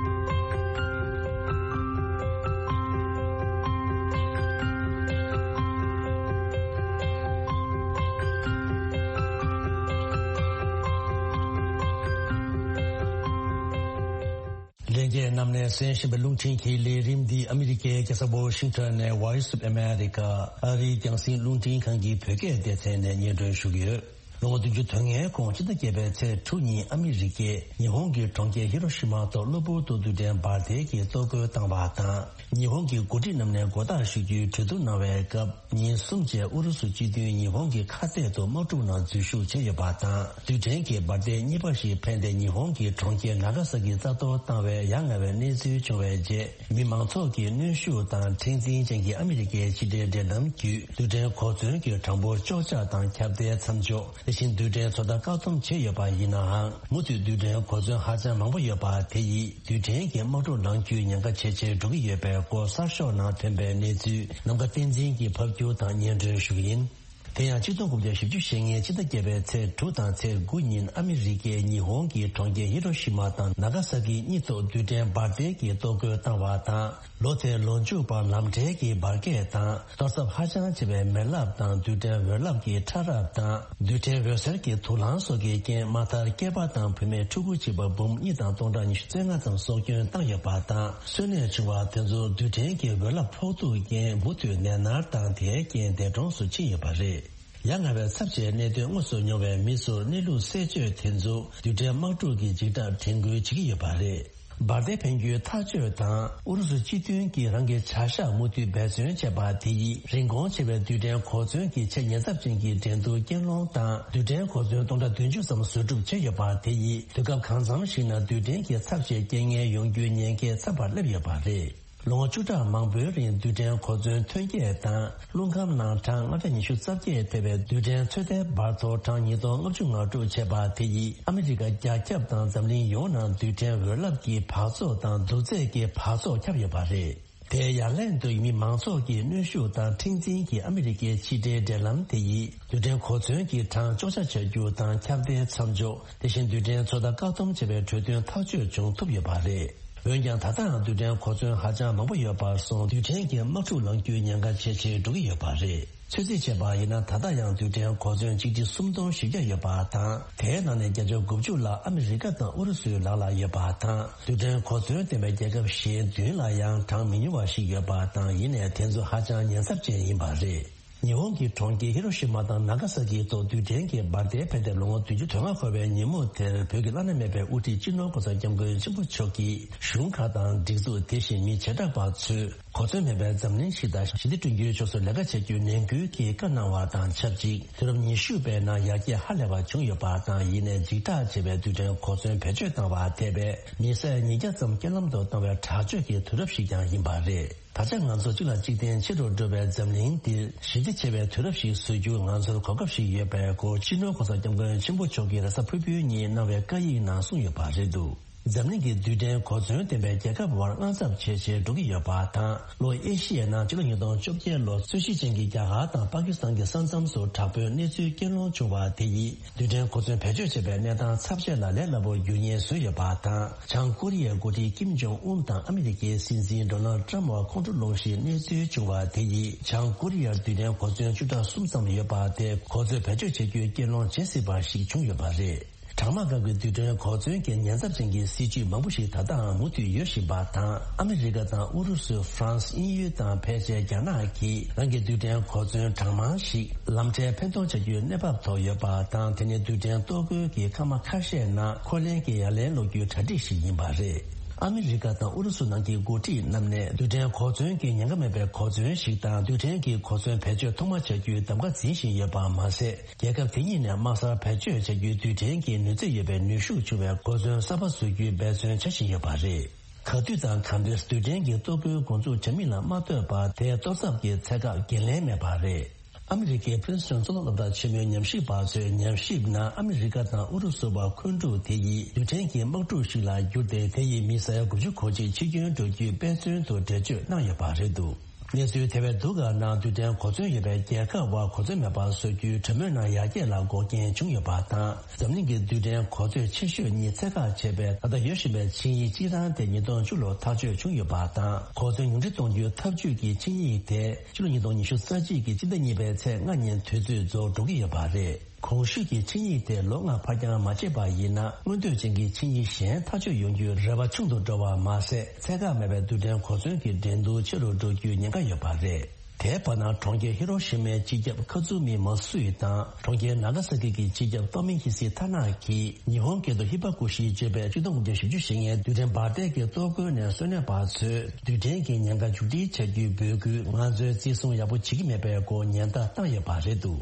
ལྷན་རྒྱས་རྣམས་ནས་གསན་བཞིན་པའི་རླུང་འཕྲིན་གྱི་ལས་རིམ་འདི་ཨ་མི་རི་ཀའི་རྒྱལ་ས་ཝ་ཤིང་ཊོན་ནས་Voice of America ཨ་རིའི་རྒྱང་སྲིང་རླུང་འཕྲིན་ཁང་གི་བོད་སྐད་སྡེ་ཚན་ནས་སྙན་སྒྲོན་ཞུ་གི་ཡོད། ལོ་ངོ་བདུན་ཅུ་དོན་ལྔའི་གོང་ཕྱི་ཟླ་བརྒྱད་པའི་ཚེས་དྲུག་ཉིན་ཨ་མི་རི་ཀས་ཉི་ཧོང་གི་གྲོང་ཁྱེར་ཧི་རོ་ཤི་མ་ཐོག་གློ་བུར་དུ་རྡུལ་ཕྲན་འབར་མདེལ་གྱིས་གཏོར་རྒོལ་བཏང་བ་དང་། ཉི་ཧོང་གི་འགོ་ཁྲིད་རྣམས་ནས་མགོ་བཏགས་ཞུ་རྒྱུའི་གྲོས་བསྡུར་གནང་བའི་སྐབས། ཉིན་གསུམ་རྗེས་ཨུ་རུ་སུ་སྤྱི་མཐུན་ཉི་ཧོང་གི་ཁ་གཏད་དུ་དམག་འཁྲུག་ནང་འཛུལ་ཞུགས་བྱས་ཡོད་པ་དང་། རྡུལ་ཕྲན་གྱི་འབར་མདེལ་གཉིས་པ་ཞིག་འཕེན་ཏེ་ཉི་ཧོང་གི་གྲོང་ཁྱེར་ནཱ་ག་ས་ཀི་རྩ་གཏོར་བཏང་བའི་ཡ་ང་བའི་གནས་ཚུལ་བྱུང་བའི་རྗེས། མི་མང་ཚོགས་ཀྱི་གནོན་ཤུགས་དང་མཁྲེགས་འཛིན་ཅན་གྱི་ཨ་མི་རི་ཀའི་ཕྱི་འབྲེལ་འབྲེལ་ལམ་བརྒྱུད། རྡུལ་ཕྲན་གོ་མཚོན་གྱི་གྲངས་འབོར་གཅོག་ཆ་དང་ཁྱབ་གདལ་མཚམས་འཇོག་དེ་བཞིན་རྡུལ་ཕྲན་ཚོད་ལྟ་བཀག་སྡོམ་བྱས་ཡོད་པ་ཡིན་ནའང་། མུ་མཐུད་རྡུལ་ཕྲན་གོ་མཚོན་ཧ་ཅང་མང་པོ་ཡོད་པ་དེ་ཡིས། རྡུལ་ཕྲན་གྱི་དམག་འཁྲུག་ནང་འཁྱུད་ཉེན་ཁ་ཇེ་ཆེར་འགྲོ་གི་ཡོད་པའི་སྐོར་གསར་ཤོག་ནང་ཐོན་པའི་གནས་ཚུལ་ནམ་མཁའ་བསྟན་འཛིན་གྱིས་ཕབ་སྒྱུར་དང་སྙན་སྒྲོན་ཞུ་གི་ཡིན། དེ་ཡང་ཆིག་སྟོང་དགུ་བརྒྱ་བཞི་བཅུ་ཞེ་ལྔའི་ཕྱི་ཟླ་བརྒྱད་པའི་ཚེས་དྲུག་དང་ཚེས་དགུ་ཉིན་ཨ་མི་རི་ཀས་ཉི་ཧོང་གི་གྲོང་ཁྱེར་ཧི་རོ་ཤི་མ་དང་ནཱ་ག་ས་ཀི་གཉིས་ཐོག་རྡུལ་ཕྲན་འབར་མདེལ་གྱིས་གཏོར་རྒོལ་བཏང་བ་དང་། ལོ་དེའི་ལོ་མཇུག་བར་ལམ་འབྲས་ཀྱི་འབར་གས་དང་གཏོར་ཚབས་ཧ་ཅང་ཆེ་བའི་མེ་རླབས་དང་རྡུལ་ཕྲན་འོད་རླབས་ཀྱི་ཕྲ་རབ་དང་། རྡུལ་ཕྲན་འོད་ཟེར་གྱི་དུག་རླངས་སོགས་ཀྱི་རྐྱེན་མ་མཐར་སྐྱེས་པ་དང་བུད་མེད་ཕྲུ་གུ་གཅིག་པ་འབུམ་གཉིས་དང་སྟོང་ཕྲག་ཉི་ཤུ་རྩ་ལྔ་ཙམ་སྲོག་སྐྱོན་བཏང་ཡོད་པ་དང་། གསོན་གནས་བྱུང་བ་དེ་ཚོ་རྡུལ་ཕྲན་གྱི་འོད་རླབས་ཕོག་ཐུག་རྐྱེན་མུ་མཐུད་ནད་མནར་དང་དེའི་རྐྱེན་འདས་གྲོངས་སུ་ཕྱིན་ཡོད་པ་རེད། ཡ་ང་བའི་ཚབས་ཆེའི་གནད་དོན་དངོས་སུ་མྱོང་བའི་མི་ཚོར་གནས་ལུགས་གསལ་བརྗོད་དེ་ཚོ་རྡུལ་ཕྲན་དམག་འཁྲུག་གི་འཇིགས་སྐྲག་དྲན་སྐུལ་བྱེད་ཀྱི་ཡོད་པ་རེད། འབར་མདེལ་འཕེན་རྒྱུའི་ཐག་གཅོད་དང་། ཨུ་རུ་སུ་སྤྱི་མཐུན་གྱིས་རང་གི་བྱ་གཞག་མུ་མཐུད་འབད་བརྩོན་བྱས་པ་དེ་ཡིས། རིན་གོང་ཆེ་བའི་རྡུལ་ཕྲན་གོ་མཚོན་གྱི་ཆེས་ཉེན་ཚབས་ཅན་གྱི་འགྲན་བསྡུར་རྐྱེན་སློང་དང་། རྡུལ་ཕྲན་གོ་མཚོན་སྟོང་ཕྲག་བདུན་ཅུ་ཙམ་བཟོ་སྒྲུབ་བྱས་ཡོད་པ་དེ་ཡིས། དུས་སྐབས་གང་འཚམ་ཞིག་ན་རྡུལ་ཕྲན་གྱི་ཚབས་ཆེའི་རྐྱེན་ངན་ཡོང་རྒྱུའི་ཉེན་ཁ་ཚ་བར་སླེབས་ཡོད་པ་རེད། ལོ་ངོ་བཅུ་ཕྲག་མང་པོའི་རིང་རྡུལ་ཕྲན་གོ་མཚོན་ཐོན་སྐྱེད་དང་། རླུང་ཁམས་ནང་གྲངས་ལྔ་བརྒྱ་ཉི་ཤུ་རྩ་བརྒྱད་ཐེ་བའི་རྡུལ་ཕྲན་ཚོད་ལྟའི་འབར་གཏོར་གྲངས་ཉིས་སྟོང་ལྔ་བཅུ་ང་དྲུག་བྱས་པ་དེ་ཡིས། ཨ་མི་རི་ཀ་རྒྱ་ཁྱབ་དང་འཛམ་གླིང་ཡོངས་ནང་རྡུལ་ཕྲན་འོད་རླབས་ཀྱི་འབག་བཙོག་དང་རྡུལ་རྫས་ཀྱི་འབག་བཙོག་ཁྱབ་ཡོད་པ་རེད། དེའི་ཡ་ལན་དུ་མི་མང་ཚོགས་ཀྱི་གནོན་ཤུགས་དང་མཁྲེགས་འཛིན་གྱིས་ཨ་མི་རི་ཀའི་ཕྱི་འབྲེལ་འབྲེལ་ལམ་དེ་ཡིས། རྡུལ་ཕྲན་གོ་མཚོན་གྱི་གྲངས་གཅོག་ཆ་ཆ་རྒྱུ་དང་ཁྱབ་གདལ་མཚམས་འཇོག་དེ་བཞིན་རྡུལ་ཕྲན་ཚོད་ལྟ་བཀག་སྡོམ་བྱེད་པའི་གྲོས་མཐུན་ཐག་གཅོད་བྱུང་ཐུབ་ཡོད་པ་རེད། འོན་ཀྱང་ད་ལྟའང་རྡུལ་ཕྲན་གོ་མཚོན་ཧ་ཅང་མང་པོ་ཡོད་པར་སོང་རྡུལ་ཕྲན་གྱི་དམག་འཁྲུག་ལངས་རྒྱུའི་ཉེན་ཁ་ཇེ་ཆེར་འགྲོ་གི་ཡོད་པ་རེད། ཚོད་རྩིས་བྱས་པ་ཡིན་ན་ད་ལྟ་ཡང་རྡུལ་ཕྲན་གོ་མཚོན་ཆིག་ཁྲི་སུམ་སྟོང་བཞི་བརྒྱ་ཡོད་པ་དང་། དེའི་ནང་ནས་བརྒྱ་ཆ་དགུ་བཅུ་ལྷག་ཨ་མི་རི་ཀ་དང་ཨུ་རུ་སུའི་ལག་ལ་ཡོད་པ་དང་། རྡུལ་ཕྲན་གོ་མཚོན་ལྡན་པའི་རྒྱལ་ཁབ་གཞན་བདུན་ལ་ཡང་གྲངས་མི་ཉུང་བ་ཞིག་ཡོད་པ་དང་། ཡིན་ནའི་དེ་ཚོ་ཧ་ཅང་ཉེན་ཚབས་ཅན་ཡིན་པ་རེད། ཉི་ཧོང་གི་གྲོང་ཁྱེར་ཧི་རོ་ཤི་མ་དང་ནཱ་ག་ས་ཀིའི་ཐོག་རྡུལ་ཕྲན་གྱི་འབར་མདེལ་འཕེན་ཏེ་ལོ་ངོ་བདུན་ཅུ་དོན་ལྔ་འཁོར་བའི་ཉིན་མོ་དེར། བོད་ཀྱི་བླ་ན་མེད་པའི་དབུ་ཁྲིད་སྤྱི་ནོར་༸གོང་ས་༸སྐྱབས་མགོན་ཆེན་པོ་མཆོག་གིས་གཞུང་ཁག་དང་སྒྲིག་འཛུགས། དེ་བཞིན་མི་བྱེ་བྲག་པ་ཚོས་གོ་མཚོན་མེད་པའི་འཛམ་གླིང་ཞིག་དང་ཞི་བདེ་བསྐྲུན་རྒྱུའི་ཕྱོགས་སུ་ལས་ཀ་བྱ་རྒྱུའི་ནན་སྐུལ་གྱི་བཀའ་གནང་བ་དང་ཆབས་ཅིག་དུས་རབས་ཉི་ཤུ་པའི་ནང་ཡར་རྒྱས་ཧ་ལས་པ་བྱུང་ཡོད་པ་དང་། ཡིན་ནའི་འཇིགས་སྐྲག་ཆེ་བའི་རྡུལ་ཕྲན་གོ་མཚོན་བེད་སྤྱོད་བཏང་བ་དེ་བས་མི་སེར་ཉིས་བརྒྱ་ཙམ་རྐྱེན་ལམ་དུ་བཏང་བའི་དྲག་སྤྱོད་ཀྱི་དུས་རབས་ཤིག་ཀྱང་ཡིན་པ་རེད། ད་ཆ་ང་ཚོ་གཅིག་ལ་གཅིག་བརྟེན་ཆེ་རུ་འགྲོ་བའི་འཛམ་གླིང་འདིར་ཞི་བདེ་ཆེ་བའི་དུས་རབས་ཤིག་བཟོ་རྒྱུ་ང་ཚོར་གོ་སྐབས་ཤིག་ཡོད་པའི་སྐོར་སྤྱི་ནོར་༸གོང་ས་༸སྐྱབས་མགོན་ཆེན་པོ་མཆོག་གིས་རེས་གཟའ་ཕུར་བུའི་ཉིན་གནང་བའི་བཀའ་ཡིག་ནང་གསུངས་ཡོད་པ་རེད་འདུག་འཛམ་གླིང་གི་རྡུལ་ཕྲན་གོ་མཚོན་ལྡན་པའི་རྒྱལ་ཁབ་བར་དངངས་འཚབ་ཇེ་ཆེར་འགྲོ་གི་ཡོད་པ་དང་། ལྷོ་ཨེ་ཤི་ཡའི་ནང་ཕྱི་ལོ་ཉིས་སྟོང་བཅོ་བརྒྱད་ལོར་རྩོད་གཞི་ཅན་གྱི་རྒྱ་གར་དང་པ་ཀི་སི་ཐན་གྱི་ས་མཚམས་སུ་དྲག་པོའི་གནས་ཚུལ་རྐྱེན་སློང་བྱུང་བ་དེ་ཡིས། རྡུལ་ཕྲན་གོ་མཚོན་བེད་སྤྱོད་བྱེད་པའི་གནས་སྟངས་ཚབས་ཆེ་ལ་ལས་སླ་པོར་འགྱུར་ཉེན་བཟོས་ཡོད་པ་དང་། བྱང་ཀོ་རི་ཡའི་འགོ་ཁྲིད་ཀིམ་ཇོང་ཨུན་དང་ཨ་མི་རི་ཀའི་སྲིད་འཛིན་ཌོ་ནལ་ཊམ་བར་ཁོང་ཁྲོ་སློང་གཞིའི་གནས་ཚུལ་བྱུང་བ་དེ་ཡིས། བྱང་ཀོ་རི་ཡར་རྡུལ་ཕྲན་གོ་མཚོན་བཅུ་ཕྲག་གསུམ་ཙམ་ཡོད་པ་དེ་གོ་མཚོན་བེད་སྤྱོད་བྱེད་རྒྱུའི་གྱེན་ལངས་བྱེད་སྲིད་པ་ཞིག་བྱུང་ཡོད་པ་རེད། གྲང་དམག་སྐབས་ཀྱི་རྡུལ་ཕྲན་གོ་མཚོན་གྱི་ཉེན་ཚབས་ཅན་གྱི་སྲིད་ཇུས་མང་པོ་ཞིག་ད་ལྟའང་མུ་མཐུད་ཡོད་བཞིན་པ་དང་། ཨ་མི་རི་ཀ་དང་ཨུ་རུ་སུ། ཧྥ་རན་སི། དབྱིན་ཡུལ་དང་ཕལ་ཆེར་རྒྱ་ནག་གིས་རང་གི་རྡུལ་ཕྲན་གོ་མཚོན་གྲངས་མང་ཞིག་ལམ་འཕྲལ་འཕེན་གཏོང་བྱ་རྒྱུའི་གནས་བབ་ཐོག་ཡོད་པ་དང་། དེ་ནི་རྡུལ་ཕྲན་གཏོར་རྒོལ་གྱི་མཁའ་དམག་ཁ་ཤས་ནང་འཁོར་ལེན་གྱི་ཡ་ལན་སློག་རྒྱུའི་གྲ་སྒྲིག་ཞིག་ཡིན་པ་རེད། ཨ་མི་རི་ཀ་དང་ཨུ་རུ་སུ་ནང་གི་འགོ་ཁྲིད་རྣམས་ནས་རྡུལ་ཕྲན་གོ་མཚོན་གྱི་ཉེན་ཁ་མེད་པའི་གོ་མཚོན་ཞིག་དང་རྡུལ་ཕྲན་གྱི་གོ་མཚོན་བེད་སྤྱོད་ཐོག་མ་བྱ་རྒྱུའི་གདམ་ག་འཛིན་བཞིན་ཡོད་པ་མ་ཟད། རྒྱལ་ཁབ་དེ་གཉིས་ནས་དམག་སར་བེད་སྤྱོད་བྱ་རྒྱུའི་རྡུལ་ཕྲན་གྱི་ནུས་ཚད་ཡོད་པའི་ནུས་ཤུགས་ཆུང་བའི་གོ་མཚོན་གསར་པ་བཟོ་རྒྱུའི་འབད་བརྩོན་བྱ་བཞིན་ཡོད་པ་རེད། ག་དུས་དང་གང་འདྲའི་རྡུལ་ཕྲན་གྱི་གཏོར་རྒོལ་འགོ་འཛུགས་བྱ་མིན་ལ་མ་ལྟོས་པར། དེའི་གཏོར་ཚབ་ཀྱི་ཚད་བཀག་འགན་ལེན་མེད་པ་རེད། ཨ་མི་རི་ཀའི་ཕིན་སི་ཊོན་གཙུག་ལག་སློབ་གྲྭ་ཆེན་མོའི་ཉམས་ཞིབ་པ་ཚོས་ཉམས་ཞིབ་ནང་ཨ་མི་རི་ཀ་དང་ཨུ་རུ་སུ་བར་འཁོན་འཁྲུག་དེ་ཡིས་རྡུལ་ཕྲན་གྱི་དམག་འཁྲུག་ཞིག་ལ་བསྒྱུར་ཏེ། དེ་ཡིས་མི་ས་ཡ་དགུ་བཅུ་གོ་གཅིག་འཆི་སྐྱོན་འགྲོ་རྒྱུའི་དཔེ་མཚོན་དུ་འགྲེལ་བརྗོད་གནང་ཡོད་པ་རེད་འདུག་གནས་ཚུལ་དེ་བས་སྡུག་ག་ནང་། རྡུལ་ཕྲན་གོ་མཚོན་ཡོད་པའི་རྒྱལ་ཁབ་བར་གོ་མཚོན་མེད་པར་བཟོ་རྒྱུའི་གྲོས་མོལ་ནང་ཡར་རྒྱས་ལ་འགོག་རྐྱེན་བྱུང་ཡོད་པ་དང་། འཛམ་གླིང་གི་རྡུལ་ཕྲན་གོ་མཚོན་ཆེ་ཤོས་གཉིས་ཚད་བཀག་བྱས་པའི་ད་ལྟ་ཡོད་བཞིན་པའི་ཆིངས་ཡིག་སྤྱི་བཏང་དེ་ཉིས་སྟོང་བཅུ་ལོར་ཐག་གཅོད་བྱུང་ཡོད་པ་དང་། གོ་མཚོན་ཉུང་འཕྲི་གཏོང་རྒྱུའི་ཐབས་ཇུས་ཀྱི་ཆིངས་ཡིག་དེ་ཕྱི་ལོ་ཉིས་སྟོང་ཉི་ཤུ་རྩ་གཅིག་གི་སྤྱི་ཟླ་གཉིས་པའི་ཚེས་ལྔ་ཉིན་དུས་ཚོད་རྫོགས་འགྲོ་གི་ཡོད་པ་རེད། གོང་ཞུས་ཀྱི་ཆིངས་ཡིག་དེ་ལོ་ལྔ་ཕར་འགྱངས་མ་བྱས་པ་ཡིན་ན། མངོན་འདོད་ཅན་གྱི་ཆིངས་ཡིག་གཞན་ཐག་གཅོད་ཡོང་རྒྱུའི་རེ་བ་ཆུང་དུ་འགྲོ་བ་མ་ཟད། ཚད་བཀག་མེད་པའི་རྡུལ་ཕྲན་གོ་མཚོན་གྱི་འགྲན་བསྡུར་ཆེ་རུ་འགྲོ་རྒྱུའི་ཉེན་ཁ་ཡོད་པ་རེད། དེའི་བར་ན། གྲོང་ཁྱེར་ཧི་རོ་ཤི་མའི་སྤྱི་ཁྱབ་ཁ་ཛུ་མི་མ་སུ་ཡི་དང་། གྲོང་ཁྱེར་ནཱ་ག་ས་ཀི་གི་སྤྱི་ཁྱབ་ཏོ་མི་ཧི་སི་ཐ་ན་གྱིས་ཉི་ཧོང་སྐད་དུ་ཧི་བ་ཀུ་ཤི་ཅེས་པའི་ཆིག་སྟོང་དགུ་བརྒྱ་བཞི་བཅུ་ཞེ་ལྔའི་རྡུལ་ཕྲན་འབར་མདེལ་གྱི་གཏོར་རྒོལ་ནས་གསོན་གནས་པ་ཚོས་རྡུལ་ཕྲན་གྱི་ཉེན་ཁ་མཇུག་སྒྲིལ་བྱ་རྒྱུའི་འབོད་སྐུལ། ང་ཚོས་བརྩི་སྲུང་ཡག་པོ་བྱེད་ཀྱི་མེད་པའི་སྐོར་ཉེན་བརྡ་བཏང་ཡོད་པ་རེད་འདུག་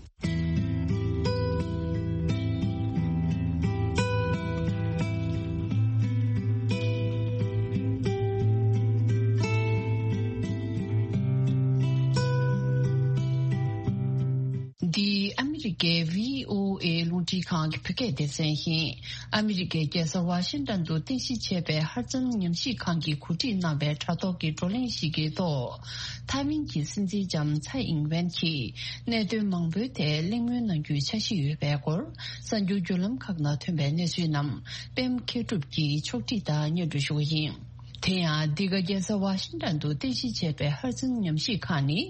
འདི་ཨ་མི་རི་ཀའི་བྷི་ཨོ་ཨེ་རླུང་འཕྲིན་ཁང་གི་བོད་སྐད་སྡེ་ཚན་ཡིན། ཨ་མི་རི་ཀའི་རྒྱལ་ས་ཝ་ཤིང་ཏོན་དུ་རྟེན་གཞི་བྱས་པའི་ཧར་ཙམ་ཉམས་ཞིབ་ཁང་གིས་གོ་སྒྲིག་གནང་བའི་དྲ་ཐོག་གི་བགྲོ་གླེང་ཞིག་གི་ཐོག་ཐའེ་ཝན་གྱི་སྲིད་འཛིན་ལྕམ་ཚའེ་ཨིང་ཝེན་གྱིས་གནད་དོན་མང་པོའི་ཐད་གླེང་མོལ་གནང་རྒྱུའི་འཆར་གཞི་ཡོད་པའི་སྐོར། གསར་འགྱུར་བརྒྱུད་ལམ་ཁག་ནང་ཐོན་པའི་གནས་ཚུལ་རྣམས་པད་མ་མཁས་གྲུབ་ཀྱིས་ཕྱོགས་སྒྲིག་དང་སྙན་སྒྲོན་ཞུ་བ་ཡིན། དེ་ཡང་འདི་ག་རྒྱལ་ས་ཝ་ཤིང་ཏོན་དུ་རྟེན་གཞི་བྱས་པའི་ཧར་ཙམ་ཉམས་ཞིབ་ཁང་ནི་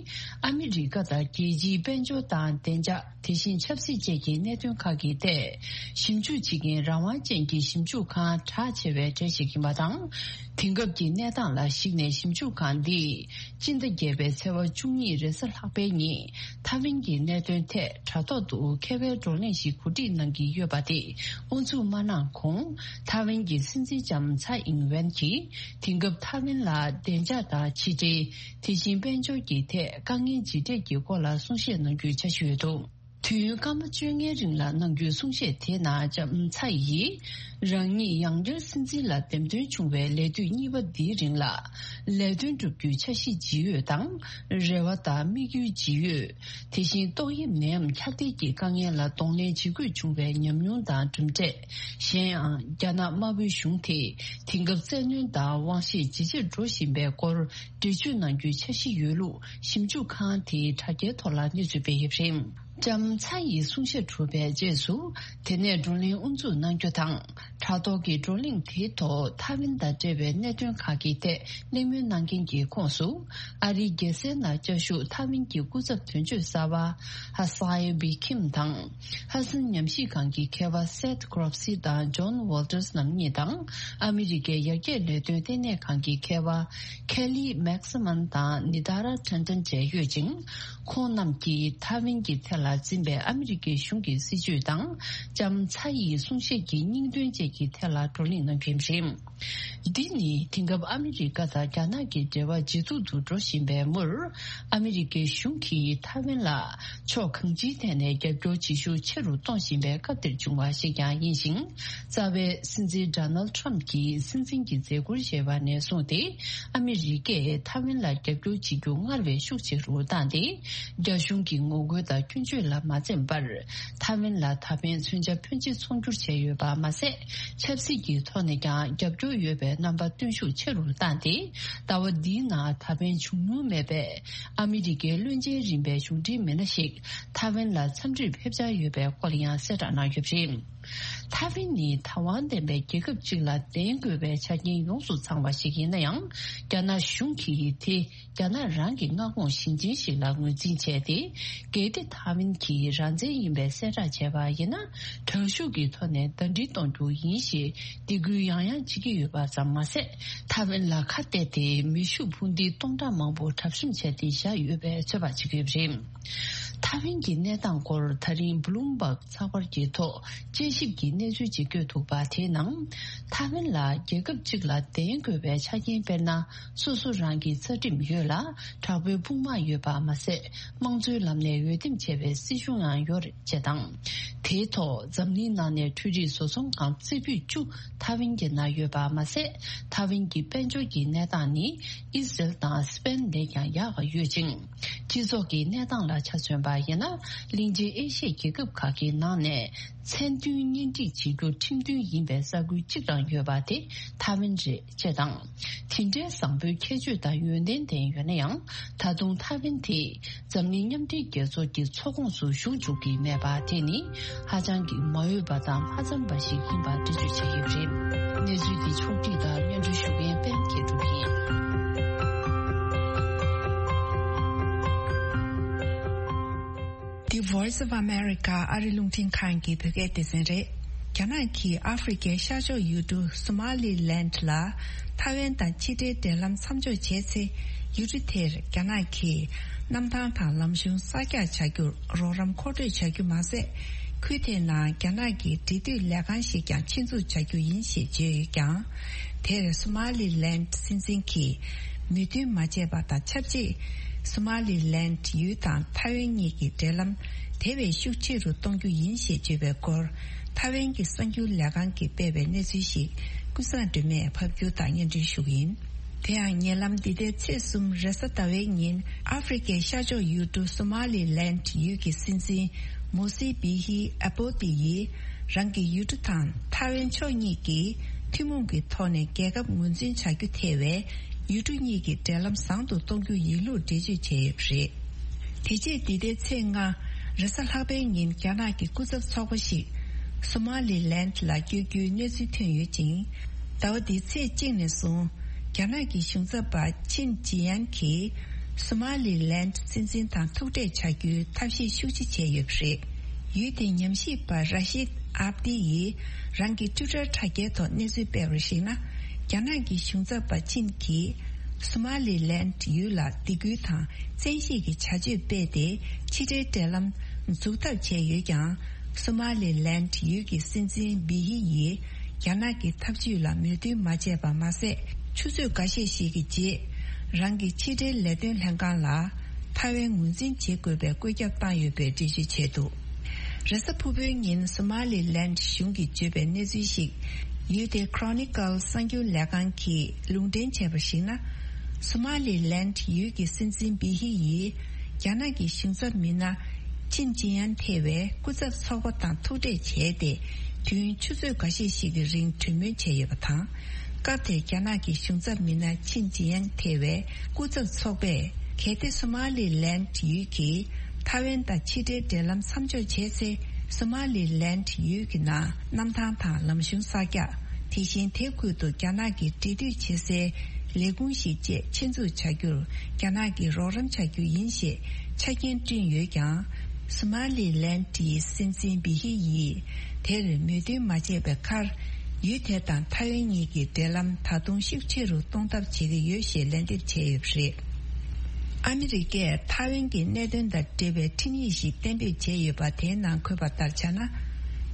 ཨ་མི་རི་ཀ་དང་རྒྱལ་སྤྱིའི་དཔལ་འབྱོར་དང་བདེ་འཇགས། དེ་བཞིན་ཆབ་སྲིད་བཅས་ཀྱི་གནད་དོན་ཁག་གི་ཐད་ཞིབ་འཇུག་བྱེད་མཁན་རང་དབང་ཅན་གྱི་ཞིབ་འཇུག་ཁང་གྲགས་ཆེ་བའི་གྲས་ཤིག་ཡིན་པ་དང་། དེང་སྐབས་ཀྱི་གནས་སྟངས་ལ་གཞིགས་ནས་ཞིབ་འཇུག་ཁང་འདིས་སྤྱི་ཟླ་བརྒྱད་པའི་ཚེས་པ་བཅུ་གཉིས་རེས་གཟའ་ལྷག་པའི་ཉིན་ཐའེ་ཝན་གྱི་གནད་དོན་ཐད་དྲ་ཐོག་ཏུ་མཁས་པའི་བགྲོ་གླེང་ཞིག་གོ་སྒྲིག་གནང་གི་ཡོད་པ་དེ་དབུ་འཛུགས་མ་གནང་གོང་། ཐའེ་ཝན་གྱི་སྲིད་འཛིན་ལྕམ་ཚའེ་ཨིང་ཝེན་གྱིས་དེང་སྐབས་ཐའེ་ཝན་ལ་བདེ་འཇགས་དང་ཕྱི་འབྲེལ། དེ་བཞིན་དཔལ་འབྱོར་གྱི་ཐད་དཀའ་ངལ་ཇི་འཕྲད་ཀྱི་སྐོར་ལ་གསུང་བཤད་གནང་རྒྱུའི་འཆར་གཞི་ཡོད་འདུག་དུས་ཡུན་སྐར་མ་བཅོ་ལྔའི་རིང་ལ་གནང་རྒྱུའི་གསུང་བཤད་དེའི་ནང་ལྕམ་ཚའེ་ཡིས་རང་ཉིད་ཡང་བསྐྱར་སྲིད་འཛིན་ལ་འདེམས་ཐོན་བྱུང་བའི་ལས་དུས་གཉིས་པ་འདིའི་རིང་ལ་ལས་དོན་བསྒྲུབ་རྒྱུའི་འཆར་གཞི་ཇི་ཡོད་དང་། རེ་བ་དང་དམིགས་ཡུལ་ཇི་ཡོད། དེ་བཞིན་ཏོག་དབྱིབས་ནད་ཡམས་ཁྱབ་གདལ་གྱི་དཀའ་ངལ་ལ་གདོང་ལེན་བྱེད་དགོས་བྱུང་བའི་ཉམས་མྱོང་དང་གྲུབ་འབྲས། གཞན་ཡང་རྒྱ་ནག་དམར་པོའི་གཞུང་དེས་དེང་སྐབས་བཙན་གནོན་དང་དབང་ཤེད་ཇེ་ཆེར་འགྲོ་བཞིན་པའི་སྐོར་འགྲེལ་བརྗོད་གནང་རྒྱུའི་འཆར་གཞི་ཡོད་ལུགས་ཞིབ་འཇུག་ཁང་དེའི་དྲ་རྒྱའི་ཐོག་ལ་གནས་ཚུལ་སྤེལ་ཡོད་པ་རེད། ལྕམ་ཚའེ་ཡི་གསུང་བཤད་གྲུབ་པའི་རྗེས་སུ། དེ་ནས་བགྲོ་གླེང་དབུ་འཛུགས་གནང་རྒྱུ་དང་། དྲ་ཐོག་གི་བགྲོ་གླེང་དེའི་ཐོག་ཐའེ་ཝན་དང་འབྲེལ་བའི་གནད་དོན་ཁག་གི་ཐད་གླེང་མོལ་གནང་མཁན་གྱི་ཁོངས་སུ། ཨ་རིའི་རྒྱལ་སའི་ནང་བཅའ་བཞུགས་ཐའེ་ཝན་གྱི་སྐུ་ཚབ་དོན་གཅོད་གསར་པ་ཧ་སའེ་བི་ཁིམ་དང་། ཧ་སན་ཉམས་ཞིབ་ཁང་གི་མཁས་པ་སེཐ་གྷོ་རོབ་སི་དང་ཇོན་ཝོལ་ཏར་སི་རྣམ་གཉིས་དང་། ཨ་མི་རི་ཀའི་ཡར་རྒྱས་ལས་དོན་ལྟེ་གནས་ཁང་གི་མཁས་པ་ཁེ་ལི་མེག་སི་མན་དང་ནི་དཱ་ར་ཁྲན་ཏན་བཅས་ཡོད་ཅིང་། ཁོང་རྣམས་ཀྱིས་ཐའེ་ཝན་གྱི་ཐད་ལ་འཛིན་པའི་ཨ་མི་རི་ཀའི་གཞུང་གི་སྲིད་བྱུས་དང་། ལྕམ་ཚའེ་ཡི་གསུང་བཤད་ཀྱི་སྙིང་དོན་བཅས་ཀྱི་ཐད་ལ་བགྲོ་གླེང་གནང་རྒྱུ་རེད། འདི་ནི་དེང་སྐབས་ཨ་མི་རི་ཀ་དང་རྒྱ་ནག་གི་འབྲེལ་བ་ཇེ་སྡུག་ཏུ་འགྲོ་བཞིན་པའི་མུར། ཨ་མི་རི་ཀའི་གཞུང་གིས་ཐའེ་ཝན་ལ་ཕྱོགས་གང་ཅིའི་ཐད་ནས་རྒྱབ་སྐྱོར་བྱེད་ཤུགས་ཆེ་རུ་གཏོང་བཞིན་པའི་སྐབས་འདིར་བྱུང་བ་ཞིག་ཀྱང་ཡིན་ཞིང་། རྩ་བའི་སྲིད་འཛིན་ཌོ་ནལ་ཊམ་གྱིས་སྲིད་འཛིན་གྱི་མཛད་ཁུར་བཞེས་པ་ནས་བཟུང་སྟེ། ཨ་མི་རི་ཀས་ཐའེ་ཝན་ལ་རྒྱབ་སྐྱོར་བྱེད་རྒྱུ་སྔར་བས་ཤུགས་ཆེ་རུ་བཏང་སྟེ། རྒྱ་གཞུང་གི་ངོ་རྒོལ་དང་སྐྱོན་བརྗོད་ལ་མ་འཛེམས་པར། ཐའེ་ཝན་ལ་ད་ཕན་མཚོན་ཆ་ཕོན་ཆེ་ཚོང་སྒྱུར་བྱས་ཡོད་པ་མ་ཟད། ཆབ་སྲིད་ཀྱི་ཐོག་ནས་ཀྱང་རྒྱབ་སྐྱོར་ཡོད་པའི་རྣམ་པ་སྟོན་ཤུགས་ཆེ་རུ་བཏང་སྟེ། ཟླ་བ་འདིའི་ནང་ད་ཕན་བྱུང་མྱོང་མེད་པའི་ཨ་མི་རི་ཀའི་བློན་ཆེན་རིམ་པའི་གཞུང་འབྲེལ་མི་སྣ་ཞིག་ཐའེ་ཝན་ལ་འཚམས་འདྲིར་ཕེབས་འཆར་ཡོད་པའི་སྐོར་ཡང་གསལ་བསྒྲགས་གནང་ཡོད་པ་རེད། ཐའེ་ཝན་ནི་ཐའེ་ཝན་ལྡན་པའི་རྒྱལ་ཁབ་ཅིག་ལ་ལྡན་དགོས་པའི་ཆ་རྐྱེན་ཡོངས་སུ་ཚང་བ་ཞིག་ཡིན་ན་ཡང་། རྒྱ་ནག་གཞུང་གིས་དེ་རྒྱ་ནག་རང་གི་མངའ་ཁོངས་ཞིང་ཆེན་ཞིག་ལ་ངོས་འཛིན་བྱས་ཏེ། གལ་ཏེ་ཐའེ་ཝན་གྱིས་རང་བཙན་ཡིན་པའི་གསལ་བསྒྲགས་བྱས་པ་ཡིན་ན། དྲག་ཤུགས་ཀྱི་ཐོག་ནས་ཟླ་སྒྲིལ་གཏོང་རྒྱུ་ཡིན་ཞེས་སྡིགས་སྐུལ་ཡང་ཡང་བྱེད་ཀྱི་ཡོད་པ་ཙམ་མ་ཟད། ཐའེ་ཝན་ལ་ཁ་གཏད་དེ་མེ་ཤུགས་འཕུར་མདེལ་སྟོང་ཕྲག་མང་པོ་གྲབས་གཤོམ་བྱས་ཏེ་བཞག་ཡོད་པའི་ཚོད་དཔག་བྱེད་ཀྱི་ཡོད་པ་རེད། ཐའེ་ཝན་གྱི་གནས་སྟངས་སྐོར་ད་རིང་བྷུ་ལུམ་བྷག་ཚགས་པར་གྱི་ཐོག་དཔྱད་ཞིབ་ཀྱི་གནས་ཚུལ་ཅིག་བཀོད་འདུག་པ། དེའི་ནང་ཐའེ་ཝན་ལ་རྒྱལ་ཁབ་གཅིག་ལ་ལྡན་དགོས་པའི་ཆ་རྐྱེན་དཔེར་ན་སོ་སོ་རང་གི་རྩ་ཁྲིམས་ཡོད་ལ། དྲག་པོའི་དཔུང་དམག་ཡོད་པ་མ་ཟད། དམངས་གཙོའི་ལམ་ནས་འོས་འདེམས་བྱས་པའི་སྲིད་གཞུང་ཡང་ཡོད་རེད་ཅེས་དང་། དེའི་ཐོག་འཛམ་གླིང་ནང་ནས་འཕྲུལ་རིག་བཟོ་ཚོང་ཁང་རྩེ་ཕུད་བཅུ་ཐའེ་ཝན་གྱི་ནང་ཡོད་པ་མ་ཟད། ཐའེ་ཝན་གྱི་དཔལ་འབྱོར་གྱི་གནས་སྟངས་ནི་ཨི་སི་རེལ་དང་སི་པེན་ལས་ཀྱང་ཡག་ཡོད་ཅིང་། སྤྱི་ཚོགས་ཀྱི་གནས་སྟངས་ལ་ཆ་མཚོན་པ་ཡིན་ན། གླིང་ཆེན་ཨེ་ཤི་ཡའི་རྒྱལ་ཁབ་ཁག་གི་ནང་ནས་མཚན་མཐུན་གཉེན་སྒྲིག་བྱེད་རྒྱུ་ཁྲིམས་མཐུན་ཡིན་པའི་ས་ཁུལ་གཅིག་རང་ཡོད་པ་དེ་ཐའེ་ཝན་རེད། ཅེས་དང་། དེ་འདྲའི་བཟང་པོའི་ཁྱད་ཆོས་དང་ཡོན་ཏན་ལྡན་ཡོད་ན་ཡང་། ད་དུང་ཐའེ་ཝན་དེ་འཛམ་གླིང་མཉམ་འབྲེལ་རྒྱལ་ཚོགས་ཀྱི་ཚོགས་ཁོངས་སུ་ཞུགས་བཅུག་གི་མེད་པ་དེ་ནི་ཧ་ཅང་གི་མ་འོས་པ་དང་མ་འཚམས་པ་ཞིག་ཡིན་པ་འགྲེལ་བརྗོད་བྱས་ཡོད་པ་རེད། གནས་ཚུལ་འདི་ཕྱོགས་བསྒྲིགས་དང་སྙན་སྒྲོན་ཞུ་མཁན་པད་མ་མཁས་གྲུབ་ཡིན། འདི་Voice of America ཨ་རི་རླུང་འཕྲིན་ཁང་གི་བོད་སྐད་སྡེ་ཚན་རེད། རྒྱ་ནག་གིས་ཨ་ཧྥེ་རི་ཁའི་ཤར་ཕྱོགས་ཡུལ་གྲུ་སོ་མ་ལི་ལན་ལ་ཐའེ་ཝན་དང་ཕྱི་འབྲེལ་འབྲེལ་ལམ་མཚམས་འཇོག་བྱས་ཚེ། ཡུལ་གྲུ་དེར་རྒྱ་ནག་གིས་གནམ་ཐང་དང་ལམ་གཞུང་གསར་རྒྱག་བྱ་རྒྱུར་རོགས་རམ་མཁོ་སྤྲོད་བྱ་རྒྱུ་མ་ཟད། ཁུལ་དེའི་ནང་རྒྱ་ནག་གི་འབྲེལ་མཐུད་ལས་ཁང་ཞིག་ཀྱང་ཆེད་འཛུགས་བྱ་རྒྱུ་ཡིན་ཞེས་བརྗོད་ཡོད་ཀྱང་། དེར་སོ་མ་ལི་ལན་སྲིད་འཛིན་གྱིས་མོས་མཐུན་མ་བྱས་པ་དང་ཆབས་ཅིག་སོ་མ་ལི་ལན་ཡུལ་དང་ཐའེ་ཝན་གཉིས་ཀྱི་འབྲེལ་ལམ་དེ་བས་ཤུགས་ཆེ་རུ་གཏོང་རྒྱུ་ཡིན་ཞེས་བརྗོད་པའི་སྐོར། ཐའེ་ཝན་གྱི་གསར་འགྱུར་ལས་ཁང་གིས་སྤེལ་བའི་གནས་ཚུལ་ཞིག་ཀུན་བཟང་སྒྲོལ་མས་ཕབ་སྒྱུར་དང་སྙན་སྒྲོན་ཞུ་གི་ཡིན། དེ་ཡང་ཉེ་ལམ་འདི་ཟླའི་ཚེས་གསུམ་རེས་གཟའ་ཟླ་བའི་ཉིན་ཨ་ཧྥེ་རི་ཁའི་ཤར་ཕྱོགས་ཡུལ་གྲུ་སོ་མ་ལི་ལན་ཡུལ་གྱི་སྲིད་འཛིན་མོ་སི་བི་ཧི་ཨ་པོ་ཏི་ཡིས་རང་གི་ཡུལ་གྲུ་དང་ཐའེ་ཝན་ཕྱོགས་གཉིས་ཀྱིས་ཐུན་མོང་གི་ཐོག་ནས་རྒྱལ་ཁབ་ངོས་འཛིན་བྱ་རྒྱུ་ཐེ་བའི་ཡུལ་གྲུ་གཉིས་ཀྱི་འབྲེལ་ལམ་བཟང་དུ་གཏོང་རྒྱུ་ཡིན་ལུགས་འགྲེལ་བརྗོད་བྱས་ཡོད་པ་རེད། དེ་རྗེས་འདི་ཟླའི་ཚེས་ལྔ་རེས་གཟའ་ལྷག་པའི་ཉིན་རྒྱ་ནག་གི་སྐུ་ཚབ་ཚོགས་པ་ཞིག་སོ་མ་ལི་ལན་ལ་བསྐྱོད་རྒྱུའི་གནས་ཚུལ་ཐོན་ཡོད་ཅིང་། ཟླ་བ་འདིའི་ཚེས་གཅིག་ནས་བཟུང་རྒྱ་ནག་གི་གཞུང་ཚབ་པ་ཆིན་ཅི་ཡན་གྱིས་སོ་མ་ལི་ལན་སྲིད་འཛིན་དང་ཐུག་འཕྲད་བྱ་རྒྱུའི་ཐབས་ཤེས་ཤུགས་ཆེ་བྱས་ཡོད་པ་རེད། ཡུལ་དེའི་ཉམས་ཞིབ་པ་ར་ཤིད་ཨབ་ཏི་ཡིས་རང་གི་ཊུ་ཊར་དྲ་རྒྱའི་ཐོག་གནས་ཚུལ་སྤེལ་བར་གཞིགས་ན། རྒྱ་ནག་གི་གཞུང་ཚབ་པ་ཆིན་གྱིས་སོ་མ་ལི་ལན་ཡུལ་ལ་སྡིགས་སྐུལ་དང་བཙན་ཤེད་ཀྱི་བྱ་སྤྱོད་སྤེལ་ཏེ་ཕྱི་འབྲེལ་འབྲེལ་ལམ་འཛུགས་ཐབས་བྱས་ཡོད་ཀྱང་། སོ་མ་ལི་ལན་ཡུལ་གྱི་སྲིད་འཛིན་བི་ཧི་ཡིས་རྒྱ་ནག་གི་ཐབས་ཇུས་ལ་མོས་མཐུན་མ་བྱས་པ་མ་ཟད། ཆུ་ཚོད་འགའ་ཤས་ཤིག་གི་རྗེས། རང་གི་ཕྱི་འབྲེལ་ལས་དོན་ལྷན་ཁང་ལ་ཐའེ་ཝན་ངོས་འཛིན་བྱེད་དགོས་པའི་བཀོད་ཁྱབ་བཏང་ཡོད་པའི་འགྲེལ་བརྗོད་བྱས་འདུག་རེས་གཟའ་ཕུར་བུའི་ཉིན་སོ་མ་ལི་ལན་གཞུང་གིས་བརྗོད་པའི་གནས་ཚུལ་ཞིག་ཡུལ་དེའི་Chronicle གསར་འགྱུར་ལས་ཁང་གིས་ལུང་འདྲེན་བྱས་པར་གཞིགས་ན། སོ་མ་ལི་ལན་ཡུལ་གྱི་སྲིད་འཛིན་བི་ཧི་ཡིས་རྒྱ་ནག་གི་གཞུང་ཚབ་མི་སྣ་ཆིན་ཅི་ཡན་ཐེ་བའི་སྐུ་ཚབ་ཚོགས་པ་དང་ཐུག་འཕྲད་བྱས་ཏེ། དུས་ཡུན་ཆུ་ཚོད་འགའ་ཤས་ཤིག་གི་རིང་གྲོས་མོལ་བྱས་ཡོད་པ་དང་། སྐབས་དེར་རྒྱ་ནག་གི་གཞུང་ཚབ་མི་སྣ་ཆིན་ཅི་ཡན་ཐེ་བའི་སྐུ་ཚབ་ཚོགས་པས། གལ་ཏེ་སོ་མ་ལི་ལན་ཡུལ་གྱིས་ཐའེ་ཝན་དང་ཕྱི་འབྲེལ་འབྲེལ་ལམ་མཚམས་འཇོག་བྱས་ཚེ། སོ་མ་ལི་ལན་ཡུལ་གྱི་ནང་གནམ་ཐང་དང་ལམ་གཞུང་གསར་རྒྱག་དེ་བཞིན་དེ་ཁུལ་དུ་རྒྱ་ནག་གི་འབྲེལ་མཐུད་བྱེད་སའི་ལས་ཁུངས་ཤིག་བཅས་ཆེད་འཛུགས་བྱ་རྒྱུར་རྒྱ་ནག་གིས་རོགས་རམ་བྱ་རྒྱུ་ཡིན་ཞེས་ཆ་རྐྱེན་བསྐྲུན་ཡོད་ཀྱང་། སོ་མ་ལི་ལན་ཡི་སྲིད་འཛིན་བི་ཧི་ཡིས་དེར་མོས་མཐུན་མ་བྱས་པའི་ཁར། ཡུལ་དེ་དང་ཐའེ་ཝན་གཉིས་ཀྱི་འབྲེལ་ལམ་ད་དུང་ཤུགས་ཆེ་རུ་གཏོང་ཐབས་བྱེད་ཀྱི་ཡོད་ཞེས་ལན་འདེབས་བྱས་ཡོད་པ་རེད། ཨ་མི་རི་ཀས་ཐའེ་ཝན་གྱི་གནད་དོན་དང་འབྲེལ་བའི་འཕྲིན་ཡིག་ཞིག་གཏན་འབེབས་བྱས་ཡོད་པ། དེའི་ནང་འཁོད་པ་ལྟར་ཆ་ན།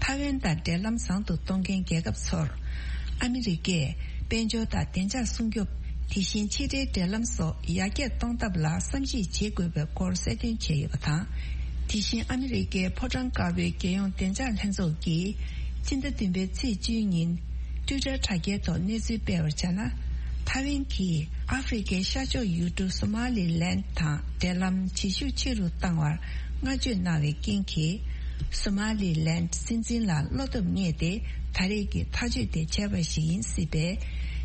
ཐའེ་ཝན་དང་འབྲེལ་ལམ་བཟང་དུ་གཏོང་མཁན་རྒྱལ་ཁབ་ཚོར། ཨ་མི་རི་ཀས་དཔལ་འབྱོར་དང་བདེ་འཇགས་སྲུང་སྐྱོབ། དེ་བཞིན་ཕྱི་འབྲེལ་འབྲེལ་ལམ་སོགས་ཡར་རྒྱས་གཏོང་ཐབས་ལ་བསམ་གཞིག་བྱེད་དགོས་པའི་སྐོར་གསལ་སྟོན་བྱས་ཡོད་པ་དང་། དེ་བཞིན་ཨ་མི་རི་ཀའི་ཕོ་བྲང་དཀར་པོའི་རྒྱལ་ཡོངས་བདེ་འཇགས་ལྷན་ཚོགས་ཀྱིས་སྤྱི་ཟླ་བདུན་པའི་ཚེས་བཅུའི་ཉིན་ཊུའི་ཊར་དྲ་རྒྱའི་ཐོག་གནས་ཚུལ་སྤེལ་བར་བྱས་ན། ཐའེ་ཝན་གྱིས་ཨ་ཧྥེ་རི་ཁའི་ཤར་ཕྱོགས་ཡུལ་གྲུ་སོ་མ་ལི་ལན་དང་འབྲེལ་ལམ་བྱེད་ཤུགས་ཆེ་རུ་བཏང་བར་བསྔགས་བརྗོད་གནང་བའི་རྐྱེན་གྱིས། སོ་མ་ལི་ལན་སྲིད་འཛིན་ལ་བློ་སྟོབས་རྙེད་དེ། ད་རེས་ཀྱི་ཐག་གཅོད་དེ་བྱས་པ་ཞིག་ཡིན་སྲིད་པས།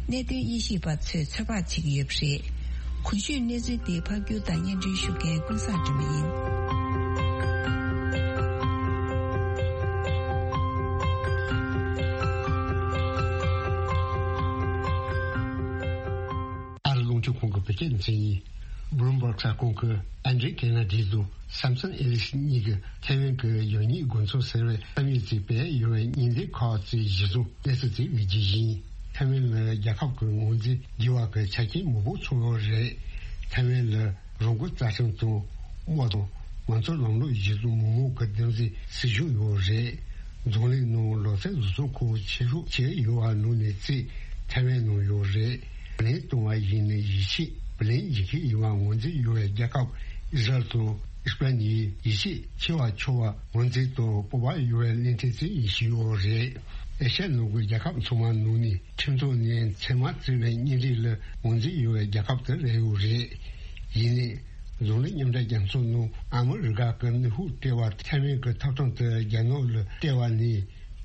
གནད་དོན་དབྱེ་ཞིབ་པ་ཚོས་ཚོད་དཔག་བྱེད་ཀྱི་ཡོད་པ་རེད། གོང་ཞུས་གནས་ཚུལ་དེ་ཕབ་སྒྱུར་དང་སྙན་སྒྲོན་ཞུ་མཁན་ཀུན་བཟང་སྒྲོལ་མ་ཡིན། ཨ་རི་རླུང་འཕྲིན་ཁང་གི་བོད་སྐད་སྡེ་ཚན་ཡིན། Bloomberg གསར་ཁང་གི་ཨན་ཌྲེ་ཀེ་ན་ཌི་དང་སམ་སོན་ཨེ་ལིས་གཉིས་ཀྱིས་ཐའེ་ཝན་གྱི་ཡང་སྙིང་དགོངས་ཚུལ་ཟེར་བའི་བསམ་ཡས་ཀྱིས་སྤེལ་ཡོད་པའི་ཉིན་དེབ་ཁག་ཅིག་གཞིར་བཟུང་གནས་ཚུལ་དེ་ལེགས་བཅོས་ཡིན། ཐའེ་ཝན་ལ་རྒྱལ་ཁབ་ཀྱི་ངོས་འཛིན་བགྱི་བ་གི་ཆ་རྐྱེན་མང་པོ་ཚང་ཡོད་རེད། ཐའེ་ཝན་ལ་རང་འགུལ་རྩ་ཁྲིམས་དང་དམག་དང་ མང་གཙོ་ལམ་ལུགས་གཞི་བཟུང་མི་མང་གི་བདེན་འཛིན་སྲིད་གཞུང་ཡོད་རེད། འཛམ་གླིང་ནང་ལོ་ཚད་བཟོ་ཚོང་ཁང་ཆེ་ཤོས་བྱས་ཡོད་པ་ནང་ནས་གཅིག་ཐའེ་ཝན་ནང་ཡོད་རེད། ལན་གཏོང་བ་ཡིན་ན་ཡིད་ཆེས་བུ་ལོན་འཇལ་མཁན་ཡིན་པ་ངོས་འཛིན་ཡོད་པའི་རྒྱལ་ཁབ་ཨི་ཟ་རེལ་དང་ཨི་སི་པན་ནི་ཡིད་ཆེས་ཆེ་བ་ཆོག་པ་ངོས་འཛིན་དང་སྤོབས་པ་ཡོད་པའི་གླིང་ཕྲན་གཅིག་ཡིན་བཞིན་ཡོད་རེད། ཨེ་ཤ་ཡ་ནང་གི་རྒྱལ་ཁབ་ཚང་མ་ནང་ནས་ཁྲིམས་ཐོག་ནས་མཚན་མ་བརྩི་བའི་གཉེན་སྒྲིག་ལ་ངོས་འཛིན་ཡོད་པའི་རྒྱལ་ཁབ་དེ་རེད་ཡོད་རེད། ཡིན་ནའི། འཛམ་གླིང་མཉམ་འབྲེལ་རྒྱལ་ཚོགས་ནང་ཨ་མི་རི་ཀ་གི་ནུས་ཤུགས་སྤྲད་པ་ཐའེ་ཝན་གྱི་ཐོབ་ཐང་དེ་རྒྱ་ནག་ལ་སྤྲད་པ་ནི།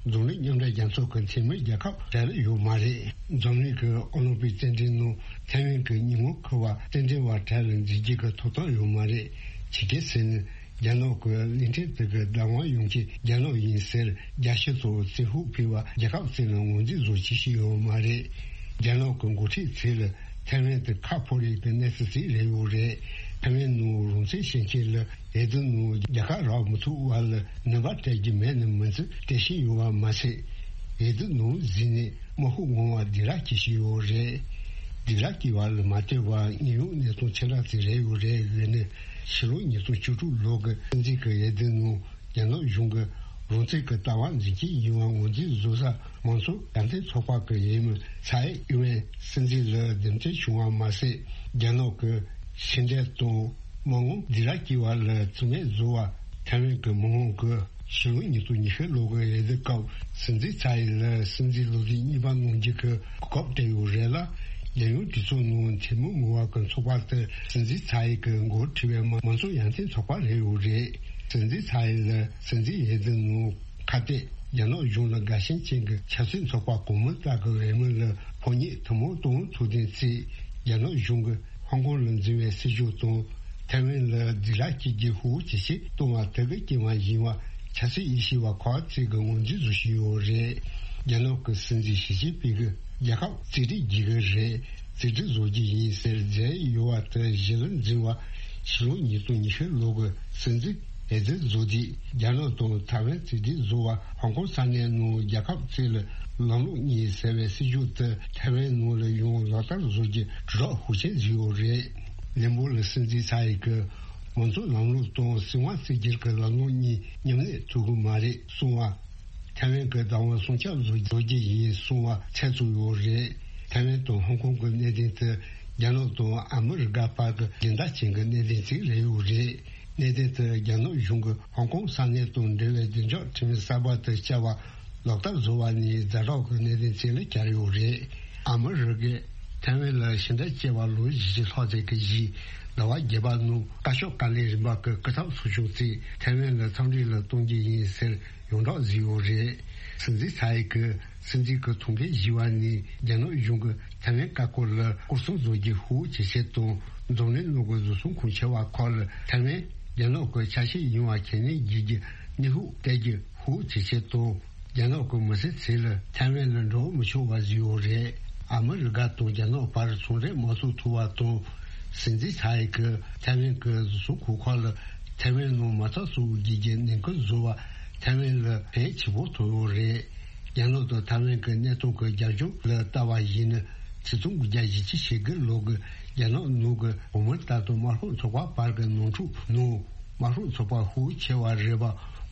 འཛམ་གླིང་མཉམ་འབྲེལ་རྒྱལ་ཚོགས་ཀྱི་འཐུས་མི་རྒྱལ་ཁབ་གྲས་ལ་ཡོད་མ་རེད། འཛམ་གླིང་གི་ཨོ་ལིམ་པིག་རྩེད་འགྲན་ནང་ཐའེ་ཝན་གྱི་ཉིན་མོ་འཁོར་བ་རྩེད་འགྲན་པ་གྲས་ལ་འཛུལ་རྒྱུ་གི་ཐོབ་ཐང་ཡོད་མ་རེད། ཇི་སྐད་ཟེར་ན། རྒྱ་ནག་གི་གླིང་ཕྲན་དེ་གི་བདག་དབང་ཡོང་མཁན་རྒྱ་ནག་ཡིན་ཟེར་རྒྱལ་སྤྱི་ཚོགས་བཙན་ཤུགས་སྤེལ་བ་རྒྱལ་ཁབ་ཅིག་ལ་ངོས་འཛིན་བཟོ་བྱེད་ཤེས་ཡོད་མ་རེད། རྒྱ་ནག་གི་འགོ་ཁྲིད་ཚོས་ལ་ཐའེ་ཝན་དེ་ཁ་ཕོ་རེ་གི་གནས་ཚུལ་ཞིག་རེད་ཡོད་རེད། ཐའེ་ཝན་ནང་རང་བཙན་བྱེད་མཁན་ལ་འོས་བསྡུ་ནང་རྒྱལ་ཁ་རག་མི་ཐུབ་པ་ལ་ནུས་པ་སྤྲད་རྒྱུ་མེད་ནི་མིན་ཚུལ་སྤྲད་བཞིན་ཡོད་པ་མ་ཟད། འོས་བསྡུ་ནང་འཛུལ་ནས་དམག་ཤུགས་མང་བ་སྡིགས་ར་སྐྱེ་བཞིན་ཡོད་རེད། སྡིགས་ར་སྐྱེ་བ་ལ་མ་ལྟོས་པར་དངོས་ཡོད་གནས་སྟངས་ཅི་འདྲ་ཅིག་རེད་ཡོད་རེད་ཡོད་ནི། ཕྱི་ལོ་ཉིས་སྟོང་བཅུ་དྲུག་ལོ་གི་སྲིད་འཛིན་གྱི་འོས་བསྡུ་ནང་རྒྱ་ནག་གཞུང་གི་རང་བཙན་གྱི་ལྟ་བ་འཛིན་གྱི་ཡིན་པ་ངོས་འཛིན་བཟོ་ས་མང་གཙོ་ཡར་ཐོན་ཚོགས་པ་གི་འོས་མི་ཚའེ་ཨིན་ཝེན་སྲིད་འཛིན་ལ་འདེམས་ཐོན་བྱུང་བ་མ་ཟད། རྒྱ་ནག་གི་ཕྱི་འབྲེལ་དང་མི་མང་སྡིགས་ར་སྐྱེ་བ་ལ་བརྩི་མེད་བཟོ་བ་ཐའེ་ཝན་གྱི་མི་མང་གི་ཕྱི་ལོ་ཉིས་སྟོང་ཉི་ཤུ་ལོ་གི་འོས་བསྡུ་སྐབས་སྲིད་འཛིན་ཚའེ་ལ་སྲིད་འཛིན་ལོ་དུས་གཉིས་པ་གནང་རྒྱུ་གི་གོ་སྐབས་སྤྲད་ཡོད་རེད་ལ། རྒྱལ་ཡོངས་གྲོས་ཚོགས་ནང་འཐུས་མི་མང་བ་གི་ཚོགས་པ་དེ་སྲིད་འཛིན་ཚའེ་གི་མགོ་ཁྲིད་པའི་མང་གཙོ་ཡར་ཐོན་ཚོགས་པ་རེད་ཡོད་རེད། སྲིད་འཛིན་ཚའེ་ལ་སྲིད་འཛིན་འོས་བསྡུ་ནང་ཁ་གཏད་རྒྱ་ནག་གཞུང་ལ་དགའ་ཞེན་ཅན་གྱི་ཆབ་སྲིད་ཚོགས་པ་གོང་མ་ལྟ་བུའི་འོས་མི་ལ་ཕོ་ཉས་ཐུན་མོང་ཏོང་ཐུའུ་ཐེན་གྱིས་རྒྱ་ནག་གཞུང་གིས་ཧོང་ཀོང་ལ་འཛིན་པའི་སྲིད་ཇུས་དང་ཐའེ་ཝན་ལ་སྡིགས་ར་སྐྱེ་རྒྱུ་ཧུར་ཇེ་ཆེ་གཏོང་བ་དེ་གི་རྐྱེན་པ་ཡིན་པ་ཆབ་སྲིད་དབྱེ་ཞིབ་པ་ཁག་ཅིག་གིས་ངོས་འཛིན་བཟོ་བཞིན་ཡོད་རེད། རྒྱ་ནག་གི་སྲིད་འཛིན་ཞི་ཅིན་ཕིང་གིས་རྒྱལ་ཁབ་རྩིས་སྤྲོད་བགྱིད་ཀྱི་རེད། རྩིས་སྤྲོད་བཟོ་རྒྱུ་ཡིན་ཟེར་མཛད་ཡོད་པ་དེ་གཞི་ལ་འཛིན་པ་ཕྱི་ལོ་ཉིས་སྟོང་ཉི་ཤུ་ལོ་གི་སྲིད་འཛིན་འོས་བསྡུ་བཟོ་དུས་རྒྱ་ནག་དང་ཐའེ་ཝན་རྩིས་སྤྲོད་བཟོ་བ་ཧོང་ཀོང་ས་གནས་ནང་རྒྱལ་ཁབ་གཅིག་ལ་ལམ་ལུགས་གཉིས་ཟེར་བའི་སྲིད་ཇུས་དེ་ཐའེ་ཝན་ནང་ལ་ཡང་ལག་བསྟར་བཟོ་རྒྱུ་དྲིལ་བསྒྲགས་ཤུགས་ཆེན་བཟོས་ཡོད་རེད། ལན་པོ་ལ་སྲིད་འཛིན་ཚའེ་གིས་མང་གཙོ་ལམ་ལུགས་དང་སྲིད་དབང་གཅིག་གྱུར་གྱི་ལམ་ལུགས་གཉིས་མཉམ་གནས་ཐུབ་ཀྱི་མ་རེད་གསུངས་པ། ཐའེ་ཝན་གྱི་བདག་དབང་སྲུང་སྐྱོབ་བཟོ་རྒྱུ་ཡིན་གསུངས་པ་ཚད་ཚུད་ཡོད་རེད། ཐའེ་ཝན་དང་ཧོང་ཀོང་གི་གནད་དོན་དེ་རྒྱ་ནག་དང་ཨ་མི་རི་ཀ་བར་གྱི་རྒྱུན་ལྡན་ཅན་གྱི་གནད་དོན་ཅིག་རེད་ཡོད་རེད། གནད་དོན་དེ་རྒྱ་ནག་གཞུང་གིས་ཧོང་ཀོང་ས་གནས་དང་འབྲེལ་བའི་བདེ་འཇགས་ཁྲིམས་གསར་པ་དེ་བསྐྱར་བ་ལག་བསྟར་བཟོ་བ་ནི་ཛ་དྲག་གི་གནད་དོན་ཅིག་ལ་གྱར་ཡོད་རེད། ཨ་མི་རི་ཀས་ཐའེ་ཝན་ལ་ཕྱི་འབྲེལ་བྱས་པ་ལོ་བཞི་བཅུ་ལྷག་ཙམ་གྱི་རྗེས་ཟླ་བ་བརྒྱད་པ་ནང་བཀའ་ཤག་བཀའ་བློན་རིམ་པ་གི་སྐུ་ཚབ་ཚོགས་ཆུང་གིས་ཐའེ་ཝན་ལ་འཚམས་འདྲི་ལ་གཏོང་རྒྱུ་ཡིན་ཟེར་ཡོངས་གྲགས་བཟོས་ཡོད་རེད། སྲིད་འཛིན་ཚའེ་གིས་སྲིད་འཛིན་གྱི་ཐུགས་འགན་བཞེས་པ་ནི་རྒྱ་ནག་གཞུང་གིས་ཐའེ་ཝན་བཀའ་བཀོད་ལ་སྐོར་སྲུང་བཟོ་རྒྱུ་ཧུར་ཇེ་ཆེ་དང་འཛམ་གླིང་ནང་གི་བཟོ་ཚོང་ཁང་ཆེ་བ་ཁག་ལ་ཐའེ་ཝན་རྒྱ་ནག་གི་ཆ་ཤས་ཡིན་པ་ཁས་ལེན་བྱེད་རྒྱུ་གནོན་ཤུགས་སྤྲད་རྒྱུ་ཧུར་ཇེ་ཆེ་དང་། རྒྱ་ནག་གི་མི་སེར་ཚོ་ལ་ཐའེ་ཝན་ལ་འགྲོ་མི་ཆོག་པ་བཟོས་ཡོད་རེད། ཨ་མི་རི་ཀ་དང་རྒྱ་ནག་བར་ཚོང་འབྲེལ་མ་བཙུགས་ཐུབ་པ་དང་། སྲིད་འཛིན་ཚའེ་གིས་ཐའེ་ཝན་གྱི་བཟོ་ཚོང་ཁང་ཁག་ལ་ཐའེ་ཝན་ནང་མ་རྩ་བཙུགས་རྒྱུ་གི་ཉེན་ཁ་བཟོ་བ་ཐའེ་ཝན་ལ་ཕན་ཆེན་པོ་ཐོགས་ཡོད་རེད། རྒྱ་ནག་དང་ཐའེ་ཝན་གྱི་གནད་དོན་གྱི་རྒྱབ་ལྗོངས་ལ་ལྟ་བ་ཡིན་ན། ཆིག་སྟོང་དགུ་བརྒྱ་བཞི་བཅུ་ཞེ་དགུ་ལོ་གི་རྒྱ་ནག་ནང་གི་གོང་མ་ལྟར་དུ་དམར་ཤོག་ཚོགས་པ་བར་གྱི་ནོར་འཁྲུག་ནང་། དམར་ཤོག་ཚོགས་པ་ཤུགས་ཆེ་བ་རེད་པ།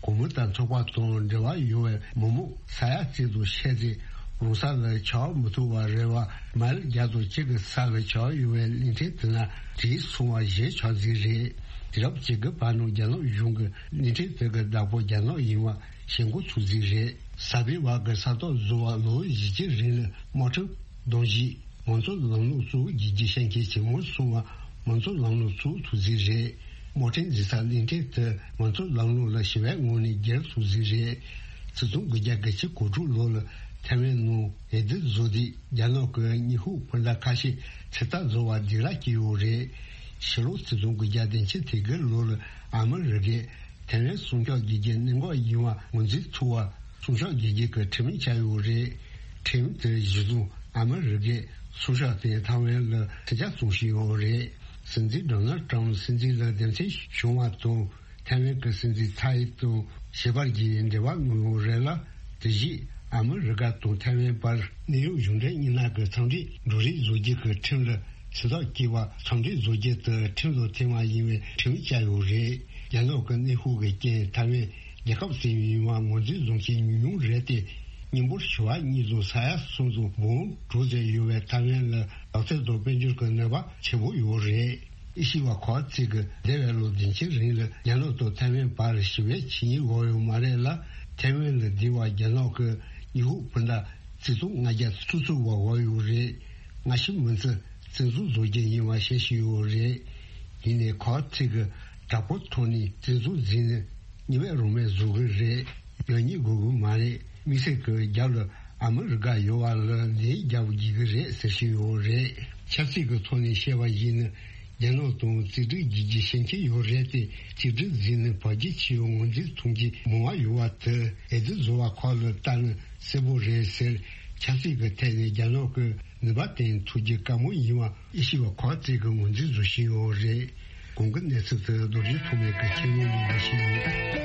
གོང་མ་ལྟར་ཚོགས་པ་དང་འབྲེལ་བ་ཡོད་པའི་མི་མང་ས་ཡ་གཅིག་དང་ཕྱེད་ཙམ་རང་ས་ལ་ཆགས་མི་ཐུབ་པ་རེད་པ། མ་ལེ་བརྒྱ་དང་གཅིག་གི་ས་ལ་ཆགས་ཡོད་པའི་གླིང་ཕྲན་དེ་ན་དྲིལ་སོང་བ་གཞན་ཆགས་རྩིས་རེད། དུས་རབས་བཅུ་དགུ་པ་ནང་རྒྱ་ནག་གཞུང་གིས་གླིང་ཕྲན་དེ་གི་བདག་པོ་རྒྱ་ནག་ཡིན་པ་ཞེན་ཁོག་ཚུགས་རྩིས་རེད། གསར་སྤེལ་བ་གི་ས་ཐོག་བཟོ་བ་ལོ་བཞི་བཅུ་རིང་ལ་དམག་ཁྲིམས་གདམ་གཞི། མང་གཙོ་ལམ་ལུགས་གཙོ་བོ་བརྒྱུད་རྒྱུ་ཤན་ཁྱེར་ཇི་མོ་སོང་བ་མང་གཙོ་ལམ་ལུགས་གཙོ་བོ་ཐུགས་རྩིས་རེད། དམག་ཁྲིམས་འཛིན་ས་གླིང་ཕྲན་དུ་མང་གཙོ་ལམ་ལུགས་ལ་ཞི་བའི་ངང་ནས་སྒེར་ཐུགས་རྩིས་རེད། ཆིག་སྟོང་དགུ་བརྒྱ་གྱ་གོ་དྲུག་ལོ་ལ་ཐའེ་ཝན་ནང་འོས་བསྡུ་བཟོ་དུས་རྒྱ་ནག་གི་དངོས་ཤུགས་སྤུན་ཟླ་ཁ་ཤས་ཚོད་ལྟ་བཟོ་བ་སྡིགས་ར་སྐྱེས་ཡོད་རེད། ཕྱི་ལོ་ཆིག་སྟོང་དགུ་བརྒྱ་བདུན་ཅུ་དོན་དགུ་ལོ་ལ་ཨ་མི་རི་ཀས་ཐའེ་ཝན་སྲུང་སྐྱོབ་བྱེད་རྒྱུ་གནད་འགག་ཡིན་པ་ངོས་འཛིན་ཐུབ་པ། སྲུང་སྐྱོབ་བྱེད་རྒྱུ་གི་ཁྲིམས་བཅའ་ཡོད་རེད། ཁྲིམས་དེ་གཞི་བཟུང་ཨ་མི་རི་ཀས་སྲུང་སྐྱོབ་དེ་ཐའེ་ཝན་ལ་ཁྲིམས་ཆད་བཙོང་བཞིན་ཡོད་རེད། སྲིད་འཛིན་ཌོ་ནལ་ཊམ་སྲིད་འཛིན་ལ་འདེམས་ཐོན་བྱུང་བ་དང་ཐའེ་ཝན་གྱི་སྲིད་འཛིན་ཚའེ་དང་ཞི་བར་གྱི་འབྲེལ་བ་གནང་ཡོད་རེད་ལ། དེ་བཞིན་ཨ་མི་རི་ཀ་དང་ཐའེ་ཝན་བར་གནད་ཡོད་གཞུང་འབྲེལ་གཉིས་སྣ་གི་འཚམས་འདྲི་འགྲོ་རེས་བཟོ་རྒྱུ་གི་ཁྲིམས་ལ་ཚོད་ལྟ་བྱས་པ། འཚམས་འདྲི་བཟོ་རྒྱུ་དེ་ཁྲིམས་ལ་འཐེན་པ་ཡིན་པའི་ཁྲིམས་བཅའ་ཡོད་རེད། རྒྱ་ནག་གི་གནོན་ཤུགས་ཀྱི་རྐྱེན་ཐའེ་ཝན་རྒྱལ་ཁབ་ཟིན་ཡིན་པ་ངོས་འཛིན་བཟུང་མཁན་ཉུང་ཉུང་རེད་དེ། མི་འབོར་བྱེ་བ་གཉིས་དང་ས་ཡ་གསུམ་དང་འབུམ་དྲུག་ཙམ་ཡོད་པའི་ཐའེ་ཝན་ལ་ལག་རྩལ་དང་དཔལ་འབྱོར་གྱི་ནུས་པ་ཆེན་པོ་ཡོད་རེད། ཨེ་ཤི་ཡ་ཁོ་ཚིག་གི་འདས་པའི་ལོ་བདུན་ཅུའི་རིང་ལ་རྒྱ་ནག་དང་ཐའེ་ཝན་བར་ཞི་བའི་ཆིངས་ཡིག་འོག་ཡོད་མ་རེད་ལ། ཐའེ་ཝན་ལ་འདི་བ་རྒྱ་ནག་གི་ཉི་ཧོང་སྤུན་ཟླ་བརྩི་སྟངས་ལྔ་བརྒྱ་ཐུག་ཚུགས་བ་འོག་ཡོད་རེད། སྔ་ཕྱི་མུ་མཐུད་བཙན་འཛུལ་བཟོ་རྒྱུ་ཡིན་པ་བཤད་བཞིན་ཡོད་རེད། ཡིན་ནའི་ཁོ་ཚིག་གི་དྲག་པོའི་ཐོག་ནས་བཙན་འཛུལ་འཛིན་ནས་ཉི་མའི་རུ་མའི་བཟོ་གི་རེད། ཡང་སྙིང་དགོས་གི་མ་རེད། དམིགས་བསལ་གྱི་རྒྱབ་ལ་ཨ་མི་རི་ཀ་ཡོད་པ་ལ་ལན་རྒྱབ་དགོས་ཀྱི་རེད་ཟེར་བཞིན་ཡོད་རེད། ཆབ་སྲིད་ཀྱི་ཐོག་ནས་བཤད་པ་ཡིན་ན། རྒྱ་ནག་དང་རྩིས་སྒྲིག་བགྱིད་རྒྱུ་ཞེན་ཁྱི་ཡོད་རེད་དེ། རྩིས་སྒྲིག་འཛིན་ནས་བར་ཆད་ཆེ་བའི་ངོས་འཛིན་མཐོང་རྒྱུ་མང་བ་ཡོད་པ་དེ་ཨེ་ཙི་བཟོ་བ་ཁག་ལ་ལྟ་ན་གསལ་པོ་རེད་ཟེར། ཆབ་སྲིད་ཀྱི་ཐད་ནས་རྒྱ་ནག་གི་ནུས་པ་བསྟན་ཐུབ་རྒྱུ་དཀའ་མོ་ཡིན་པ་ཨེ་ཤི་ཡ་ཁག་ཅིག་གིས་ངོས་འཛིན་བཟོ་བཞིན་ཡོད་རེད། གོང་གི་གནས་ཚུལ་དེ་རྡོ་རྗེ་ཐོགས་མེད་ཀྱི་ཆེད་ལས་ལས་ཀ་ཞིག་ཡིན།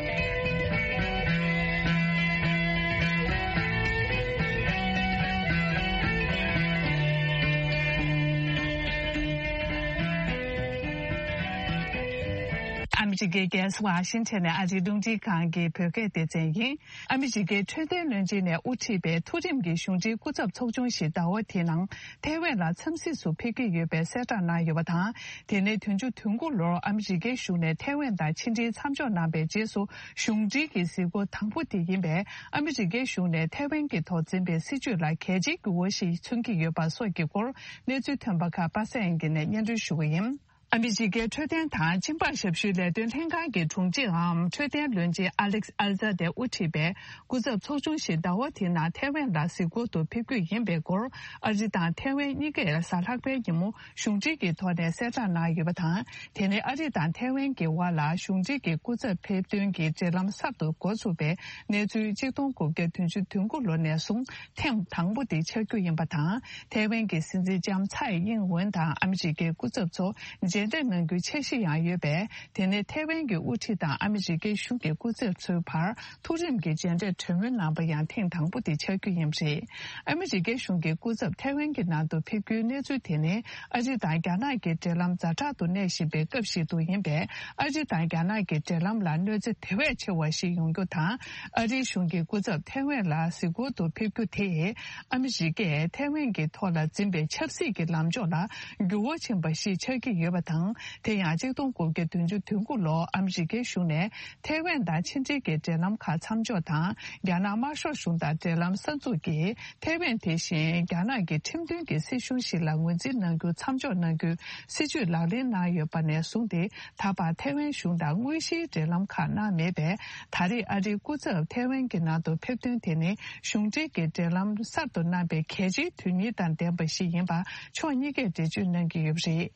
ཨ་མི་རི་ཀའི་རྒྱལ་ས་ཝ་ཤིང་ཊོན་ནས་ཨ་རིའི་རླུང་འཕྲིན་ཁང་གི་བོད་སྐད་སྡེ་ཚན་ཡིན། ཨ་མི་རི་ཀའི་འཕྲོད་བསྟེན་བློན་ཆེན་ནས་དབུ་ཁྲིད་པའི་མཐོ་རིམ་གྱི་གཞུང་འབྲེལ་སྐུ་ཚབ་ཚོགས་ཆུང་ཞིག་ཟླ་བ་འདིའི་ནང་ཐའེ་ཝན་ལ་འཚམས་གཟིགས་སུ་ཕེབས་ཀྱི་ཡོད་པའི་གསལ་བསྒྲགས་གནང་ཡོད་པ་དང་། དེ་ནས་བདུན་ཅུ་དོན་དགུ་ལོར་ཨ་མི་རི་ཀའི་གཞུང་ནས་ཐའེ་ཝན་དང་ཕྱི་འབྲེལ་མཚམས་འཇོག་གནང་པའི་རྗེས་སུ། གཞུང་འབྲེལ་གྱི་གཟིགས་སྐོར་དང་པོ་དེ་ཡིན་པས། ཨ་མི་རི་ཀའི་གཞུང་ནས་ཐའེ་ཝན་གྱི་ཐོག་འཛིན་པའི་སྲིད་བྱུས་ལ་གལ་ཆེའི་འགྱུར་བ་ཞིག་མཚོན་གྱི་ཡོད་པ་སོགས་ཀྱི་སྐོར་གནས་ཚུལ་ཐོན་པ་ཁག་པ་སངས་དབྱངས་སྐྱིད་ནས་སྙན་སྒྲོན་ཞུ་གི་ཡིན། ཨ་མི་རི་ཀའི་འཕྲོད་བསྟེན་དང་སྦྱིན་པ་ཞབས་ཞུའི་ལས་དོན་ལྷན་ཁང་གི་དྲུང་ཆེའམ་འཕྲོད་བསྟེན་བློན་ཆེན་ཨ་ལེག་ཨལ་ཛ་དེ་དབུ་ཁྲིད་པའི་སྐུ་ཚབ་ཚོགས་ཆུང་ཞིག་ཟླ་བ་འདིའི་ནང་ཐའེ་ཝན་ལ་གཟིགས་སྐོར་དུ་ཕེབས་རྒྱུ་ཡིན་པའི་སྐོར། ཨ་རི་དང་ཐའེ་ཝན་གཉིས་ཀས་གཟའ་ལྷག་པའི་ཉིན་མོ་གཞུང་འབྲེལ་གྱི་ཐོག་ནས་གསལ་བསྒྲགས་གནང་ཡོད་པ་དང་། དེ་ནི་ཨ་རི་དང་ཐའེ་ཝན་གྱི་དབར་ལ་གཞུང་འབྲེལ་གྱི་སྐུ་ཚབ་ཕེབས་ཐོན་གྱི་འབྲེལ་ལམ་གསར་དུ་འགོ་ཚུགས་པའི་གནས་ཚུལ་ཆིག་སྟོང་དགུ་བརྒྱ་བདུན་ཅུ་དོན་དགུ་ལོ་ནས་བཟུང་ཐེངས་དང་པོ་དེ་ཆགས་རྒྱུ་ཡིན་པ་དང་། ཐའེ་ཝན་གྱི་སྲིད་འཛིན་ལྕམ་ཚའེ་ཨིང་ཝེན་དང་ཨ་མི་རི་ཀའི་སྐུ་ཚབ་ཚོ་མཇལ་འཕྲད་གནང་རྒྱུའི་འཆར་གཞི་ཡང་ཡོད་པས། དེ་ནས་ཐའེ་ཝན་གྱི་དབུ་ཁྲིད་དང་ཨ་མི་རི་ཀའི་གཞུང་གི་སྐུ་ཚབ་ཚོའི་བར་མཐོ་རིམ་གྱི་མཇལ་འཕྲད་གྲོས་མོལ་གནང་པ་ཡང་ཐེངས་དང་པོ་དེ་ཆགས་རྒྱུ་ཡིན་པ་རེད། ཨ་མི་རི་ཀའི་གཞུང་གི་སྐུ་ཚབ་ཐའེ་ཝན་གྱི་ནང་དུ་ཕེབས་རྒྱུའི་གནས་ཚུལ་དེ་ནི། ཨ་རི་དང་རྒྱ་ནག་གི་འབྲེལ་ལམ་ཛ་དྲག་ཏུ་གནས་བཞིན་པའི་སྐབས་ཤིག་ཏུ་ཡིན་པས། ཨ་རི་དང་རྒྱ་ནག་གི་འབྲེལ་ལམ་ལ་གནོད་འཚེ་དེ་བས་ཆེ་བ་ཞིག་ཡོང་རྒྱུ་དང་། ཨ་རིའི་གཞུང་གི་སྐུ་ཚབ་ཐའེ་ཝན་ལ་གཟིགས་སྐོར་དུ་ཕེབས་རྒྱུ་དེས། ཨ་མི་རི་ཀས་ཐའེ་ཝན་གྱི་ཐོག་ལ་འཛིན་པའི་ཆབ་སྲིད་ཀྱི་ལམ་ཕྱོགས་ལ་འགྱུར་བ་ཕྱིན་པ་ཞིག་ཆགས་ཀྱི་ཡོད་པ་དང་། དེ་ཡང་ཆིག་སྟོང་དགུ་བརྒྱ་བདུན་ཅུ་དོན་དགུ་ལོར་ཨ་མི་རི་ཀའི་གཞུང་ནས་ཐའེ་ཝན་དང་ཕྱི་འབྲེལ་གྱི་འབྲེལ་ལམ་ཁག་མཚམས་འཇོག་དང་། རྒྱ་ནག་དམར་ཤོག་གཞུང་དང་འབྲེལ་ལམ་གསར་འཛུགས་ཀྱིས། ཐའེ་ཝན་དེ་བཞིན་རྒྱ་ནག་གི་ཁྲིམས་མཐུན་གྱི་སྲིད་གཞུང་ཞིག་ལ་ངོས་འཛིན་གནང་རྒྱུ་མཚམས་འཇོག་གནང་རྒྱུའི་སྲིད་བྱུས་ལག་ལེན་གནང་ཡོད་པ་ནས་བཟུང་སྟེ། ད་བར་ཐའེ་ཝན་གཞུང་དང་དངོས་གཞིའི་འབྲེལ་ལམ་ཁག་གནང་མེད་པས། ད་རེས་ཨ་རིའི་སྐུ་ཚབ་ཐའེ་ཝན་གྱི་ནང་དུ་ཕེབས་ཐོན་དེ་ནི་གཞུང་འབྲེལ་གྱི་འབྲེལ་ལམ་གསར་དུ་གནང་པའི་གལ་ཆེའི་དོན་སྙིང་དང་ལྡན་པ་ཞིག་ཡིན་པ་ཕྱོགས་གཉིས་ཀས་འགྲེལ་བརྗོད་གནང་གི་ཡོད་པ་རེད།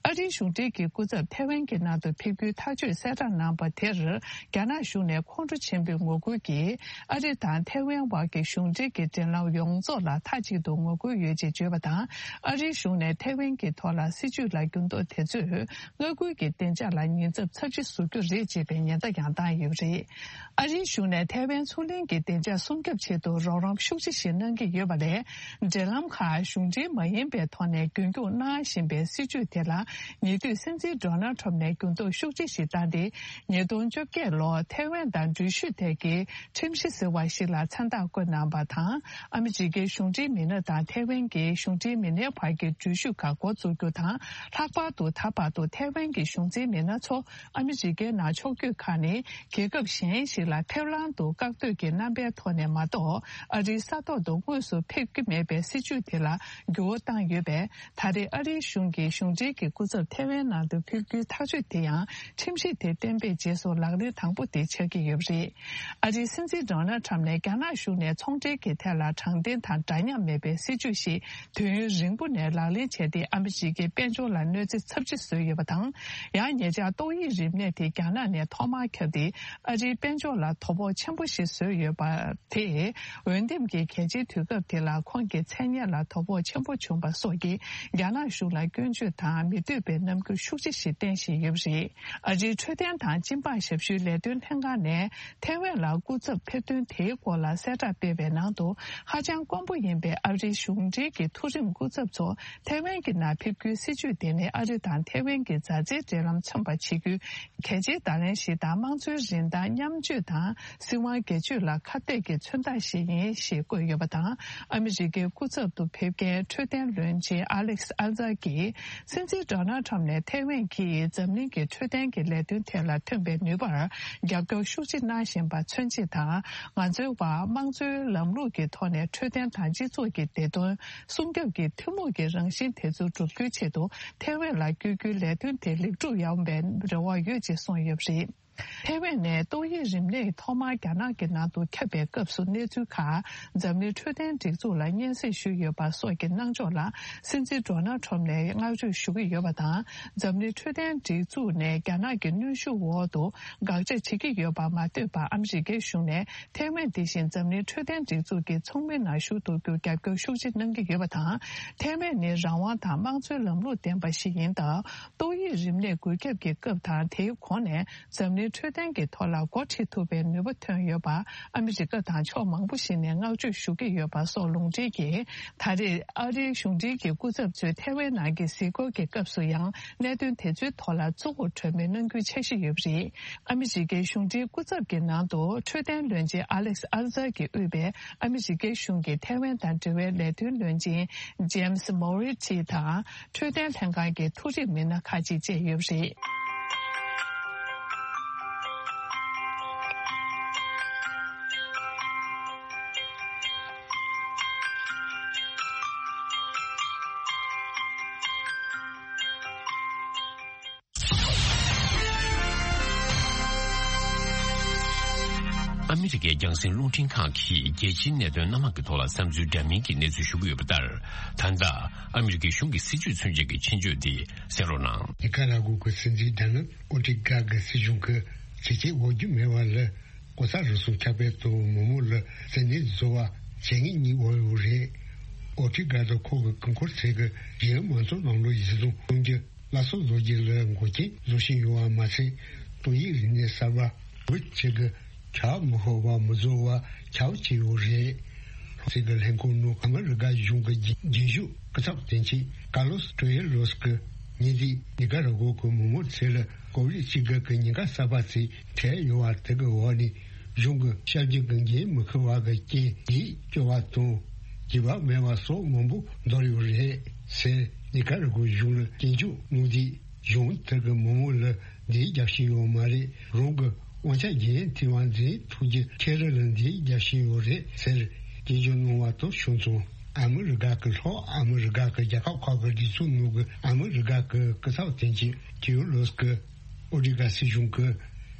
ཨ་རིའི་གཞུང་འབྲེལ་གྱི་སྐུ་ཚབ་ཐའེ་ཝན་གྱི་ནང་དུ་ཕེབས་རྒྱུའི་ཐག་གཅོད་གསལ་བསྒྲགས་གནང་པ་དེར། རྒྱ་ནག་གཞུང་ནས་ཁོང་ཁྲོ་ཆེན་པོས་ངོ་རྒོལ་གྱིས། ཨ་རི་དང་ཐའེ་ཝན་བར་གྱི་གཞུང་འབྲེལ་གྱི་འབྲེལ་ལམ་ཡོངས་རྫོགས་ལ་མཐའ་གཅིག་ཏུ་ངོ་རྒོལ་ཡོད་ཅེས་བརྗོད་པ་དང་། ཨ་རིའི་གཞུང་ནས་ཐའེ་ཝན་གྱི་ཐོག་ལ་སྲིད་བྱུས་ལ་འགྱུར་ལྡོག་དེ་ཚོས། མངའ་ཁུལ་གྱི་བདེ་འཇགས་ལ་ཉེན་ཚབས་ཚབས་ཆེ་བཟོ་རྒྱུ་རེད་ཅེས་པའི་ཉེན་བརྡ་ཡང་བཏང་ཡོད་པ་རེད། ཨ་རིའི་གཞུང་ནས་ཐའེ་ཝན་མཚོ་གླིང་གི་བདེ་འཇགས་སྲུང་སྐྱོབ་ཆེད་དུ་རོགས་རམ་ཤུགས་ཆེ་ཞིག་གནང་གི་ཡོད་པ་ལས། འབྲེལ་ལམ་ཁག་གཞུང་འབྲེལ་མ་ཡིན་པའི་ཐོག་ནས་རྒྱུན་འཁྱོངས་གནང་བཞིན་པའི་སྲིད་བྱུས་དེ་ལ། ཉེ་དུས་སྲིད་འཛིན་ཌོ་ནལ་ཁྲམ་ནས་འགྱུར་ལྡོག་ཤུགས་ཆེ་ཞིག་བཏང་སྟེ། ཉིས་སྟོང་བཅོ་བརྒྱད་ལོར་ཐའེ་ཝན་དང་འགྲུལ་བཞུད་ཐད་ཀྱི་ཁྲིམས་གཞི་ཟེར་བ་ཞིག་ལ་མཚན་རྟགས་བཀོད་གནང་པ་དང་། ཨ་མི་རི་ཀའི་གཞུང་འབྲེལ་མི་སྣ་དང་ཐའེ་ཝན་གྱི་གཞུང་འབྲེལ་མི་སྣའི་བར་གྱི་འགྲུལ་བཞུད་ཁག་འགོ་འཛུགས་རྒྱུ་དང་། ལྷག་པར་དུ་ད་བར་དུ་ཐའེ་ཝན་གྱི་གཞུང་འཛིན་མི་སྣ་ཚོ། ཨ་མི་རི་ཀའི་ནང་ཕྱོགས་བསྐྱོད་ཁག་ནི་རྒྱལ་ཁབ་གཞན་ཞིག་ལ་ཕེབས་ལམ་དུ་བཀག་སྡོད་ཀྱི་རྣམ་པའི་ཐོག་ནས་མ་གཏོགས། ཨ་རིའི་ས་ཐོག་ཏུ་དངོས་སུ་ཕེབས་ཀྱི་མེད་པའི་སྲིད་བྱུས་དེ་ལ་འགྱུར་བ་བཏང་ཡོད་པས། ད་རེས་ཨ་རིའི་གཞུང་གི་གཞུང་འབྲེལ་གྱི་སྐུ་ཚབ་ཐའེ་ཝན་ནང་དུ་ཕེབས་རྒྱུའི་ཐག་གཅོད་དེ་ཡང་ཁྲིམས་གཞི་དེ་གཏན་འབེབས་རྗེས་སུ་ལག་ལེན་དང་པོ་དེ་ཆགས་ཀྱི་ཡོད་པ་རེད། ཨ་རིའི་སྲིད་འཛིན་ཌོ་ནལ་ཁྲམ་ནས་རྒྱ་ནག་གཞུང་ནས་ཚོང་འབྲེལ་གྱི་ཐད་ལ་དྲང་བདེན་དང་འདྲ་མཉམ་མེད་པའི་སྲིད་བྱུས་ཤིག་དུས་ཡུན་རིང་པོ་ནས་ལག་ལེན་བྱས་ཏེ། ཨ་མི་རི་ཀའི་དཔལ་འབྱོར་ལ་གནོད་འཚེ་ཚབས་ཆེ་བཟོས་ཡོད་པ་དང་། ཡང་ཉེ་ཆར་ཏོག་དབྱིབས་རིམས་ནད་དེ་རྒྱ་ནག་ནས་ཐོག་མར་ཁྱབ་སྟེ། ཨ་རིའི་དཔལ་འབྱོར་ལ་དོ་ཕོག་ཆེན་པོ་ཞིག་བཟོས་ཡོད་པ་དེས། འོས་འདེམས་ཀྱི་གལ་ཆེའི་དུས་སྐབས་དེ་ལ་ཁོང་གི་མཚན་སྙན་ལ་དོ་ཕོག་ཆེན་པོ་བྱུང་པ་སོགས་ཀྱིས། རྒྱ་ནག་གཞུང་ལ་སྐྱོན་བརྗོད་དང་མི་འདོད་པའི་རྣམ། རྒྱབ་སྐྱོར་ཤུགས་ཆེ་ཞིག་བསྟན་བཞིན་ཡོད་པ་རེད། ཨ་རིའི་འཕྲོད་བསྟེན་དང་སྤྱི་འབངས་ཞབས་ཞུའི་ལས་དོན་ལྷན་ཁང་ནས་ཐའེ་ཝན་ལ་སྐུ་ཚབ་ཕེབས་ཐོན་དེའི་སྐོར་ལ་གསལ་བསྒྲགས་སྤེལ་བའི་ནང་དུ། ཧ་ཅང་དཀོན་པོ་ཡིན་པའི་ཨ་རིའི་གཞུང་འབྲེལ་གྱི་མཐོ་རིམ་སྐུ་ཚབ་ཚོ་ཐའེ་ཝན་གྱི་ནང་ཕེབས་རྒྱུའི་སྲིད་བྱུས་དེ་ནི་ཨ་རི་དང་ཐའེ་ཝན་གྱི་མཛའ་བརྩེའི་འབྲེལ་ལམ་མཚོན་པ་བྱེད་རྒྱུའི་གལ་ཆེའི་བརྡ་ལན་ཞིག་དང་། དམངས་གཙོའི་རིན་ཐང་མཉམ་སྤྱོད་དང་སྲིད་དབང་སྒེར་གཅོད་ལ་ཁ་གཏད་ཀྱི་མཚོན་རྟགས་ཤིག་ཡིན་ཞེས་བཀོད་ཡོད་པ་དང་། ཨ་མི་རི་ཀའི་སྐུ་ཚབ་ཏུ་ཕེབས་མཁན་འཕྲོད་བསྟེན་བློན་ཆེན་ཨ་ལེག་སི་ཨལ་ཛར་གྱིས། སྲིད་འཛིན་ཌོ་ནལ་ཁྲམ་ནས་ཐའེ་ཝན་གྱིས་འཛམ་གླིང་གི་འཕྲོད་བསྟེན་གྱི་ལས་དོན་ཐད་ལ་ཐོན་པའི་ནུས་པར་རྒྱབ་སྐྱོར་ཤུགས་ཆེ་གནང་བཞིན་པ་མཚོན་ཆེད་དང་། ང་ཚོའི་བར་དམངས་གཙོའི་ལམ་ལུགས་ཀྱི་ཐོག་ནས་འཕྲོད་བསྟེན་དང་སྤྱི་ཚོགས་ཀྱི་བདེ་དོན་སྲུང་སྐྱོབ་ཀྱི་ཐུན་མོང་གི་རང་བཞིན་དེ་ཚོ་བསྒྲུབ་རྒྱུའི་ཆེད་དུ་ཐའེ་ཝན་ལ་བསྐྱོད་རྒྱུའི་ལས་དོན་དེ་ལེགས་གྲུབ་ཡོང་བའི་རེ་བ་ཡོད་ཅེས་གསུངས་ཡོད་པ་རེད། ཐའེ་ཝན་ནས་ཏོག་དབྱིབས་རིམས་ནད་ཐོག་མར་རྒྱ་ནག་གི་ནང་དུ་ཁྱབ་པའི་སྐབས་སུ་གནས་ཚུལ་ཁག་འཛམ་གླིང་འཕྲོད་བསྟེན་སྒྲིག་འཛུགས་ལ་སྙན་སེང་ཞུས་ཡོད་པ་སོགས་ཀྱི་གནང་ཕྱོགས་ལ་སྲིད་འཛིན་ཌོ་ནལ་ཁྲམ་ནས་བསྔགས་བརྗོད་ཞུ་གི་ཡོད་པ་དང་། འཛམ་གླིང་འཕྲོད་བསྟེན་སྒྲིག་འཛུགས་ནས་རྒྱ་ནག་གི་གནོན་ཤུགས་འོག་ཏུ་དགག་བྱ་བྱེད་ཀྱི་ཡོད་པ་མ་ལྟོས་པར། ཨ་མི་རི་ཀའི་གཞུང་ནས་ཐའེ་ཝན་དེ་བཞིན་འཛམ་གླིང་འཕྲོད་བསྟེན་སྒྲིག་འཛུགས་ཀྱི་ཚོགས་མིའི་ནང་ཞུགས་ཐུབ་རྒྱུར་རྒྱབ་སྐྱོར་ཤུགས་ཆེ་གནང་གི་ཡོད་པ་དང་། ཐའེ་ཝན་ནི་རང་དབང་དང་དམངས་གཙོའི་ལམ་ལུགས་ལྡན་པ་ཞིག་ཡིན་སྟབས། ཏོག་དབྱིབས་རིམས་ནད་འགོས་ཁྱབ་ཀྱི་སྐབས་དང་དེའི་གོང་ནས། འཛམ་གླིང་འཕྲོད་བསྟེན་གྱི་ཐོག་ལ་འགོ་ཁྲིད་ཐུབ་པའི་ནུས་པ་ཐོན་ཡོད་པ། ཨ་མི་རི་ཀ་དང་ཕྱོགས་མང་པོ་ཞིག་ནས་བསྔགས་བརྗོད་ཞུ་གི་ཡོད་པ་སོགས་ལུང་འདྲེན་གྱིས། ད་རེས་ཨ་རིའི་གཞུང་འབྲེལ་གྱི་སྐུ་ཚབ་ཚོས་ཐའེ་ཝན་ནང་གི་གཟིགས་སྐོར་གྱི་སྐབས་སུ་ཡང་གནད་དོན་དེ་ཚོའི་ཐོག་ལ་གཙོ་བོར་གྲོས་མོལ་གནང་རྒྱུའི་འཆར་གཞི་ཡོད་པ་རེད། ཨ་མི་རི་ཀའི་གཞུང་འབྲེལ་སྐུ་ཚབ་ཀྱི་ནང་དུ་འཕྲོད་བསྟེན་བློན་ཆེན་ཨ་ལེག་སི་ཨལ་ཛར་གྱིས་དབུས་པའི་ཨ་མི་རི་ཀའི་གཞུང་གི་ཐའེ་ཝན་དང་འབྲེལ་བའི་ལས་དོན་བློན་ཆེན་ཇེམ་སི་མོ་རི་ཊི་དང་། འཕྲོད་བསྟེན་ལྷན་ཁང་གི་མཐོ་རིམ་མི་སྣ་ཁག་ཅིག་བཅས་ཡོད་པ་རེད། ཨ་མི་རི་ཀའི་རྒྱང་སྲིང་རླུང་འཕྲིན་ཁང་གིས་རྒྱལ་སྤྱིའི་གནད་དོན་སྣ་མང་གི་ཐོག་ལ་བསམ་ཚུལ་འདྲ་མིན་གྱི་གནས་ཚུལ་ཞུ་གི་ཡོད་པ་ལྟར། ད་ལྟ་ཨ་མི་རི་ཀའི་གཞུང་གི་སྲིད་ཇུས་མཚོན་བྱེད་ཀྱི་ཆེད་བརྗོད་འདི་གསན་རོགས་གནང་། ནི་ཀ་ར་གུ་གི་སྲིད་འཛིན་ཌ་ནལ་ཨོ་ཏི་ག་གི་སྲིད་གཞུང་གི་བྱས་རྗེས་འོག་རྒྱུ་མེད་པ་ལ་ལྐོག་ཟ་རུལ་སུངས་ཁྱབ་སྤེལ་དང་མི་མང་ལ་བཙན་གནོན་བཟོ་བ་བྱེད་ངེས་གཉིས་འོག་ཡོད་རེད། ཨོ་ཏི་ག་དང་ཁོ་གི་སྐུ་འཁོར་ཚོས་གི་རྒྱལ་ཡོངས་མང་ཚོགས་ནང་ལོགས་ཡིག་ཚང་གཏོང་རྒྱུ། སླར་གསོ་བཟོ་རྒྱུ་ལ་འགོག་རྐྱེན་བཟོ་བཞིན་ཡོད་པ་མ་ཟད། ཏོག་དབྱིབས་རིམས་ནད་གསར་པ་འགོས་ཆེད་ཀྱི་ཁྱབ་མི་ཤོར་བ་མི་བཟོ་བ་ཁྱབ་བྱས་ཡོད་རེད། ཚིག་གི་ལྷན་ཁང་ནང་ཨ་མི་རི་ཀ་གཞུང་གི་རྒྱུན་ཞུགས་སྐུ་ཚབ་དོན་གཅོད་ཀར་ལོ་སི་ཀྲེ་ཡེ་ལོ་སི་ཀི་ཉིན་དེ་ནི་ཀ་ར་གོ་གི་མི་མང་ཚོ་ལ་ཀོ་བིད་བཅུ་དགུ་གི་ཉེན་ཁ་གསར་པ་ཚོས་འཕྲད་ཡོད་པ་དེ་གི་འོག་ནས་གཞུང་གི་བྱ་རྒྱུ་གི་འགན་མི་འཁུར་བ་གི་རྐྱེན་ཡིད་སྐྱོ་བ་དང་། རྒྱུས་པ་མེད་པ་སོགས་མང་པོ་འདུག་ཡོད་རེད་ཟེར། ནི་ཀ་ར་གོ་གཞུང་ལ་སྐྱོན་བརྗོད་གནང་དུས། གཞུང་དེ་གི་མི་མང་ལ་འདི་རྒྱབ་བཤད་ཡོད་མ་རེད། རང་གི་དབང་ཆ་འགན་འཁྱེར་བ་འཛིན་ཐུབ་རྒྱུ་ཁྱེད་རང་ལ་འདི་རྒྱབ་བཤད་ཡོད་རེད་ཟེར་སྐྱོན་བརྗོད་གནང་བ་དང་ཕྱོགས་མཚུངས། ཨ་མི་རི་ཀ་གི་ལྷོ་ཨ་མི་རི་ཀ་གི་རྒྱལ་ཁབ་ཁག་གི་སྒྲིག་འཛུགས་ནང་གི་ཨ་མི་རི་ཀ་གི་སྐུ་ཚབ་དོན་གཅོད་ཀེ་ཡོ་ལོ་སི་ཀི་ཨོ་ཏི་ག་སྲིད་གཞུང་གི་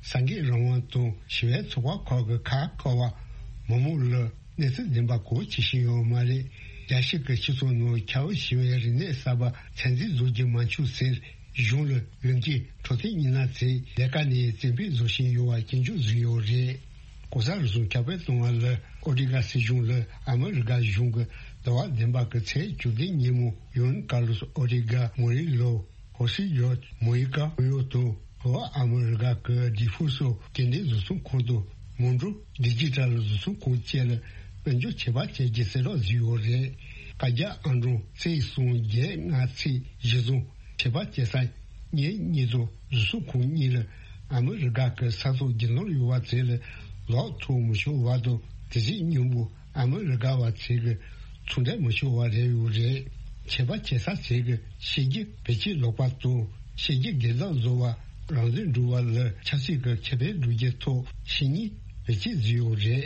ས་འགན་རང་དབང་དང་ཞི་བའི་ཚོགས་པ་ཁག་གི་ཁ་བཀག་པ་མི་མང་ལ། གནས་ཚུལ་བདེན་པ་གོ་བྱེད་བཞིན་ཡོད་མ་རེད། རྒྱལ་སྤྱི་གི་སྤྱི་ཚོགས་ནང་ཁྱབ་ཞི་བའི་རིག་གནས་གསར་པ་ཚད་འཛིན་བཟོ་རྒྱུ་མ་འཆུག་ཟེར་གཞུང་ལ་འོས་འགན་འཕྲོད་བསྟེན་ཉིན་ལ་ཚེ་ལས་ཀ་ནས་བཙན་ཕེབས་བཟོ་བཞིན་ཡོད་པ་སྐྱོན་བརྗོད་བཟོས་ཡོད་རེད། ལྐོག་ཟ་རུལ་སུངས་ཁྱབ་སྤེལ་གཏོང་བ་ལ་ཨོ་ཏི་ག་སྲིད་གཞུང་ལ་ཨ་མི་རི་ཀ་གཞུང་གི་ཟླ་བ་བདུན་པ་གི་ཚེས་བཅུ་བདུན་ཉིན་མོ་ཡོན་ཀར་ལོ་སི་ཨོ་ཏི་ག་མོ་རི་ལོ། ཧོ་སི་ཡོད་མོ་ཡི་ཀ་ཧོ་ཡོ་དང་ལྷོ་ཨ་མི་རི་ཀ་གི་ཌི་ཧྥུ་སོ་སྐྱེ་ལྡན་གཟུགས་སྲུང་ཁང་དང་མོན་གྲོ་ཌི་ཇི་ཊལ་གཟུགས་སྲུང་ཁང་བཅས་ལ་དཔལ་འབྱོར་ཆད་པ་བཅད་རྒྱུ་གསལ་བསྒྲགས་བཟོས་ཡོད་རེད། བཀའ་རྒྱ་ཨང་གྲངས་གཅིག་གསུམ་བརྒྱད་ལྔ་ཚེས་གཞི་བཟུང་ཆད་པ་བཅད་ས་ཉིན་གཉིས་ཚོ་གཟུགས་སྲུང་ཁང་གཉིས་ལ་ཨ་མི་རི་ཀ་གི་ས་ཐོག་རྒྱུ་ནོར་ཡོད་པ་ཚོ་ལ་ལོག་ཐུག་མི་ཆོག་བར་དུ་དེ་བཞིན་སྙིང་པོ། ཨ་མི་རི་ཀ་བ་ཚོས་ཀྱི་ཚོང་འབྲེལ་མི་ཆོག་པ་རེད་ཡོད་རེད། ཆད་པ་བཅད་ས་ཚོས་ཀྱི་ཕྱི་རྒྱལ་བེད་སྤྱོད་ལོག་པ་དང་ཕྱི་རྒྱལ་སྒེར་བདག་བཟོ་བ་རང་བཙན་སྒྲུབ་པ་ལ་ཆབ་སྲིད་ཀྱི་ཁེ་ཕན་སྒྲུབ་རྒྱུ་ཐོག་ཕྱི་ཉིན་བེད་སྤྱོད་བཟོས་ཡོད་རེད།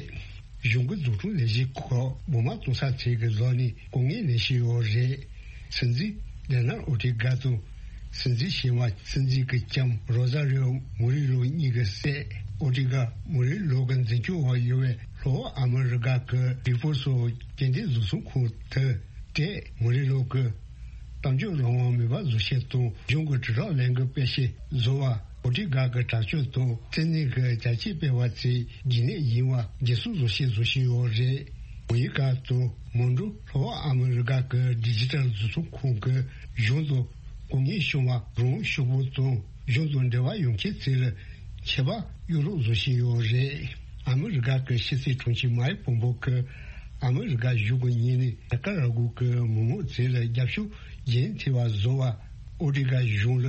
གཞུང་གི་འཛུགས་སྐྲུན་ལས་གཞི་ཁག་མི་མང་གཏོང་ས་ཚོས་ཀྱི་ལོག་ནས་སྐུ་ངལ་ལེན་བཞིན་ཡོད་རེད། སྲིད་འཛིན་ཌེ་ནལ་ཨོ་ཏི་ག་དང་། སྲིད་འཛིན་ཞི་བ། སྲིད་འཛིན་གྱི་ལྕམ་རོ་ཟ་རི་ཨོ་མུ་རི་ལོ་གཉིས་ཀྱི་སྲས་ཨོ་ཏི་ག་མུ་རི་ལོ་གི་འཛིན་སྐྱོང་འོག་ཡོད་པའི་ལྷོ་ཨ་མི་རི་ཀ་གི་ཌི་ཧྥུ་སོ་སྐྱེ་ལྡན་གཟུགས་སྲུང་ཁང་དུ་ཏྲེ་མུ་རི་ལོ་གི་གཏམ་བརྗོད་རང་དབང་མེད་པ་བཟོ་ཆེད་དང་གཞུང་གི་དྲིལ་བསྒྲགས་ལས་འགུལ་སྤེལ་ཆེད་བཟོ་བ་ཨོ་ཏི་ག་གི་དྲག་སྤྱོད་དང་བཙན་གནོན་གྱི་རྒྱ་ཆེ་སྤེལ་བ་ཚོའི་རྒྱུ་ནད་ཡིན་པ་འགན་སྲུང་བཟོ་ཆེད་བཟོ་བཞིན་ཡོད་རེད། མོ་ཡི་ཀ་དང་མོན་གྲོ་ལྷོ་ཨ་མི་རི་ཀ་གི་ཌི་ཇི་ཊལ་གཟུགས་སྲུང་ཁང་གི་གཞུང་དུ། དགོས་ངེས་བྱུང་བ་རང་ཤུགས་པོ་དང་གཞུང་དང་འབྲེལ་བ་ཡོད་མཁན་ཚོ་ལ་ཆད་པ་གཡུག་རོགས་བཟོ་བཞིན་ཡོད་རེད། ཨ་མི་རི་ཀ་གི་ཕྱི་སྲིད་དྲུང་ཆེ་མའེ་ཕོམ་པོ་གིས་ཨ་མི་རི་ཀ་གཞུང་གི་ངོས་ནས་ནི་ཀ་ར་གུ་གི་མི་མང་ཚོ་ལ་རྒྱབ་སྐྱོར་རྒྱུན་མཐུད་པ་བཟོ་བ། ཨོ་ཏི་ཀ་གཞུང་ལ་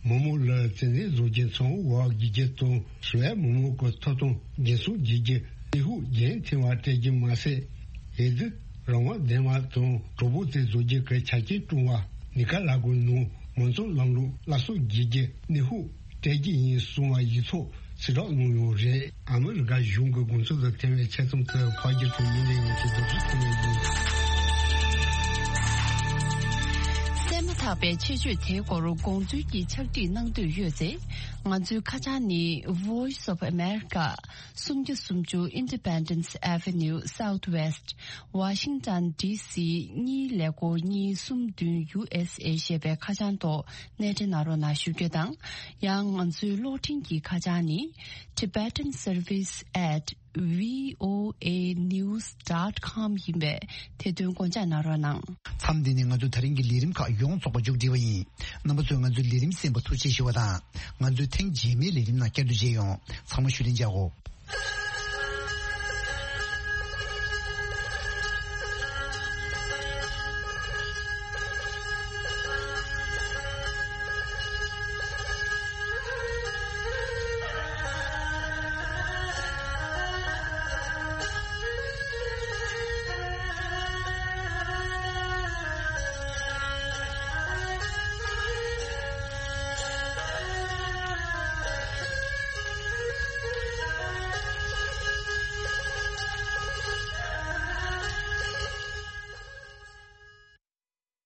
མི་མང་ལ་བཙན་གནོན་བཟོ་རྒྱུ་མཚམས་འཇོག་དགོས་རྒྱུ་དང་། ཞི་བའི་མི་མང་གི་ཐོབ་ཐང་རྒྱུན་སྲུང་བྱེད་རྒྱུ་གནོན་ཤུགས་རྒྱུན་མཐུད་པ་སྤྲད་རྒྱུ་མ་ཟད། འོས་བསྡུ་རང་དབང་ལྡན་པ་དང་གྲོགས་པོ་དེ་བཟོ་རྒྱུ་གི་ཆ་རྐྱེན་བསྐྲུན་པ། ནི་ཀ་ར་གུའི་ནང་མང་གཙོ་ལམ་ལུགས་སླར་གསོ་བྱེད་རྒྱུ་གནོན་ཤུགས་སྤྲད་རྒྱུ་ཡིན་གསུངས་པ་ཡིག་ཚོགས་གསལ་བསྒྲགས་གནང་ཡོད་རེད། ཨ་མི་རི་ཀ་གཞུང་གི་དགོངས་ཚུལ་དང་འཐད་པའི་ཆེད་རྩོམ་དེ་ཕག་སྒྱུར་དང་མི་ལས་ཡོངས་ཀྱིས་བསྡུ་སྒྲིག་གནང་ཡོད། གསན་མ་ཐག་པའི་ཆེད་བརྗོད་དེའི་སྐོར་དགོངས་ཚུལ་གྱི་ཕྱག་བྲིས་གནང་འདོད་ཡོད་ཚེ། ང་ཚོའི་ཁ་བྱང་ནི། Voice of America། སུམ་བརྒྱ་སུམ་ཅུ་Independence Avenue Southwest། Washington D C གཉིས་ཀླད་ཀོར་གཉིས་གསུམ་བདུན། U S A ཞེས་པའི་ཁ་བྱང་ཐོག་སྣེ་འདྲེན་གནང་རོགས་གནང་ཞུ་རྒྱུ་དང་། ཡང་ང་ཚོའི་གློག་འཕྲིན་གྱི་ཁ་བྱང་ནི། Tibetan Service at V O A news dot com ཡིན་པས་དེ་དོན་དགོངས་འཇགས་གནང་རོགས་གནང་། མཚམས་འདི་ནས་ང་ཚོའི་ད་རིང་གི་ལས་རིམ་ཁག་ཡོངས་རྫོགས་པ་མཇུག་སྒྲིལ་བ་ཡིན། རྣམ་པ་ཚོས་ང་ཚོའི་ལས་རིམ་གསན་པར་ཐུགས་རྗེ་ཆེ་ཞུ་བ་དང་། ང་ཚོའི་ཐེངས་རྗེས་མའི་ལས་རིམ་ནང་བསྐྱར་དུ་མཇལ་ཡོང་། ཚང་མ་ཞུ་ལན་བྱའོ།